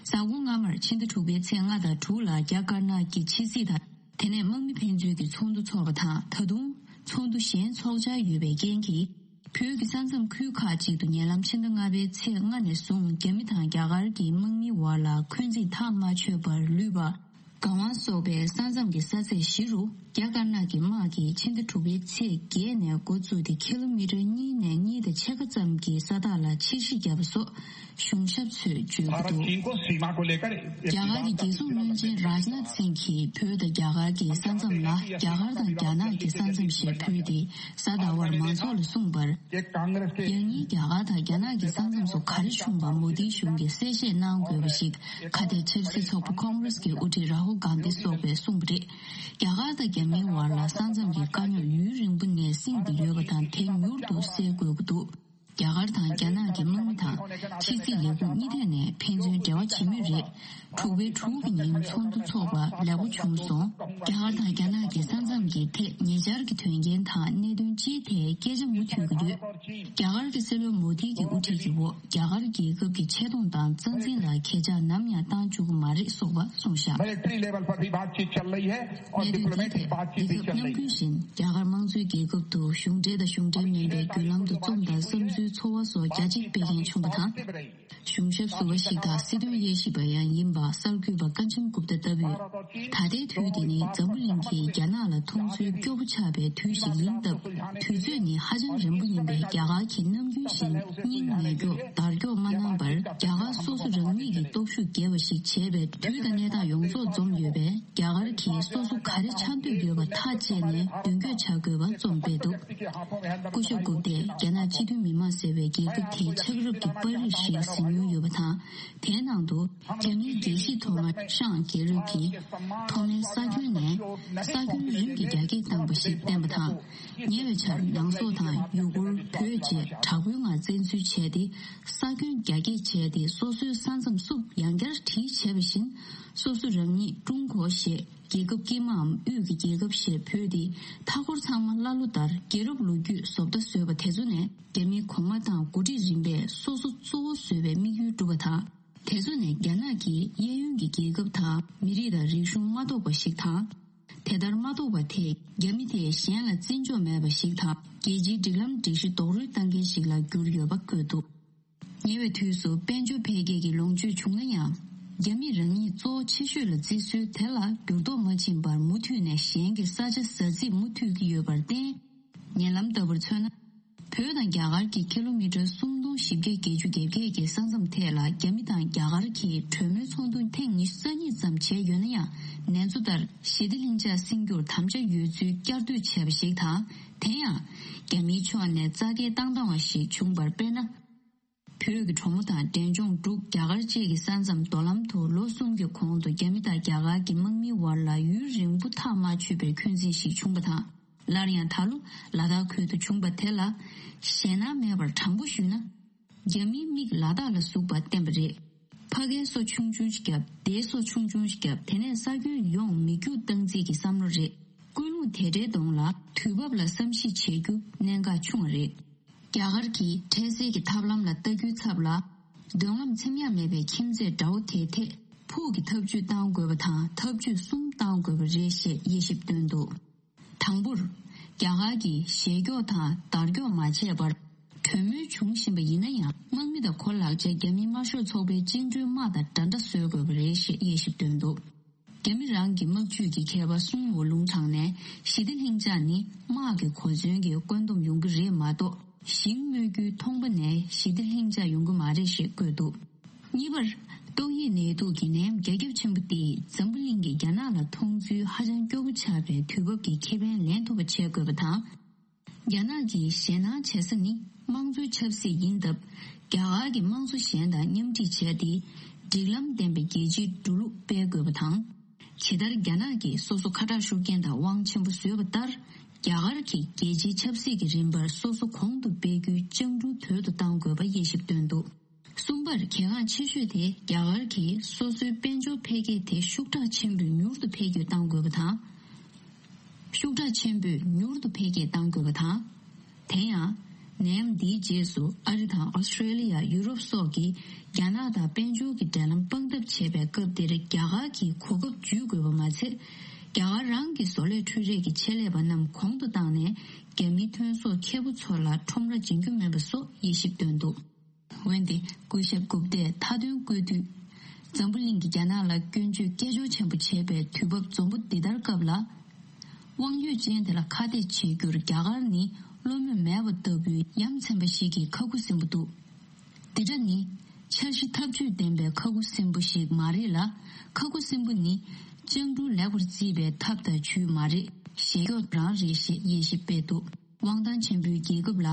གཟའ་འཁོར་སྔ་མར་ཕྱི་ཟླ་དྲུག་པའི་ཚེས་ལྔ་དང་དྲུག་ལ་རྒྱ་དཀར་ནག་གི་ཕྱི་སྲིད་དང་། དེ་ནས་དམག་མི་ཕན་ཚུན་གྱི་ཚོགས་འདུ་འཚོགས་པ་དང་། ད་དུང་ཚོགས་འདུ་གཞན་འཚོགས་འཆར་ཡོད་པའི་རྐྱེན་གྱིས། བོད་ཀྱི་ས་མཚམས་ཁུལ་ཁག་ཅིག་ཏུ་ཉེ་ལམ་ཕྱི་ཟླ་ལྔ་པའི་ཚེས་ལྔ་ནས་བཟུང་རྒྱ་མི་དང་རྒྱ་གར་གྱི་དམག་མིའི་བར་ལ་འཁོན་འཛིན་ཐག་མ་ཆོད་པར་ལུས་པ། སྒང་དབང་སོགས་པའི་ས་མཚམས་ཀྱི་ས་ཚད་བཞི་རུ་རྒྱ་དཀར་ནག་གི་དམག་གིས་ཕྱི་ཟླ་དྲུག་པའི་ཚེས་བརྒྱད་ནས་འགོ་བཙུགས་ཏེ་ཁི་ལོ་མི་ཊར་གཉིས་ནས་གཉིས་དང་ཕྱེད་ཀ་ཙམ་གྱི་ས་ཐག་ལ་ཕྱིར་བཤིག་བརྒྱབ་པ་སོགས། གཞུང་ཞབས་ཚོས་བརྗོད་ཀྱི་འདུག་རྒྱ་གར་གྱི་རྒྱལ་སྲུང་བློན་ཆེན་རཱཇ་ནཱཐ་སིང་གིས་བོད་དང་རྒྱ་གར་གྱི་ས་མཚམས་ལ་རྒྱ་གར་དང་རྒྱ་ནག་གི་ས་མཚམས་ཞེས་འབོད་དེ། གཟའ་ཟླ་བར་མང་ཚོགས་ལ་གསུངས་པར། ཡང་སྙིང་རྒྱ་གར་དང་རྒྱ་ནག་གི་ས་མཚམས་སུ་ག་རེ་བྱུང་བ་མོ་དིའི་གཞུང་གིས་གསལ་བཤད་གནང་དགོས་པ་ཞིག་ཁ་གཏད་ཆབ་སྲིད་ཚོགས་པ་ཁོང་རེས་ཀྱི་དབུ་ཁྲིད་རཱ་ཧུལ་གྷན་དྷི་སོགས་པས་གསུངས་པ་རེད། རྒྱ་གར་དང་རྒྱ་མིའི་བར་ལ་ས་མཚམས་ཀྱི་དཀའ་རྙོག་ཡུན་རིང་པོ་ནས་བསྲིངས་ཏེ་ཡོད་པ་དང་། དེ་མྱུར་དུ་སེལ་དགོས་ཀྱི་འདུག་རྒྱ་གར་དང་རྒྱ་ནག་གི་དམག་མི་དང་ཕྱི་སྲིད་ལས་ཁུངས་གཉིས་ཐད་ནས་ཕན་ཚུན་འབྲེལ་བ་བྱེད་མུས་རེད། དྲུག་པའི་དྲུག་གི་ཉིན་ཚོགས་འདུ་འཚོགས་པ་ལེགས་པོ་བྱུང་སོང་། རྒྱ་གར་དང་རྒྱ་ནག་གི་ས་མཚམས་ཀྱི་ཐད་ཉེ་ཆར་གྱི་དོན་རྐྱེན་དང་གནད་དོན་སྤྱིའི་ཐད་སྐད་ཆ་མུ་མཐུད་ཀྱི་ཡོད། རྒྱ་གར་གྱི་སྲིད་བློན་མོ་དྷི་གི་དབུ་ཁྲིད་ཀྱི་འོག་རྒྱ་གར་རྒྱལ་ཁབ་ཀྱི་ཆེ་མཐོང་དང་རྩ་འཛིན་ལ་གས་ཆག་ནམ་ཡང་བཏང་བཅུག་གི་མ་རེད་གསུངས་པ་གསུངས་བཞག་གནད་དོན་འདིའི་ཐད་རྒྱལ་ཁབ་མཉམ་འགུལ་བཞིན་རྒྱ་གར་དམངས་གཙོའི་རྒྱལ་ཁབ་ཏུ་གཞུང་འབྲེལ་དང་གཞུང་འབྲེལ་མིན་པའི་བརྒྱུད་ལམ་དུ་རྩོམ་དང་བསམ་ཚུལ་ཚོར་བ་སོགས་རྒྱ་ཆེ་སྤེལ་མཁན་བྱུང་བ་དང་། གཞུང་ཞབས་ཟུར་པ་ཞིག་དང་སྲིད་དོན་དབྱེ་ཞིབ་པ་ཡང་ཡིན་པ་གསར་འགོད་པ་ཀན་ཅན་གུབ་ཏ་ལྟ་བུས། ད་ལྟའི་དུས་འདི་ནི་འཛམ་བུ་གླིང་གིས་རྒྱ་ནག་ལ་མཐོང་ཚུལ་སྐྱོ་པོ་ཆགས་པའི་དུས་ཤིག་ཡིན་སྟབས། དུས་ཚོད་ནི་ཧ་ཅང་རིང་པོ་ཡིན་པས་རྒྱ་གར་གྱིས་ནམ་རྒྱུན་བཞིན་སྙིང་ཉེ་སྐྱོ་བརྡར་སྐྱོ་མ་གནང་བར། རྒྱ་གར་སོ་སོ་རང་ཉིད་ཀྱི་སྟོབས་ཤུགས་རྒྱས་པ་ཞིག་བྱེད་པའི་དུས་དང་གནས་སྟངས་ཡོངས་རྫོགས་འཛོམས་ཡོད་པས། རྒྱ་གར་གྱིས་སོ་སོ་ག་རེ་ཆགས་འདོད་ཡོད་པ་ཐག་བཅད་ནས་མདུན་སྐྱོད་བྱ་དགོས་པ་རྩོམ་སྤེལ་འདུག་སྐུ་ཞབས་གུབ་ཏས་རྒྱ་ནག་སྤྱི་མཐུན་མི་དམངས་ཟེར་བའི་རྒྱལ་ཁབ་དེའི་ཕྱག་རོགས་ཀྱི་པར་རིས་ཤིག་གཟིགས་མྱོང་ཡོད་པ་དང་། དེའི་ནང་དུ་རྒྱ་མིའི་རྒྱལ་གཞིས་ཐོག་མ་ཧྲང་རྒྱལ་རབས་ཀྱིས་ཐོག་མའི་ས་ཁྱོན་ནས་ས་ཁྱོན་རིམ་གྱིས་རྒྱ་སྐྱེད་བཏང་པ་ཞིག་བསྟན་པ་དང་། ཉེ་བའི་ཆར་ནང་སོག་དང་ཡུ་གུར་བོད་བཅས་དྲག་པོའི་ངང་བཙན་འཛུལ་བྱས་ཏེ། ས་ཁྱོན་རྒྱ་སྐྱེད་བྱས་ཏེ། སོ་སོའི་ས་མཚམས་སུ་ཡང་བསྐྱར་བྲིས་བྱས་པ་བཞིན། སོ་སོ་རང་ཉིད་ཀྲུང་གོ་ཞེས་རྒྱལ་ཁབ་དཀྱིལ་མའམ་དབུས་ཀྱི་རྒྱལ་ཁབ་ཞེས་འབོད་དེ། མཐའ་འཁོར་ཚང་མ་ཀླ་ཀློ་ལྟར་རྒྱལ་རབས་ལོ་རྒྱུས་བཟོ་ལྟ་བཟོས་པ་དེ་ཚོ་ནས། རྒྱ་མིའི་གོང་མ་དང་འགོ་ཁྲིད་རིམ་པས་སོ་སོ་གཙོ་བོ་བཟོ་བའི་དམིགས་ཡུལ་བསྒྲུབས་པ་དང་། དེ་ཚོ་ནས་རྒྱ་ནག་གིས་གཡས་གཡོན་གྱི་རྒྱལ་ཁབ་དང་མི་རིགས་དང་རིག་གཞུང་མ་གཏོགས་པ་ཞིག་དང་། དེ་ལྟར་མ་གཏོགས་པ་དེས་རྒྱ་མི་དེས་གཞན་ལ་བརྩི་འཇོག་མེད་པ་ཞིག་དང་། རྒྱལ་སྤྱིའི་སྒྲིག་ལམ་སྒྲིག་གཞི་རྡོག་རོལ་བཏང་མཁན་ཞིག་ལ་གྱུར་ཡོད་པ་བཀོད་འདུག་ཉེ་བའི་དུས་སུ་དཔལ་འབྱོར་འཕེལ་རྒྱས་ཀྱི་ལོངས་སྤྱོད་བྱུང་ན་ཡང་། རྒྱ་མི་རང་ཉིད་གཙོ་བོ་ཆེ་ཤོས་ལ་བརྩི་སྲོལ་དེ་ལ་འགྱུར་ལྡོག་མ་ཕྱིན་པར་མུ་མཐུད་ནས་གཞན་གྱི་ས་ཆ་ཟ་རྩིས་མུ་མཐུད་ཀྱི་ཡོད་པར་བརྟེན། ཉེ་ལམ་ལྟ་བུར་མཚོན་ན། བོད་དང་རྒྱ་གར་གྱི་ཀི་ལོ་མི་ཊར་སུམ་སྟོང་བཞི་བརྒྱ་བརྒྱད་ཅུ་གྱ་བརྒྱད་ཀྱི་ས་མཚམས་ཐད་ལ་རྒྱ་མི་དང་རྒྱ་གར་གྱིས་གྲོས་མོལ་ཚོགས་འདུ་ཐེངས་ཉི་ཤུ་རྩ་གཉིས་ཙམ་བྱས་ཡོད་ན་ཡང་། ནན་ཚོ་ལྟར་ཞི་བདེ་ལྷིང་འཇགས་སྲུང་རྒྱུར་དམ་བཅའ་ཡོད་ཚུལ་བསྐྱར་ཟློས་བྱས་པ་ཞིག་དང་། དེ་ཡང་། རྒྱ་མིའི་ཕྱོགས་ནས་རྩ་འགལ་བཏང་བཏང་བ་ཞིག་བྱུང་བར་དཔེར་ན། བོད་ཀྱི་གྲོ་མོ་དང་འབྲས་ལྗོངས་འབྲུག་རྒྱ་གར་བཅས་ཀྱི་ས་མཚམས་མདོ་ལམ་དུ་ལོ་གསུམ་གྱི་གོང་དུ་རྒྱ་མི་དང་རྒྱ་གར་གྱི་དམག་མིའི་བར་ལ་ཡུན་རིང་པོ་ཐག་མ་ཆོད་པའི་འཁོན་འཛིན་ཞིག་བྱུང་བ་དང་། སླར་ཡང་ད་ལོ་ལ་དྭགས་ཁུལ་དུ་བྱུང་བ་དེ་ལ་ཞེད་སྣང་མེད་པར་དྲང་པོ་ཞུས་ན། རྒྱ་མིའི་མིག་ལ་དྭགས་ལ་ཟུག་པ་བསྟན་པ་རེད། ཕ་གིའི་སོ་ཆུང་ཆུང་ཞིག་བརྒྱབ། རྟའི་སོ་ཆུང་ཆུང་ཞིག་བརྒྱབ། དེ་ནས་ས་ཁྱོན་ཡོངས་མི་རྒྱུག་བཏང་རྩིས་ཀྱི་བསམ་བློ་རེད། ཀུན་སློང་དེ་འདྲའི་གདོང་ལ་དུས་བབ་ལ་བསམ་གཞིག་བྱེད་རྒྱུ་གནད་འགག་ཆུང་བ་རེད། རྒྱ་གར་གྱིས་འཕྲལ་སེལ་གྱི་ཐབས་ལམ་ལ་ལྟ་རྒྱུའི་ཚབ་ལ། མདུན་ལམ་འཚེམ་ཡག་མེད་པའི་ཁྱིམ་མཚེས་དགྲ་བོ་དེའི་ཐད་ཕུགས་ཀྱི་ཐབས་ཇུས་བཏང་དགོས་པ་དང་། ཐབས་ཇུས་གསུམ་བཏང་དགོས་པ་རེད་ཞེས་དབྱེ་ཞིབ་བཏོན་འདུག། དང་པོར། རྒྱ་གར་གྱིས་ཞེ་སྐྱོ་དང་དར་སྐྱོ་མ་བྱས་པར། གྲོས་མོལ་བྱུང་བཞིན་པ་ཡིན་ན་ཡང་། དམག་མི་དང་གོ་ལག་ཆ་རྒྱ་མིའི་དམར་ཤོག་ཚོགས་པའི་བཅིངས་འགྲོལ་དམག་དང་འདྲ་འདྲ་བཟོ་དགོས་པ་རེད་ཞེས་དབྱེ་ཞིབ་བཏོན་འདུག། རྒྱ་མི་རང་གི་དམག་ཇུས་ཀྱི་མཁས་པ་སུང་ཝུ་ལུང་དྲངས་ནས། ཞི་བདེ་ལྷིང་འཇགས་ནི་དམག་གི་གོ་མཚོན་གྱི་བཀོད་འདོམས་ཡོང་གི་རེད་མ་གཏོགས། ཞིང་རྨོ་རྒྱུའི་ཐོང་པ་ནས་ཞི་བདེ་ལྷིང་འཇགས་ཡོང་གི་མ་རེད་ཞེས་བཀོད་འདུག། གཉིས་པར། ཏོག་དབྱིབས་ནད་དུག་གི་ནད་ཡམས་རྒྱ་ཁྱབ་ཆེན་པོ་དེས་འཛམ་བུ་གླིང་གིས་རྒྱ་ནག་ལ་མཐོང་ཚུལ་ཧ་ཅང་སྐྱོ་པོ་ཆགས་པའི་དུས་བབ་ཀྱི་ཁེ་ཕན་ལེན་ཐུབ་པ་བྱེད་དགོས་པ་དང་། རྒྱ་ནག་གིས་ཞེད་སྣང་བྱེད་ས་ནི་དམངས་གཙོའི་ཆབ་སྲིད་ཡིན་སྟབས། རྒྱ་གར་གྱི་དམངས་གཙོ་གཞན་དང་མཉམ་འཁྲིད་བྱས་ཏེ། སྒྲིག་ལམ་ལྡན་པའི་རྒྱལ་སྤྱིའི་འགྲོ་ལུགས་སྤེལ་དགོས་པ་དང་། ཇི་ལྟར་རྒྱ་ནག་གིས་སོ་སོ་ཁ་གྲག་ཤུགས་རྐྱེན་དང་དབང་ཆེན་པོ་བཟོས་པ་ལྟར། རྒྱ་གར་གྱིས་རྒྱལ་སྤྱིའི་ཆབ་སྲིད་ཀྱི་རིམ་པར་སོ་སོ་གོང་དུ་སྤེལ་རྒྱུའི་སྤྱང་གྲུང་དོད་དུ་གཏང་དགོས་པ་དབྱེ་ཞིབ་བཏོན་འདུག། གསུམ་པར། གལ་འགངས་ཆེ་ཤོས་དེ་རྒྱ་གར་གྱིས་སོ་སོའི་དཔལ་འབྱོར་འཕེལ་རྒྱས་དེ་ཤུགས་དྲག་ཆེན་པོས་མྱུར་དུ་འཕེལ་རྒྱས་གཏང་དགོས་པ་དང་། ཤུགས་དྲག་ཆེན་པོས་མྱུར་དུ་འཕེལ་རྒྱས་གཏང་དགོས་པ་དང་། དེ་ཡང་། ནད་ཡམས་འདིའི་རྗེས་སུ་ཨ་རི་དང་ཨོ་སི་ཀྲེ་ལི་ཡ། ཡུ་རོབ་སོགས་ཀྱིས་རྒྱ་ནག་དང་དཔལ་འབྱོར་གྱི་འབྲེལ་ལམ་སྤང་ཐབས་བྱེད་པའི་སྐབས་འདིར། རྒྱ་གར་གྱིས་གོ་སྐབས་འཇུས་དགོས་པ་མ་ཚད། རྒྱ་གར་རང་གི་བཟོ་ལས་འཕྲུལ་རིག་གི་ཆེད་ལས་པ་རྣམས་གོང་དུ་བཏང་ནས། རྒྱ་མིའི་ཐོན་ཟོག་ཁེ་པོ་ཚོ་ལ་ཁྲོམ་ར་སྦྱིན་རྒྱུ་མིན་པ་སོགས་དབྱེ་ཞིབ་བཏོན་འདུག། འོན་ཏེ། སྐུ་ཞབས་གུབ་ཏས་མཐའ་དོན་བཀོད་དུས། འཛམ་བུ་གླིང་གིས་རྒྱ་ནག་ལ་སྐྱོན་བརྗོད་སྐད་ཅོར་ཆེན་པོ་བྱེད་པའི་དུས་བབ་འཛོམས་པོ་འདི་ལྟར་སྐབས་ལ། དབང་ཡོད་ཅན་དེ་ལ་ཁ་གཏད་བྱེད་རྒྱུར་རྒྱ་གར་ནི་བློ་མོས་མེད་པ་ལྟ་བུའི་ཡ་མཚན་པ་ཞིག་གི་ཁ་ཁུ་སིམ་པོ་འདུག། འདི་འདྲ་ནི། འཆར་གཞི་ཐབས་ཇུས་ལྡན་པའི་ཁ་ཁུ་སིམ་པོ་ཞིག་མ་རེད་ལ། ཁ་ཁུ་སིམ་པོ་ནི། སྤྱང་གྲུང་ལེགས་པར་བརྩིས་པའི་ཐབས་དང་ཇུས་མ་རེད། ཞེ་སྐྱོ་རང་རེད་ཞེས་དབྱེ་ཞིབ་སྤེལ་འདུག། དབང་ཐང་ཆེན་པོའི་རྒྱལ་ཁབ་ལ་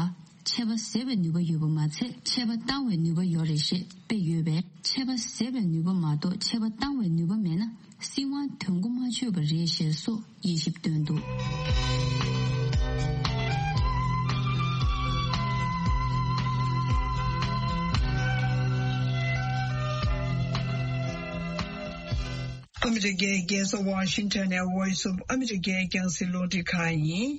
ཆད་པ་བཟོ་བའི་ནུས་པ་ཡོད་པ་མ་ཚད། ཆད་པ་བཏང་བའི་ནུས་པ་ཡོད་རེད་ཞེས་དཔེ་ཡོད་པས། ཆད་པ་བཟོ་བའི་ནུས་པ་མ་གཏོགས་ཆད་པ་བཏང་བའི་ནུས་པ་མེད་ན། སྲིད་དབང་དོན་གོ་མ་ཆོད་པ་རེད་ཞེས་སོགས་དབྱེ་ཞིབ་བཏོན་འདུག། ཨ་མི་རི་ཀའི་རྒྱལ་ས་ཝ་ཤིང་ཊོན་ནས་Voice of America་རྒྱང་སྲིང་རླུང་འཕྲིན་ཁང་ཡིན།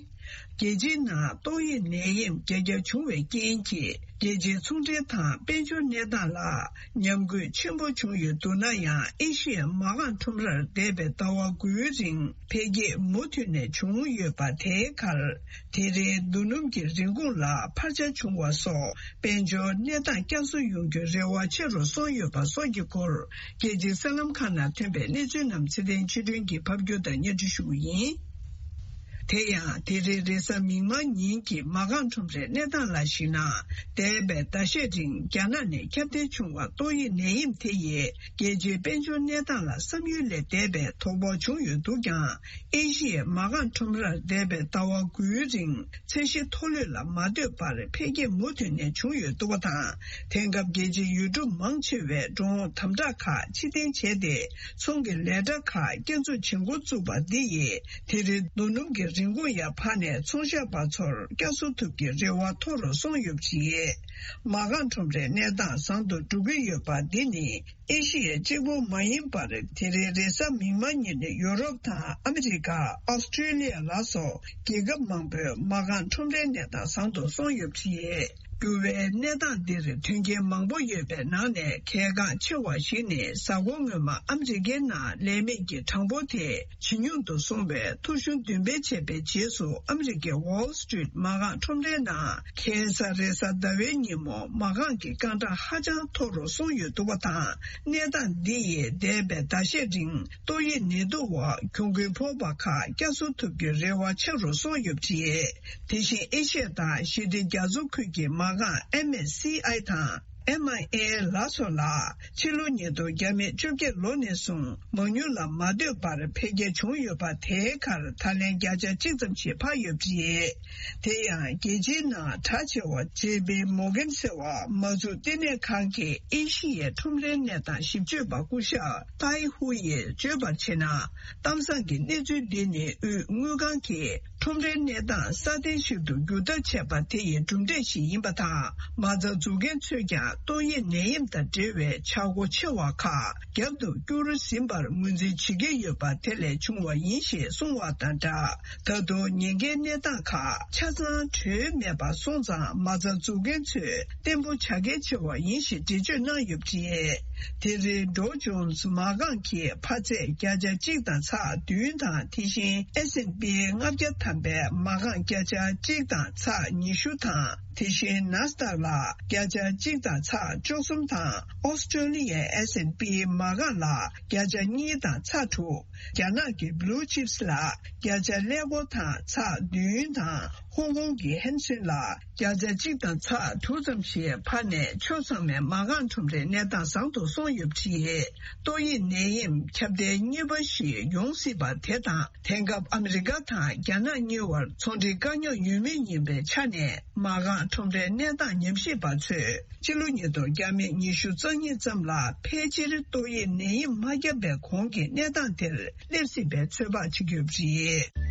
རྒྱལ་སྤྱིའི་ནང་ཏོག་དབྱིབས་ནད་ཡམས་རྒྱ་ཁྱབ་བྱུང་བའི་རྐྱེན་གྱིས། རྒྱལ་སྤྱིའི་ཚོང་འབྲེལ་དང་དཔལ་འབྱོར་གནས་སྟངས་ལ་ཉམས་རྒུད་ཆེན་པོ་བྱུང་ཡོད་འདུག་ན་ཡང་། ཨེ་ཤི་ཡའི་མ་རྐང་ཁྲོམ་རར་འདས་པའི་ཟླ་བ་དགུའི་རིང་འཕེལ་རྒྱས་མུ་མཐུད་ནས་བྱུང་ཡོད་པ་དེའི་ཁར། དེ་རིང་རྡོ་སྣུམ་གྱི་རིན་གོང་ལ་འཕར་ཆ་བྱུང་བ་སོགས། དཔལ་འབྱོར་གནས་སྟངས་བསྐྱར་གསོ་ཡོང་རྒྱུའི་རེ་བ་ཆེ་རུ་སོང་ཡོད་པ་སོགས་ཀྱི་སྐོར། རྒྱལ་སྤྱིའི་གསར་ལམ་ཁག་ནང་ཐོན་པའི་གནས་ཚུལ་རྣམས་ཚེ་བརྟན་ཆོས་སྒྲོན་གྱིས་ཕབ་སྒྱུར་དང་སྙན་སྒྲོན་ཞུ་གི་ཡིན། དེ་ཡང་། དེ་རིང་རེས་གཟའ་མིག་དམར་ཉིན་གྱི་མ་རྐང་ཁྲོམ་རའི་གནས་སྟངས་ལ་གཞིགས་ན། འདས་པའི་ཟླ་ཤས་རིང་རྒྱ་ནག་ནས་ཁྱབ་གདལ་བྱུང་བ་ཏོག་དབྱིབས་ནད་ཡམས་དེ་ཡིས། རྒྱལ་སྤྱིའི་དཔལ་འབྱོར་གནས་སྟངས་ལ་བསམ་ཡུལ་ལས་འདས་པའི་དོ་ཕོག་བྱུང་ཡོད་འདུག་ཀྱང་། ཨེ་ཤི་ཡའི་མ་རྐང་ཁྲོམ་རར་འདས་པའི་ཟླ་བ་དགུའི་རིང་། ཚད་གཞི་མཐོ་ལོས་ལ་མ་ལྟོས་པར་འཕེལ་རྒྱས་མུ་མཐུད་ནས་བྱུང་ཡོད་འདུག་པ་དང་། དེང་སྐབས་རྒྱལ་སྤྱིའི་ཡུལ་གྲུ་མང་ཆེ་བས་འགྲོ་འོང་དམ་དྲག་ཁག་ཕྱིར་འཐེན་བྱས་ཏེ། ཚོང་གི་ལས་གྲྭ་ཁག་བསྐྱར་འཛུགས་བྱེད་འགོ་བཙུགས་པ་འདི་ཡིས། དེ་རིང་རྡོ་སྣུམ་གྱི་རིན་གོང་ཡར་འཕར་ནས། ཚོང་ཞབས་པ་ཚོར་བསྐྱར་གསོ་ཐུབ་ཀྱི་རེ་བ་མཐོ་རུ་སོང་ཡོད་པ་རེད། མ་རྐང་ཁྲོམ་རའི་གནས་སྟངས་བཟང་དུ་འགྲོ་གི་ཡོད་པ་འདི་ནི། ཨེ་ཤི་ཡ་གཅིག་པུ་མ་ཡིན་པར། དེ་རིང་རེས་གཟའ་མིག་དམར་ཉིན་ནས་ཡོ་རོབ་དང་ཨ་མི་རི་ཀ། ཨོ་སི་ཀྲེ་ལི་ཡ་ལ་སོགས་རྒྱལ་ཁབ་མང་པོའི་མ་རྐང་ཁྲོམ་རའི་གནས་སྟངས་བཟང་དུ་སོང་ཡོད་པ་རེད། འགྱུར་བའི་གནས་སྟངས་འདིར་མཐུན་རྐྱེན་མང་པོ་ཡོད་པའི་ནང་ནས་གལ་འགངས་ཆེ་བ་ཞིག་ནི། གཟའ་འཁོར་སྔོན་མ་ཨ་མི་རི་ཀའི་ནང་ལས་མེད་ཀྱི་གྲངས་འབོར་དེ་ཇེ་ཉུང་དུ་སོང་བའི་ཐོ་གཞུང་འདོན་སྤེལ་བྱས་པའི་རྗེས་སུ། ཨ་མི་རི་ཀའི་Wall Street མ་རྐང་ཁྲོམ་རའི་ནང་ཁ་སང་རེས་གཟའ་ཟླ་བའི་ཉིན་མོ་མ་རྐང་གི་རྐང་གྲངས་ཧ་ཅང་མཐོ་རུ་སོང་ཡོད་འདུག་པ་དང་། གནས་སྟངས་འདི་ཡིས་འདས་པའི་ཟླ་ཤས་རིང་ཏོག་དབྱིབས་ནད་དུག་འོག་གྱོང་གུན་ཕོག་པ་ཁག་བསྐྱར་གསོ་ཐུབ་རྒྱུའི་རེ་བ་ཆེ་རུ་སོང་ཡོད་པ་རེད། དེ་བཞིན་ཨེ་ཤི་ཡ་དང་ཞི་བདེ་རྒྱ་མཚོ་ཁུལ་གྱི་མ་རྐང་MSCI དང་MIA ལ་སོགས་ལ་ཕྱི་ལོ་ཉིས་སྟོང་བརྒྱ་མེད་བཅོ་བརྒྱད་ལོ་ནས་བཟུང་མ་དངུལ་ལ་མ་ལྟོས་པར་འཕེལ་རྒྱས་བྱུང་ཡོད་པ། དེའི་ཁར་ད་ལན་བརྒྱ་ཆ་གཅིག་ཙམ་ཞིག་འཕར་ཡོད་པ་རེད། དེ་ཡང་རྒྱལ་སྤྱིའི་ནང་གྲགས་ཆེ་བ་JP Morgan ཟེར་བ་མ་འཛུགས་ལྟེ་གནས་ཁང་གི་ཨེ་ཤི་ཡའི་ཁྲོམ་རའི་གནས་སྟངས་ཞིབ་དཔྱོད་པ་སྐུ་ཞབས་ཏའི་ཧུ་ཡིས་བརྗོད་པར་བྱས་ན། གཏམ་བཟང་གི་གནས་ཚུལ་འདི་ནི་དབུས་དངུལ་ཁང་གིས་ཁྲོམ་རའི་གནས་སྟངས་སྲ་བརྟན་ཞིག་ཏུ་འགྱུར་ཐབས་བྱས་པ་དེ་ཡི་གྲུབ་འབྲས་ཤིག་ཡིན་པ་དང་། མ་རྩ་འཛུགས་མཁན་ཚོས་ཀྱང་ཏོག་དབྱིབས་ནད་ཡམས་དང་འབྲེལ་བའི་ཆག་སྒོ་ཆེ་བ་ཁག་རྒྱབ་ཏུ་བསྐྱུར་ཟིན་པར་ངོས་འཛིན་བྱེད་ཀྱི་ཡོད་པ་དེ་ལས་བྱུང་བ་ཡིན་ཞེས་གསུངས་བ་དང་སྦྲགས། ད་དུང་ཉེན་ཁའི་གནས་སྟངས་ཁག་ཆ་ཚང་གྲོལ་མེད་པ་སོང་ཙང་། མ་རྩ་འཛུགས་མཁན་ཚོས་བརྟན་པོ་བྱ་གལ་ཆེ་བ་ཡིན་ཞེས་འགྲེལ་བརྗོད་གནང་ཡོད་པ་རེད། དེ་རིང་Dow Jones མ་རྐང་གི་འཕར་ཚད་བརྒྱ་ཆ་གཅིག་དང་ཚེག་བདུན་དང་། དེ་བཞིན་S&P ལྔ་བརྒྱ་ཐམ་པའི་མ་རྐང་བརྒྱ་ཆ་གཅིག་དང་ཚེག་ཉི་ཤུ་དང་། དེ་བཞིན་Nasdaq ལ་བརྒྱ་ཆ་གཅིག་དང་ཚེག་བཅུ་གསུམ་དང་། ཨོ་སི་ཀྲོ་ལི་ཡའི་S&P མ་རྐང་ལ་བརྒྱ་ཆ་གཉིས་དང་ཚེག་དྲུག་རྒྱ་ནག་གི་Blue Chips ལ་བརྒྱ་ཆ་ཀླད་ཀོར་དང་ཚེག་བདུན་དང་། ཧོང་ཀོང་གི་ཧན་སེན་ལ་བརྒྱ་ཆ་གཅིག་དང་ཚེག་དྲུག་ཙམ་ཞིག་འཕར་ནས། ཕྱོགས་ཚང་མའི་མ་རྐང་ཁྲོམ་རའི་གནས་སྟངས་བཟང་དུ་སོང་ཡོད་པ་རེད། ཏོག་དབྱིབས་ནད་ཡམས་ཁྱབ་གདལ་གཉིས་པ་ཞིག་ཡོང་སྲིད་པ་དེ་དང་། དེང་སྐབས་ཨ་མི་རི་ཀ་དང་རྒྱ་ནག་གཉིས་བར་ཚོང་འབྲེལ་དཀའ་རྙོག་ཡོད་མུས་ཡིན་པའི་ཆ་ནས། མ་རྐང་ཁྲོམ་རའི་གནས་སྟངས་ཉམས་ཞིབ་པ་ཚོས་ཕྱི་ལོ་ཉིས་སྟོང་བརྒྱ་མེད་ཉི་ཤུ་རྩ་གཉིས་ཙམ་ལ་ཕལ་ཆེར་ཏོག་དབྱིབས་ནད་ཡམས་མ་བརྒྱབ་པའི་གོང་གི་གནས་སྟངས་དེར་སླེབས་སྲིད་པའི་ཚོད་དཔག་བྱེད་ཀྱི་ཡོད་པ་རེད།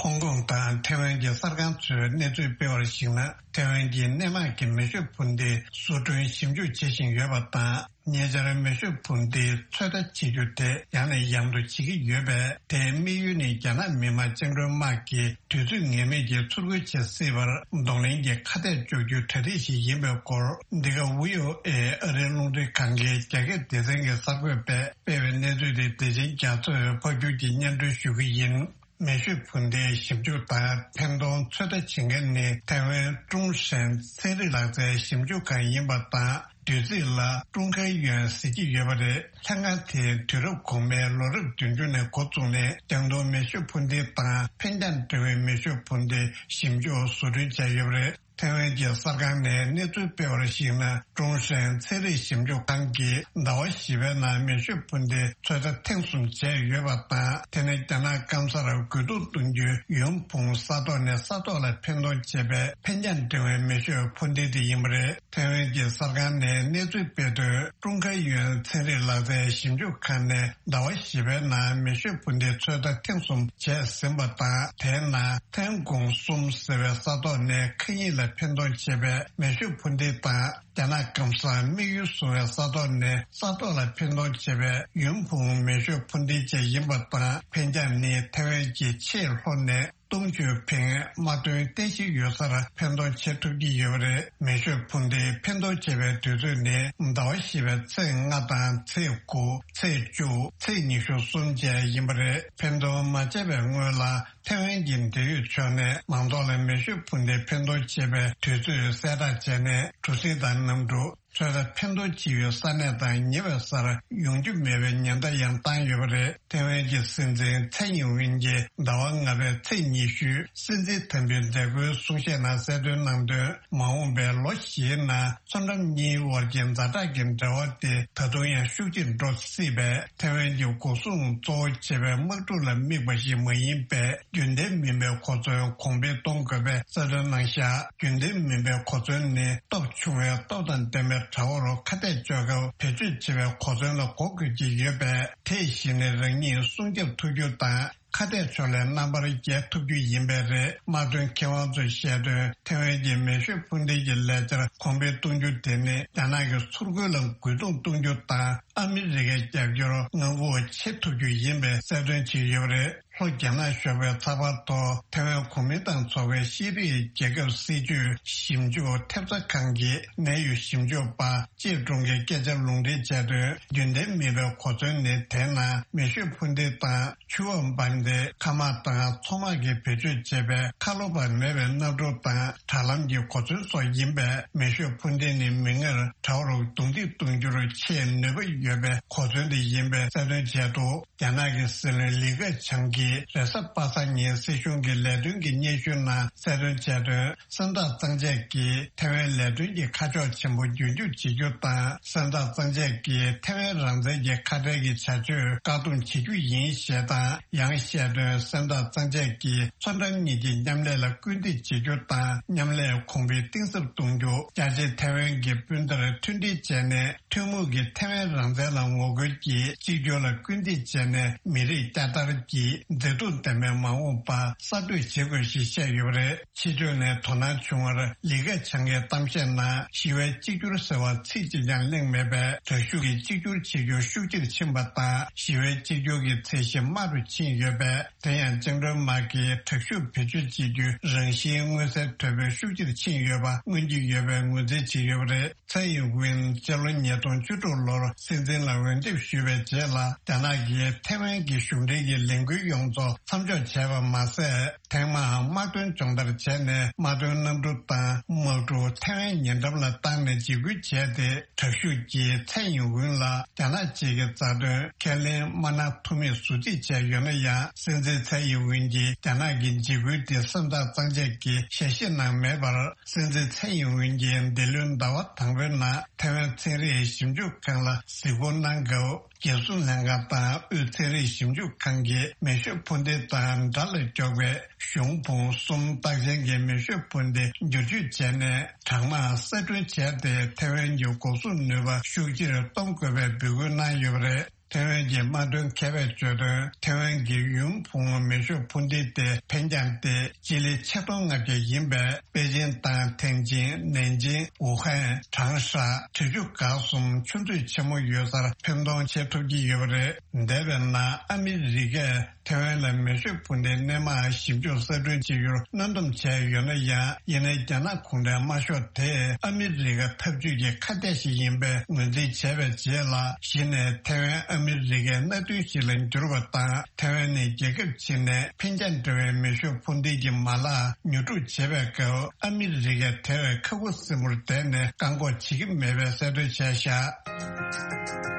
ཧོང་ཀོང་དང་ཐེ་ཝན་གྱི་གསར་ཁང་ཚོས་གནས་ཚུལ་སྤེལ་བར་གཞིགས་ན། ཐེ་ཝན་གྱི་སྣེ་མང་གི་མེ་ཤོད་འཕུར་མདེལ་བཟོ་སྐྲུན་ཞིབ་འཇུག་བྱེད་བཞིན་ཡོད་པ་དང་། ཉེ་ཆར་མེ་ཤོད་འཕུར་མདེལ་ཚོད་ལྟ་བྱེད་རྒྱུ་དེ་ཡང་ནས་ཡང་དུ་བྱེད་ཀྱི་ཡོད་པས། དེའི་དམིགས་ཡུལ་ནི་རྒྱ་ནག་མི་དམངས་བཅིངས་འགྲོལ་དམག་གིས་དུས་ཚོད་ངེས་མེད་ཀྱི་ཚུར་རྒོལ་བྱེད་སྲིད་པར་གདོང་ལེན་གྱི་ཁ་གཏད་གཅོག་རྒྱུའི་གྲ་སྒྲིག་ཞིག་ཡིན་པའི་སྐོར། འདི་ག་ཝི་ཨོ་ཨེ་ཨ་རིའི་རླུང་འཕྲིན་ཁང་གི་རྒྱ་སྐད་སྡེ་ཚན་གྱི་གསར་འགོད་པས་སྤེལ་བའི་གནས་ཚུལ་དེ་བདེ་ཆེན་རྒྱ་མཚོས་ཕབ་སྒྱུར་གྱིས་སྙན་སྒྲོན་ཞུ་གི་ཡིན། མེ་ཤོད་འཕུར་མདེལ་ཞིབ་འཇུག་དང་འཕེན་གཏོང་ཚོད་ལྟ་བྱེད་མཁན་ནི་ཐའེ་ཝན་ཀྲུང་ཧྲན་ཚན་རིག་ལག་རྩལ་ཞིབ་འཇུག་ཁང་ཡིན་པ་དང་། བདུད་རྩི་ལ་ཀྲུང་ཁའེ་ཡོན་ཟེར་གྱི་ཡོད་པ་རེད། ལྷན་ཁང་དེས་དུས་རབས་གོང་མའི་ལོ་རབས་བདུན་ཅུ་ནས་འགོ་བཙུགས་ནས། རྒྱང་མཐོང་མེ་ཤོད་འཕུར་མདེལ་དང་འཕེན་རྒྱང་འདྲ་བའི་མེ་ཤོད་འཕུར་མདེལ་ཞིབ་འཇུག་བཟོ་སྐྲུན་བྱས་ཡོད་པ་རེད། ཐའེ་ཝན་གྱི་གསར་ཁང་ནས་གནས་ཚུལ་སྤེལ་བར་གཞིགས་ན། ཀྲུང་ཧྲན་ཚན་རིག་ཞིབ་འཇུག་ཁང་གིས་ཟླ་བ་བཞི་པའི་ནང་མེ་ཤོད་འཕུར་མདེལ་ཚོད་ལྟ་ཐེངས་གསུམ་བྱས་ཡོད་པ་དང་། དེ་ནི་རྒྱ་ནག་སྐམ་སར་རྒོལ་རྡུང་གཏོང་རྒྱུའི་ཡོན་ཕུང་ས་ཐོག་ནས་ས་ཐོག་ལ་འཕེན་གཏོང་བྱེད་པའི་འཕེན་རྒྱང་འདྲ་བའི་མེ་ཤོད་འཕུར་མདེལ་དེ་ཡིན་པ་རེད། ཐའེ་ཝན་གྱི་གསར་ཁང་ནས་གནས་ཚུལ་སྤེལ་དོན། ཀྲུང་ཁའེ་ཡོན་ཚན་རིག་ལག་རྩལ་ཞིབ་འཇུག་ཁང་ནས་ཟླ་བ་བཞི་པའི་ནང་མེ་ཤོད་འཕུར་མདེལ་ཚོད་ལྟ་ཐེངས་གསུམ་བྱས་ཟིན་པ་དང་། དེའི་ནང་ཐན་ཀོང་གསུམ་ཟེར་བའི་ས་ཐོག་ནས་མཁའ་དབྱིངས་ལ་འཕེན་གཏོང་བྱེད་པའི་མེ་ཤོད་འཕུར་མདེལ་དང་། རྒྱ་ནག་སྐམ་སར་དམིགས་ཡུལ་བཟུང་བའི་ས་ཐོག་ནས་ས་ཐོག་ལ་འཕེན་གཏོང་བྱེད་པའི་ཡོན་ཕུང་མེ་ཤོད་འཕུར་མདེལ་བཅས་ཡིན་པ་དང་། འཕེན་རྒྱང་ནི་ཐའེ་ཝན་གྱི་ཆེས་ལྷོ་ནས་སྟོང་ཆུ་ཕིང་དམག་དོན་རྟེན་གཞི་ཡོད་སར་འཕེན་གཏོང་བྱེད་ཐུབ་ཀྱི་ཡོད་པ་རེད། མེ་ཤོད་འཕུར་མདེལ་འཕེན་གཏོང་བྱེད་པའི་དུས་ཚོད་ནི་ཟླ་བ་བཞི་པའི་ཚེས་ལྔ་དང་ཚེས་དགུ། ཚེས་བཅུ། ཚེས་ཉི་ཤུ་གསུམ་བཅས་ཡིན་པ་རེད། འཕེན་གཏོང་མ་བྱས་པའི་སྔོན་ལ་ཐའེ་ཝན་གྱི་འབྲེལ་ཡོད་ཕྱོགས་ནས་མང་ཚོགས་ལ་མེ་ཤོད་འཕུར་མདེལ་འཕེན་གཏོང་བྱེད་པའི་དུས་ཚོད་གསལ་བསྒྲགས་བྱས་ནས། གྲུ་གཟིངས་དང་གནམ་གྲུ། ཚོད་ལྟ་འཕེན་གཏོང་བྱེད་ཡུལ་ས་གནས་དང་ཉེ་བའི་སར་ཡོང་རྒྱུ་མེད་པའི་ཉེན་བརྡ་ཡང་བཏང་ཡོད་པ་རེད། ཐའེ་ཝན་གྱི་སྲིད་འཛིན་ཚའེ་ཡིན་ཝེན་གྱིས་ཟླ་བ་ལྔ་པའི་ཚེས་ཉི་ཤུའི་སྲིད་འཛིན་དམ་འབུལ་མཛད་སྒོའི་གསུང་བཤད་ནང་གསལ་སྟོན་གནང་དོན། མ་འོངས་པའི་ལོ་བཞིའི་ནང་མཚོ་འགྲམ་གཉིས་དབར་གྱི་ཛ་དྲག་གི་འབྲེལ་བ་དེ་ད་དུང་ཡང་ཤུགས་ཆེར་འགྲོ་སྲིད་པས། ཐའེ་ཝན་གྱི་འགོག་སྲུང་གཙོ་བོ་བྱས་པའི་དམག་འཁྲུག་ལ་དམིགས་པ་ཞིག་མ་ཡིན་པས། རྒྱུན་ལྡན་མིན་པའི་གོ་མཚོན་གོང་འཕེལ་གཏོང་དགོས་པའི་གསལ་སྟོན་གནང་བཞག་རྒྱུན་ལྡན་མིན་པའི་གོ་མཚོན་ནི་སྟོབས་ཆུང་བའི་སྟོབས་དང་ལྡན་པའི་དྲ་བ་རུ་ཁ་གཏད་གཅོག་སྐབས་བེད་སྤྱོད་བྱེད་པའི་གོ་མཚོན་ལ་གོ་དགོས་ཀྱི་ཡོད་པས། དེ་བཞིན་ནི་རང་ཉིད་སྲུང་སྐྱོབ་ཐུབ་རྒྱུ་དང་། ཁ་གཏད་ཕྱོགས་ལས་རྣམ་པར་རྒྱལ་ཐུབ་རྒྱུ་ཡིན་པས་རེད། དམག་དོན་མཁས་དབང་ཚོས་བཤད་དོན། ཐེ་ཝན་གྱི་མེ་ཤོད་འཕུར་མདེལ་གྱི་ལས་འཆར་གོང་འཕེལ་གཏོང་རྒྱུ་དེ་ནི་རྒྱ་ནག་གི་ཚུར་རྒོལ་ལ་རྒོལ་རྡུང་གཏོང་རྒྱུ་དང་། ཨ་མི་རི་ཀའི་རྒྱབ་སྐྱོར་མངའ་ཁོངས་ཆེ་ཐུབ་རྒྱུ་ཡིན་པའི་གསལ་སྟོན་བྱས་ཡོད་པ་རེད། ལྷོ་རྒྱ་ནག་ཞོགས་པའི་ཚགས་པར་ཐོག་ཐེ་ཝན་གོ་མིན་ཏང་ཚོགས་པའི་ཤེས་རིག་རྒྱལ་ཁབ་སྲིད་ཇུས་ཞིབ་འཇུག་ཐེབས་རྩ་ཁང་གི་གནད་ཡོད་ཞིབ་འཇུག་པ་ཅེ་ཀྲུང་གིས་སྐད་ཆ་ལུང་འདྲེན་བྱས་དོན། རྒྱུན་ལྡན་མིན་པའི་གོ་མཚོན་ནི། དེའི་ནང་མེ་ཤོད་འཕུར་མདེལ་དང་ཆུ་འོག་འབར་མདེལ། མཁའ་དམག་དང་མཚོ་དམག་གིས་བེད་སྤྱོད་བྱེད་པའི་ཁ་ལོ་བ་མེད་པའི་གནམ་གྲུ་དང་དྲ་ལམ་གྱི་གོ་མཚོན་སོགས་ཡིན་པས། མེ་ཤོད་འཕུར་མདེལ་ནི་མིག་སྔར་དྲ་བར་རྡུང་རྡེག་གཏོང་རྒྱུར་ཆེས་ནུས་པ་ཡོད་པའི་གོ་མཚོན་དེ་ཡིན་པའི་གསལ་སྟོན་བྱས་འདུག་རྒྱ་ནག་གི་སྲིད་བློན་ལི་ཁེ་ཆང་གིས་རེས་གཟའ་པ་སངས་ཉིན་སྲིད་གཞུང་གི་ལས་དོན་གྱི་སྙན་ཞུའི་ནང་གསལ་སྟོན་བྱས་དོན། སེམས་ཐག་གཙང་བཅད་ཀྱིས་ཐེ་ཝན་ལས་དོན་གྱི་ཁ་ཕྱོགས་ཆེན་པོ་མཇུག་སྐྱོང་བྱེད་རྒྱུ་དང་། སེམས་ཐག་གཙང་བཅད་ཀྱིས་ཐེ་ཝན་རང་བཙན་གྱི་ཁ་བྲལ་གྱི་བྱ་སྤྱོད་བཀག་སྡོམ་བྱེད་རྒྱུ་ཡིན་ཞེས་དང་། ཡང་བཤད་དོན། སེམས་ཐག་གཙང་བཅད་ཀྱིས་མཚོ་འགྲམ་གཉིས་ཀྱི་མཉམ་ལས་ལ་སྐུལ་འདེད་བྱེད་རྒྱུ་དང་། མཉམ་ལས་གོང་འཕེལ་གཏིང་ཟབ་གཏོང་རྒྱུ། རྒྱ་ཆེ་ཐེ་ཝན་གྱི་སྤུན་ཟླར་མཐུན་སྒྲིལ་བྱས་ནས། ཐུན་མོང་གི་ཐེ་ཝན་རང་བཙན་ལ་ངོ་རྒོལ་གྱིས་གཅིག་གྱུར་ལ་སྐུལ་འདེད་བྱས་ནས། མི་རིགས་བསྐྱར་དར་གྱི་མཛེས་སྡུག་ལྡན་པའི་མ་འོངས་པ་གསར་གཏོད་བྱེད་དགོས་ཞེས་བཤད་ཡོད་པ་རེད། ཕྱི་ཕྱོགས་ནས་དོ་སྣང་བྱུང་བར། ལི་ཁེ་ཆང་གི་གཏམ་བཤད་ནང་ཞི་བའི་གཅིག་གྱུར་ཟེར་བ་ཚིག་གཅིག་ཀྱང་གླེང་མེད་པས། དྲག་ཤུགས་ཀྱིས་གཅིག་གྱུར་བྱེད་རྒྱུ་ཤུགས་ཆེར་ཕྱིན་པ་དང་། ཞི་བའི་གཅིག་གྱུར་གྱི་ཚད་གཞི་དམའ་རུ་ཕྱིན་ཡོད་པས། དེ་ཡང་བཅིངས་འགྲོལ་དམག་གིས་དྲག་ཤུགས་བེད་སྤྱོད་བྱེད་རྒྱུའི་རང་བཞིན་མངོན་གསལ་དོད་པོས་ཤུགས་ཆེར་ཕྱིན་ཡོད་པ་མངོན་གྱི་ཡོད་པའི་ངོས་འཛིན་བྱས་ཡོད་པ་རེད། ཚའེ་ཡིན་ཝིན་སྤྱི་ལོ་ཉིས་སྟོང་བཅུ་དྲུག་ལོར་སྲིད་འཛིན་ལ་འོས་འདེམས་ཞུས་པའི་རྗེས་ལ། རྒྱ་ནག་གིས་ཐེ་ཝན་གྱི་གཞུང་འབྲེལ་གྱི་ལས་འགུལ་ཡོངས་རྫོགས་མཚམས་འཇོག་བྱས་པ་མ་ཟད། ཐེངས་མང་དམག་དོན་སྦྱོང་བརྡར་བྱས་ནས། དམག་དོན་གནམ་གྲུ་དང་དམག་གྲུ་ཐེ་ཝན་ཉེ་འགྲམ་ལ་བཏང་ནས་འཇིགས་སྐུལ་བྱས་ཏེ། དྲག་ཤུགས་ཀྱིས་ཚའེ་ཡིན་ཝིན་ལ་རྒྱ་ནག་གཅིག་གི་རྩ་དོན་ཁས་ལེན་མ་གནང་ཐུབ་མིན་ཟུར་བརྩིས་བྱས་ཡོད་ན་ཡང་། སྲིད་འཛིན་ཚའེ་ཡིན་ཝིན་གྱིས་རྒྱ་ནག་གི་འཇིགས་སྐུལ་དེ་སེམས་ཐག་གཙང་བཅད་ཀྱིས་ཞལ་བཞེས་གནང་མེད་པར། སྲིད་འཛིན་ཚའེ་ཡིན་ཝིན་གྱིས་འདི་ལོའི་ཟླ་བ་དང་པོའི་ནང་ཐེ་ཝན་ཚན་རིག་ཞིབ་འཇུག་ཁང་ལ་གཟིགས་སྐོར་གནང་སྐབས། རྒྱལ་སྲུང་ལྷན་ཁང་དང་དབུས་ཚན་རིག་ཞིབ་འཇུག་ཁང་གིས་མེ་ཤོད་འཕུར་མདེལ་དང་དགྲ་ལ་མགྱོགས་པའི་གཞུང་འཕུར་གསུམ་རྟགས་ཅན་གྱི་མེ་ཤོད་འཕུར་མདེལ་བསྒྱུར་བཅོས་བྱས་ནས། གྲང་དམག་གསར་སྐྲུན་བྱས་ཏེ། ཐེ་ཝན་གྱི་འགོག་སྲུང་ནུས་པ་ཤུགས་ཆེར་གཏོང་དགོས་པའི་འབོད་སྐུལ་གནང་ཡོད་པ་རེད། ཐེ་ཝན་གྱི་དམག་དོན་མཁས་པས་བརྗོད་དོན། ཐེ་ཝན་གྱི་ཡུན་ཕུང་མེ་ཤོད་འཕུར་མདེལ་དེ་འཕེན་རྒྱང་སྟེ་སྤྱི་ལེ་ཆིག་སྟོང་ལྔ་བརྒྱ་ཡིན་པས། པེ་ཅིན་དང་ཐེན་ཅིན། ནན་ཅིང་། ཝུ་ཧན། ཁྲང་ཧྲ། གྲུ་ཆུ་འགག་གསུམ་ཆུ་མཛོད་ཆེན་མོ་ཡོད་སར་འཕེན་གཏོང་བྱེད་ཐུབ་ཀྱི་ཡོད་པ་རེད། འདས་པའི་ནང་ཨ་མི་རི་ཀས་ཐེ་ཝན་ལ་མེ་ཤོད་འཕུར་མདེལ་སྣེ་མང་ཞིབ་འཇུག་གསར་སྐྲུན་བྱེད་རྒྱུར་གནོན་སྡོམ་བྱས་ཡོད་ན་ཡང་། ཡིན་ནའི་རྒྱ་ནག་གུང་ཁྲན་དམར་ཤོག་དེས་ཨ་མི་རི་ཀ་འཐབ་ཇུས་ཀྱི་ཁ་གཏད་ཞིག་ཡིན་པའི་ངོས་འཛིན་བྱས་པའི་རྗེས་ལ། གཞི་ནས་ཐེ་ཝན་ཨ་མི་རི་ཀའི་མནའ་མཐུན་ཞིག་ལ་འགྱུར་བ་དང་། ཐེ་ཝན་ནི་རྒྱལ་ཁབ་ཕྱི་ནས་འཕེན་རྒྱང་འདྲ་བའི་མེ་ཤོད་འཕུར་མདེལ་གྱི་མ་ལག་ཉོ་སྒྲུག་བྱེད་པའི་སྐབས། ཨ་མི་རི་ཀས་དེ་བས་ཁ་ཁུ་སིམ་པོར་བསྡད་ནས་བཀག་འགོག་བྱེད་ཀྱི་མེད་པའི་གསལ་སྟོན་བྱས་བཞག་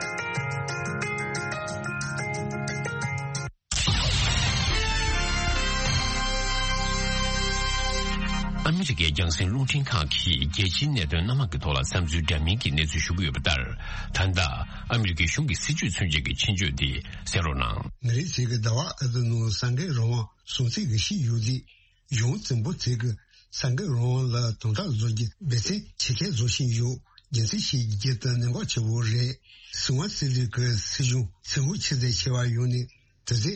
ཨ་མི་རི་ཀའི་རྒྱང་སྲིང་རླུང་འཕྲིན་ཁང་གིས་རྒྱལ་སྤྱིའི་གནད་དོན་སྣ་མང་གི་ཐོག་ལ་བསམ་ཚུལ་འདྲ་མིན་གྱི་གནས་ཚུལ་ཞུ་གི་ཡོད་པ་ལྟར། ད་ལྟ་ཨ་མི་རི་ཀའི་གཞུང་གི་སྲིད་ཇུས་མཚོན་བྱེད་ཀྱི་ཆེད་བརྗོད་འདི་གསན་རོགས་གནང་། མི་རིགས་ཤིག་གི་ཟླ་བ་ཨ་ཏི་ནུ་སངས་རྒྱས་རང་དབང་སྲུང་བརྩི་གི་ཤི་ཡོད་དེ། གཞུང་བཙན་པོ་ཚིག་གི་སངས་རྒྱས་རང་དབང་ལ་དམ་དྲག་བཟོ་རྒྱུ་འབད་བརྩོན་ཇེ་ཆེར་བཟོ་བཞིན་ཡོད། རྒྱུ་མཚན་ཞིག་རྒྱུ་དེ་གནད་འགག་ཆེ་བོ་རེད། སྲིད་དབང་རྩིས་ལུགས་ཀྱི་སྲིད་གཞུང་ཚད་ཧུར་ཆེ་ཚད་ཆེ་བ་ཡོང་ནས། དེ་ཚེ་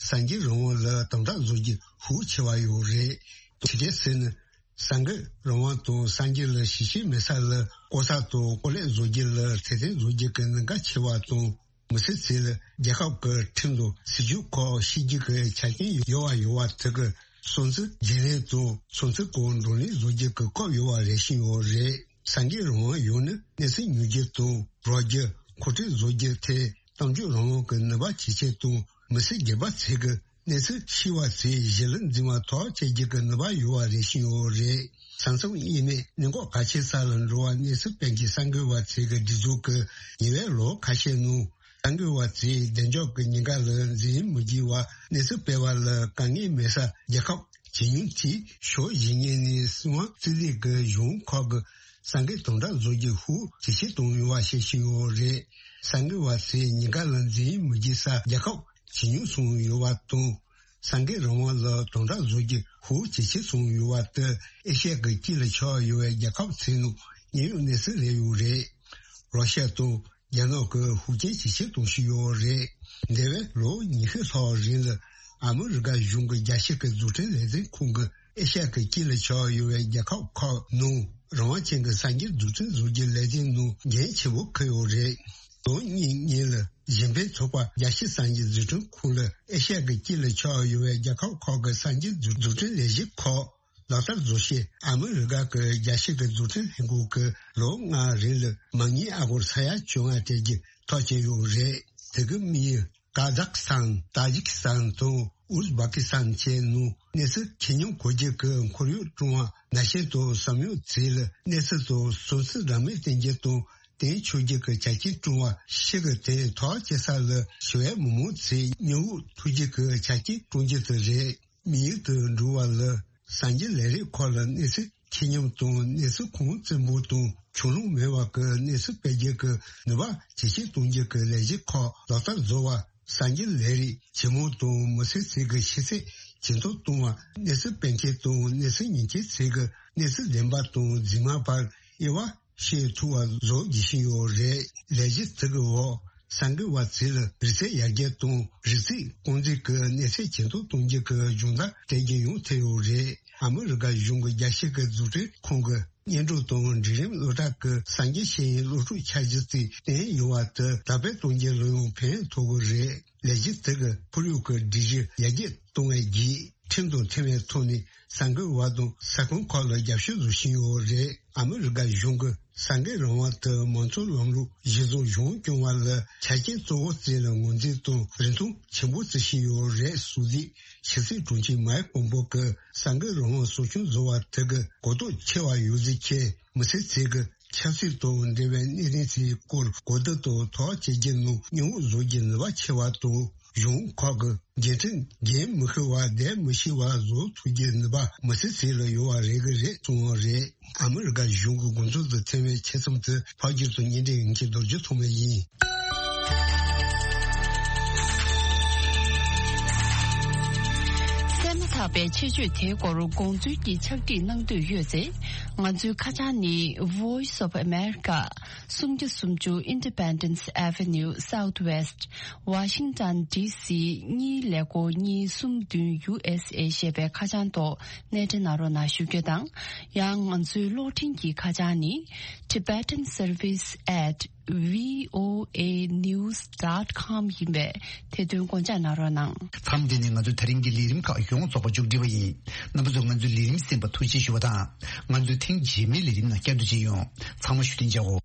སངས་རྒྱས་རང་དབང་ལ་དམ་དྲག་བཟོ་རྒྱུ་ཧུར་ཆེ་བ་ཡོད་རེད། ཇི་སྐད་ཟེར་ན། སངས་རྒྱས་རང་དབང་དང་སངས་རྒྱས་ལ་ཞི་བྱེད་མེད་ས་ལ་བཀོལ་ས་དང་བཀོལ་ལས་བཟོ་རྒྱུ་ལ་ཐེར་འདོན་བཟོ་རྒྱུ་གི་གནད་འགག་ཆེ་བ་དང་། མི་སེར་ཚོས་རྒྱལ་ཁབ་ཀྱི་ཁྲིམས་དང་སྲིད་ཇུས་ཁག་ཕྱི་རྒྱལ་གྱི་ཆ་རྐྱེན་ཡོད་པ་ཡོད་པ་དེ་གི་སྲུང་བརྩི་བརྗེ་ལེན་དང་སྲུང་བརྩི་སྐོར་བགྲོ་གླེང་བཟོ་རྒྱུ་གི་སྐབས་ཡོད་པ་རེ་བཞིན་ཡོད་རེད། སངས་རྒྱས་རང་དབང་ཡོད་ན་གནས་ཚུལ་ཉོ་རྒྱུ་དང་རོགས་རྒྱུ་མཁོ་སྤྲོད་བཟོ་རྒྱུ་ཐད་གཏམ་བརྗོད་རང་དབང་གི་ནུས་པ་ཇེ་ཆེ་དང་མི་སེར་སྒེར་པ་ཚོས་ཀྱི་གནས་ཚུལ་ཤེས་པ་ཚོས་གཞི་ལ་འཛིན་པ་ཐག་བཅད་རྒྱུ་གི་ནུས་པ་ཡོད་པ་རེ་བཞིན་ཡོད་རེད། ས་མཚམས་དབྱེ་མེད་གནད་འགག་གལ་ཆེ་ས་ལ་འགྲོ་བ་གནས་ཚུལ་སྤེལ་མཁན་གསར་འགོད་པ་ཚོས་ཀྱི་སྒྲིག་འཛུགས་ཀྱི་ཉེ་བའི་ལོ་ཁ་ཤས་ནང་གསར་འགོད་པ་ཚོས་བདེ་འཇགས་ཀྱི་ཉེན་ཁ་ལ་འཛེམ་མི་བགྱིད་པར་གནས་ཚུལ་སྤེལ་བ་ལ་དཀའ་ངལ་མེད་ས་རྒྱལ་ཁབ་ཇེ་ཉུང་དེ་ཕྱོགས་གཞན་ངོས་ནས་སྲིད་དབང་རྩིས་ལུགས་ཀྱི་གཞུང་ཁག་གི་སངས་རྒྱས་དམ་དྲག་བཟོ་རྒྱུ་ཤུགས་ཇེ་ཆེར་གཏོང་ཡོད་པ་ཤེས་བཞིན་ཡོད་རེད། གསར་འགོད་པ་ཚོས་ཉེན་ཁ་ལ་འཛེམ་མི་བགྱིད་ས་རྒྱལ་ཁབ་ཇེ་ཉུང་སོང་ཡོད་པ་དང་། སངས་རྒྱས་རང་དབང་ལ་དམ་དྲག་བཟོ་རྒྱུ་ཤུགས་ཇེ་ཆེར་སོང་ཡོད་པ་དེ་ཨེ་ཤ་ཡ་གི་དཀྱིལ་ལ་ཆགས་ཡོད་པའི་རྒྱལ་ཁབ་ཚོའི་ནང་གནས་ཡོད་གནས་ཚུལ་རེད་ཡོད་རེད། རོ་ཤ་དང་རྒྱ་ནག་གི་ཤུགས་རྐྱེན་ཇེ་ཆེར་གཏོང་བཞིན་ཡོད་རེད། འདས་པའི་ལོ་ཉི་ཤུ་ལྷག་རིང་ལ་ ཨ་མི་རི་ཀ་གཞུང་གི་རྒྱལ་སྤྱི་གི་འཛུགས་སྐྲུན་ལས་འཛིན་ཁང་གི་ཨེ་ཤ་ཡ་གི་དཀྱིལ་ལ་ཆགས་ཡོད་པའི་རྒྱལ་ཁབ་ཁག་ནང་རང་དབང་ཅན་གྱི་གསར་འགྱུར་འཛུགས་སྐྲུན་བཟོ་རྒྱུའི་ལས་དོན་ནང་འགན་ཆེན་པོ་འཁུར་ཡོད་རེད། ལོ་གཉིས་སྔོན་ལ་གཞན་ཕན་ཚོགས་པ་རྒྱལ་སྤྱིའི་གསར་འགྱུར་འཛུགས་སྐྲུན་ཁང་ལ་ཨེ་ཤ་ཡ་གི་དཀྱིལ་ལ་ཆགས་ཡོད་པའི་རྒྱལ་ཁབ་ཁག་གི་གསར་འགྱུར་འཛུགས་སྐྲུན་ལས་གཞི་ཁག་ལག་བསྟར་བཟོ་ཆེད་ཨ་མི་རི་ཀ་གི་རྒྱལ་སྤྱི་གི་འཛུགས་སྐྲུན་ལྷན་ཁང་གིས་ལོ་ལྔ་རིང་ལ་མ་དངུལ་ཨ་སྒོར་ས་ཡ་བཅོ་ལྔ་སྤྲད་རྒྱུ་ཐག་བཅད་ཡོད་རེད། དེ་གི་དམིགས་ཡུལ་ཀ་ཛག་སི་ཐན། ཏཱ་ཇིག་སི་ཐན་དང་ཨུ་ཛི་བྷ་ཀི་སི་ཐན་བཅས་ནང་གནས་ཚུལ་ཆེ་སྙོམས་འཁོར་རྒྱུ་གི་ཁོར་ཡུག་བསྐྲུན་པ་ནང་བཞིན་དུ་བསམ་ཡོད་ཚད་ལ་གནས་ཚུལ་དང་སུན་གཙེར་འདྲ་མིན་བསྟན་རྒྱུ་དང་བསྟན་ཆོག་རྒྱུ་གི་ཆ་རྐྱེན་བསྐྲུན་པ་ཤིག་གི་དེ་ཐག་བཅད་ས་ལ་ཞི་བའི་མི་མང་ཚོས་མྱི་དབུགས་འཐུང་རྒྱུ་གི་ཆ་རྐྱེན་བསྐྲུན་རྒྱུ་དེ་རེད། དམིགས་ཡུལ་དུ་འགྲོ་བ་ལ་གསར་འགྱུར་ལས་རིགས་ཁག་ལ་གནས་ཚུལ་ཆེ་སྙོམས་དང་གནས་ཚུལ་ཁུངས་བཙན་པོ་དང་ཁྱོན་ལོང་མེད་པ་གི་གནས་ཚུལ་སྤེལ་རྒྱུ་གི་ནུས་པ་ཇེ་ཆེར་གཏོང་རྒྱུ་གི་ལས་གཞི་ཁག་ལག་བསྟར་བཟོ་བ། གསར་འགྱུར་ལས་རིགས་ཇེ་མང་དང་མི་སེར་ཚོས་ཀྱི་ཤེས་ཚད་ཇེ་མཐོར་གཏོང་བ། གནས་ཚུལ་སྤེལ་མཁན་དང་གནས་ཚུལ་ཉན་མཁན་ཚོས་ཀྱི་གནས་ཚུལ་བདེན་པ་དང་རྫུན་མ་བར་དབྱེ་བ་ཤེས་ཐུབ་པ་བཟོ་དགོས་ཀྱི་ཡོད་རེད། ལས་གཞི་དེ་གི་འོག་གསར་འགོད་པ་ཚོ་ལ་རིག་རྩལ་ཡར་རྒྱས་དང་རིག་རྩིས་རྐང་འཛིན་གྱི་གནས་ཚད་ཇེ་མཐོར་གཏོང་རྒྱུ་གི་སྦྱོང་བརྡར་སྤྲད་རྒྱུ་ཡང་ཐེ་ཡོད་རེད། ཨ་མི་རི་ཀ་གཞུང་གི་རྒྱལ་སྤྱི་གི་འཛུགས་སྐྲུན་ཁང་གི་སྙན་སྒྲོན་དང་འབྲིང་རིམ་སློབ་གྲྭ་གི་གསར་འགྱུར་ཤེས་ཡོན་སློབ་ཕྲུག་ཆ་བཞི་ཚོས་བསྟན་ཡོད་པ་དེ་དར་སྤེལ་གཏོང་རྒྱུ་ལ་ཡང་ཕན་ཐོགས་ཀྱི་རེད། ལས་གཞི་དེ་གི་ཁོར་ཡུག་གི་སྒྲིག་གཞི་ཡར་རྒྱས་གཏོང་བའི་བརྒྱུད་ཁྲིམས་དང་མཐུན་པའི་ཐོག་ནས་གསར་འགོད་པ་དང་ས་ཁོངས་ཁག་ལ་རྒྱབ་སྐྱོར་བཟོ་བཞིན་ཡོད་རེད། ཨ་མི་རི་ཀ་གཞུང་གིས་གསར་འགོད་རང་དབང་དེ་མང་གཙོ་ལམ་ལུགས་གཞི་བཟུང་གཞུང་སྐྱོང་བ་ལ་ཆ་རྐྱེན་གཙོ་བོ་བརྩིས་ལ་ངོས་འཛིན་དང་རིན་ཐང་ཆེན་པོ་བརྩི་བཞིན་ཡོད་རེད་གསུངས་ཏེ། ཕྱི་སྲིད་དྲུང་ཆེ་མའེ་ཕོམ་པོ་གིས་གསར་འགོད་རང་དབང་གསོ་སྐྱོང་བཟོ་བ་དེ་གི་གོ་རྟོགས་ཆེ་བ་ཡོད་ཚུལ་མཁྱེན། མི་སེར་ཚོས་ཀྱི་ཆབ་སྲིད་དང་འབྲེལ་བའི་གནད་དོན་ཚོའི་སྐོར་གོ་བསྡུར་དང་ཐག་གཅོད་རྒྱུ་ནང་མཉེས་པོ་བཟོ་རྒྱུ་ནུས་པ་ཆེ་བ་དང་། གཞུང་ཁག་གི་འགན་འཁྲི་འགན་མི་ཤེས་པ་བསྡད་མི་ཤེས་པ་བཟོ་ཐུབ་རྒྱུའི་ནུས་པ་མི་སེར་ཚོ་ལ་ཡོད་པ་རེད་གི་རེད་གསུངས་པ་རེད། ཨ་མི་རི་ཀ་གཞུང་གི་དགོངས་ཚུལ་དུ་ཐེ་བའི་ཆེད་རྩོམ་དུ་ཕབ་སྒྱུར་དང་སྙན་སྒྲོན་ཡིན་གྱི་རྡོ་རྗེ་ཐོགས་མེད་ཡིན། གསན་མ་ཐག་པའི་ཆེད་བརྗོད་དེའི་སྐོར་དགོངས་ཚུལ་གྱི་ཕྱག་བྲིས་གནང་འདོད་ཡོད་ཚེ། ང་ཚོའི་ཁ་བྱང་ནི་Voice of America། སུམ་བརྒྱ་སུམ་ཅུ་Independence Avenue Southwest། Washington D C གཉིས་ཀླད་ཀོར་གཉིས་གསུམ་བདུན་U S A ཞེས་པའི་ཁ་བྱང་ཐོག་སྣེ་འདྲེན་གནང་རོགས་གནང་ཞུ་རྒྱུ་དང་། ཡང་ང་ཚོའི་གློག་འཕྲིན་གྱི་ཁ་བྱང་ནི། Tibetan Service at V O A news dot com ཡིན་པས་དེ་དོན་དགོངས་འཇགས་གནང་རོགས་གནང་། མཚམས་འདི་ནས་ང་ཚོའི་ད་རིང་གི་ལས་རིམ་ཁག་ཡོངས་རྫོགས་པ་མཇུག་སྒྲིལ་བ་ཡིན། རྣམ་པ་ཚོས་ང་ཚོའི་ལས་རིམ་གསན་པར་ཐུགས་རྗེ་ཞུ་བ་དང་། ང་ཚོའི་ཐེངས་རྗེས་མའི་ལས་རིམ་ནང་བསྐྱར་དུ་མཇལ་ཡོང་། ཚང་མ་བཞུགས་གདན་འཇགས་འོ།